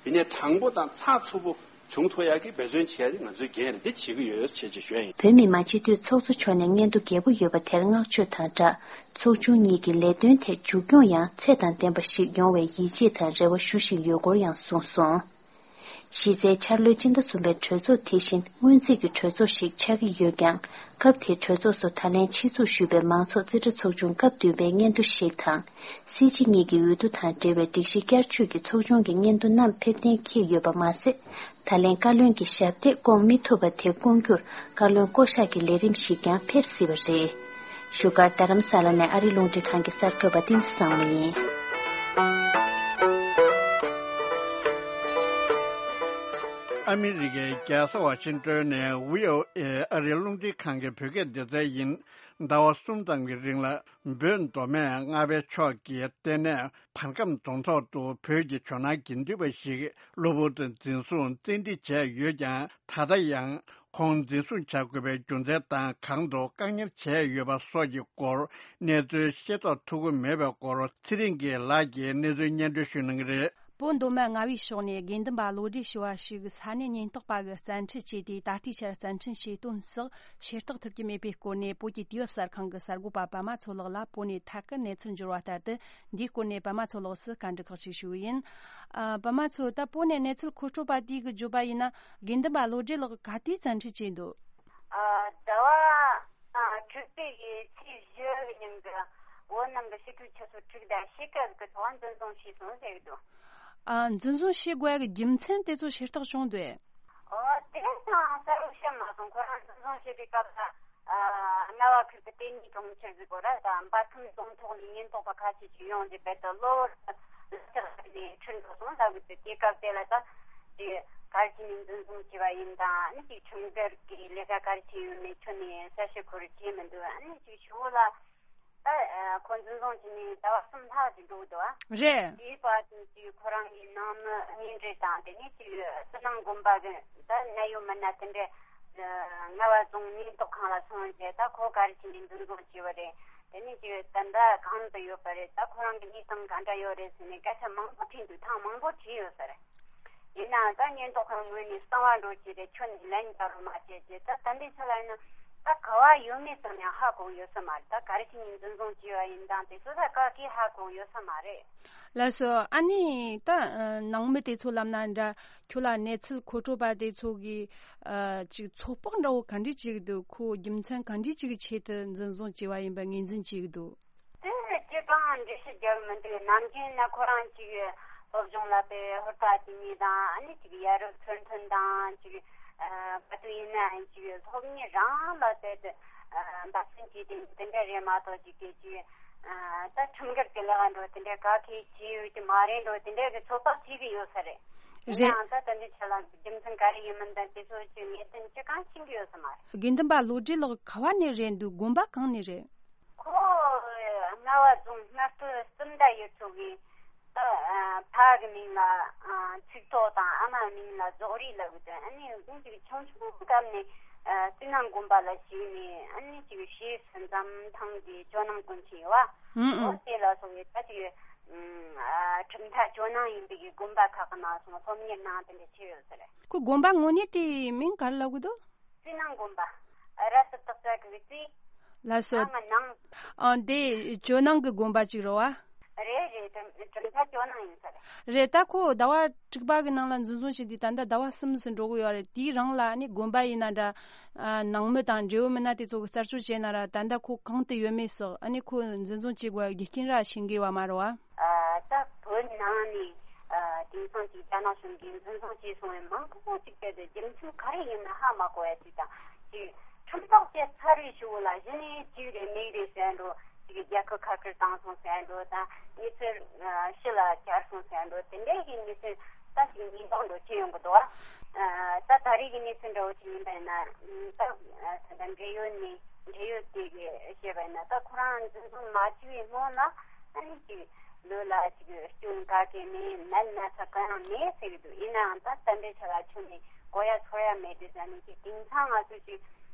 ཡིན་ནའི་དྲང་པོ་དང་ཚགས་ཚུད་པོ་བྱུང་ཐུབ་ཡག་གི་འབད་བརྩོན་བྱེད་ཡག་དེ་ང་ཚོའི་འགན་རེད། འདི་བྱེད་ཀྱི་ཡོད་ཅེས་ཅེས་ཞུ་ཡ་ཡིན། བོད་མི་མང་སྤྱི་འཐུས་ཚོགས་གཙོ་མཆོག་ནས་སྙན་ཐོ་རྒྱས་པོ་ཡོད་པ་དེར་བསྔགས་བརྗོད་དང་སྦྲགས། ཚོགས་ཆུང་གཉིས་ཀྱི་ལས་དོན་ཐད་མཇུག་སྐྱོང་ཡང་ཚད་དང་ལྡན་པ་ཞིག་ཡོང་བའི་ཡིད་ཆེས་དང་རེ་བ་ཞུ་བཞིན་ཡོད་སྐོར་ཡང་གསུངས་སོང་། གཞི་རྩའི་འཆར་ལོའི་སྤྱི་ཟླ་གསུམ་པའི་གྲོས་ཚོགས་དེ་བཞིན་སྔོན་རྩིས་ཀྱི་གྲོས་ཚོགས་ཤིག་ཆགས་ཀྱི་ཡོད་ཀྱང་། སྐབས་དེའི་གྲོས་ཚོགས་སུ་ད་ལན་ཆེད་འཛུགས་ཞུས་པའི་མང་ཚོགས་རྩིས་ཁྲ་ཚོགས་ཆུང་སྐབས་བདུན་པའི་སྙན་ཐོ་ཞིག་དང་། སྲིད་སྤྱི་གཉིས་ཀྱི་འོས་བསྡུ་དང་འབྲེལ་བའི་སྒྲིག་གཞི་བསྐྱར་བཅོས་ཀྱི་ཚོགས་ཆུང་གི་སྙན་ཐོ་རྣམས་ཕེབས་གཏན་འཁེལ་ཡོད་པ་མ་ཟད། ད་ལན་བཀའ་བློན་གྱི་ཞབས་སྟེགས་བསྐོང་མི་ཐུབ་པ་དེ་བསྐོང་རྒྱུར་བཀའ་བློན་བསྐོ་གཞག་གི་ལས་རིམ་ཞིག་ཀྱང་ཕེབས་སྲིད་པ་རེད། བཞུགས་སྒར་རྡ་རམ་ས་ལ་ནས་ཨ་རིའི་རླུང་འཕྲིན་ཁང་གི་གསར་འགོད་པ་བསྟན་འཛིན་བཟང་མོ་ཡིན། ཨ་མི་རི་ཀའི་རྒྱལ་ས་ཝ་ཤིང་ཏོན་ནས་བྷི་ཨོ་ཨེ་ཨ་རིའི་རླུང་འཕྲིན་ཁང་གི་བོད་སྐད་སྡེ་ཚན་ཡིན། ཟླ་བ་གསུམ་ཙམ་གྱི་རིང་ལ་བོད་མདོ་སྨད་རྔ་བའི་ཕྱོགས་ཀྱི་ལྟེ་གནས་བར་ཁམས་རྫོང་ཐོག་ཏུ་བོད་ཀྱི་ཇོ་ནང་དགེ་འདུན་པ་ཞིག་གློ་བུར་དུ་འཛིན་བཟུང་བཙན་ཁྲིད་བྱས་ཡོད་ཀྱང་། ད་ལྟ་ཡང་ཁོང་འཛིན་བཟུང་བྱ་དགོས་པའི་རྒྱུ་མཚན་དང་། གང་དུ་བཀག་ཉར་བྱས་ཡོད་པ་སོགས་ཀྱི་སྐོར་གནས་ཚུལ་ཤེས་རྟོགས་ཐུབ་ཀྱི་མེད་པའི་སྐོར་ཚེ་རིང་སྐྱིད་ལགས་ཀྱིས་གནས་ཚུལ་སྙན་སྒྲོན་ཞུ་གནང་གི་རེད། བོད་མདོ་སྨད་རྔ་བའི་ཕྱོགས་ནས་དགེ་འདུན་པ་བློ་གྲོས་ཞུ་བ་ཞིག་ས་གནས་ཉེན་རྟོག་པ་གིས་བཙན་ཁྲིད་བྱས་ཏེ། ད་ལྟའི་ཆར་བཙན་ཁྲིད་བྱས་དོན་སོགས་ཤེས་རྟོགས་ཐུབ་ཀྱི་མེད་པའི་སྐོར་ནས། བོད་ཀྱི་དུས་བབ་གསར་ཁང་གི་གསར་འགོད་པ་པདྨ་མཚོ་ལགས་ལ་བོད་ནས་ཐད་ཀར་གནས་ཚུལ་འབྱོར་བ་ལྟར་དུ། འདིའི་སྐོར་ནས་པདྨ་མཚོ་ལགས་སུ་བཀའ་འདྲི་ཁག་ཅིག་ཞུ་གི་ཡིན། ཨ། པདྨ་མཚོ། ད་བོད་ནས་གནས་ཚུལ་མཁོ་སྤྲོད་པ་དེས་བརྗོད་པ་ཡིན་ན། དགེ་འདུན་པ་བློ་གྲོས་ལགས་ག་དུས་བཙན་ཁྲིད་བྱས་འདུག་ཨ། ཟླ་བ་ཨ་དྲུག་པའི་གི་ཚེས་བཞི་གི་ཉིན་གྱི་བོད་ནང་གི་ཕྱི་དྲོའི་ཆུ་ཚོད་དྲུག་དང་ཕྱེད་ཀ་གི་ཐོག་འཛིན་བཟུང་བྱས་སོང་ཟེར་གི་འདུག་ཨ། འཛིན་བཟུང་བྱེད་དགོས་ཀྱི་རྒྱུ་མཚན་དེ་ཚོ་ཤེས་རྟོགས་བྱུང་འདུག་ཨོ། དེ་ཡང་གསལ་པོ་ཤེས་མ་སོང་། ཁོ་རང་འཛིན་བཟུང་བྱེད་པའི་སྐབས་ལ། ཨ། རྔ་བ་ཁུལ་གྱི་ལྟེ་གནས་གྲོང་ཁྱེར་ཟིག་གོ་ར་དང་། འབར་ཁམས་རྫོང་ཐོག་ནས་ཉེན་རྟོག་པ་ཁ་ཤས་ཤིག་ཡོང་རྗེས། རྦད་དེ་གློ་བུར་དུ་ལག་ཆ་ནས་ཁྲིད་འགྲོ་སོང་ལབ་གི་འདུག་དེ་སྐབས་དེ་ལ་ད་ཅིག་ག་རེ་བྱས་ནས་འཛིན་བཟུང་བྱས་པ་ཡིན་དང་། ཨ་ནི་ཅིག་ཁྲིམས་འགལ་གྱི་ལས་ཀ་ག་རེ་བྱས་ཡོད་མེད་ཁྱོན་ནས་གསལ་བཤད་ཁོ་རང་བྱས་མི་འདུག་ཨ་ནི་ཅིག་ཞུ་བོ་ལ། ད་ཁོ་འཛིན་བཟུང་བྱས་ནས་ཟླ་བ་གསུམ་ལྷག་ཅིག་འགྲོ་གི་འདུག་ཨ། རེད། དེའི་བར་དུ་ཅིག་ཁོ་རང་གི་ནང་མི་གཉེན་འབྲེལ་དང་། དེ་ནས་ཅིག་སི་ནང་དགོན་པ་གི་ད་གནད་ཡོད་མི་སྣ་དེ་འདྲས་རྔ་བ་རྫོང་ཉེན་རྟོག་ཁང་ལ་སོང་རྗེས། ད་ཁོ་ག་རེ་བྱས་ནས་འཛིན་བཟུང་བྱས་པ་རེད། དེ་ནས་ཅིག་ད་ལྟ་གང་དུ་ཡོད་པ་རེད། ད་ཁོ་རང་གི་གནས་སྟངས་ག་འདྲ་ཡོད་རེད་ཟེར་ནས་སྐད་ཆ་མང་པོ་དྲིས་འདུག་ཐེངས་མང་པོ་དྲིས་ཡོད་ས་རེད། ཡིན་ནའང་ད་ཉེན་རྟོག་ཁང་ངོས་ནས་གསང་བ་འགྲོ་བྱས་ཏེ་ཁྱོན་ནས་ལན་རྒྱག་རོགས་མ་བྱས་བྱས། ད་ད་ལྟའི་ཆ་ལ་ཡིན་ན་ད་ག་བ་ཡོད་མེད་ཙམ་ཡང་ཧ་གོ་ཡོད་ས་མ་རེད། ད་ག་རེ་བྱས་ནས་འཛིན་བཟུང་བྱས་པ་ཡིན་དང་དེ་ཚོ་ད་ག་གིས་ཧ་གོ་ཡོད་ས་མ་རེད། ལགས་སོ། ཨ་ནི་ད་ནང་མི་དེ་ཚོ་ལབ་ན་འདྲ། ཁྱོད་ལ་གནས་ཚུལ་མཁོ་སྤྲོད་པ་དེ་ཚོ་གིས་ཨ་ཅིག་ཚོད་དཔག་འདྲ་བོ་ག་འདྲས་བྱེད་ཀྱི་འདུག་ཁོ་རྒྱུ་མཚན་ག་འདྲས་ཅིག་གི་ཆེད་དུ་འཛིན་བཟུང་བྱས་པ་ཡིན་པ་ངོས་འཛིན་བྱེད་ཀྱི་འདུག་དེ་ཅི་གང་འགྲེལ་བཤད་རྒྱག་མི་འདུག་ནམ་རྒྱུན་ན་ཁོ་རང་ཅིག་སློབ་སྦྱོང་ལ་དཔེ་ཧུར་ཐག་བྱེད་མཁན་དང་། ཨ་ནི་ཅིག་ཡ་རབས་ཚུལ་མཐུན་དང་། ཅིག་ཨ་ག་དུས་ཡིན་ནའང་ཅིག་སློབ་གཉེར་རང་ལ་དཔེ་དེ་འབད་བརྩོན་བྱེད་དེ་དེ་འདྲ་རེད་མ་གཏོགས། ཅིག་དེ་ཅིག་ཨ་ད་ཁྲིམས་འགལ་གྱི་ལས་ཀ་འགྲོ་དེ་འདྲ་ག་གིས་བྱས་ཡོད་ཀྱི་མ་རེད་འགྲོ། དེ་འདྲ་གི་ཚོད་དཔག་བྱེད་ཀྱི་ཡོད་ས་རེད། ཡིན་རེད། ནའང་ད་ད་འདི་ཆ་ལ་རྒྱུ་མཚན་ག་རེ་ཡིན་མིན་དང་དེ་ཚོ་ཅིག་ངེས་གཏན་ཅི་གང་ཤེས་ཀྱི་ཡོད་ས་མ་རེད། དགེ་འདུན་པ་བློ་གྲོས་ལགས་ག་བ་ནས་རེད་འདུག་དགོན་པ་གང་ནས་རེད། ཁོ་རྔ་བ་རྫོང་སྔ་སྟོད་སུམ་མདའ་ཡུལ་ཚོ་གི་ད་ཕ་གི་མིང་ལ་ཚིག་ཐོག་དང་། ཨ་མའི་མིང་ལ་རྫོགས་རིགས་ལབ་གི་འདུག་ཨ་ནི་ཁོང་ཅིག་ཆུང་ཆུང་སྐབས་ནས་སི་ནང་དགོན་པ་ལ་ཞུགས་ནས། ཨ་ནི་ཅིག་ཞེས་སུ་འཛམ་ཐང་གི་ཇོ་ནང་དགོན་ཆེན་ཡོད་བ། ཨང་ཨང་། འོ་དེ་ལ་སོང་བའི་ད་ཅིག་ཨ་གྲུབ་མཐའ་ཇོ་ནང་ཡིན་པའི་དགོན་པ་ཁག་གི་ནང་སོང་སློབ་གཉེར་གནང་། དེ་འདྲ་བྱས་ཡོད་ས་རེད། ཁོ་དགོན་པ་དངོས་གནས་དེའི་མིང་ག་རེ་ལབ་གི་འདུག་སི་ནང་དགོན་པ། ར་སི་ཏག་ཙ་གི་སི། ལགས་སོ། ནང་ང་ནང་། ཨ། འདི་ཇོ་ནང་གི་དགོན་པ་ཅིག་རེད་བ། རེད་རེད། གྲུབ་གྲུབ་མཐའ་ཇོ་ནང་ཡིན་ས་རེད། རེད། ད་ཁོ་ཟླ་བ་དྲུག་པ་གི་ནང་ལ་འཛིན་བཟུང་བྱས་ཏེ་ད་ལྟ་ཟླ་བ་གསུམ་ཙམ་འགྲོ་གི་ཡོད་རེད། དེའི་རིང་ལ་ནི་དགོན་པ་ཡིན་ན་འདྲ། ཨ། ནང་མི་དང་འབྲེལ་ཡོད་མི་སྣ་དེ་ཚོ་གིས་རྩད་གཅོད་བྱས་ན་ར། ད་ལྟ་ཁོ་གང་དུ་ཡོད་མེད་སོགས། ཨ་ནི་ཁོ་འཛིན་བཟུང་བྱེད་དགོས་རྒྱུ་རྐྱེན་ར་ཤེས་ཀྱི་ཡོད་མ་རེད་བ། ཨ། ད་བོད་ནང་ནས་ཨ་དེང་སང་ཅིག་རྒྱ་ནག་གཞུང་གིས་འཛིན་བཟུང་བྱས་སོང་བའི་མང་པོ་ཅིག་དེ་དེ་རྒྱུ་མཚན་ག་རེ་ཡིན་ན་ཧ་མ་གོ་ཡ་ཅིག་དང་། ཅིག་ཁྲིམས་ཐག་བཅད་ཚར་བའི་གཞུག་ལ་གཞི་ནས་ཅིག་རེད་མིག་རེད་ཟེར་འགྲོ། ཅིག་རྒྱལ་ཁབ་ཁ་བཀར་བཏང་སོང་ཟེར་འགྲོ་དང་། མི་ཚེ་ཕྱི་ལ་གྱར་སོང་ཟེར་འགྲོ། དེ་འདྲའི་གི་མི་ཚེ་ད་ཅིག་ཉེན་རྟོག་འགྲོ་ཆེ་ཡོང་གི་འདུག་ཨ། ད་ད་རེས་ཀྱི་གནས་ཚུལ་འདྲ་བོ་ཅིག་ཡིན་པ་ཡིན་ན། ད་ད་འབྲེལ་ཡོད་ནས་འབྲེལ་ཡོད་དེ་གི་བཤད་པ་ཡིན་ན། ད་ཁོ་རང་འཛིན་བཟུང་མ་བྱས་པའི་སྔོན་ལ་ཨ་ནི་ཅིག་ལུས་ལ་ཅིག་སྐྱོན་ག་གེ་མེད། ནད་ན་ཚ་གང་ཡང་མེད་ཟེར་གི་འདུག་ཡིན་ནའང་ད་ད་ལྟའི་ཆ་ལ་ཁྱོན་ནས་གོ་ཡ་ཚོར་ཡ་མེད་དེ་ཟེར་ནས། ཅིག་དེང་སང་ང་ཚོ་ཅིག་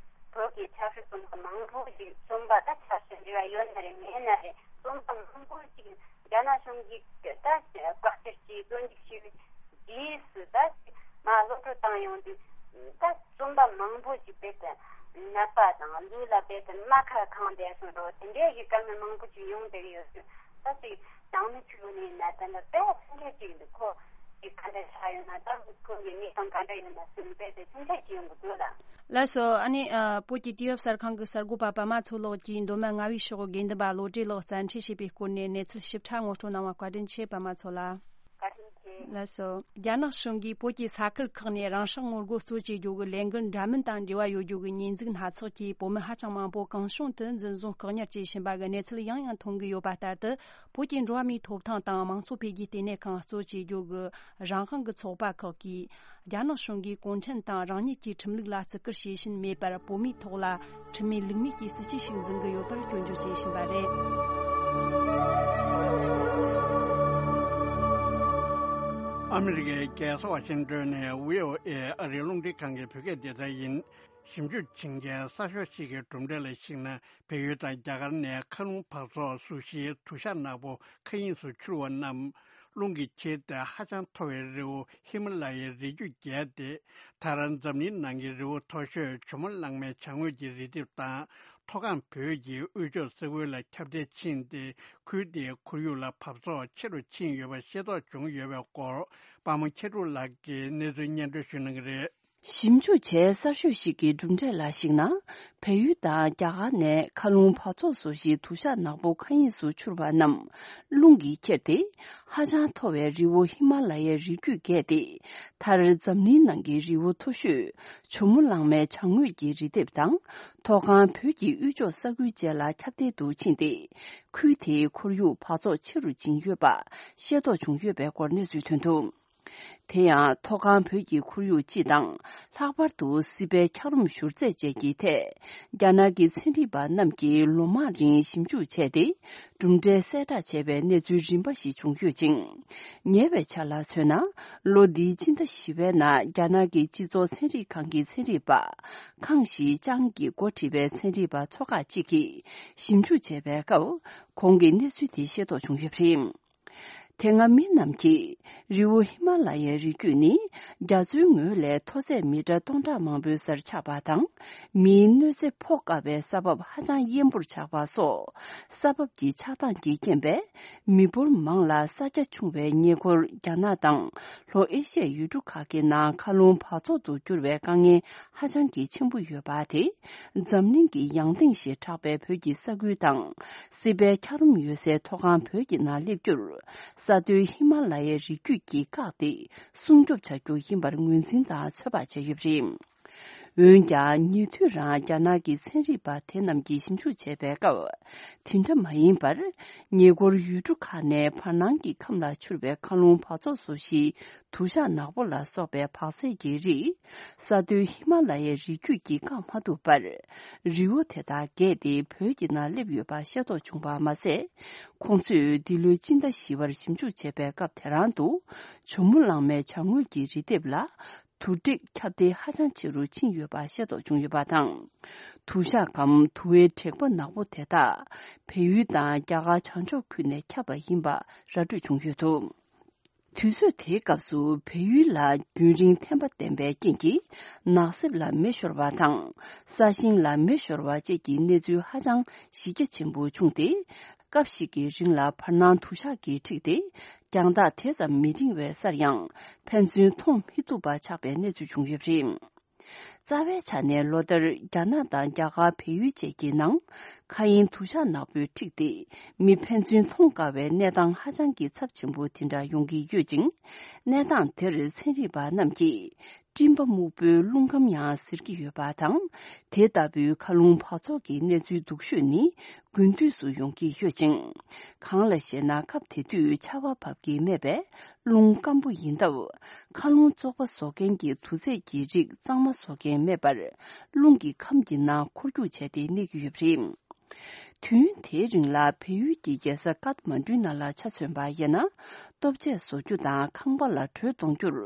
བོད་ཀྱི་ཆབ་སྲིད་བཙོན་པ་མང་པོ་ཞིག། བཙོན་པ་ད་ཆབ་སྲིད་འབྲེལ་བ་ཡོད་ན་རེད་མེད་ན་རེད། བཙོན་པ་མང་པོ་ཞིག་རྒྱ་ནག་གཞུང་གིས་ད་བཀག་སྐྱིལ་བྱས་བཙོན་འཇུག་བྱས་པའི་རྗེས་སུ་ད་མར་གློད་བཀྲོལ་བཏང་ཡོང་དུས། ད་བཙོན་པ་མང་པོ་ཞིག་རྦད་དེ་ནད་པ་དང་ལུས་ལ་རྦད་དེ་རྨ་ཁ་གང་བསྡད་སོང་འགྲོ། དེ་འདྲའི་གི་བཀའ་མོལ་མང་པོ་ཞིག་ཡོང་བསྡད་ཀྱི་ཡོད་ཚུལ། ད་ཅིག་ནང་མི་ཚོའི་ངོས་ནས་ན་ད་ལྟ་དཔེ་སེམས་ཁྲལ་ཅིག་འདུག་ཁོ་ཅིག་ག་འདྲ་ཆགས་ཡོད་ན། ད་ཁོང་གི་གནས་སྟངས་ག་འདྲ་ཡོད་ན་ཟེར་ནས་དཔེ་དེ་སེམས་ཁྲལ་ཅིག་ཡོང་གི་འདུག་ལ། ལགས་སོ། ཨ་ནི་ཨ། བོད་ཀྱི་དུས་བབ་གསར་ཁང་གི་གསར་འགོད་པ་པདྨ་མཚོ་ལགས་ཀྱིས་མདོ་སྨད་རྔ་བའི་ཕྱོགས་དགེ་འདུན་པ་བློ་གྲོས་ལགས་བཙན་ཁྲིད་བྱས་པའི་སྐོར་ནས་གནས་ཚུལ་ཞིབ་ཕྲ་ངོ་སྤྲོད་གནང་བར་བཀའ་དྲིན་ཆེ། པདྨ་མཚོ་ལགས། བཀའ་དྲིན་ཆེ། ལགས་སོ། རྒྱ་ནག་གཞུང་གིས་བོད་ཀྱི་ས་ཁུལ་ཁག་ནས་རང་སྲོག་ངོ་རྒོལ་གཙོ་བྱེད་རྒྱུ་གི་ལས་འགུལ་འདྲ་མིན་དང་འབྲེལ་བ་ཡོད་རྒྱུ་གི་ཉེས་འཛུགས་སྣ་ཚོགས་ཀྱིས་བོད་མི་ཧ་ཅང་མང་པོ་གང་བྱུང་དུ་འཛིན་བཟུང་བཀག་ཉར་བྱས་ཕྱིན་པ་གི་གནས་ཚུལ་ཡང་ཡང་ཐོན་གྱི་ཡོད་པ་ལྟར་དུ། བོད་ཀྱི་འགྲོ་བ་མིའི་ཐོབ་ཐང་དང་མང་གཙོ་འཕེལ་རྒྱས་ལྟེ་གནས་ཁང་གཙོ་བྱེད་རྒྱུ་གི་རང་དབང་གི་ཚོགས་པ་ཁག་གིས། རྒྱ་ནག་གཞུང་གིས་གུང་ཁྲན་ཏང་རང་ཉིད་ཀྱི་ཁྲིམས་ལུགས་ལ་བརྩི་བཀུར་བྱེད་བཞིན་མེད་པར། བོད་མིའི་ཐོག་ལ་ཁྲིམས་མེད་ལུགས་མེད་ཀྱི་སྲིད་བྱུས་ཤིག་འཛིན་གྱི་ཡོད་པར་སྐྱོན་བརྗོད་བྱེད་བཞིན་པ་རེད། ཨ་མི་རི་ཀའི་རྒྱལ་ས་ཝ་ཤིང་ཏོན་ནས་བྷི་ཨོ་ཨེ་ཨ་རིའི་རླུང་འཕྲིན་ཁང་གི་བོད་སྐད་སྡེ་ཚན་ཡིན། ཞིབ་འཇུག་བྱེད་མཁན་གསར་ཤོག་ཞིག་གི་གྲུབ་འབྲས་ལ་གཞིགས་ན། བལ་ཡུལ་དང་རྒྱ་གར་ནས་མཁའ་རླུང་འབག་བཙོག་གཟུགས་གཞིའི་དུ་ཞགས་ནག་པོ་མཁའ་དབྱིངས་སུ་འཕྱུར་བ་རྣམས། རླུང་གིས་ཁྱེར་ཏེ་ཧ་ཅང་མཐོ་བའི་རི་བོ་ཧི་མ་ལ་ཡའི་རི་རྒྱུད་བརྒལ་ཏེ། མཐར་འཛམ་གླིང་ནང་གི་རི་བོ་མཐོ་ཤོས་ཇོ་མོ་གླང་མའི་བྱང་ངོས་ཀྱི་རི་ལྡེབས་དང་། མཐོ་སྒང་བོད་ཀྱི་དབུས་ཕྱོགས་ས་ཁུལ་ལ་ཁྱབ་གདལ་ཕྱིན་ཏེ། ཁུལ་དེའི་ཁོར་ཡུག་ལ་འབག་བཙོག་ཆེ་རུ་ཕྱིན་ཡོད་པ་ཤེས་རྟོགས་བྱུང་ཡོད་པའི་སྐོར། པདྨ་མཁས་གྲུབ་ལགས་ཀྱིས་གནས་ཚུལ་སྙན་སྒྲོན་ཞུ་གནང་གི་རེད། ཞིབ་འཇུག་བྱས་གསར་ཤོས་ཤིག་གི་གྲུབ་འབྲས་ལ་གཞིགས་ན། བལ་ཡུལ་དང་རྒྱ་གར་ནས་མཁའ་རླུང་འབག་བཙོག་བཟོ་གཞིའི་དུ་ཞགས་ནག་པོ་མཁའ་དབྱིངས་སུ་འཕྱུར་བ་རྣམས། རླུང་གིས་ཁྱེར་ཏེ། ཧ་ཅང་མཐོ་བའི་རི་བོ་ཧི་མ་ལ་ཡའི་རི་རྒྱུད་བརྒལ་ཏེ། མཐར་འཛམ་གླིང་ནང་གི་རི་བོ་མཐོ་ཤོས་ཇོ་མོ་གླང་མའི་བྱང་ངོས་ཀྱི་རི་ལྡེབས་དང་། མཐོ་སྒང་བོད་ཀྱི་དབུས་ཕྱོགས་ས་ཁུལ་བཅས་ལ་ཁྱབ་གདལ་དུ་ཕྱིན་ཏེ། ཁུལ་དེའི་ཁོར་ཡུག་འབག་བཙོག་ཆེ་རུ་ཕྱིན་ཡོད་པ་ཤེས་རྟོགས་བྱུང་ཡོད་པའི་སྐོར་གནས་ཚུལ་ཐོན་འདུག། དེ་ཡང་མཐོ་སྒང་བོད་ཀྱི་ཁོར་ཡུག་སྤྱི་དང་། ལྷག་པར་དུ་སྲིད་པའི་འཁྱགས་རོམ་བཞུར་རྫས་བཅས་ཀྱི་ཐད། རྒྱ་ནག་གི་ཚན་རིག་པ་རྣམས་ཀྱིས་ལོ་མང་རིང་ཞིབ་འཇུག་བྱས་ཏེ། གྲུབ་འབྲས་གསལ་བསྒྲགས་བྱས་པའི་གནས་ཚུལ་རིམ་པ་ཞིག་བྱུང་ཡོད་ཅིང་། ཉེ་བའི་ཆར་ལ་མཚོན་ན། ལོ་འདིའི་སྤྱི་ཟླ་བཞི་པའི་ནང་རྒྱ་ནག་གི་སྤྱི་ཚོགས་ཚན་རིག་ཁང་གི་ཚན་རིག་པ། ཁང་ཞི་ཅང་གིས་འགོ་ཁྲིད་པའི་ཚན་རིག་པ་ཚོ་ཁག་ཅིག་གིས་ཞིབ་འཇུག་བྱས་པའི་སྐབས། ཁོང་གིས་གནས་ཚུལ་དེ་ཤེས་རྟོགས་བྱུང་ཡོད་པ་རེད། དེ་སྔ་མི་རྣམས་ཀྱིས་རི་བོ་ཧི་མ་ལ་ཡའི་རི་རྒྱུད་ནི་རྒྱ་མཚོའི་ངོས་ལས་མཐོ་ཚད་མི་ཊར་སྟོང་ཕྲག་མང་པོའི་སར་ཆགས་པ་དང་། མིའི་གནོད་འཚེ་ཕོག་དཀའ་བའི་ས་བབ་ཧ་ཅང་དབེན་པོར་ཆགས་པ་སོགས། ས་བབ་ཀྱི་ཆགས་སྟངས་ཀྱི་རྐྱེན་པས། མི་འབོར་མང་ལ་ས་རྒྱ་ཆུང་བའི་ཉེ་འཁོར་རྒྱ་ནག་དང་ལྷོ་ཨེ་ཤི་ཡའི་ཡུལ་གྲུ་ཁག་གི་ནང་མཁའ་རླུང་འབག་བཙོག་ཏུ་གྱུར་བའི་དཀའ་ངལ་ཧ་ཅང་གི་ཆེན་པོ་ཡོད་པ་དེ། འཛམ་གླིང་གི་ཡང་སྟེང་ཞེས་གྲགས་པའི་བོད་ཀྱི་ས་ཁུལ་དང་། སྲིད་པའི་འཁྱགས་རོམ་ཡོད་སའི་མཐོ་སྒང་བོད་ཀྱི་ནང་སླེབས་རྒྱུར། ས་མཐོའི་ཧི་མ་ལ་ཡའི་རི་རྒྱུད་ཀྱིས་བཀག་སྟེ། སྲུང་སྐྱོབ་བྱ་རྒྱུ་ཡིན་པར་ངོས་འཛིན་དང་ཚོད་དཔག་བྱས་ཡོད་པ་རེད། འོན་ཀྱང་། ཉེ་དུས་རང་རྒྱ་ནག་གི་ཚན་རིག་པ་དེ་རྣམས་ཀྱིས་ཞིབ་འཇུག་བྱས་པའི་སྐབས། དེ་འདྲ་མ་ཡིན་པར། ཉེ་འཁོར་ཡུལ་གྲུ་ཁག་ནས་བར་སྣང་གི་ཁམས་ལ་འཕྱུར་བའི་མཁའ་རླུང་འབག་བཙོག་བཟོ་གཞིའི་དུ་ཞགས་ནག་པོ་ལ་སོགས་པའི་འབག་རྫས་ཀྱི་རིགས། ས་མཐོའི་ཧི་མ་ལ་ཡའི་རི་རྒྱུད་ཀྱིས་བཀག་མ་ཐུབ་པར། རི་བོ་དེ་དག་བརྒལ་ཏེ་བོད་ཀྱི་ནང་སླེབས་ཡོད་པ་ཤེས་རྟོགས་བྱུང་བ་མ་ཟད། ཁོང་ཚོས་འདི་ལོའི་སྤྱི་ཟླ་བཞི་པར་ཞིབ་འཇུག་བྱས་པའི་སྐབས་དེ་རང་དུ། ཇོ་མོ་གླང་མའི་བྱང་ངོས་ཀྱི་རི་ལྡེབས་ལ། དུ་དྲེག་ཁྱབ་གདལ་ཧ་ཅང་ཆེ་རུ་ཕྱིན་ཡོད་པ་ཤེས་རྟོགས་བྱུང་ཡོད་པ་དང་། དུ་ཞགས་གམ་དུ་བའི་དྲེག་པ་ནག་པོ་དེ་དག་བལ་ཡུལ་དང་རྒྱ་གར་བྱང་ཕྱོགས་ཁུལ་ནས་ཁྱབ་པ་ཡིན་པ་ར་སྤྲོད་བྱུང་ཡོད་འདུག། དུས་ཚོད་དེའི་སྐབས་སུ་བལ་ཡུལ་ལ་རྒྱུན་རིང་ཐན་པ་ལྡན་པའི་རྐྱེན་གྱིས། ནགས་གསེབ་ལ་མེ་ཤོར་བ་དང་། ས་ཞིང་ལ་མེ་ཤོར་བ་བཅས་ཀྱི་གནས་ཚུལ་ཧ་ཅང་གཞི་རྒྱ་ཆེན་པོ་བྱུང་སྟེ། སྐབས་ཤིག་གི་རིང་ལ་བར་སྣང་དུ་ཞག་གིས་འཁྲིགས་ཏེ། རྒྱང་ཐག་དེ་ཙམ་མི་རིང་བའི་སར་ཡང་། ཕན་ཚུན་མཐོང་མི་ཐུབ་པ་ཆགས་པའི་གནས་ཚུལ་བྱུང་ཡོད་པ་རེད། རྩ་བའི་ཆ་ནས་ལོ་ལྟར་རྒྱ་ནག་དང་རྒྱ་གར་བལ་ཡུལ་བཅས་ཀྱི་ནང་། མཁའ་དབྱིངས་དུ་ཞག་ནག་པོས་འཁྲིགས་ཏེ། མི་ཕན་ཚུན་མཐོང་དཀའ་བའི་གནས་སྟངས་ཧ་ཅང་གི་ཚབས་ཆེན་པོ་དེ་འདྲ་ཡོང་གི་ཡོད་ཅིང་། གནས་སྟངས་དེར་ཚན་རིག་པ་རྣམས་ཀྱིས། སྤྲིན་པ་སྨུག་པོའི་རླུང་ཁམས་ཡང་ཟེར་གྱི་ཡོད་པ་དང་། དེ་ལྟ་བུའི་མཁའ་རླུང་འབག་བཙོག་གི་གནས་ཚུལ་སྡུག་ཤོས་ནི། དགུན་དུས་སུ་ཡོང་གི་ཡོད་ཅིང་། གང་ལ་ཞེ་ན། སྐབས་དེ་དུས་ཆར་པ་བབས་ཀྱི་མེད་པས། རླུང་སྐམ་པོ་ཡིན་སྟབས། མཁའ་རླུང་བཙོག་པ་བཟོ་མཁན་གྱི་དུག་རྫས་ཀྱི་རིགས་གཙང་མ་བཟོ་མཁན་མེད་པར། རླུང་གི་ཁམས་ཀྱི་ནང་འཁོར་རྒྱུག་བྱས་ཏེ་གནས་ཀྱི་ཡོད་པ་རེད། དུས་ཡུན་དེའི་རིང་ལ་བལ་ཡུལ་གྱི་རྒྱལ་ས་ཀཏ་མན་གྲུའི་ནང་ལ་ཆ་མཚོན་པ་ཡིན་ན། ལྟོ་ཆས་བཟོ་རྒྱུ་དང་ཁང་པ་ལ་དྲོད་གཏོང་རྒྱུར།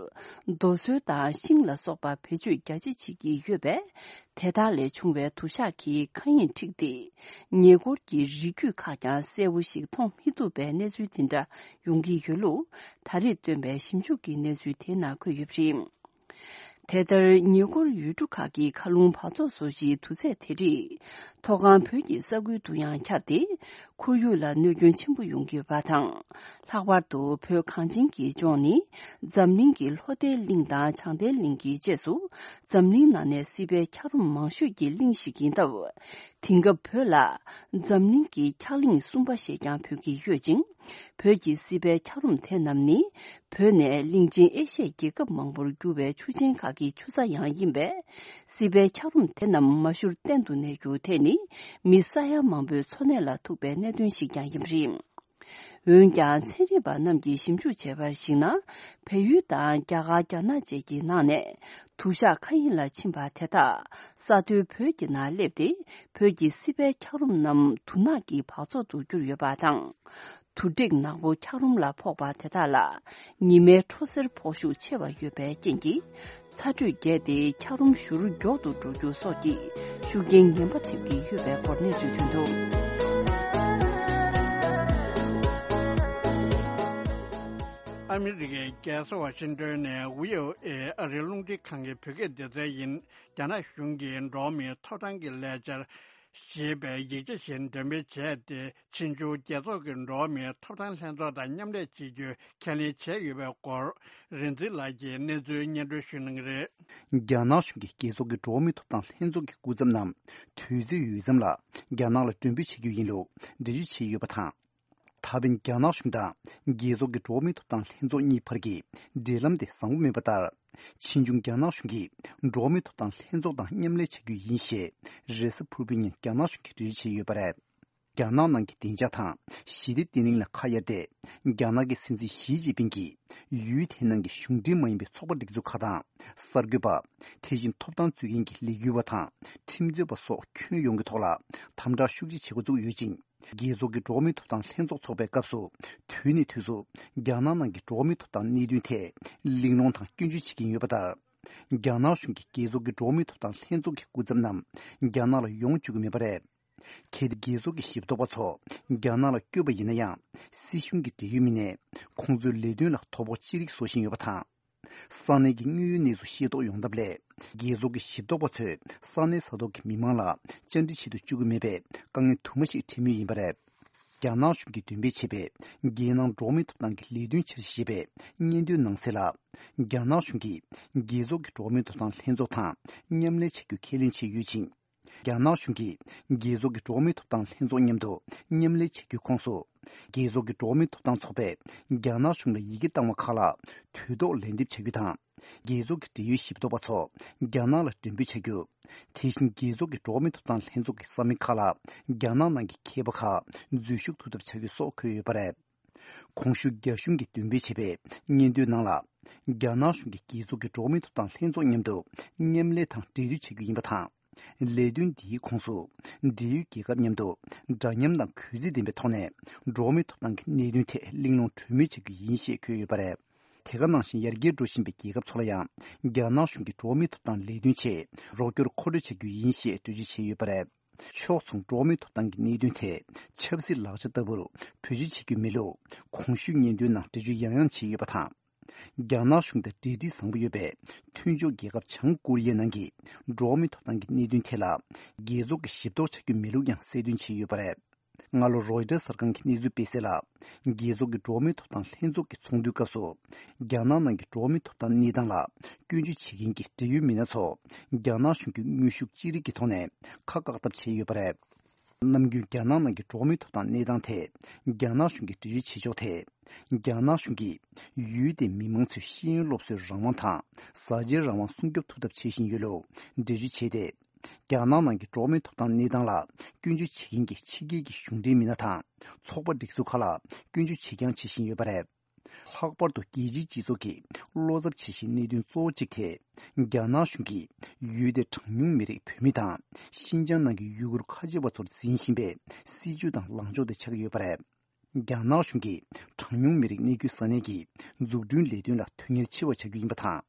རྡོ་སོལ་དང་ཤིང་ལ་སོགས་པ་བེད་སྤྱོད་རྒྱ་ཆེ་བྱེད་ཀྱི་ཡོད་པས། དེ་དག་ལས་བྱུང་བའི་དུ་ཞག་གིས་མཁའ་དབྱིངས་འཁྲིགས་ཏེ། ཉེ་འཁོར་གྱི་རི་རྒྱུད་ཁག་ཀྱང་གསལ་པོ་ཞིག་མཐོང་མི་ཐུབ་པའི་གནས་ཚུལ་དེ་འདྲ་ཡོང་གི་ཡོད་ལུགས། ད་རེས་བཏོན་པའི་ཞིབ་འཇུག་གི་གནས་ཚུལ་དེའི་ནང་འཁོད་ཡོད་པ་རེད། དེ་ལྟར་ཉེ་འཁོར་ཡུལ་གྲུ་ཁག་གི་མཁའ་རླུང་འབག་བཙོག་བཟོ་གཞིའི་དུག་རྫས་དེ་རིགས། མཐོ་སྒང་བོད་ཀྱི་ས་ཁུལ་དུ་ཡང་ཁྱབ་སྟེ། ཁོར་ཡུག་ལ་གནོད་སྐྱོན་ཆེན་པོ་ཡོང་གི་ཡོད་པ་དང་། ལྷག་པར་དུ་བོད་གངས་ཅན་གྱི་ལྗོངས་ནི། འཛམ་གླིང་གི་ལྷོ་མཐའི་གླིང་དང་བྱང་མཐའི་གླིང་གི་རྗེས་སུ། འཛམ་གླིང་ནང་ནས་སྲིད་པའི་འཁྱགས་རོམ་མང་ཤོས་ཀྱི་གླིང་ཞིག་ཡིན་སྟབས། དེང་སྐབས་བོད་ལ། འཛམ་གླིང་གི་འཁྱགས་གླིང་གསུམ་པ་ཞེས་ཀྱང་འབོད་ཀྱི་ཡོད་ཅིང་། བོད་ཀྱི་སྲིད་པའི་འཁྱགས་རོམ་དེ་རྣམས་ནི། བོད་ནས་གླིང་ཆེན་ཨེ་ཤི་ཡའི་རྒྱལ་ཁབ་མང་པོར་རྒྱུ་བའི་ཆུ་ཆེན་ཁག་གི་ཆུ་རྩ་ཡང་ཡིན་པས། སྲིད་པའི་འཁྱགས་རོམ་དེ་རྣམས་མ་ཞུར་གཏན་དུ་གནས་རྒྱུ་དེ་ནི། མི་ས་ཡ་མང་པོའི་འཚོ་གནས་ལ་ཐུག་པའི་གནད་དོན་ཞིག་ཀྱང་ཡིན་པ་རེད། འོན་ཀྱང་། ཚན་རིག་པ་རྣམས་ཀྱིས་ཞིབ་འཇུག་བྱས་པར་གཞིགས་ན། བལ་ཡུལ་དང་རྒྱ་གར། རྒྱ་ནག་བཅས་ཀྱི་ནང་ནས། དུ་ཞག་མཁའ་དབྱིངས་ལ་ཕྱིན་པ་དེ་དག་ས་མཐོའི་བོད་ཀྱི་ནང་སླེབས་ཏེ། བོད་ཀྱི་སྲིད་པའི་འཁྱགས་རོམ་རྣམས་དུ་ནག་གི་བག་ཚོགས་སུ་གྱུར་ཡོད་པ་དང་། དུ་དྲེག་ནག་པོ་འཁྱགས་རོམ་ལ་ཕོག་པ་དེ་དག་ལ། ཉི་མའི་འཕྲོ་སེར་ཕོག་ཤུགས་ཆེ་བ་ཡོད་པའི་རྐྱེན་གྱིས། ཚ་དྲོད་རྒྱས་ཏེ། འཁྱགས་རོམ་ཞུར་མགྱོགས་དུ་འགྲོ་རྒྱུ་སོགས་ཀྱི་ཤུགས་རྐྱེན་ངན་པ་ཐེབས་ཀྱི་ཡོད་པའི་སྐོར་གནས་ཚུལ་ཐོན་འདུག། ཨ་མི་རི་ཀའི་རྒྱལ་ས་ཝ་ཤིང་ཏོན་ནས་ཝི་ཨོ་ཨེ་ཨ་རིའི་རླུང་འཕྲིན་ཁང་གི་བོད་སྐད་སྡེ་ཚན་ཡིན། རྒྱ་ནག་གཞུང་གིས་འགྲོ་བ་མིའི་ཐོབ་ཐང་གི་ལས་འཆར་ཞེས་པའི་ཡིག་ཆ་ཞིག་འགྲེམས་སྤེལ་བྱས་ཏེ། ཕྱིས་འབྱུང་རྒྱལ་ཚོགས་ཀྱི་འགྲོ་བ་མིའི་ཐོབ་ཐང་ལྷན་ཚོགས་དང་མཉམ་ལས་བྱེད་རྒྱུའི་ཁས་ལེན་བྱས་ཡོད་པའི་སྐོར། རིག་འཛིན་ལགས་ཀྱིས་གནས་ཚུལ་སྙན་སྒྲོན་ཞུ་གནང་གི་རེད། རྒྱ་ནག་གཞུང་གིས་རྒྱལ་ཚོགས་ཀྱི་འགྲོ་བ་མིའི་ཐོབ་ཐང་ལྷན་ཚོགས་ཀྱི་སྐུ་ཚབ་རྣམས་དུས་ཚོད་ཡོལ་མཚམས་ལ་རྒྱ་ནག་ལ་མགྲོན་འབོད་བྱེད་རྒྱུ་ཡིན་ལུགས་འགྲེལ་བརྗོད་བྱས་ཡོད་པ་དང་། ད་ཕན་རྒྱ་ནག་གཞུང་དང་རྒྱལ་ཚོགས་ཀྱི་འགྲོ་བ་མིའི་ཐོབ་ཐང་ལྷན་ཚོགས་གཉིས་བར་གྱི་འབྲེལ་ལམ་དེ་བཟང་པོ་མེད་པ་ལྟར། ཕྱིས་འབྱུང་རྒྱ་ནག་གཞུང་གིས་འགྲོ་བ་མིའི་ཐོབ་ཐང་ལྷན་ཚོགས་དང་མཉམ་ལས་བྱ་རྒྱུ་ཡིན་ཞེས་རེས་གཟའ་ཕུར་བུའི་ཉིན་རྒྱ་ནག་གཞུང་གིས་འགྲེལ་བརྗོད་བྱས་ཡོད་པ་རེད། རྒྱ་ནག་ནང་གི་བདེ་འཇགས་དང་ཞི་བདེ་བརྟན་ལྷིང་ལ་ཁ་གཡར་ཏེ། རྒྱ་ནག་གི་སྲིད་འཛིན་ཞི་ཅིན་ཕིང་གིས་ཡུལ་དེའི་ནང་གི་གཞུང་འབྲེལ་མ་ཡིན་པའི་ཚོགས་པ་སྒྲིག་འཛུགས་ཁག་དང་། གསར་འགོད་པ། དེ་བཞིན་ཐོབ་ཐང་རྩོད་མཁན་གྱི་ལས་འགུལ་བ་དང་ཁྲིམས་རྩོད་པ་སོགས་ཁྱོན་ཡོངས་ཀྱི་ཐོག་ལ་དམ་དྲག་ཤུགས་ཆེ་བྱེད་འགོ་བཙུགས་ཡོད་ཅིང་། རྒྱལ་ཚོགས་ཀྱི་འགྲོ་བ་མིའི་ཐོབ་ཐང་ལྷན་ཚོགས་འཚོགས་པའི་སྐབས་སུ། དུས་ནས་དུས་སུ་རྒྱ་ནག་ནང་གི་འགྲོ་བ་མིའི་ཐོབ་ཐང་གནད་དོན་ཐད་གླེང་སློང་དང་སྐྱོན་བརྗོད་བྱེད་ཀྱིན་ཡོད་པ་ལྟར། རྒྱ་ནག་གཞུང་གིས་རྒྱལ་ཚོགས་ཀྱི་འགྲོ་བ་མིའི་ཐོབ་ཐང་ལྷན་ཚོགས་ཀྱི་སྐུ་ཚབ་རྣམས་རྒྱ་ནག་ལ་ཡོང་བཅུག་གི་མེད་པ་རེད། གལ་ཏེ་རྒྱལ་ཚོགས་ཀྱི་ཞིབ་འཚོགས་པ་ཚོ་རྒྱ་ནག་ལ་བསྐྱོད་པ་ཡིན་ན་ཡང་། སྲིད་གཞུང་གི་འབྲེལ་ཡོད་མི་སྣས་ཁོང་ཚོའི་ལས་དོན་ལ་དོ་ཕོག་ཅི་རིགས་བཟོ་བཞིན་ཡོད་པ་དང་། ས་གནས་ཀྱི་དངོས་ཡོད་གནས་ཚུལ་ཤེས་རྟོགས་ཡོང་ཐབས་སླད། རྒྱལ་ཚོགས་ཀྱི་ཞིབ་འཚོགས་པ་ཚོས་ས་གནས་ས་ཐོག་གི་མི་མང་ལ་བཅར་འདྲི་བྱེད་དུ་བཅུག་གི་མེད་པའི་དཀའ་ངལ་དུ་མ་ཞིག་འཕྲད་མུས་ཡིན་པ་རེད། རྒྱ་ནག་གཞུང་གིས་འདོན་སྤེལ་བྱས་པའི་རྒྱལ་ནང་འགྲོ་བ་མིའི་ཐོབ་ཐང་གི་ལས་དོན་འཆར་གཞི་ཞེས་པའི་སྙན་ཐོའི་ནང་གསལ་ལ། རྒྱ་ནག་གཞུང་གིས་རྒྱལ་ཚོགས་ཀྱི་འགྲོ་བ་མིའི་ཐོབ་ཐང་ལྷན་ཚོགས་དང་མཉམ་ལས་བྱ་རྒྱུ་ཁས་ལེན་བྱས་ཡོད་ཅིང་། རྒྱ་ནག་གཞུང་གིས་རྒྱལ་ཚོགས་ཀྱི་འགྲོ་བ་མིའི་ཐོབ་ཐང་ལྷན་ཚོགས་མཉམ་དུ་མཉམ་ལས་བྱ་རྒྱུའི་ཁོངས་སུ། རྒྱལ་ཚོགས་ཀྱི་འགྲོ་བ་མིའི་ཐོབ་ཐང་ཚོགས་པས་རྒྱ་ནག་གཞུང་ལ་ཡི་གེ་བཏང་བ་ཁག་ལ་དུས་ཐོག་ལན་འདེབས་བྱ་རྒྱུ་དང་། རྒྱལ་ཚོགས་ཀྱི་འབྲེལ་ཡོད་ཞིབ་འཚོགས་པ་ཚོ་རྒྱ་ནག་ལ་མགྲོན་འབོད་བྱ་རྒྱུ། དེ་བཞིན་རྒྱལ་ཚོགས་ཀྱི་འགྲོ་བ་མིའི་ཐོབ་ཐང་ལྷན་ཚོགས་ཀྱི་ས་མིག་ཁག་ལ་རྒྱ་ནག་ནང་གི་མཁས་པ་ཁག་འཛུལ་ཞུགས་ཐུབ་ཐབས་བྱ་རྒྱུ་སོགས་འཁོད་ཡོད་པ་རེད། གོང་ཞུས་རྒྱ་གཞུང་གིས་འདོན་སྤེལ་བྱས་པའི་སྙན་ཐོའི་ནང་ལ། རྒྱ་ནག་གཞུང་གིས་རྒྱལ་ཚོགས་ཀྱི་འགྲོ་བ་མིའི་ཐོབ་ཐང་ལྷན་ཚོགས་མཉམ་དུ་མཉམ་ལས་དང་འབྲེལ་མཐུད་བྱ་རྒྱུ་ཡིན་པ་དང་། ལས་དོན་འདིའི་ཁོངས་སུ་འབྲེལ་ཡོད་རྒྱལ་ཁབ་མཉམ་དུ་འདྲ་མཉམ་དང་གུས་བརྩི་ལྡན་པའི་ཐོག་ནས་འགྲོ་བ་མིའི་ཐོབ་ཐང་གི་གནད་དོན་ཐད་གླེང་སློང་གྲོས་མོལ་བྱ་རྒྱུ་ཡིན་ཞེས་འཁོད་ཡོད་པ་རེད། དེ་ག་ནང་བཞིན་ཡར་རྒྱས་འགྲོ་བཞིན་པའི་རྒྱལ་ཁབ་ཚོ་ལ་ཡང་རྒྱ་ནག་གཞུང་གིས་འགྲོ་བ་མིའི་ཐོབ་ཐང་ལས་དོན་ཆེད་རོགས་སྐྱོར་མཁོ་སྤྲོད་བྱ་རྒྱུ་ཡིན་ཞེས་གྲོས་ཆོད་བྱས་ཡོད་པ་རེད། ཕྱོགས་མཚུངས་འགྲོ་བ་མིའི་ཐོབ་ཐང་གི་གནད་དོན་ཐད་ཆབ་སྲིད་ལག་ཆ་ལྟ་བུར་བེད་སྤྱོད་བྱེད་རྒྱུ་མེད་ལུགས་གོང་ཞུས་སྙན་ཐོའི་ནང་འགྲེལ་བརྗོད་ཡང་ཡང་བྱས་ཡོད་པ་དང་། རྒྱ་ནག་གཞུང་དང་འབྲེལ་འདྲིས་བཟང་པོ་ཡོད་པའི་མཐུན་ཕྱོགས་རྒྱལ་ཁབ་བྱང་ཀོ་རི་ཡའི་ནང་གི་འགྲོ་བ་མིའི་ཐོབ་ཐང་གི་གནད་དོན་ཐད་ལ་རྒྱལ་ཚོགས་ཀྱིས་ཞིབ་རྟོག་བྱ་རྒྱུ་མེད་ལུགས་ཡང་གསལ་སྟོན་བྱས་ཡོད་པ་རེད། སྔ་ལོ་རོའི་ཊར་གསར་ཁང་གི་གནས་ཚུལ་སྤེལ་གསལ་ལ། རྒྱལ་ཚོགས་ཀྱི་འགྲོ་བ་མིའི་ཐོབ་ཐང་ལྷན་ཚོགས་ཀྱི་ཚོགས་འདུའི་སྐབས་སུ། རྒྱ་ནག་ནང་གི་འགྲོ་བ་མིའི་ཐོབ་ཐང་གནས་སྟངས་ལ་སྐྱོན་བརྗོད་བྱེད་མཁན་གྱི་འབྲེལ་ཡོད་མི་སྣ་ཚོ། རྒྱ་ནག་གཞུང་གི་དངོས་ཤུགས་ཅི་རིགས་ཀྱི་ཐོག་ནས་ཁ་བཀག་ཐབས་བྱས་ཡོད་པ་རེད། ནམ་རྒྱུན་རྒྱ་ནག་ནང་གི་འགྲོ་བ་མིའི་ཐོབ་ཐང་གནས་སྟངས་ཐད། རྒྱ་ནག་གཞུང་གིས་འགྲེལ་བརྗོད་བྱེད་ཕྱོགས་ཐད། རྒྱ་ནག་གཞུང་གིས་ཡུལ་དེའི་མི་མང་ཚོའི་ཤེས་ཡོན་སློབ་གསོའི་རང་དབང་དང་། ཟ་ཆའི་རང་དབང་སྲུང་སྐྱོབ་ཐུབ་ཐབས་བྱེད་བཞིན་ཡོད་ལུགས་འགྲེལ་བརྗོད་བྱས་ཏེ། རྒྱ་ནག་ནང་གི་འགྲོ་བ་མིའི་ཐོབ་ཐང་གནས་སྟངས་ལ་སྐྱོན་བརྗོད་བྱེད་མཁན་གྱི་ཕྱི་རྒྱལ་གྱི་གཞུང་འབྲེལ་མི་སྣ་དང་ཚོགས་པ་སྒྲིག་འཛུགས་ཁག་ལ་སྐྱོན་བརྗོད་བྱེད་རྐྱང་བྱེད་བཞིན་ཡོད་པ་རེད། ལྷག་པར་དུ་རྒྱལ་སྤྱིའི་སྤྱི་ཚོགས་ཀྱིས་བློ་འཚབ་བྱེད་བཞིན་གནད་དོན་གཙོ་བོ་གཅིག་དེ། རྒྱ་ནག་གཞུང་གིས་ཡུལ་དེའི་གྲངས་ཉུང་མི་རིགས་བོད་མི་དང་ཤིན་ཅང་ནང་གི་ཡུ་གུར་ཁ་ཆེ་བ་ཚོར་འཛིན་བཞིན་པའི་སྲིད་བྱུས་དང་ལངས་ཕྱོགས་དེ་ཆགས་ཀྱི་ཡོད་པ་རེད། རྒྱ་ནག་གཞུང་གིས་གྲངས་ཉུང་མི་རིགས་གནས་རྒྱུའི་ས་གནས་ཀྱི་འཛུགས་སྐྲུན་ལས་དོན་ལ་དོན་གཉེར་ཆེ་བ་བྱ་རྒྱུ་ཡིན་པ་དང་།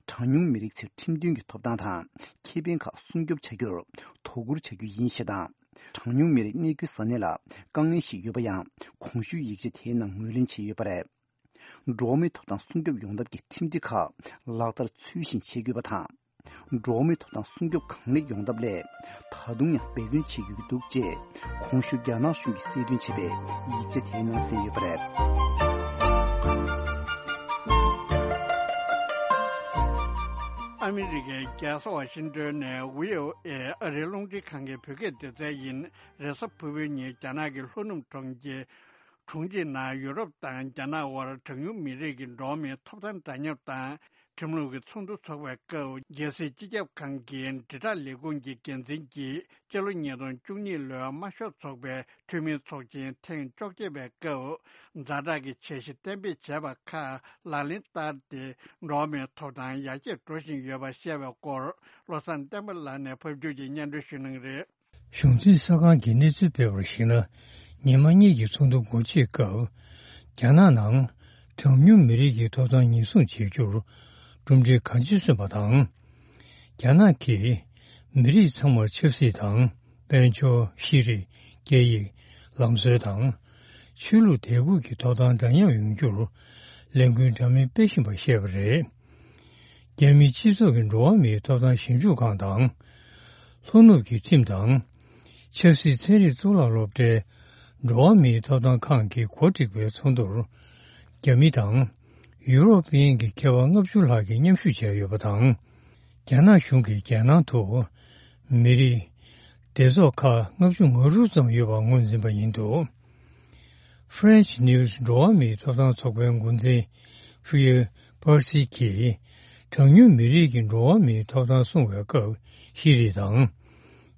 གྲངས་ཉུང་མི་རིགས་ཚོའི་ཁྲིམས་མཐུན་གྱི་ཐོབ་ཐང་དང་ཁེ་ཕན་ཁག་སྲུང་སྐྱོབ་བྱ་རྒྱུར་དོ་ཁུར་བྱ་རྒྱུ་ཡིན་ཞེས་དང་། གྲངས་ཉུང་མི་རིགས་གནས་རྒྱུའི་ས་གནས་ལ་དཀའ་ངལ་ཞིག་ཡོད་པ་ཡང་གོང་ཞུས་ཡིག་ཆ་དེའི་ནང་ངོས་ལེན་བྱས་ཡོད་པ་རེད། འགྲོ་བ་མིའི་ཐོབ་ཐང་སྲུང་སྐྱོབ་ཡོང་ཐབས་ཀྱི་ཁྲིམས་སྒྲིག་ཁག་ལག་བསྟར་ཚུལ་བཞིན་བྱེད་དགོས་པ་དང་། འགྲོ་བ་མིའི་ཐོབ་ཐང་སྲུང་སྐྱོབ་གང་ལེགས་ཡོང་ཐབས་སླད། ད་དུང་ཡང་འབད་བརྩོན་བྱེད་དགོས་ཀྱི་འདུག་ཅེས། གོང་ཞུས་རྒྱ་ནག་གཞུང་གིས་གསལ་སྟོན་བྱས་པའི་ཡིག་ཆ་དེའི་ནང་གསལ་ཡོད་པ་རེད། ཨ་མི་རི་ཀའི་རྒྱལ་ས་ཝ་ཤིང་ཏོན་ནས་ཝི་ཨོ་ཨེ་ཨ་རིའི་རླུང་འཕྲིན་ཁང་གི་བོད་སྐད་སྡེ་ཚན་ཡིན། རེས་གཟའ་ཕུར་བུའི་ཉིན་རྒྱ་ནག་གི་ལྷོ་ནུབ་གྲོང་ཁྱེར། གྲོང་ཁྱེར་ནང་ཡུ་རོབ་དང་རྒྱ་ནག་དབར་གྲངས་ཉུང་མི་རིགས་ཀྱི་འགྲོ་བ་མིའི་ཐོབ་ཐང་འདྲ་མཉམ་དང་ཁྲིམས་ལུགས་ཀྱི་ཚོགས་འདུ་འཚོགས་པའི་སྐབས། རྒྱལ་སྲིད་སྤྱི་ཁྱབ་ཁང་གི་དྲིལ་བསྒྲགས་ལས་ཁུངས་ཀྱི་འགན་འཛིན་གྱིས་སྤྱི་ལོ་ཉིས་སྟོང་བཅུ་གཉིས་ལོའི་དམར་ཤོག་ཚོགས་པའི་འཐུས་མིའི་ཚོགས་ཆེན་ཐེངས་བཅོ་བརྒྱད་པའི་སྐབས། ཛ་དྲག་གི་འཆར་གཞི་གཏན་འབེབས་བྱས་པ་ཁག་ལག་ལེན་བསྟར་ཏེ། འགྲོ་བ་མིའི་ཐོབ་ཐང་ཡར་རྒྱས་འགྲོ་བཞིན་ཡོད་པ་བཤད་པའི་སྐོར། བློ་བཟང་བསྟན་པ་ལགས་ནས་ཕབ་སྒྱུར་གྱིས་སྙན་སྒྲོན་ཞུ་གནང་གི་རེད། གཞུང་འཛིན་གསར་ཁང་གིས་གནས་ཚུལ་སྤེལ་བར་གཞིགས་ན། ཉི་མ་གཉིས་ཀྱི་ཚོགས་འདུ་སྒོ་ཕྱེ་སྐབས། རྒྱ་ནག་ནང་གྲངས་ཉུང་མི་རིགས་ཀྱི་ཐོབ་ཐང་ཉེན་སྲུང་བྱེད་རྒྱུར་གྲུབ་འབྲས་གང་ཅི་སོན་པ་དང་། རྒྱ་ནག་གིས་མི་རིགས་ཚང་མར་ཆབ་སྲིད་དང་། དཔལ་འབྱོར། ཤེས་རིག་སྐད་ཡིག་ལམ་སྲོལ་དང་། ཆོས་ལུགས་དད་གུས་ཀྱི་ཐོབ་ཐང་འདྲ་མཉམ་ཡོང་རྒྱུར་ལས་འགུལ་འདྲ་མིན་སྤེལ་བཞིན་པ་བཤད་པ་རེད། རྒྱ་མིའི་སྤྱི་ཚོགས་ཀྱི་འགྲོ་བ་མིའི་ཐོབ་ཐང་ཞིབ་འཇུག་ཁང་དང་། ལྷོ་ནུབ་ཀྱི་ཁྲིམས་དང་། ཆབ་སྲིད་ཚན་རིག་གཙུག་ལག་སློབ་གྲྭའི་འགྲོ་བ་མིའི་ཐོབ་ཐང་ཁང་གིས་གོ་སྒྲིག་པའི་ཚོགས་འདུར། རྒྱ་མི་དང་ཡུ་རོབ་པའི་གི་མཁས་པ་ལྔ་བཅུ་ལྷག་གིས་མཉམ་ཞུགས་བྱས་ཡོད་པ་དང་། རྒྱ་ནག་གཞུང་གིས་རྒྱལ་ནང་དུ་མི་རིགས་སྡེ་ཚོགས་ཁག་ལྔ་བཅུ་ང་དྲུག་ཙམ་ཡོད་པ་ངོས་འཛིན་པ་ཡིན་འདུག French News འགྲོ་བ་མིའི་ཐོབ་ཐང་ཚོགས་པའི་འགོ་འཛིན་ཕུ་ཡེ་པར་སི་གིས། གྲངས་ཉུང་མི་རིགས་ཀྱི་འགྲོ་བ་མིའི་ཐོབ་ཐང་སྲུང་བའི་སྐབས་ཤེས་རིག་དང་།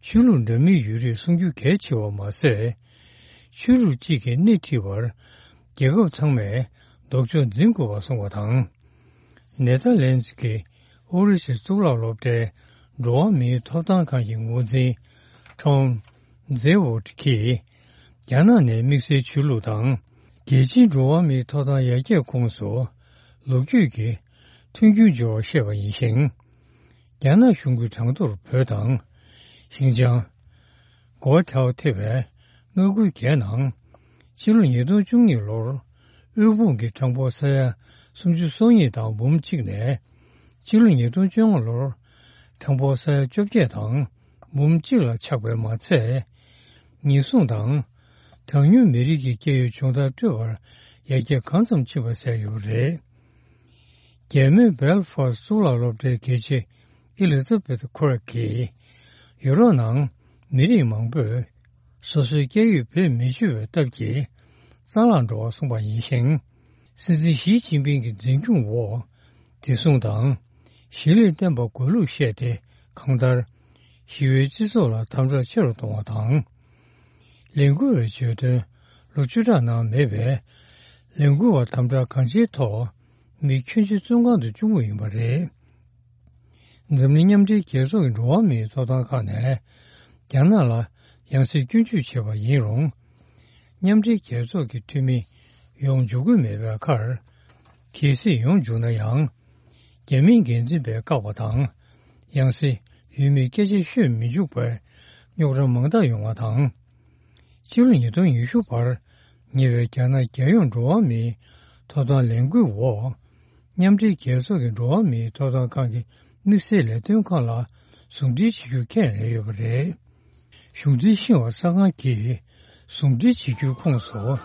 ཆོས་ལུགས་འདྲ་མིན་ཡོད་རིགས་སྲུང་རྒྱུ་གལ་ཆེ་བ་མ་ཟད། ཆོས་ལུགས་གཅིག་གིས་སྣེ་ཁྲིད་པར་རྒྱལ་ཁབ་ཚང་མས་ལྡོག་ཕྱོགས་འཛིན་དགོས་པ་གསུངས་པ་དང་། ནེ་ཐར་ལན་ཛི་གི་ཨོ་རི་སི་གཙུག་ལག་སློབ་གྲྭའི་འགྲོ་བ་མིའི་ཐོབ་ཐང་ཁང་གི་འགོ་འཛིན་ཁྲོང་ཛེ་ཝོ་ཊི་གིས། རྒྱ་ནག་ནས་དམིགས་བསལ་ཆོས་ལུགས་དང་། རྒྱལ་སྤྱིའི་འགྲོ་བ་མིའི་ཐོབ་ཐང་ཡར་རྒྱས་ཁོངས་སུ་ལོ་རྒྱུས་ཀྱི་མཐུན་འགྱུར་འབྱོར་བར་བཤད་པ་ཡིན་ཞིང་། རྒྱ་ནག་གཞུང་གིས་གྲངས་ཐོར་བོད་དང་། ཞིན་ཅང་། གོ་ཐའོ་ཐེ་བའི་མངའ་ཁུལ་བརྒྱད་ནང་། ཕྱི་ལོ་ཉིས་སྟོང་བཅུ་གཉིས་ལོར་དབུལ་ཕོངས་ཀྱི་གྲངས་འབོར་ས་ཡ་སུམ་ཅུ་སོ་གཉིས་དང་འབུམ་གཅིག་ནས། ཕྱི་ལོ་ཉིས་སྟོང་བཅོ་ལྔ་ལོར་གྲངས་འབོར་ས་ཡ་བཅོ་བརྒྱད་དང་འབུམ་གཅིག་ལ་ཆག་པས་མ་ཚད། ཉེན་སྲུང་དང་། གྲངས་ཉུང་མི་རིགས་ཀྱི་སྐྱེ་ཡུལ་སྦྱོང་བརྡར་སྤྲོད་པར་ཡར་རྒྱས་གང་ཙམ་ཕྱིན་པ་གསལ་ཡོད་པ་རེད། རྒྱལ་མོས་སྦེལ་ཧྥ་སི་གཙུག་ལག་སློབ་གྲྭའི་དགེ་ཆེ་ཨེ་ལི་ཛ་བེ་ཐི་ཁུ་རག་གིས། ཡུ་རོབ་ནང་མི་རིགས་མང་པོས་སོ་སོའི་སྐྱེ་ཡུལ་བེད་མི་སྤྱོད་པའི་སྟབས་ཀྱིས། རྩ་བརླག་འགྲོ་བ་གསུངས་པ་ཡིན་ཞིང་། སྲིད་འཛིན་ཞི་ཅིན་ཕིང་གི་འཛིན་སྐྱོང་འོག་བདེ་སྲུང་དང་། གཞིས་ལུས་བརྟན་པ་དགོས་ལུགས་བཤད་དེ་གང་ལྟར། ཞི་བའི་སྤྱི་ཚོགས་ལ་དམ་དྲག་ཆེ་རུ་གཏོང་བ་དང་། ལས་འགུལ་བའི་བརྗོད་དོན་ལོ་བཅུ་ཕྲག་ནང་མེད་པས། ལས་འགུལ་བ་དམ་དྲག་གང་ཆེའི་ཐོག་མི་ཁྱོན་ཆེ་བཙོན་ཁང་དུ་བཅུག་མུས་ཡིན་པ་རེད། འཛམ་གླིང་མཉམ་འབྲེལ་རྒྱལ་ཚོགས་ཀྱི་འགྲོ་བ་མིའི་ཐོབ་ཐང་ཁག་ནས་རྒྱ་ནག་ལ་ཡང་སེ་སྐྱོན་བརྗོད་བྱས་པ་ཡིན་རུང་། མཉམ་འབྲེལ་རྒྱལ་ཚོགས་ཀྱི་འཐུས་མི་ཡོང་འཇུག་གི་མེད་པའི་ཁར། གལ་སྲིད་ཡོང་འཇུག་ན་ཡང་། རྒྱ་མིའི་འགན་འཛིན་པས་བཀག་པ་དང་། ཡང་སེ་ཡུལ་མིའི་སྐད་ཆ་ཤོད་མི་འཇུག་པའི་རྙོག་དྲ་མང་དག་ཡོང་བ་དང་། ཕྱི་ལོ་ཉིས་སྟོང་ཉི་ཤུ་བར་ཉེ་བའི་རྒྱ་ནག་རྒྱལ་ཡོངས་འགྲོ་བ་མིའི་ཐོབ་ཐང་ལས་འགུལ་འོག་མཉམ་འབྲེལ་རྒྱལ་ཚོགས་ཀྱི་འགྲོ་བ་མིའི་ཐོབ་ཐང་ཁང་གི་དམིགས་བསལ་ལས་དོན་ཁང་ལ་ཟུང་འབྲེལ་བྱེད་རྒྱུ་ཁས་ལེན་ཡོད་པ་རེད། གཞུང་འཛིན་ཤིན་ཧྭ་གསར་ཁང་གིས་ཟུང་འབྲེལ་བྱེད་རྒྱུའི་ཁོངས་སུ།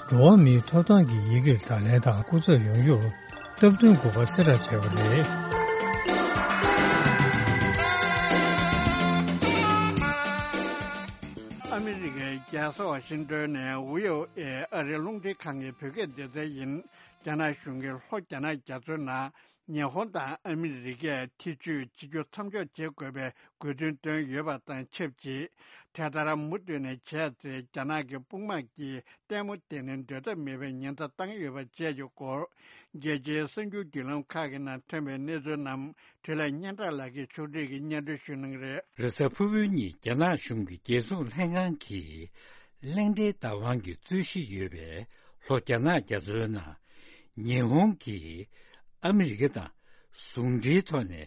འགྲོ་བ་མིའི་ཐོབ་ཐང་གི་ཡི་གེར་བརྡ་ལན་དང་སྐུ་ཚབ་ཡོང་རྒྱུར་སྟབས་བསྟུན་དགོས་པ་གསལ་བསྒྲགས་བྱས་པ་རེད། ཨ་མི་རི་ཀའི་རྒྱལ་ས་ཝ་ཤིང་ཏོན་ནས་ཝི་ཨོ་ཨེ་ཨ་རིའི་རླུང་འཕྲིན་ཁང་གི་བོད་སྐད་སྡེ་ཚན་ཡིན། རྒྱ་ནག་གཞུང་གིས་ལྷོ་རྒྱ་ནག་རྒྱ་མཚོའི་ནང་ཉི་ཧོང་དང་ཨ་མི་རི་ཀས་ཐེ་བྱུས་བྱེད་རྒྱུ་མཚམས་འཇོག་བྱེད་དགོས་པའི་དགོས་འདུན་བཏོན་ཡོད་པ་དང་ཆབས་ཅིག་དེ་ལྟར་མུ་མཐུད་ནས་བྱས་ཚེ། རྒྱ་ནག་གི་དཔུང་དམག་གིས་ལྟད་མོ་བལྟས་ནས་སྡོད་ཐབས་མེད་པའི་ཉེན་བརྡ་བཏང་ཡོད་པ་བཅས་ཀྱི་སྐོར། རྒྱལ་སྤྱིའི་གསར་འགྱུར་བརྒྱུད་ལམ་ཁག་གི་ནང་ཐོན་པའི་གནས་ཚུལ་རྣམས་འཕྲིན་ལས་སྙན་གྲགས་ལགས་ཀྱིས་ཕྱོགས་སྒྲིག་གིས་སྙན་སྒྲོན་ཞུ་གནང་གི་རེད། རེས་གཟའ་ཕུར་བུའི་ཉིན་རྒྱ་ནག་གཞུང་གི་རྒྱལ་སྲུང་ལྷན་ཁང་གིས། གླེང་སྟེགས་བདག་དབང་གིས་རྩོད་གཞི་ཡོད་པའི་ལྷོ་རྒྱ་ནག་རྒྱ་མཚོའི་ནང་། ཉི་ཧོང་གིས་ཨ་མི་རི་ཀ་དང་ཟུང་འབྲེལ་ཐོག་ནས་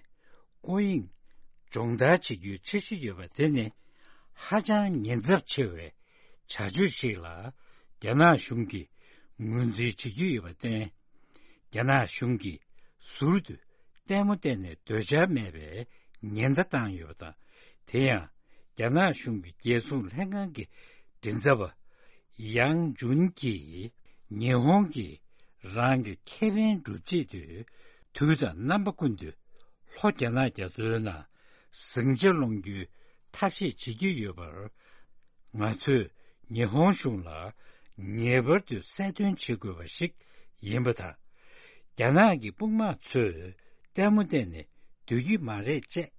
སྐོར་གཡེང་སྦྱོང་བརྡར་བྱེད་རྒྱུའི་འཆར་གཞི་ཡོད་པ་དེ་ནི་ཧ་ཅང་ཉེན་ཚབས་ཆེ་བའི་བྱ་སྤྱོད་ཞིག་ལ་རྒྱ་ནག་གཞུང་གིས་ངོས་འཛིན་བྱེད་ཀྱི་ཡོད་པར་བརྟེན། རྒྱ་ནག་གཞུང་གིས་ཟུར་དུ་ལྟད་མོ་བལྟས་ནས་སྡོད་འཆར་མེད་པའི་ཉེན་བརྡ་བཏང་ཡོད་པ་དང་། དེ་ཡང་རྒྱ་ནག་གཞུང་གི་རྒྱལ་སྲུང་ལྷན་ཁང་གི་མགྲིན་ཚབ་པ་ཡང་ཇུན་གྱིས། ཉི་ཧོང་གིས་རང་གི་ཁེ་ཕན་སྒྲུབ་ཆེད་དུ་དུས་དང་རྣམ་པ་ཀུན་ཏུ་ལྷོ་རྒྱ་ནག་རྒྱ་མཚོའི་ནང་ཟིང་ཆ་སློང་རྒྱུའི་ཐབས་ཤེས་བྱེད་ཀྱི་ཡོད་པར། ང་ཚོས་ཉི་ཧོང་གཞུང་ལ་ ངེས་པར་དུ་གསལ་སྟོན་བྱེད་དགོས་པ་ཞིག་ཡིན་པ་དང་། རྒྱ་ནག་གི་དཔུང་དམག་ཚོས་ལྟད་མོ་བལྟས་ནས་སྡོད་ཀྱི་མ་རེད་ཅེས་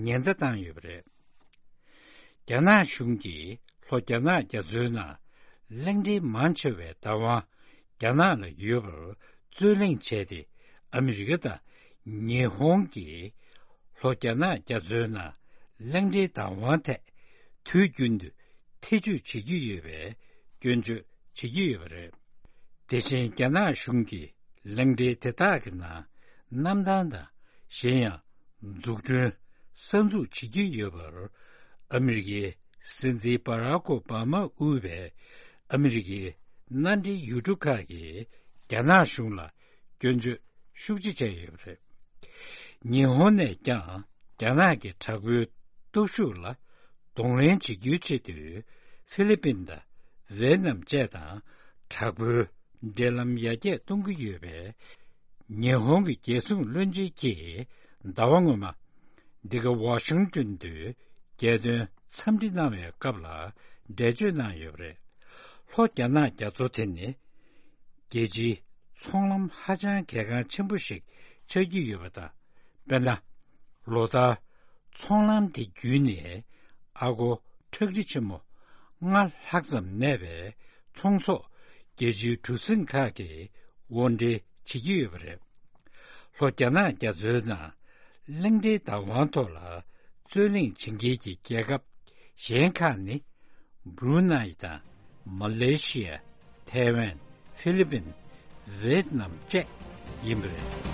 ཉེན་བརྡ་བཏང་ཡོད་པ་རེད། རྒྱ་ནག་གཞུང་གིས་ལྷོ་རྒྱ་ནག་རྒྱ་མཚོའི་ནང་གླིང་ཕྲན་མང་ཆེ་བའི་བདག་དབང་རྒྱ་ནག་ལ་ཡོད་པར་རྩོད་གླེང་བྱས་ཏེ། ཨ་མི་རི་ཀ་དང་ཉི་ཧོང་གིས་ལྷོ་རྒྱ་ནག་རྒྱ་མཚོའི་ནང་གླིང་ཕྲན་བདག་དབང་ཐད་དུས་རྒྱུན་དུ་ཐེ་བྱུས་བྱེད་ཀྱི་ཡོད་པའི་སྐྱོན་བརྗོད་བྱེད་ཀྱི་ཡོད་པ་རེད། དེ་བཞིན་རྒྱ་ནག་གཞུང་གིས་གླིང་ཕྲན་དེ་དག་གི་ནང་གནམ་ཐང་དང་གཞན་ཡང་འཛུགས་སྐྲུན་གསར་འཛུགས་བྱེད་ཀྱི་ཡོད་པར། ཨ་མི་རི་ཀའི་སྲིད་འཛིན་བྷ་རག་ཨོ་བྷ་མ་དབུས་པའི་ཨ་མི་རི་ཀའི་མནའ་འབྲེལ་ཡུལ་གྲུ་ཁག་གིས་རྒྱ་ནག་གཞུང་ལ་སྐྱོན་བརྗོད་ཤུགས་ཆེ་བྱས་ཡོད་པ་རེད། ཉི་ཧོང་ནས་ཀྱང་རྒྱ་ནག་གི་དྲག་པོའི་སྟོབས་ཤུགས་ལ་གདོང་ལེན་བྱེད་རྒྱུའི་ཆེད་དུ་ཧྥི་ལི་པིན་དང་ཝེ་ནམ་བཅས་དང་དྲག་པོའི་འབྲེལ་ལམ་ཡར་རྒྱས་གཏོང་གི་ཡོད་པས། ཉི་ཧོང་གི་རྒྱལ་སྲུང་བློན་ཆེན་གྱིས་ཟླ་བ་སྔོན་མ་འདི་ག་ཝ་ཤིང་ཏོན་དུ་རྒྱལ་དོན་འཚམས་འདྲི་གནང་བའི་སྐབས་ལ་འགྲེལ་བརྗོད་གནང་ཡོད་པ་རེད། ལྷོ་རྒྱ་ནག་རྒྱ་མཚོ་དེ་ནི་རྒྱལ་སྤྱིའི་ཚོང་ལམ་ཧ་ཅང་གལ་འགངས་ཆེན་པོ་ཞིག་ཆགས་ཀྱི་ཡོད་པ་དང་། དཔེར་ན། ལོ་ལྟར་ཚོང་ལམ་དེ་བརྒྱུད་ནས་ཨ་སྒོར་ཁྲག་ཁྲིག་ཆེན་མོ་ལྔ་ལྷག་ཙམ་གནས་པའི་ཚོང་ཟོག་རྒྱལ་སྤྱིའི་གྲུ་གཟིངས་ཁག་གིས་དབོར་འདྲེན་བྱེད་ཀྱི་ཡོད་པ་རེད། ལྷོ་རྒྱ་ནག་རྒྱ་མཚོའི་ནང་གླིང་ཕྲན་བདག་དབང་ཐོག་ལ་རྩོད་གླེང་བྱེད་མཁན་གྱི་རྒྱལ་ཁབ་གཞན་ཁག་ནི། བྷུ་རུ་ནཱི་དང་མ་ལེ་ཤི་ཡ། ཐའེ་ཝན། ཧྥི་ལི་པིན། ཝེད་ནམ་བཅས་ཡིན་པ་རེད།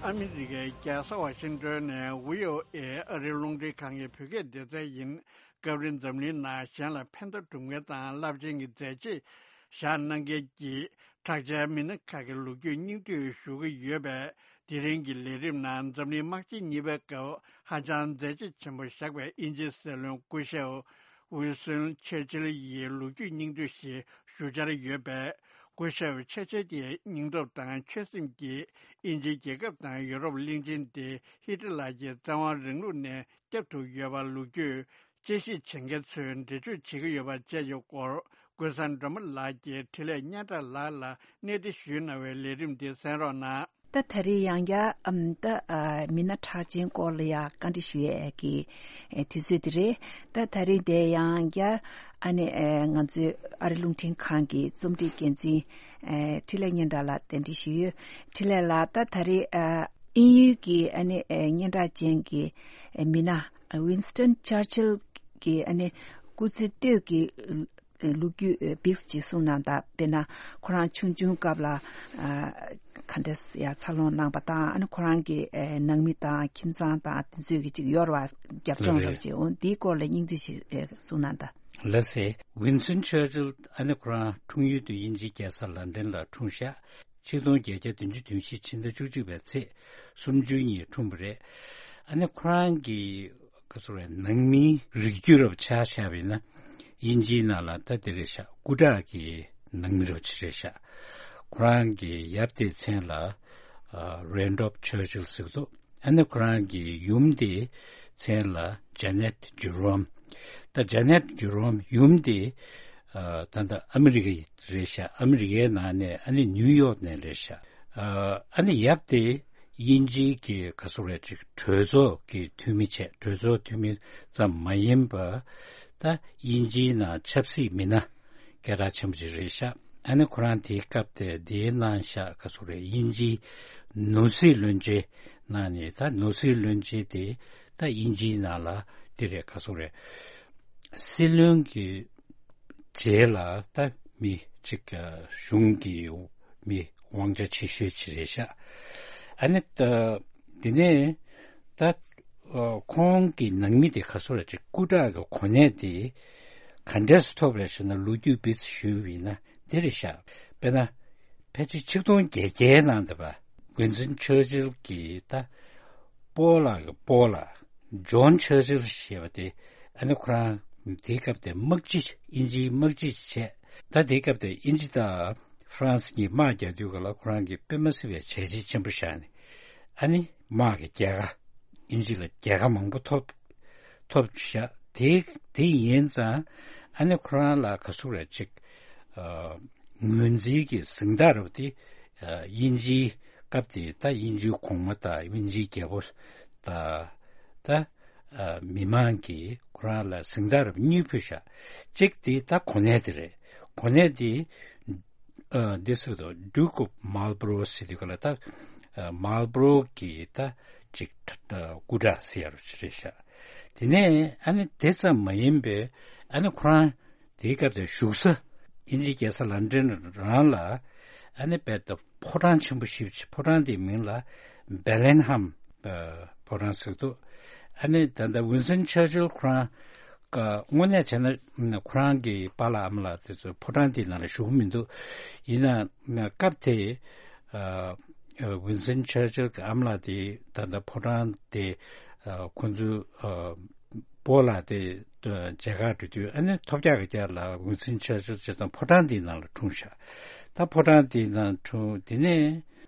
ཨ་མི་རི་ཀའི་རྒྱལ་ས་ཝ་ཤིང་ཏོན་ནས་ཝི་ཨོ་ཨེ་ཨ་རིའི་རླུང་འཕྲིན་ཁང་གི་བོད་སྐད་སྡེ་ཚན་ཡིན། སྐབས་རེ་འཛམ་གླིང་ནང་གཞན་ལ་ཕན་ཐོགས་སྒྲུབ་མཁན་དང་རླབས་ཆེན་གྱི་མཛད་རྗེས་བཞག་གནང་མཁན་གྱི་གྲགས་ཅན་མི་སྣ་ཁག་གི་ལོ་རྒྱུས་སྙིང་བསྡུས་ཞུ་གི་ཡོད་པས། དེ་རིང་གི་ལས་རིམ་ནང་འཛམ་གླིང་དམག་ཆེན་གཉིས་པའི་སྐབས་ཧ་ཅང་མཛད་རྗེས་ཆེན་པོ་བཞག་པའི་དབྱིན་ཇིའི་སྲིད་བློན་སྐུ་ཞབས་ཝིན་སྟོན་ཆར་ཆིལ་ཡི་ལོ་རྒྱུས་སྙིང་བསྡུས་ཤིག་ཞུ་འཆར་ཡོད་པས། སྐུ་ཞབས་ཆར་ཆིལ་གྱི་སྙིང་སྟོབས་དང་ཆོད་སེམས་ཀྱིས་དབྱིན་ཇིའི་རྒྱལ་ཁབ་དང་ཡུ་རོབ་གླིང་ཆེན་དེ་ཧི་ཊི་ལར་གྱི་བཙན་དབང་རིང་ལུགས་ནས་བསྐྱབས་ཐུབ་ཡོད་པ་ལོ་རྒྱུས། དཔྱད་ཞིབ་བྱེད་མཁན་ཚོས་འགྲེལ་བརྗོད་བྱེད་ཀྱི་ཡོད་པ་བཅས་ཀྱི་སྐོར། ཀུན་བཟང་སྒྲོལ་མ་ལགས་ཀྱིས་འཕྲིན་ལས་སྙན་གྲགས་ལགས་ལ་གནས་འདྲི་ཞུས་གནང་བའི་ལས་རིམ་འདི་གསན་རོགས་གནང་། ད་ད་རེས་ཡང་བསྐྱར་ཨམ་ད་ཨ་མི་སྣ་གྲགས་ཅན་སྐོར་ལ་ཡང་བཀའ་འདྲི་ཞུ་ཡས་ཀྱི་ཨེ་དུས་ཚོད་འདི་རེད། ད་ད་རེས་འདི་ཡང་བསྐྱར་ཨ་ནི་ཨེ་ང་ཚོའི་ཨ་རི་རླུང་འཕྲིན་ཁང་གི་རྩོམ་སྒྲིག་འགན་འཛིན་ཨེ་འཕྲིན་ལས་སྙན་གྲགས་ལགས་གདན་འདྲེན་ཞུས་ཡོད། འཕྲིན་ལས་ལགས། ད་ད་རེས་ཨ་དབྱིན་ཡུལ་གྱི་ཨ་ནི་ཨེ་སྙན་གྲགས་ཅན་གྱི་ཨེ་མི་སྣ། ཝིན་སྟོན་ཆར་ཆིལ་གྱི་ཨ་ནི་སྐུ་ཚེ་སྟོད་ཀྱི་ལོ་རྒྱུས་བིག་ཅིག་གསུངས་གནང་དང་། དཔེར་ན་ཁོ་རང་ཆུང་ཆུང་སྐབས་ལ་ཨ་ག་འདྲ་ཡ་འཚར་ལོངས་གནང་པ་དང་། ཨ་ནི་ཁོ་རང་གི་ཨ་ནང་མི་དང་ཁྱིམ་ཚང་དང་དེ་ཚོས་ཀྱི་ཅིག་ཡོད་རེད་བ། རྒྱབ་ལྗོངས་རེད། རེད་ཅིག་འོང་། འདིའི་སྐོར་ལ་སྙིང་བསྡུས་ཤིག་ཨ་གསུངས་གནང་དང་། ལགས་སེ། ཝིན་སྟོན་ཆར་ཆིལ་ཨ་ནི་ཁོ་རང་འཁྲུངས་ཡུལ་དུ་དབྱིན་ཇིའི་རྒྱལ་ས་ལན་ཌན་ལ་འཁྲུངས་ཤག་ཆིག་སྟོང་བརྒྱད་བརྒྱ་བདུན་ཅུ་དོན་བཞི་ཕྱི་ཟླ་བཅུ་གཅིག་པའི་ཚེས་སུམ་ཅུ་ཉིན་འཁྲུངས་པ་རེད། ཨ་ནི་ཁོ་རང་གི་ག་ཟེར་རེད། ནང་མིའི་རིགས་རྒྱུད་རབ་ཆ་བཞག་པ་ཡིན་ན་དབྱིན་ཇིའི་ནང་ལ་ད་དེ་རེད་ཤག་སྐུ་དྲག་གི་ནང་མི་རབ་ཆེ་རེད་ཤག་ཁོ་རང་གི་ཡབ་དེའི་མཚན་ལ་རེན་ཌོབ་ཆར་ཆིལ་ཟེར་གི་འདུག་ཨ་ནི་ཁོ་རང་གི་ཡུམ་དེའི་མཚན་ལ་ཇ་ནེད་ཇེ་རོམ། ད་ཇ་ནེད་ཇེ་རོམ་ཡུམ་དེ་ཨ་ད་ལྟ་ཨ་མི་རི་ཀ་རེད་ཤག་ཨ་མི་རི་ཀའི་ནང་ནས་ཨ་ནི་ནིའུ་ཡོག་ནས་རེད་ཤག་ཨ་ནི་ཡབ་དེ་དབྱིན་ཇིའི་གི་ག་ཟེར་རེད། ཅིག་གྲོས་ཚོགས་ཀྱི་འཐུས་མི་བྱས། གྲོས་ཚོགས་འཐུས་མི་ཙམ་མ་ཡིན་པ་ད་དབྱིན་ཇིའི་ནང་ཆབ་སྲིད་མི་སྣ་སྐད་གྲགས་ཆེན་པོ་ཅིག་རེད་ཤག་ཨ་ནི་ཁོ་རང་དེའི་སྐབས་དེ་དེའི་ནང་ཤག་ག་ཟེར་རེད། དབྱིན་ཇིའི་ནོར་སྲིད་བློན་ཆེན་ནང་ནས་ད་ནོར་སྲིད་བློན་ཆེན་དེ་ད་དབྱིན་ཇིའི་ནང་ལ་དེ་རེད། ག་ཟེར་རེད། སྲིད་བློན་གྱི་རྗེས་ལ་ད་མི་གཅིག་གཞུང་གི་མི་དབང་ཆ་ཆེ་ཤོས་ཅིག་རེད་ཤག་ཨ་ནི་ད་དེ་ནས་ད་ཁོང་གི་ནང་མི་དེ་ག་ཟེར་རེད། ཅིག་སྐུ་དྲག་གི་གོ་གནས་དེ་ག་འདྲས་སུ་ཐོབ་རེད་ཟེར་ན། ལོ་རྒྱུས་བིག་ཅིག་ཞུས་པ་ཡིན་ན་འདི་རེད་ཤག་དཔེར་ན་ཕལ་ཆེར་ཆིག་སྟོང་བརྒྱད་བརྒྱའི་ནང་དུ་བ་ཝིན་སྟོན་ཆར་ཆིལ་གྱི་ད་སྤོ་ལགས་ཀྱི་སྤོ་ལགས་ཇོན་ཆར་ཆིལ་ཞེས་པ་དེ། ཨ་ནི་ཁོ་རང་དེའི་སྐབས་དེ་དམག་སྤྱི། དབྱིན་ཇིའི་དམག་སྤྱི་བྱས། ད་དེའི་སྐབས་དེ་དབྱིན་ཇི་དང་ཧྥ་རན་སི་གཉིས་དམག་རྒྱག་དུས་སྐབས་ལ་ཁོ་རང་གིས་དཔེ་མ་སྲིད་པའི་བྱས་རྗེས་ཆེན་པོ་བཞག་ནས། ཨ་ནི་དམག་གི་རྒྱལ་ཁ། དབྱིན་ཇི་ལ་རྒྱལ་ཁ་མང་པོ་ཐོབ། ཐོབ་བཞག་དེ་དེ་ཡིན་ཙང་ཨ་ནི་ཁོ་རང་ལ་ག་ཟེར་རེད་ཅིག་ཨ་ངོས་འཛིན་གྱི་གཟེངས་རྟགས་རེད་པ། དེ་ཨ་དབྱིན་ཇིའི་སྐབས་དེ་ད་དབྱིན་ཇིའི་གོང་མ་དང་དབྱིན་ཇིའི་རྒྱལ་པོ་དང་ད་ཨ་མི་མང་གིས་ཁོ་རང་ལ་གཟེངས་རྟགས་རེད་པ་གཉིས་ཕུལ་བཞག་གཅིག་དེ་ད་གོ་གནས་དེ་རེད། གོ་གནས་དེ་ཨ་འདི་ཟེར་དུས་Duke of Marlborough ཟེར་དུས་ག་ལ་ད་ཨ་Marlborough གི་ད་ཅིག་ཨ་སྐུ་དྲག་ཟེར་ཡ་རུ་ཅིག་རེད་ཤག་དེ་ནས་ཨ་ནི་དེ་ཙམ་མ་ཡིན་པའི་ཨ་ནི་ཁོ་རང་དེའི་སྐབས་དེ་བཞུགས་ས་དབྱིན་ཇིའི་རྒྱལ་ས་ལན་ཌན་རང་ལ་ཨ་ནི་རྦད་དེ་ཕོ་བྲང་ཆེན་པོ་ཞིག་ཕོ་བྲང་དེའི་མིང་ལ་Bellingham ཨ་ཕོ་བྲང་ཟེར་འདུག་ཨ་ནི་ད་ལྟ་ཝིན་སྟོན་ཆར་ཆིལ་ཁོ་རང་ཀ་དངོས་གནས་བྱས་ན་ཁོ་རང་གི་པཱ་ལགས་ཨ་མ་ལགས་དེ་ཚོ་ཕོ་བྲང་དེའི་ནང་ལ་བཞུགས་མི་འདུག་ཡིན་ན་སྐབས་དེ་ཨ་ཝིན་སྟོན་ཆར་ཆིལ་གྱི་ཨ་མ་ལགས་དེ་ད་ལྟ་ཕོ་བྲང་དེ་ཨ་ཁོ་ཚོའི་ཨ་སྤོ་ལགས་དེ་མཇལ་ཁ་འགྲོ་དུས་ཨ་ནི་ཐོབ་རྒྱག་གི་རྒྱག་ལ་ཝིན་སྟོན་ཆར་ཆིལ་བྱས་ཙང་ཕོ་བྲང་དེའི་ནང་ལ་འཁྲུངས་ཤག་ད་ཕོ་བྲང་དེའི་ནང་འཁྲུངས་དེ་ནས་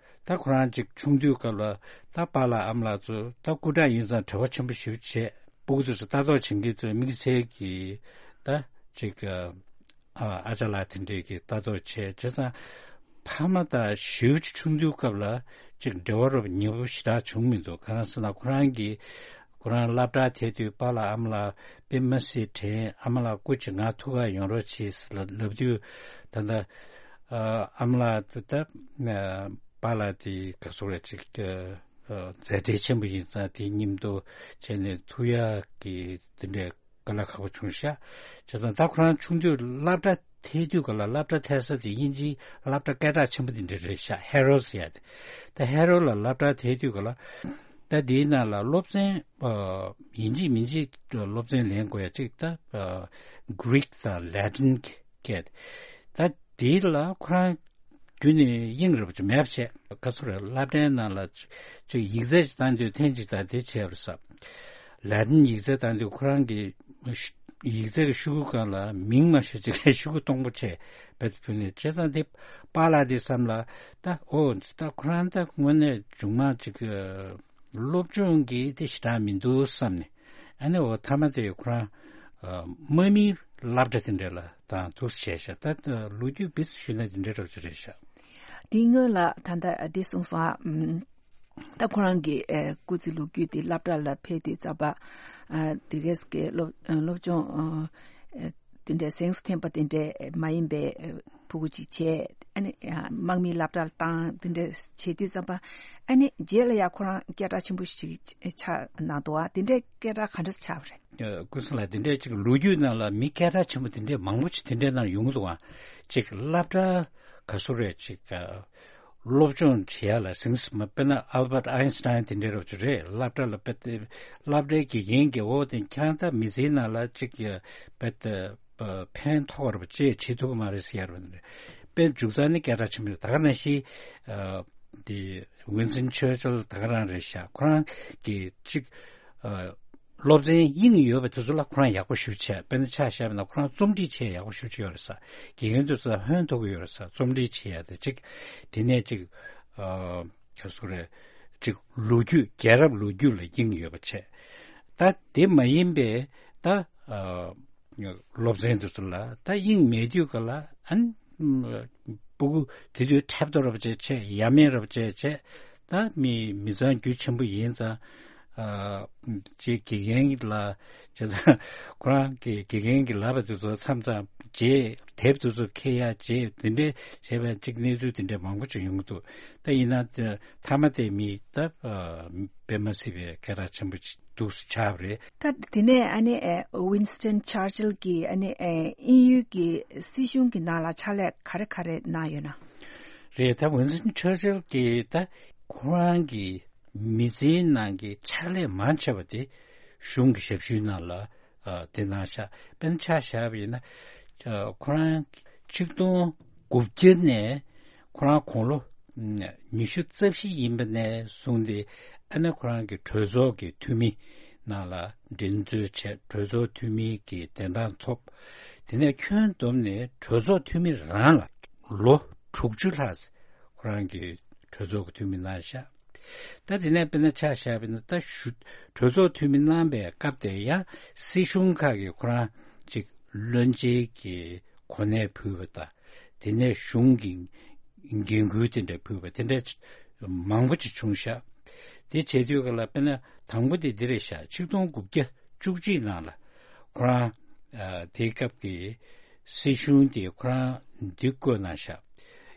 ད་ཁོ་རང་ཅིག་ཆུང་དུས་སྐབས་ལ་ད་པཱ་ལགས་ཨ་མ་ལགས་ཚོ་ད་སྐུ་དྲག་ཡིན་ཙང་བྲེལ་བ་ཆེན་པོ་ཞེ་པོ་བྱས། སྤུ་གུ་ཚོ་ལྟ་རྟོག་བྱེད་མཁན་ཚོས་དམིགས་བསལ་གྱིས་ད་ཅིག་ཨ་ཨ་ཅག་ལགས་དེ་འདྲས་ཀྱིས་ལྟ་རྟོག་བྱས་བྱས་ཙང་ཕ་མ་དང་ཞེ་པོ་ཅིག་ཆུང་དུས་སྐབས་ལ་ཅིག་འབྲེལ་བ་རོབ་ཉེ་པོ་ཞེ་དྲག་བྱུང་མི་འདུག་གང་ཟེར་ན་ཁོ་རང་གིས་ཁོ་རང་སློབ་གྲྭར་ཐད་དུས་པཱ་ལགས་ཨ་མ་ལགས་དཔེ་མ་སྲིད་དྲན། ཨ་མ་ལགས་སྐུ་མཁྱེན་ང་ཐུག་ག་ཡོང་རོགས་གྱིས་ལབ་དུས་ད་ལྟ་ཨ་མ་ལགས་ད་པཱ་ལགས་དེ་ག་སོག་རེད་ཅིག་མཛད་བྲེལ་ཆེན་པོ་ཡིན་ཙང་དེའི་མཉམ་དུ་བྱས་ནས་ཐུག་ཡག་གི་དེ་འདྲའི་དཀའ་ལས་ཁག་པོ་བྱུང་ཤག་བྱས་ཙང་ད་ཁོ་རང་ཆུང་དུས་སློབ་གྲྭ་ཐད་དུས་ག་ལ་སློབ་གྲྭ་ཐད་ས་དེ་དབྱིན་ཇིའི་སློབ་གྲྭ་སྐད་གྲགས་ཆེན་པོ་དེ་འདྲ་རེད་ཤག་ཧེ་རོ་ཟེར་ཡ་དེ། ད་ཧེ་རོ་ལ་སློབ་གྲྭ་ཐད་དུས་ག་ལ་ད་དེའི་ནང་ལ་སློབ་ཚན་ཡིན་གཅིག་མིན་གཅིག་སློབ་ཚན་ལེན་དགོས་ཡ་གཅིག་ད་Greek་དང་Latin་སྐད། ད་དེ་ལ་ཁོ་རང་རྒྱུན་ནས་དབྱིངས་རེ་བ་ཅིག་མེད་པ་བྱས། ག་ཚོད་རེད། སློབ་གྲྭའི་ནང་ལ་ཅིག་ཡིག་ཚད་ཅིག་བཏང་དུས་ཐེངས་གཅིག་དང་དེ་བྱས་པ་རེད་ས། ལ་ཏིན་ཡིག་ཚད་བཏང་དུས་ཁོ་རང་གི་ཡིག་ཚད་ཀྱི་ཤོག་གུ་སྒང་ལ་མིང་མ་ཤོད་ཅིག་ཤོག་གུ་སྟོང་པ་བྱས་བེད་ཕུལ་ནས་བྱས་ཙང་དེ་པཱ་ལགས་དེ་བསམ་ལ་ད་ཨོ་ད་ཁོ་རང་ད་དངོས་གནས་མཇུག་མ་ཅིག་སློབ་སྦྱོང་གི་དེ་ཞེ་དྲག་མི་འདུག་བསམ་ནས། ཨ་ནི་འོ་མཐའ་མ་དེ་ཁོ་རང་ཨ་དམག་མིའི་སློབ་གྲྭ་དེ་འདྲ་ལ་དང་འདུག་བྱས་ཤག་ད་ལོ་རྒྱུས་བེད་ཞུས་ན་དེ་འདྲ་འདྲ་པོ་ཅིག་རེད་ཤག་དེའི་སྔོན་ལ་ད་ལྟ་འདི་གསུངས་སོང་ཨ། ཨམ། ད་ཁོ་རང་གི་ཨེ་སྐུ་ཚེ་ལོ་རྒྱུས་དེ་སློབ་གྲྭ་ལ་ཕེབས་དུས་ཙམ་པ་ཨ་དེ་གས་ཀྱི་སློབ་སློབ་སྦྱོང་ཨ་དེ་འདྲའི་གཟེངས་སུ་ཐོན་པ་དེ་འདྲའི་མ་ཡིན་པའི་ཕྲུ་གུ་ཅིག་བྱས། ཨ་ནི་དམག་མིའི་སློབ་གྲྭ་ལ་བཏང་། དེ་འདྲ་བྱེད་དུས་ཙམ་པ་ཨ་ནི་རྗེས་ལ་ཡང་ཁོ་རང་སྐད་གྲགས་ཆེན་པོ་ཞིག་ཆགས་གནང་འདུག་ཨ། དེ་འདྲའི་སྐད་གྲགས་ག་འདྲ་ཆགས་པ་རེད། ཀུན་བཟང་ལགས་དེ་འདྲའི་ཅིག་ལོ་རྒྱུས་ནང་ལ་མི་སྐད་གྲགས་ཆེན་པོ་དེ་འདྲའི་མང་པོ་ཅིག་དེ་འདྲའི་ནང་ཡོང་གི་འདུག་ཨ། ཅིག་སློབ་གྲྭ་ག་ཚོད་རེད་ཅིག་སློབ་སྦྱོང་བྱེད་ཡ་ལ་ཟིང་ཟིང་མ་དཔེར་ན་ཨལ་བར་ཨའིན་སི་ཏཱིན་དེ་འདྲའི་རབ་ཅིག་རེད། སློབ་གྲྭ་ལ་དཔེ་སློབ་གྲྭའི་དགེ་རྒན་གྱིས་འོ་དེ་ཁྱེད་རང་ད་མི་ཚེའི་ནང་ལ་ཅིག་དཔེ་ཕན་ཐོགས་པ་རེད་པ་ཅེས་བྱེད་ཐུབ་ཀྱི་མ་རེད་ཟེར་ཡ་རེད། དཔེ་མཇུག་རྩ་ནས་སྐད་གྲགས་ཆེན་པོ་ཡོད། ད་ག་ནང་བཞིན་དེ་ཝིན་སྟོན་ཆར་ཆིལ་ད་ག་རང་རེད་ཤག་ཁོ་རང་གིས་ཅིག་སློབ་ཚན་དབྱིངས་ཡོད་པ་དེ་ཚོ་ལ་ཁོ་རང་ཡག་པོ་ཞེ་པོ་བྱས། དཔེར་ན་ཆ་བཞག་པ་ན་ཁོ་རང་རྩོམ་སྒྲིག་བྱེད་ཡག་པོ་ཞེ་པོ་ཅིག་ཡོད་རེད་ས། དགེ་རྒན་དེ་ཚོ་ལ་ཕན་ཐོགས་ཀྱི་ཡོད་རེད་ས། རྩོམ་སྒྲིག་བྱེད་ཡ་དེ་ཅིག་དེ་ནས་ཅིག་ག་ཚོད་རེད། ཅིག་ལོ་རྒྱུས་རྒྱལ་རབས་ལོ་རྒྱུས་ལ་དབྱིངས་ཡོད་པ་བྱས། ད་དེ་མ་ཡིན་པའི་ད་སློབ་ཚན་དེ་ཚོ་ལ་ད་དབྱིངས་མེད་དུས་ག་ལ་ཨ་ནི་སྤུ་གུ་དེ་དུས་ཐེབས་ཏོ་རབ་བྱས་བྱས་ཡ་མེད་རབ་བྱས་བྱས། ད་མི་མི་ཚང་རྒྱུ་ཆེན་པོ་ཡིན་ཙང་ཨ་ཅིག་དགེ་རྒན་ལ་བྱས་ཙང་ཁོ་རང་གི་དགེ་རྒན་གྱི་ལབ་པ་དེ་ཚོ་མཚམས་མཚམས་བརྗེད། དེབ་དེ་ཚོ་འཁྱེར་ཡ་བརྗེད། དེ་འདྲའི་བྱས་པའི་ཅིག་གནས་ཚུལ་དེ་འདྲའི་མང་པོ་ཅིག་ཡོང་གི་འདུག་ད་ཡིན་ན་མཐའ་མ་དེ་མི་ད་དཔེ་མ་སྲིད་པའི་སྐད་གྲགས་ཆེན་པོ་ཅིག་འདུག་སེ་ཆགས་པ་རེད། ད་དེ་ནས་ཨ་ནི་ཨེ་ཝིན་སྟོན་ཆར་ཆིལ་གྱིས་ཨ་ནི་ཨེ་དབྱིན་ཡུལ་གྱི་སྲིད་གཞུང་གི་ནང་ལ་ཕྱག་ལས་ག་རེ་ག་རེ་གནང་ཡོད་ན། རེད། ད་ཝིན་སྟོན་ཆར་ཆིལ་གྱིས་ད་ཁོ་རང་གི་མི་ཚེའི་ནང་གི་ཕྱག་ལས་མང་ཆེ་བ་དེ་གཞུང་གི་ཞབས་ཞུའི་ནང་ལ་ཨ་དེ་གནང་ཤག་དཔེར་ན་ཆ་བཞག་པ་ཡིན་ན་ཨ་ཁོ་རང་ཆིག་སྟོང་དགུ་བརྒྱ་ནས་ཁོ་རང་དགུང་ལོ་ཉི་ཤུ་རྩ་བཞི་ཡིན་པ་ནས་བཟུང་སྟེ་ཨ་ནི་ཁོ་རང་གི་གྲོས་ཚོགས་ཀྱི་འཐུས་མི་ནང་ལ་འགྲན་རྩོད་བྱས། གྲོས་ཚོགས་འཐུས་མི་གི་གདན་གྲངས་ཐོབ། དེ་ནས་ཁྱོན་བསྡོམས་ནས་གྲོས་ཚོགས་འཐུས་མི་རང་ལ་ལོ་དྲུག་ཅུ་ལྷག་ཁོ་རང་གི་གྲོས་ཚོགས་ཀྱི་འཐུས་མི་གནང་ཤག་ད་དེ་ནས་དཔེར་ན་ཆ་བཞག་པ་ཡིན་ན་ད་ཞུ་གྲོས་ཚོགས་འཐུས་མི་གནང་པའི་སྐབས་དེ་ཡང་སྲིད་གཞུང་ཁག་གིས་ཁོ་རང་ཅིག་བློན་ཆེན་གྱི་གོ་གནས་ཕུལ་བ་དང་། དེ་ནས་གཞུང་གི་འགན་ཁུར་དེ་འདྲ་ཕུལ་བ་དེ་འདྲ་མང་པོ་ཅིག་བྱུང་ཤག་དེ་བྱེད་དུས་ག་ལ་དཔེར་ན་དང་པོ་དེ་འདི་རེད་ཤག་ཆིག་སྟོང་དགུ་བརྒྱ་བཅུ་གཅིག་ནང་ལ་ཁོ་རང་ཨ་དེའི་སྐབས་ཀྱི་སྲིད་གཞུང་དེ་ཁོ་རང་འདི་བསྐོས་གནང་ཤག་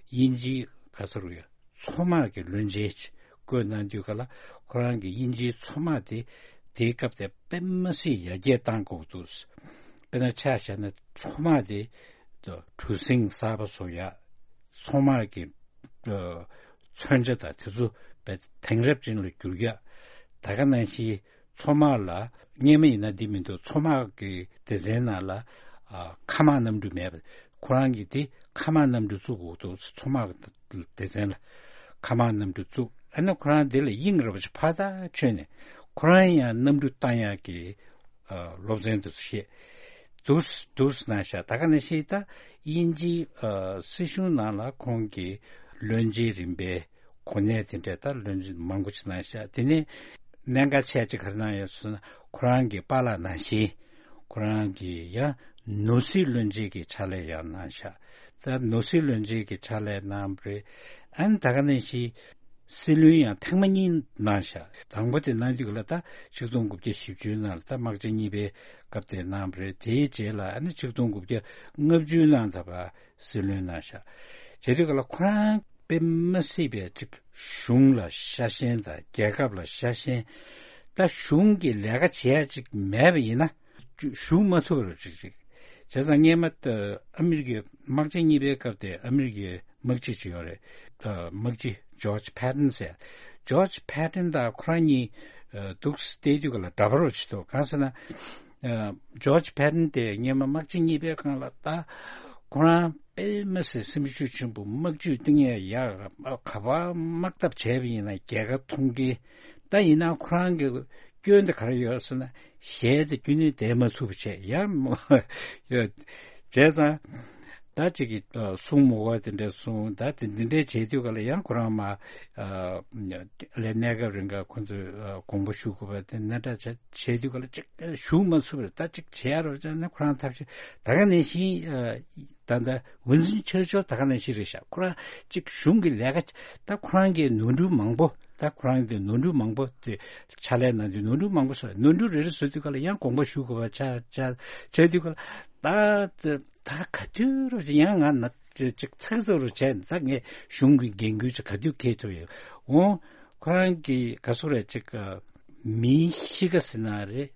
དབྱིན་ཇིའི་ག་ཚོད་རེད། མཚོ་དམག་གི་བློན་ཆེན་ཅིག་བསྐོས་གནང་དུས་ག་ལ་ཁོ་རང་གི་དབྱིན་ཇིའི་མཚོ་དམག་དེ་དེའི་སྐབས་དེ་དཔེ་མ་སྲིད་ཡར་རྒྱས་བཏང་དགོས་འདུག་དཔེར་ན་ཆ་བཞག་ན་མཚོ་དམག་དེ་གྲུ་གཟིངས་གསར་པ་བཟོ་ཡག་མཚོ་དམག་གི་མཚོན་ཆ་དང་དེ་ཚོ་དེང་རབས་ཅན་ལ་བསྒྱུར་ཡག་ད་ག་ནང་བཞིན་མཚོ་དམག་ལ་སྔོན་མ་ཡིན་ན་འདི་མི་འདུག་མཚོ་དམག་གི་སྡེ་ཚན་ནང་ལ་མཁའ་དམག་གནམ་གྲུ་མེད་པ། ཁོ་རང་གིས་དེ་མཁའ་དམག་གནམ་གྲུ་བཙུགས་དགོས་འདུག་མཚོ་དམག་སྡེ་ཚན་ལ་མཁའ་དམག་གནམ་གྲུ་བཙུགས། ཨ་ནི་ཁོ་རང་དེ་ལ་དབྱིངས་ར་བ་ཅིག་ཕར་ཐག་ཆོད་ནས་ཁོ་རང་ཡང་གནམ་གྲུ་བཏང་ཡག་གི་སློབ་ཚན་དེ་ཚོ་ཤེས་འདུག་འདུག་གནང་ཤག་ད་ག་ནང་བཞིན་ད་དབྱིན་ཇིའི་སྲིད་གཞུང་ནང་ལ་ཁོང་གིས་བློན་ཆེན་རིམ་པའི་གོ་གནས་དེ་འདྲ་ད་བློན་ཆེན་མང་པོ་ཅིག་གནང་ཤག་དེ་ནས་གནད་འགག་ཆེ་ཅིག་ག་རེ་གནང་ཡོད་ཟེར་ན་ཁོ་རང་གི་པཱ་ལགས་ནང་བཞིན་ཁོ་རང་གིས་ཡང་ནོར་སྲིད་བློན་ཆེན་གྱི་ཕྱག་ལས་ཡང་གནང་ཤག་ད་ནོར་སྲིད་བློན་ཆེན་གྱི་ཕྱག་ལས་གནང་བ་རེད། ཨ་ནི་ད་ག་ནང་བཞིན་སྲིད་བློན་ཡང་ཐེངས་མ་གཉིས་གནང་ཤག་དང་པོ་དེ་གནང་དུས་ལ་ད་ཆིག་སྟོང་དགུ་བརྒྱ་བཞི་བཅུ་ནང་ལ་ད་དམག་ཆེན་གཉིས་པའི་སྐབས་དེ་གནང་བ་རེད། དེའི་རྗེས་ལ་ཨ་ནི་ཆིག་སྟོང་དགུ་བརྒྱ་ལྔ་བཅུ་ནང་ད་བར་སྲིད་བློན་གནང་ཤག་བྱེད་དུས་ག་ལ་ཁོ་རང་དཔེ་མ་སྲིད་པའི་ཅིག་གཞུང་ལ་ཤ་ཞེན་དང་རྒྱལ་ཁབ་ལ་ཤ་ཞེན། ད་གཞུང་གི་ལས་ཀ་བྱེད་ཡ་ཅིག་མེད་པ་ཡིན་ན་གཞུང་མ་ཐུབ་རུ་ཅིག་ཅིག་བྱས་ཙང་སྔས་མ་ཨ་མི་རི་ཀའི་དམག་ཆེན་གཉིས་པའི་སྐབས་དེ་ཨ་མི་རི་ཀའི་དམག་སྤྱི་ཅིག་ཡོད་རེད། དམག་སྤྱི་ཇོརྗ་ཕེ་ཏན་ཟེར། ཇོརྗ་ཕེ་ཏན་དང་ཁོ་རང་གཉིས་འདུག་སེ་བལྟས་དུས་ག་ལ་འདྲ་པོ་རུ་ཅིག་འདུག་གང་ཟེར་ན། ཇོརྗ་ཕེ་ཏན་དེ་སྔས་མ་དམག་ཆེན་གཉིས་པའི་སྒང་ལ་ད་ཁོ་རང་དཔེ་མ་སྲིད་སེམས་ཤུགས་ཆེན་པོ་དམག་ཇུས་གཏིང་ཡ་ཡག་ག་པར་དམག་འཐབ་བྱས་པ་ཡིན་ན་རྒྱལ་ཁ་མཐོང་གི། ད་ཡིན་ན་ཁོ་རང་གི་སྐྱོན་དེ་ག་རེ་ཡོད་ཟེར་ན་ཞལ་དེ་རྒྱུན་ནས་བསྡད་མ་ཚུགས་པ་བྱས་ཡ་མོ་ཡོད། བྱས་ཙང་ད་ཅིག་གི་གསུང་མོ་བ་དེ་འདྲ་གསུང་ད་དེ་འདི་འདྲའི་བྱས་དུས་ག་ལ་ཡང་ཁོ་རང་མ། ལས་གནས་སྐབས་རིང་ག་ཁོ་ཚོས་དགོངས་པ་ཞུ་དགོས་པ་དེ་ནན་ཏན་བྱས་བྱས་དུས་ག་ལ་ཅིག་ཞུ་མ་ཚུགས་པར་ད་ཅིག་བྱས་རོགས་བྱས་ན་ཁོ་རང་ཐབས་ཤེས་ད་ག་ནང་བཞིན་ད་ལྟ་ཝིན་སིན་ཆར་ཆིལ་ད་ག་ནང་བཞིན་རེད་ཤག་ཁོ་རང་ཅིག་གཞུང་གི་ལས་ཀ་ད་ཁོ་རང་གི་ནོར་འཁྲུལ་མང་པོ་ད་ཁོ་རང་གི་ནོར་འཁྲུལ་མང་པོ་དེ་ཕྱག་ལས་གནང་དུས་ནོར་འཁྲུལ་མང་པོ་བཟོས་ནོར་འཁྲུལ་རེ་རེ་བཟོས་དུས་ག་ལ་ཡང་དགོངས་པ་ཞུ་དགོས་པ་ཆགས་ཆགས་བྱས་དུས་ག་ལ་ད། ད་ག་དུས་རུ་ཡང་ང་ན་ཅིག་ཚགས་ཚུད་རུ་བྱས་ཙང་ངས་གཞུང་གི་འགན་ཁུར་ཅིག་ག་དུས་འཁྱེར་ཐུབ་ཡོད། འོང་ཁོ་རང་གི་ག་སོ་རེད་ཅིག་མིའི་གཤིས་ཀ་ཟེར་ན་རེད།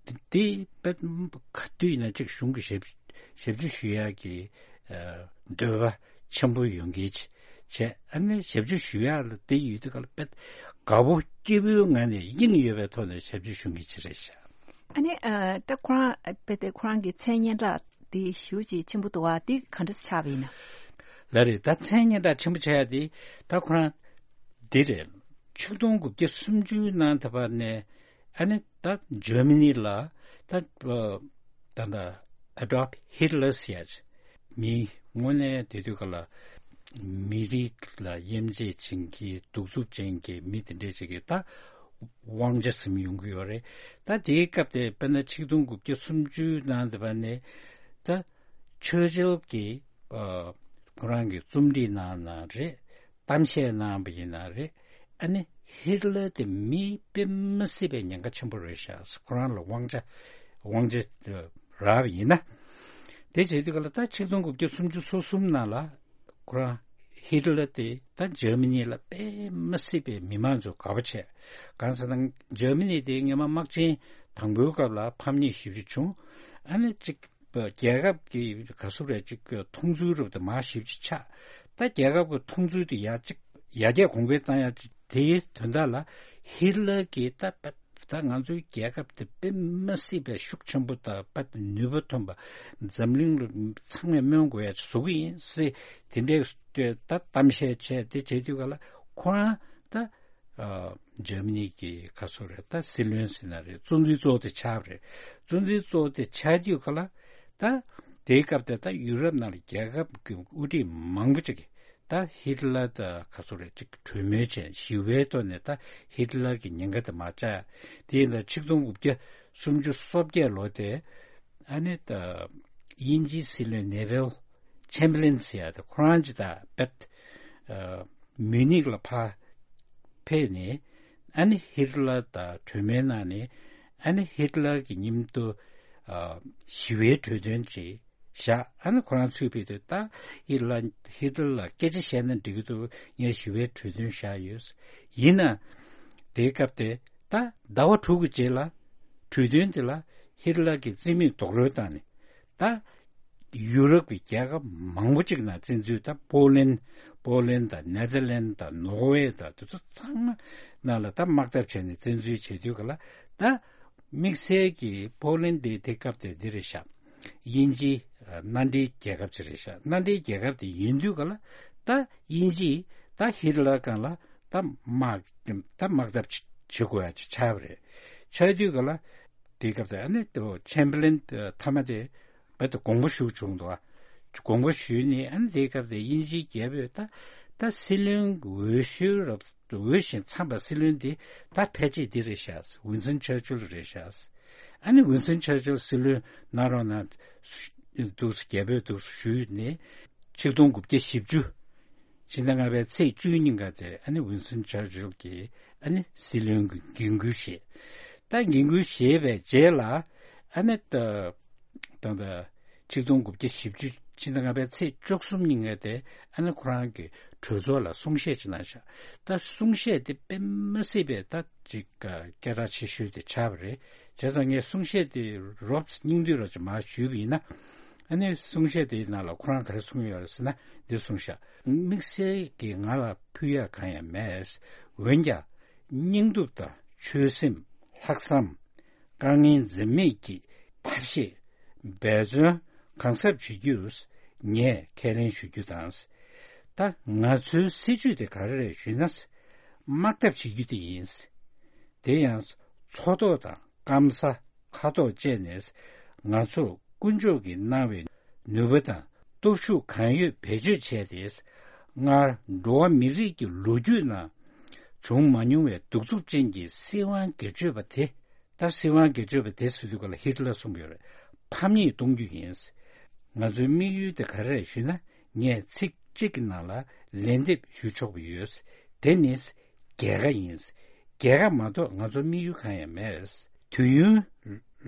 དེ་དཔེ་ག་དུས་ཡིན་ན་ཅིག་གཞུང་གི་ཞབས་ཞབས་ཕྱི་ཞུ་ཡག་གི་འདོད་པ་ཆེན་པོ་ཡོང་གི་བྱས་ཨ་ནི་ཞབས་ཕྱི་ཞུ་ཡག་ལ་དེ་ཡོད་དུས་ག་ལ་དཔེ་དགའ་པོ་སྐྱིད་པོའི་ངང་ནས་དབྱིངས་ཡོད་པའི་ཐོག་ནས་ཞབས་ཕྱི་ཞུ་མཁན་ཅིག་རེད་ཤག་ཨ་ནི་ཨ་ད་ཁོ་རང་དཔེ་དེ་ཁོ་རང་གི་མཚན་སྙན་གྲགས་དེ་ཞེ་ཅིག་ཆེན་པོ་འདུག་བ་དེ་ག་འདྲ་ཆགས་པ་ཡིན་ན། ལགས་རེད། ད་མཚན་སྙན་གྲགས་ཆེན་པོ་ཆགས་ཡ་དེ་ད་ཁོ་རང་འདི་རེད། ཆིག་སྟོང་དགུ་བརྒྱ་སུམ་ཅུ་ནང་ད་བར་ནས་ཨ་ནི་ད་འཇར་མ་ནི་ལ་ད་ད་ད་ཨ་ཌོལཕ་ཧི་ཊ་ལར་ཟེར་ཡ་ཅིག་མི་དངོས་གནས་དེ་དུས་ག་ལ་མི་རིགས་ལ་དབྱེ་འབྱེད་བྱེད་མཁན་གདུག་རྩུབ་ཅན་གྱི་མི་དེ་འདྲས་ཅིག་གིས་ད་དབང་ཆ་ཟིན་ཡོང་གི་ཡོད་རེད། ད་དེའི་སྐབས་དེ་དཔེར་ན་ཆིག་སྟོང་དགུ་བརྒྱ་སུམ་ཅུ་ནང་དེ་བར་ནས་ད་ཆར་ཆིལ་གྱིས་ཁོ་རང་གི་རྩོམ་སྒྲིག་གནང་ན་རེད། གཏམ་བཤད་གནང་བ་ཡིན་ན་རེད། ཨ་ནི་ཧི་ཊ་ལར་དེ་མི་དཔེ་མི་སྲིད་པའི་ཉེན་ཁ་ཆེན་པོ་རེད་ཤག་ཁོ་རང་ལ་དབང་ཆ་དབང་ཆ་རག་པ་ཡིན་ན། དེ་བྱེད་དུས་ག་ལ་ད་ཆིག་སྟོང་དགུ་བརྒྱ་སུམ་ཅུ་སོ་གསུམ་ནང་ལ་ཁོ་རང་ཧི་ཊ་ལར་དེ་ད་འཇར་མ་ནི་ལ་དཔེ་མི་སྲིད་པའི་མི་མང་ཚོ་དགའ་པོ་བྱས། གང་ཟེར་ན་འཇར་མ་ནི་དེ་སྔོན་མ་དམག་ཆེན་དང་པོའི་སྐབས་ལ་ཕམ་ཉེས་ཞེ་པོ་ཅིག་བྱུང་། ཨ་ནི་གཅིག་རྒྱལ་ཁབ་ཀྱི་ག་ཚོད་རེད་ཅིག་མཐོང་ཚུལ་རབ་ཏུ་མར་ཞེ་པོ་ཅིག་ཆགས། ད་རྒྱལ་ཁབ་ཀྱི་མཐོང་ཚུལ་དེ་ཡར་ཅིག་ཡར་རྒྱས་གོང་འཕེལ་བཏང་ཡ་ཅིག་དེའི་དོན་དག་ལ་ཧི་ཊ་ལར་གྱིས་ད་ད་ང་ཚོའི་རྒྱལ་ཁབ་དེ་དཔེ་མ་སྲིད་པའི་ཤུགས་ཆེན་པོ་དང་དཔེ་ནུས་པ་ཐོན་པ་འཛམ་གླིང་ལ་ཚང་མས་སྨོན་དགོས་ཡ་ཅིག་བཟོ་གི་ཡིན་ཟེར་དེ་འདྲའི་ད་གཏམ་བཤད་བྱས་དེ་བྱེད་དུས་ག་ལ་ཁོ་རང་ད། ཨ། འཇར་མ་ནི་གི་ག་ཚོད་རེད་ད་སྲིད་བློན་ཟེར་ན་རེད། གཙོ་འཛིན་གཙོ་བོ་དེ་ཆགས་པ་རེད། གཙོ་འཛིན་གཙོ་བོ་དེ་ཆགས་དུས་ག་ལ་ད་དེའི་སྐབས་དེ་ད་ཡུ་རོབ་ནང་ལ་རྒྱལ་ཁབ་ཀྱི་དབུ་ཁྲིད་མང་པོ་ཅིག་གིས་ ད་ཧིཊ་ལར་ད་ག་ཚོད་རེད་ཅིག་གྲོས་མོལ་བྱས་ཞི་བའི་ཐོག་ནས་ད་ཧིཊ་ལར་གྱི་ཉེན་ཁ་དེ་མ་བཅག་དེ་ཡིན་ད་ཆིག་སྟོང་དགུ་བརྒྱ་སུམ་ཅུ་སོ་བརྒྱད་ལོ་དེ་ཨ་ནི་ད་དབྱིན་ཇིའི་སྲིད་བློན་ནེ་ཝིལ་ཆེམ་བར་ལན་ཟེར་ཡ་དེ་ཁོ་རང་ཅིག་ད་བེད་མིའུ་ནིག་ལ་ཕ་ཕེབས་ནས་ཨ་ནི་ཧིཊ་ལར་དང་གྲོས་མོལ་གནང་ནས་ཨ་ནི་ཧིཊ་ལར་གྱི་མཉམ་དུ་ཞི་བའི་གྲོས་དོན་ཅིག་བཞག་ཨ་ནི་ཁོ་རང་ཚུད་པའི་དུས་ད་ཧིཊ་ལར་ཧིཊ་ལར་ལ་སྐད་ཆ་བཤད་ན་འགྲིག་གི་འདུག་ངས་ཞི་བའི་གྲོས་དོན་བཞག་ཡོད། ཡིན་ན་དེའི་སྐབས་དེ་ད་ཟླ་བ་དྲུག་གི་རྗེས་ལ་གྲོས་དོན་དེ་ལ་ཧིཊ་ལར་གྱི་རྩིས་མེད་རྡོག་རོལ་བཏང་ནས་ད་ཡུ་རོབ་ཀྱི་རྒྱལ་ཁབ་མང་པོ་ཅིག་ནང་བཙན་འཛུལ་ད་པོ་ལན་པོ་ལན་དང་ནེ་ཐར་ལན་དང་ནོར་ཝེ་དང་དེ་ཚོ་ཚང་མ་ནང་ལ་ད་དམག་འཐབ་བྱས་ནས་བཙན་འཛུལ་བྱེད་དུས་ག་ལ་ད་དམིགས་བསལ་གྱི་པོ་ལན་དེ་དེ་སྐབས་དེ་འདི་རེད་ཤག་དབྱིན་ཇིའི་མནའ་འབྲེལ་རྒྱལ་ཁབ་ཅིག་རེད་ཤག་མནའ་འབྲེལ་རྒྱལ་ཁབ་དེ་ཡིན་དུས་ག་ལ་ད་དབྱིན་ཇིས་ད་ཧིཊ་ལར་སྒང་ལ་ད་དམག་ད་དམག་འཐབ་བྱེད་དགོས་ཡ་ཅིག་ཆགས་པ་རེད། ཆགས་དུས་ག་ལ་དེའི་སྐབས་དེ་ཨ་ནི་ཆེམ་བར་ལན་མཐའ་མ་དེ་བར་དུ་དགོངས་པ་ཞུ་བྱུང་འདུག་དགོངས་པ་ཞུས་ནས་ཨ་ནི་དེའི་སྐབས་དེ་དབྱིན་ཇིའི་རྒྱལ་པོས་ད་ད་སྲིད་བློན་འོས་ཤོས་རབ་འོས་ཤིང་འཚམས་པ་སྲིད་བློན་དེ་ད་ཕལ་ཆེར་འདི་རེད་ཤག་ཝིན་སོན་ཆར་ཆིལ་རེད་ཤག་ཨ་ནི་ཝིན་སོན་ཆར་ཆིལ་སྲིད་བློན་གནང་རོགས་གནང་འདུག་རྒྱལ་པོས་འདུག་ཞུས་ནས་ཆིག་སྟོང་དགུ་བརྒྱ་བཞི་བཅུ་ཕྱི་ཟླ་ལྔ་པའི་ཚེས་བཅུ་གཉིས་ཀ་དེ་ཨ་ནི་ཝིན་སོན་ཆར་ཆིལ་གྱིས་ཨ་ནི་སྲིད་བློན་གྱི་འགན་འཁུར་བཞེས། ད་འགན་འཁུར་བཞེས་པའི་རྗེས་ལ་ཨ་ནི་ད་ད་ད་ཆིག་སྟོང་དགུ་བརྒྱ་བཞི་བཅུ་ཕྱི་ཟླ་ལྔ་པའི་ཚེས་བཅུ་གསུམ་ཉིན་ཀ་དེ་ཨ་ནི་ཁོ་རང་གི་གྲོས་ཚོགས་ལ་གསུང་བཤད་ཅིག་གནང་ཤག་ད་གསུང་བཤད་དེ་དཔེ་མ་སྲིད་པའི་ད་ཅིག་སྐད་གྲགས་ཆེ་ཤོས་དེ་ཆགས་པ་རེད། བྱས་ཙང་ངས་གསུང་བཤད་དེ་རོབ་སྙིང་བསྡུས་རོབ་ཅིག་མར་ཞུས་པ་ཡིན་ན། ཨ་ནི་གསུང་བཤད་དེའི་ནང་ལ་ཁོ་རང་ག་རེ་གསུངས་ཡོད་རེད་ཟེར་ན་འདི་གསུངས་ཤག་དམིགས་བསལ་གྱིས་ང་ལ་ཕུལ་ཡག་གང་ཡང་མེད། འོན་ཀྱང་སྙིང་སྟོབས་དང་ཆོད་སེམས་ལྷག་བསམ། དཀའ་ངལ་འཛེམ་མེད་ཀྱི་ཐབས་ཤེས་འབད་བརྩོན་གང་ཟབ་བྱེད་རྒྱུར་ངས་ཁས་ལེན་ཞུ་རྒྱུ་དང་། ད་ང་ཚོའི་སྲིད་ཇུས་དེ་ག་རེ་རེད་ཞུས་ན། དམག་འཐབ་བྱེད་རྒྱུ་དེ་ཡིན། དེ་ཡང་མཚོ་ཐོག་དང་སྐམ་ས་མཁའ་ཐོག་བཅས་ནས་ང་ཚོར་དཀོན་མཆོག་གིས་གནང་བའི་ནུས་པ་དང་སྟོབས་ཤུགས་གང་ཡོད་བེད་སྤྱོད་བྱས་ཏེ། སྔར་འགྲོ་བ་མི་རིགས་ཀྱི་ལོ་རྒྱུས་ནང་བྱུང་མ་མྱོང་བའི་གདུག་རྩུབ་ཅན་གྱི་སྲིད་དབང་སྒེར་གཅོད་པ་དེ། ད་སྲིད་དབང་སྒེར་གཅོད་པ་དེ་ཟེར་དུས་ག་ལ་ཧིཊ་ལར་གསུངས་ཡོད་རེད། ཕམ་ཉེས་གཏོང་རྒྱུ་ཡིན། ང་ཚོའི་དམིགས་ཡུལ་དེ་ག་རེ་རེད་ཞུས་ན། ངས་ཚིག་གཅིག་གི་ནང་ལ་ལན་འདེབས་ཞུ་ཆོག་པ་ཡོད། དེ་ནི་རྒྱལ་ཁ་ཡིན། རྒྱལ་ཁ་མ་གཏོགས་ང་ཚོ་དམིགས་ཡུལ་གང་ཡང་མེད། དུས་ཡུན་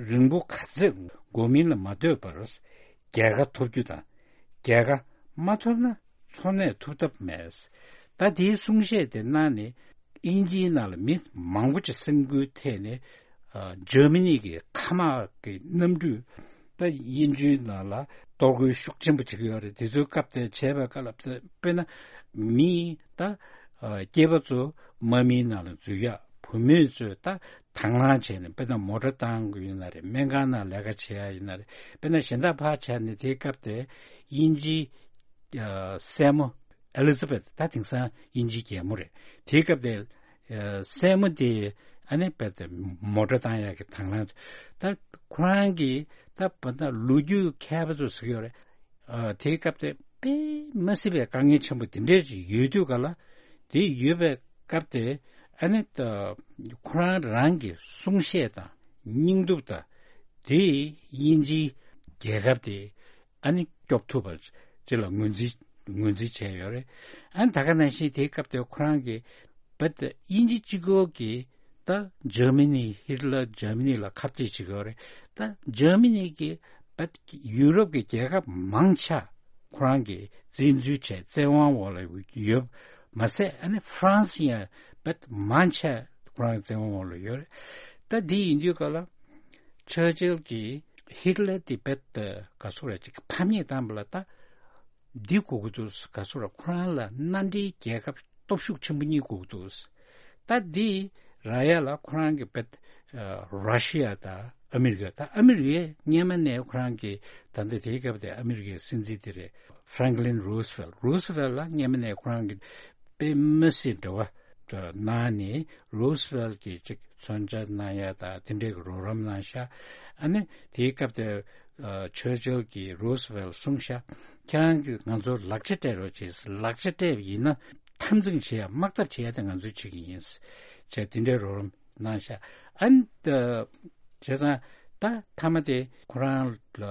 རིང་པོ་ག་ཚོད་འགོར་མིན་ལ་མ་ལྟོས་པར་རྒྱལ་ཁ་ཐོབ་རྒྱུ་དང་། རྒྱལ་ཁ་མ་ཐོབ་ན་འཚོ་གནས་ཐུབ་ཐབས་མེད། ད་དེའི་གསུང་བཤད་དེ་གནང་ནས་དབྱིན་ཇིའི་ནང་ལ་མི་མང་པོ་ཅིག་སེམས་འགུལ་ཐེབས་ནས་ཨ། འཇར་མ་ནི་གི་མཁའ་དམག་གི་གནམ་གྲུས་ད་དབྱིན་ཇིའི་ནང་ལ་གཏོར་རྒོལ་ཤུགས་ཆེན་པོ་བྱེད་ཀྱི་ཡོད་རེད། དེ་ཚོའི་སྐབས་དེ་བྱས་པའི་སྐབས་ལ་དཔེར་ན་མི་ད་ཨ། སྐྱེས་པ་ཚོ་དམག་མིའི་ནང་ལ་འཛུལ་ཡག་བུད་མེད་ཚོས་ད་དང་བླངས་བྱས་ནས་དཔེར་ན་མོ་ཊ་བཏང་དགོས་ཡིན་ན་རེད། སྨན་ཁང་ནང་ལས་ཀ་བྱེད་ཡག་ཡིན་ན་རེད། དཔེར་ན་གཞན་དག་ཕར་བྱས་ནས་དེའི་སྐབས་དེ་དབྱིན་ཇིའི་ཨ། སྲས་མོ་ཨེ་ལི་ཛ་བེད། ད་དེང་སང་དབྱིན་ཇིའི་རྒྱལ་མོ་རེད། དེའི་སྐབས་དེ་ཨ། སྲས་མོ་དེ་ཨ་ནི་རྦད་དེ་མོ་ཊ་བཏང་ཡག་གི་དང་བླངས། ད་ཁོ་རང་གིས་ད་བར་ད་ལོ་རྒྱུས་མཁས་པ་ཚོས་ཟེར་གྱི་ཡོད་རེད། ཨ། དེའི་སྐབས་དེ་དཔེ་མ་སྲིད་པའི་དཀའ་ངལ་ཆེན་པོ་དེ་འདྲས་ཅིག་ཡོད་དུས་ག་ལ། དེ་ཡོད་པའི་སྐབས་དེ་ཨ་ནི་ད་ཁོ་རང་རང་གི་གསུང་བཤད་དང་སྙིང་སྟོབས་དང་དེས་དབྱིན་ཇིའི་རྒྱལ་ཁབ་དེ་ཨ་ནི་སྐྱོབ་ཐུབ་པ་ཅིག་ལ་ངོས་འཛིན་ངོས་འཛིན་བྱས་ཡོད་རེད། ཨ་ནི་ད་ག་ནང་བཞིན་དེའི་སྐབས་དེ་ཁོ་རང་གིས་བེད་དབྱིན་ཇི་གཅིག་པོ་གིས་ད་འཇར་མ་ནི་ཧིཊ་ལར་འཇར་མ་ནི་ལ་ཁ་གཏད་བྱེད་ཀྱི་ཡོད་རེད། ད་འཇར་མ་ནི་གིས་བེད་ཡུ་རོབ་ཀྱི་རྒྱལ་ཁབ་མང་ཆེ་ཁོ་རང་གིས་བཙན་འཛུལ་བྱས་བཙན་དབང་འོག་ལ་ཡོད། མ་ཟད་ཨ་ནི་ཧྥ་རན་སི་ཡང་བེད་མང་ཆེ་ཁོ་རང་གི་བཙན་དབང་འོག་ལ་ཡོད་རེད། ད་འདི་ཡིན་དུས་ག་ལ་ཆར་ཆིལ་གྱིས་ཧིཊ་ལར་དེ་བེད་ག་ཚོད་རེད་ཅིག་ཕམ་ཉེས་བཏང་བ་ལ་ད། འདི་དགོས་ཀྱི་འདུག་ག་ཚོད་ར་ཁོ་རང་ལ་མནའ་འབྲེལ་རྒྱལ་ཁབ་སྟོབས་ཤུགས་ཆེན་པོ་གཉིས་དགོས་ཀྱི་འདུག་ད་འདི་ར་ཡ་ལ་ཁོ་རང་གི་བེད་ར་ཤི་ཡ་དང་ཨ་མི་རི་ཀ། ད་ཨ་མི་རི་ཀས་སྔན་མ་ནས་ཁོ་རང་གི་ད་ལྟ་དེའི་སྐབས་དེ་ཨ་མི་རི་ཀའི་སྲིད་འཛིན་དེ་རེད། ཧྥ་རན་ཀི་ལིན་རུ་སི་ཝེལ། རུ་སི་ཝེལ་ལ་སྔན་མ་ནས་ཁོ་རང་གི་དཔེ་མི་སྲིད་འབྲེལ་བ་གནང་ནས་རུ་སི་ཝེལ་གྱིས་ཅིག་མཚོན་ཆ་གནང་ཡ་དང་དེ་འདྲའི་གི་རོགས་རམ་གནང་ཤག་ཨ་ནི་དེའི་སྐབས་དེ་ ཨ་ཆར་ཆིལ་གྱིས་རུ་སི་ཝེལ་གསུངས་ཤག་ཁྱེད་རང་གིས་ང་ཚོར་ལག་ཆ་སྤྲད་རོགས་བྱེད། ལག་ཆ་སྤྲད་པ་ཡིན་ན་འཐབ་འཛིང་བྱེད་ཡ་དམག་འཐབ་བྱེད་ཡ་དེ་ང་ཚོས་བྱེད་ཀྱི་ཡིན་ཟེར་བྱས་དེ་འདྲའི་རོགས་རམ་གནང་ཤག་ཨ་ནི་ད་བྱས་ཙང་ད་མཐའ་མ་དེ་ཁོ་རང་ལ་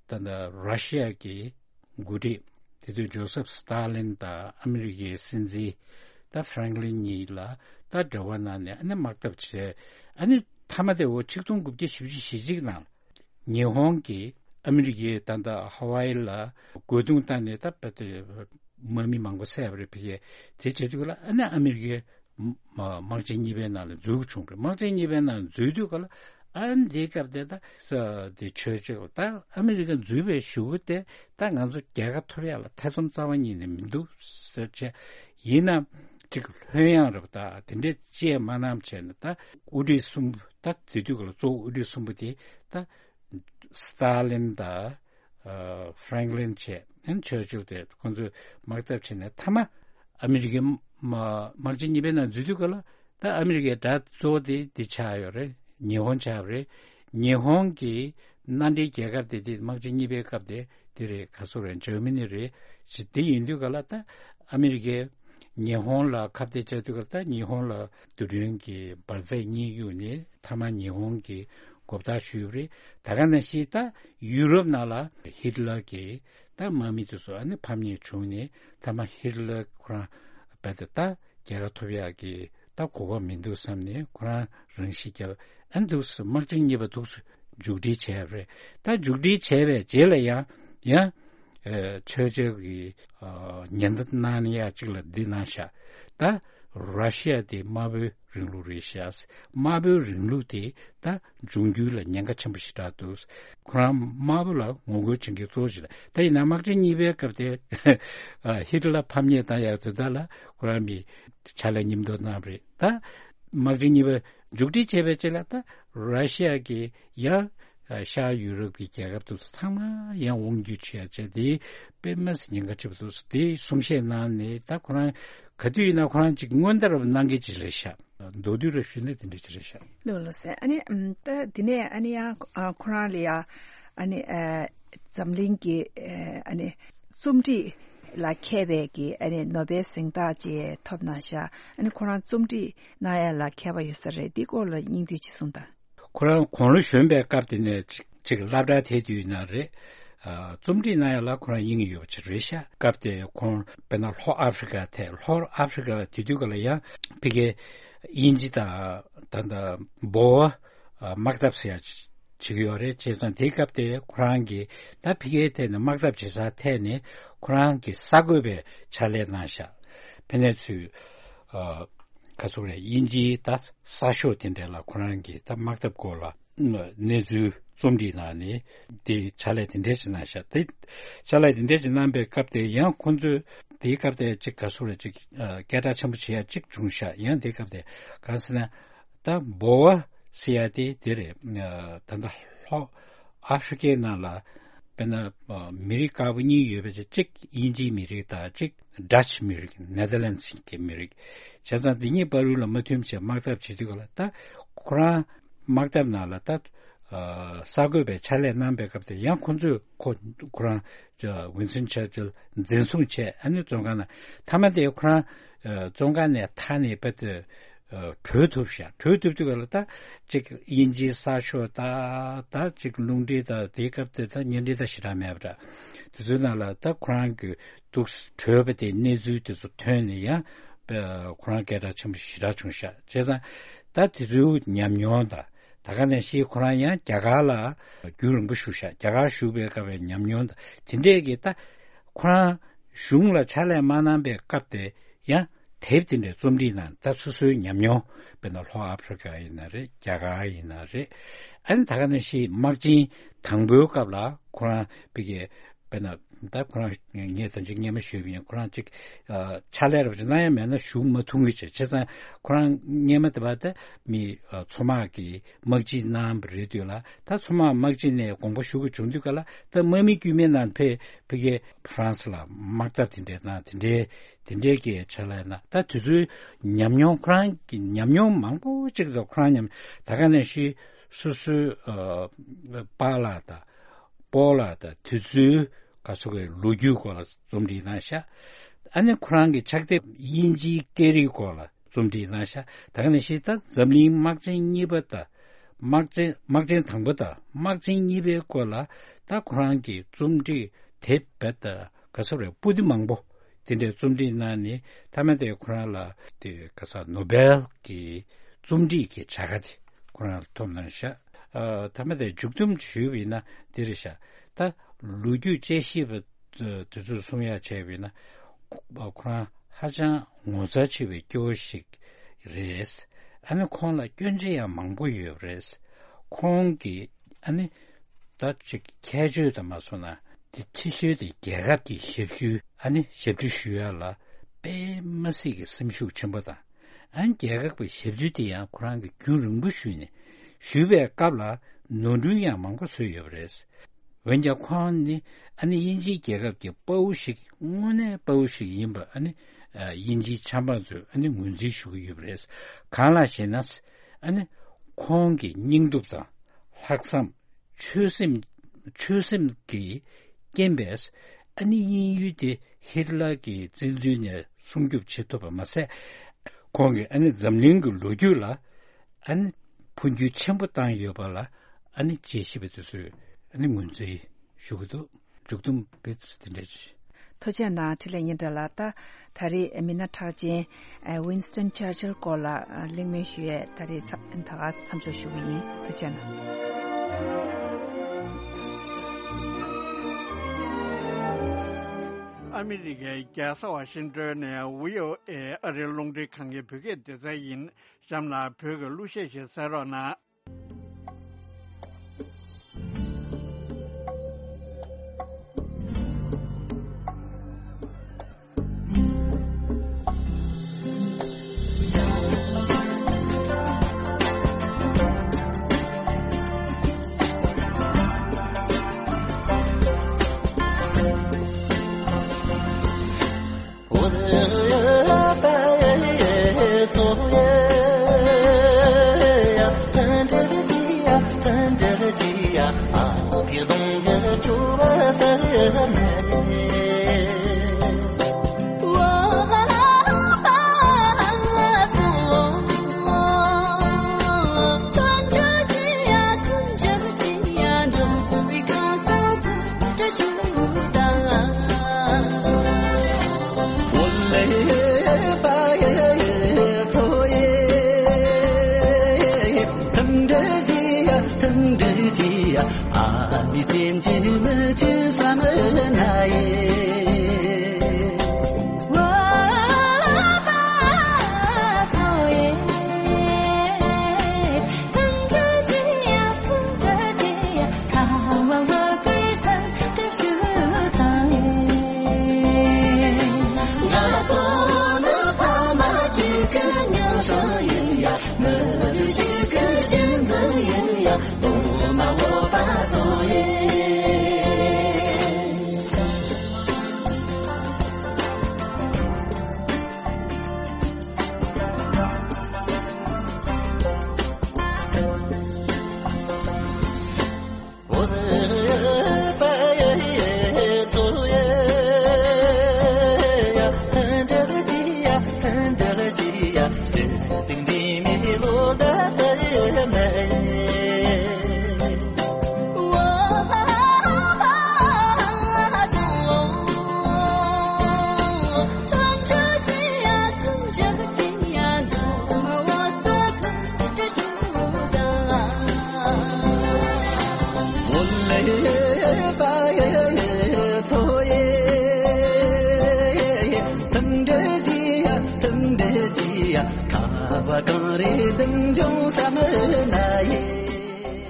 ད་ད་ར་ཤི་ཡ་གི་འགོ་ཁྲིད་དེ་དུས་ཇོ་སེབ་སི་ཏཱ་ལིན་དང་ཨ་མི་རི་ཀའི་སྲིད་འཛིན་ད་ཧྥ་རེང་ལིན་གཉིས་ལ་ད་འབྲེལ་བ་གནང་ནས་ཨ་ནི་དམག་འཐབ་བྱས། ཨ་ནི་མཐའ་མ་དེ་འོ་ཆིག་སྟོང་དགུ་བརྒྱ་བཞི་བཅུ་ཞེ་གཅིག་ནང་ཉི་ཧོང་གིས་ཨ་མི་རི་ཀའི་ད་ལྟ་ཧ་ཝའི་ལ་རྒོལ་རྡུང་བཏང་ནས་ད་དཔེ་དེ་དམག་མི་མང་པོ་བསད་པ་རེད། ཕ་གིའི་དེ་བྱེད་དུས་ལ་ཨ་ནི་ཨ་མི་རི་ཀའི་དམག་ཆེན་གཉིས་པའི་ནང་ལ་འཛུལ་བྱུང་རེད། དམག་ཆེན་གཉིས་པའི་ནང་འཛུལ་དུས་ག་ལ་ཨ་ནི་དེའི་སྐབས་དེ་ད་ས་དེ་ཆོས་ཆོས་ད་ཨ་མི་རི་ཀ་འཛུལ་བའི་གཞུག་གུ་དེ་ད་ང་ཚོ་རྒྱལ་ཁ་ཐོབ་ཡག་ལ་ཐེ་ཚོམ་རྩ་བ་ཉིད་ནས་མི་འདུག་ཟེར་བྱས། ཡིན་ན་ཅིག་ལྷོད་ཡངས་རེད་པ། ད་དེ་འདྲས་ཅེས་མ་གནང་བྱས་ནས་ད་དབུ་ཁྲིད་གསུམ་པོ་ད་དེ་དུས་ག་ལ་གཙོ་བོ་དབུ་ཁྲིད་གསུམ་པོ་དེ་ད་སི་ཏཱ་ལིན་དང་ཧྥ་རེང་ལིན་བྱས་ཨན་ཆོས་ཆོས་དེ་ཁོང་ཚོས་དམག་འཐབ་བྱས་ནས་མཐའ་མ་ཨ་མི་རི་ཀའི་དམག་ཆེན་གཉིས་པའི་ནང་འཛུལ་དུས་ག་ལ། ད་ཨ་མི་རི་ཀའི་དགྲ་གཙོ་བོ་དེ་འདི་ཆགས་ཡོད་རེད། ཉི་ཧོང་ཆགས་པ་རེད། ཉི་ཧོང་གི་མནའ་འབྲེལ་རྒྱལ་ཁབ་དེ་དེ་དམག་ཆེན་གཉིས་པའི་སྐབས་དེ་དེ་རེད། ག་སོ་རེད། འཇར་མ་ནི་རེད། ཞེས་དེ་ཡིན་དུས་ག་ལ་ད་ཨ་མི་རི་ཀས་ཉི་ཧོང་ལ་ཁ་གཏད་བཅག་དུས་ག་ལ་ད་ཉི་ཧོང་ལ་རྡུལ་ཕྲན་གྱི་འབར་རྫས་གཉིས་གཡུགས་ནས་མཐའ་མ་ཉི་ཧོང་གི་མགོ་བཏགས་ཞུས་པ་རེད། ད་ག་ནང་བཞིན་ད་ཡུ་རོབ་ནང་ལ་ཧིཊ་ལར་གྱི་ད་དམག་མི་དེ་ཚོ་ཨ་ནི་ཕམ་ཉེས་བྱུང་ནས་མཐའ་མ་ཧིཊ་ལར་ཁོ་རང་རྦད་དེ་ད་རྒྱལ་ཁ་ཐོབ་ཡག་གི་ད་གོ་སྐབས་མི་འདུག་བསམ་ནས་ཁོ་རང་རང་ཤི་བརྒྱབ། ཨ་འདུག་སེ་དམག་ཆེན་གཉིས་པ་འདུག་སེ་མཇུག་སྒྲིལ་བྱས་པ་རེད། ད་མཇུག་སྒྲིལ་བྱས་པའི་རྗེས་ལ་ཡང་ཡང་ཨ་ཆོས་རྒྱལ་གྱི་ཨ་ཉེན་བརྡ་གནང་ཡག་ཅིག་ལ་འདི་གནང་ཤག་ད་ར་ཤི་ཡ་དེ་དམར་པོའི་རིང་ལུགས་རེད་ཤག་དམར་པོའི་རིང་ལུགས་དེ་ད་འབྱུང་འགྱུར་ལ་ཉེན་ཁ་ཆེན་པོ་ཞེ་དྲག་འདུག་ཁོ་རང་དམར་པོ་ལ་ངོ་རྒོལ་བྱེད་མཁན་གཙོ་བོ་ཞིག་རེད། ད་ཡིན་ན་དམག་ཆེན་གཉིས་པའི་སྐབས་དེ་ཨ་ཧི་ཊ་ལར་ཕམ་ཉེས་བཏང་ཡག་དེ་དག་ལ་ཁོ་རང་གིས་ཕྱག་ལས་མཉམ་དུ་གནང་བ་རེད། ད་དམག་ཆེན་གཉིས་པ་མཇུག་སྒྲིལ་བྱས་པའི་རྗེས་ལ་ད་ར་ཤི་ཡ་གིས་ཡང་ཤར་ཡུ་རོབ་ཀྱི་རྒྱལ་ཁབ་དེ་ཚོ་ཚང་མ་ཡང་དབང་སྒྱུར་བྱེད་ཡག་བྱས་དེ་དཔེ་མི་སྲིད་ཉེན་ཁ་ཆེ་པོ་འདུག་དེ་གསུང་བཤད་གནང་ནས་ད་ཁོ་རང་ག་དུས་ཡིན་ན་ཁོ་རང་ཅིག་སྔོན་བརྡ་རབ་གནང་གི་ཅིག་རེད་ཤག་མདོར་བསྡུས་རབ་ཞུས་ན་དེ་འདྲ་ཅིག་རེད་ཤག་ལགས་ལགས་སེ། ཨ་ནི་ཨམ་ད་དེ་ནས་ཨ་ནི་ཡང་ཨ་ཁོ་རང་ལ་ཡ་ཨ་ནི་ཨ་འཛམ་གླིང་གི་ཨ་ནི་རྩོམ་སྒྲིག་ལ་མཁས་པའི་གི་ཨ་ནི་ནོ་བེལ་གཟེངས་རྟགས་ཅིག་ཐོབ་གནང་ཤག་ཨ་ནི་ཁོ་རང་རྩོམ་སྒྲིག་གནང་ཡ་ལ་མཁས་པ་ཡོད་ས་རེད། འདི་སྐོར་ལ་སྙིང་བསྡུས་ཅིག་གསུངས་དང་། ཁོ་རང་དགུང་ལོ་གཞོན་པའི་སྐབས་དེ་ནས་ཅིག་ཅིག་སློབ་གྲྭ་དེ་དུས་ན་རེད། ཨ་རྩོམ་སྒྲིག་གནང་ཡ་ལ་ཁོ་རང་དབྱིངས་ཡོད་པ་ཅིག་རེད་ཤག་སྐབས་དེ་ཁོང་དཔེར་ན་ལྷོ་ཨ་ཧྥི་རི་ཀ་ཐད། ལྷོ་ཨ་ཧྥི་རི་ཀ་ལ་དེ་དུས་སྐབས་ལ་ཡང་ཕ་གིའི་དབྱིན་ཇི་དང་ད་ལྟ་འབོ་བ་དམག་འཐབ་ཟེར་ཡ་བྱེད་ཀྱི་ཡོད་རེད། བྱས་ཙང་དེའི་སྐབས་དེ་ཁོ་རང་གིས་ད་ཕ་གིའི་ཐད་ནས་དམག་འཐབ་བྱེད་སར་ཐད་ནས་ཁོ་རང་གིས་གསར་འགོད་པའི་ཕྱག་ལས་གནང་ཤག་ཕ་ནས་ཚུར་ཨ་ག་ཚོད་རེད། དབྱིན་ཇིའི་ད་གསར་ཤོག་དེ་འདྲ་ལ་ཁོ་རང་གིས་ད་དམག་འཐབ་སྐོར་ལ་གནས་ཚུལ་རྩོམ་སྒྲིག་གནང་ནས་དེ་ཕྱག་ལས་དེ་འདྲ་ཞིག་གནང་ཤག་དེ་ཕྱག་ལས་དེ་འདྲ་ཞིག་གནང་པའི་སྐབས་དེ་ཡང་ཁོང་ཚོས་དེའི་སྐབས་དེ་ཅིག་ག་ཚོད་རེད། ཅིག་ཨ་སྐད་གྲགས་ཆེན་པོ་བྱེད་ཡ་ཅིག་བྱུང་ཤག་ཡང་དེའི་སྐབས་དེ་གང་ཟེར་ན་ད་འབོ་བ་ཟེར་ཡ་དེ་དེ་རེད། ཨ་ད་ལྟ་ལྷོ་ཨ་ཧྥི་རི་ཀའི་ནང་ལ་དཔེར་ན་ཨ་མི་རིགས་དཀར་པོ་གཉིས་ཡོད་པའི་ཅིག་དབྱིན་ཇིའི་མི་རིགས་དང་ཅིག་ཌ་ཅི་མི་རིགས། ནེ་དར་ལེན་ཌི་གི་མི་རིགས། བྱས་ཙང་འདི་གཉིས་བར་ལ་མ་མཐུན་བྱས་དམག་འཐབ་བྱེད་དུས་སྐབས་ལ་ད་ཁོ་རང་དམག་འཐབ་ནང་ལ་ད་ཨ་གསར་འགོད་པའི་ཕྱག་ལས་གནང་པའི་སྐབས་དེ་ཡང་ཁོ་ཚོས་ཁོ་ཁོ་རང་ཝིན་སྟོན་ཆར་ཅིལ་འཛིན་བཟུང་བྱས། ཨ་ནི་བཙོན་ཁང་ནང་མཐའ་མ་དེ་ཁོ་རང་ཨ་བཙོན་ཁང་ནས་ཐར་ནས་དཔེ་དེ་ཨ་བྲོས་ཐུབ་ཤག་བྲོས་ཐུབ་དུས་སྐབས་ལ་ད་ཅིག་དབྱིན་ཇིའི་གསར་ཤོག་ད་ད་ཅིག་རླུང་འཕྲིན་ད་དེའི་སྐབས་དེ་ད་བརྙན་འཕྲིན་ད་ཞེ་དྲག་མེད་པ་འདྲ། དེ་ཚོའི་ནང་ལ་ད་ཁོ་རང་གི་འདུག་བྲོས་པ་དེ་གནས་ཚུལ་དེ་ཚོ་ཐོན་ནས་ཡང་ཨ་ཁོ་རང་སྐད་གྲགས་ཆེན་པོ་ཞེ་དྲག་བྱུང་ཤག་བྱས་ཙང་ད་དེ་ཚོའི་ཉམས་མྱོང་དང་། ད་ག་ནང་བཞིན་ཁོ་རང་ཡང་རྒྱ་གར་ལ་རྒྱུན་རིང་པོ་བཞུགས་ཤག་རྒྱ་གར་བཞུགས་པའི་སྐབས་པའི་ཉམས་མྱོང་དང་དེ་འདྲས་ཀྱི་ད་ཁོ་རང་གཞུང་ལ་ཕྱག་ལས་མ་གནང་པའི་སྐབས་དེ་ཡང་དེབ་དེ་འདྲའི་རྩོམ་སྒྲིག་གནང་། ད་སོ་སོའི་ཉམས་མྱོང་དཔེར་ན་ལྷོ་ཨ་ཧྥི་རི་ཀ་ཡིན་ན་རེད། རྒྱ་གར་ཡིན་ན་རེད། ཨ་ནི་ད་ག་ནང་བཞིན་དམག་ཆེན་དང་པོའི་སྐབས་ལ་ཁོ་རང་ཕ་གིའི་དཔེར་ན་ད་ཁོ་རང་ངས་ད་ཅིག་སྔས་མ་ཞུས་པ་ཡིན། ཁོ་རང་ཅིག་ཨ་ཕྱག་ལས་རབ་ཅིག་གནང་ཡ་མེད་ན་བཞུགས་མ་ཐུབ་ངེས་བྱས། བྱས་ཙང་ཁོ་རང་སྔས་མ་དེ་བར་ད་མི་ཨ་མཚོ་དམག་གི་དམག་སྤྱི་གནང་བ་རེད་དུས་ལ། ད་མཚོ་དམག་དམག་སྤྱི་ནས་དགོངས་པ་ཞུ་དགོས་བྱུང་དུས་ག་ལ་ད་དམག་མི་དཀྱུས་མའི་ནང་ཕེབས་ཕ་གིའི་ཧྥ་རན་སི་ལ་དམག་འཐབ་དེ་འདྲའི་གནང་། དེ་འདྲའི་དེ་འདྲའི་གི་ཕྱག་ལས་གནང་། ད་དེ་ཚོའི་ཉམས་མྱོང་ཁོ་རང་གི་ཉམས་མྱོང་མང་པོ་ཅིག་དང་ཁོ་རང་ཉམས་ད་ག་ནང་བཞིན་སོ་སོའི་ཨ་པཱ་ལགས་དང་ སྤོ་ལགས་དང་དེ་ཚོའི་ག་ཚོད་ཀྱི་ལོ་རྒྱུས་སྐོར་ལ་རྩོམ་བྲིས་གནང་ཤག་ཨ་ནི་ཁོ་རང་གི་ཕྱག་དེབ་དབྱིན་ཇིའི་སྐད་རིགས་སྐོར་ལ་རྩོམ་བྲིས་གནང་ཤག་ད་ག་ནང་བཞིན་ད་འཛམ་གླིང་དམག་ཆེན་གཉིས་པ་དང་། དམག་ཆེན་དམག་ཆེན་དང་པོ་དང་དམག་ཆེན་གཉིས་པའི་སྐོར་ལ་ད་ཁོ་རང་གི་རྩོམ་བྲིས་དེབ་བེད་དང་ག་ཚོད་རེད། པོ་ཏི་མང་པོ་དེ་འདྲའི་རྩོམ་བྲིས་གནང་ནས། མཐའ་མ་དེ་ཁོ་རང་ལ་དེ་ག་ས་ནོ་བེལ་གྱི་རྩོམ་བྲིས་ཀྱི་བྱ་དགའ་དེ་ཁོ་རང་ལ་ཐོབ་གནང་ཤག་ཨ། མཐའ་མ་དེ་མཇུག་སྡོམ་ཞུས་པ་ཡིན་ན་འདི་རེད་ཤག་ད་ལོ་རྒྱུས་དཔྱད་ཞིབ་པ་དེ་ཚོས་གསུང་ཡག་བྱས་པ་ཡིན་ན། ཁོ་རང་ཧ་ཅང་ངོ་མཚར་ཆེ་བའི་སྐྱེ་བོ་ཞིག་རེད། ཨ་ནི་ཁོང་ལ་སྐྱོན་ཆ་ཡང་མང་པོ་ཡོད་པ་རེད། ཁོང་གིས་ཨ་ནི་ད་ཅིག་ཁྱད་ཆོས་དང་མ་སོང་ན་དེ་ཁྱད་ཆོས་དེ་རྒྱལ་ཁབ་ཀྱི་ཞབས་ཞུ། ཨ་ནི་ཞབས་ཕྱི་ཞུ་ཡག་ལ་དཔེ་མ་སྲིད་ཀྱི་སེམས་ཤུགས་ཆེན་པོ་དང་། ཨ་ནི་རྒྱལ་ཁབ་ཀྱི་ཞབས་ཕྱི་དེ་ཡང་ཁོ་རང་གིས་རྒྱུན་རིང་པོ་ཞུས་ནས། ཞུས་པའི་སྐབས་ལ་ནོར་འཁྲུལ་ཡང་མང་པོ་བཟོས་ཡོད་པ་རེད། འོན་ཀྱང་ཁོང་ནི་ཨ་ནི་དབྱིན་ཇིའི་རྒྱལ་ཁབ་ཀྱི་དཔའ་བོ་ཞིག་དངོས་གནས་དཔའ་བོ་ཞིག་ཡིན་པ་ཨ་ནི་ཨ། དབྱིན་ཇིའི་ཆབ་འབངས་ཚོས་ཨ་ནི་ངོས་འཛིན་ཞུ་གི་ཡོད་པ་རེད། གང་ལགས་ཤེ་ན། ཨ་ནི་ཁོང་གི་སྙིང་སྟོབས་དང་ལྷག་བསམ། ཆོད་སེམས། ཆོད་སེམས་ཀྱི་རྐྱེན་པས་ཨ་ནི་དབྱིན་ཡུལ་དེ་ཧིཊ་ལར་གྱི་བཙན་འཛུལ་ནས་སྲུང་སྐྱོབ་བྱེད་ཐུབ་པ་མ་ཟད། ཁོང་གིས་ཨ་ནི་འཛམ་གླིང་གི་ལོ་རྒྱུས་ལ་ཨ་ནི་འཕོ་འགྱུར་ཆེན་པོ་བཏང་ཡོད་པ་ལ་ཨ་ནི་དཔྱད་ཞིབ་པ་དེ་ཚོས་ཨ་ནི་ངོས་འཛིན་ཞུ་གི་འདུག་མཇུག་སྡོམ་དཔེ་དེ་འདྲ་ཞིག་ཐུགས་རྗེ་གནང་། འཕྲིན་ལས་སྙན་གྲགས་ལགས། ད་ད་རེས་མི་སྣ་གྲགས་ཅན་ཨ། ཝིན་སི་ཊོན་ཆར་ཆིལ་སྐོར་ལ་ཨ། གླེང་མོལ་ཞུ་ཡས་ད་རེས་ཚ། ད་ག་མཚམས་འཇོག་ཞུ་གི་ཡིན། ཐུགས་རྗེ་གནང་། ཨ་མི་རི་ཀའི་རྒྱལ་ས་ཝ་ཤིང་ཏོན་ནས་བྷི་ཨོ་ཨེ་ཨ་རིའི་རླུང་འཕྲིན་ཁང་གི་བོད་སྐད་སྡེ་ཚན་ཡིན། གཤམ་ལ་བོད་ཀྱི་གླུ་གཞས་ཤིག་གསན་རོགས་གནང་།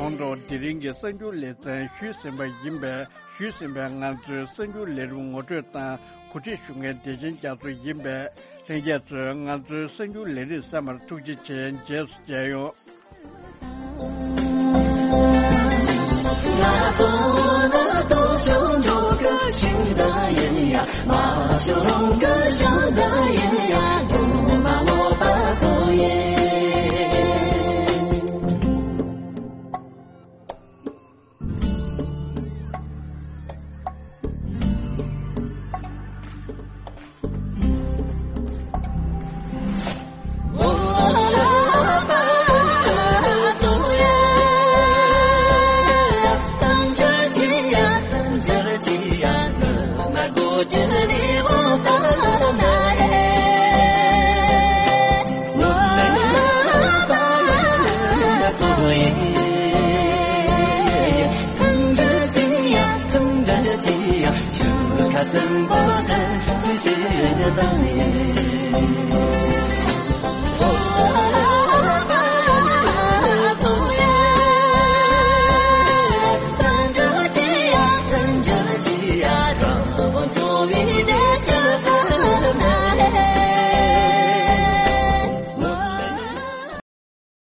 ཁོང་ཚོ་དེ་རིང་གི་གསར་འགྱུར་ལེ་ཚན་ཞུས་ཟིན་པ་ཡིན་པས། ཞུས་ཟིན་པའི་ང་ཚོའི་གསར་འགྱུར་ལས་རིམ་ངོ་སྤྲོད་དང་གོ་སྒྲིག་ཞུ་མཁན་བདེ་ཆེན་རྒྱ་མཚོ་ཡིན་པས། ལྷན་རྒྱས་ཚོས་ང་ཚོའི་གསར་འགྱུར་ལས་རིམ་གསན་པར་ཐུགས་རྗེ་ཆེ། རྗེས་སུ་མཇལ་ཡོང་།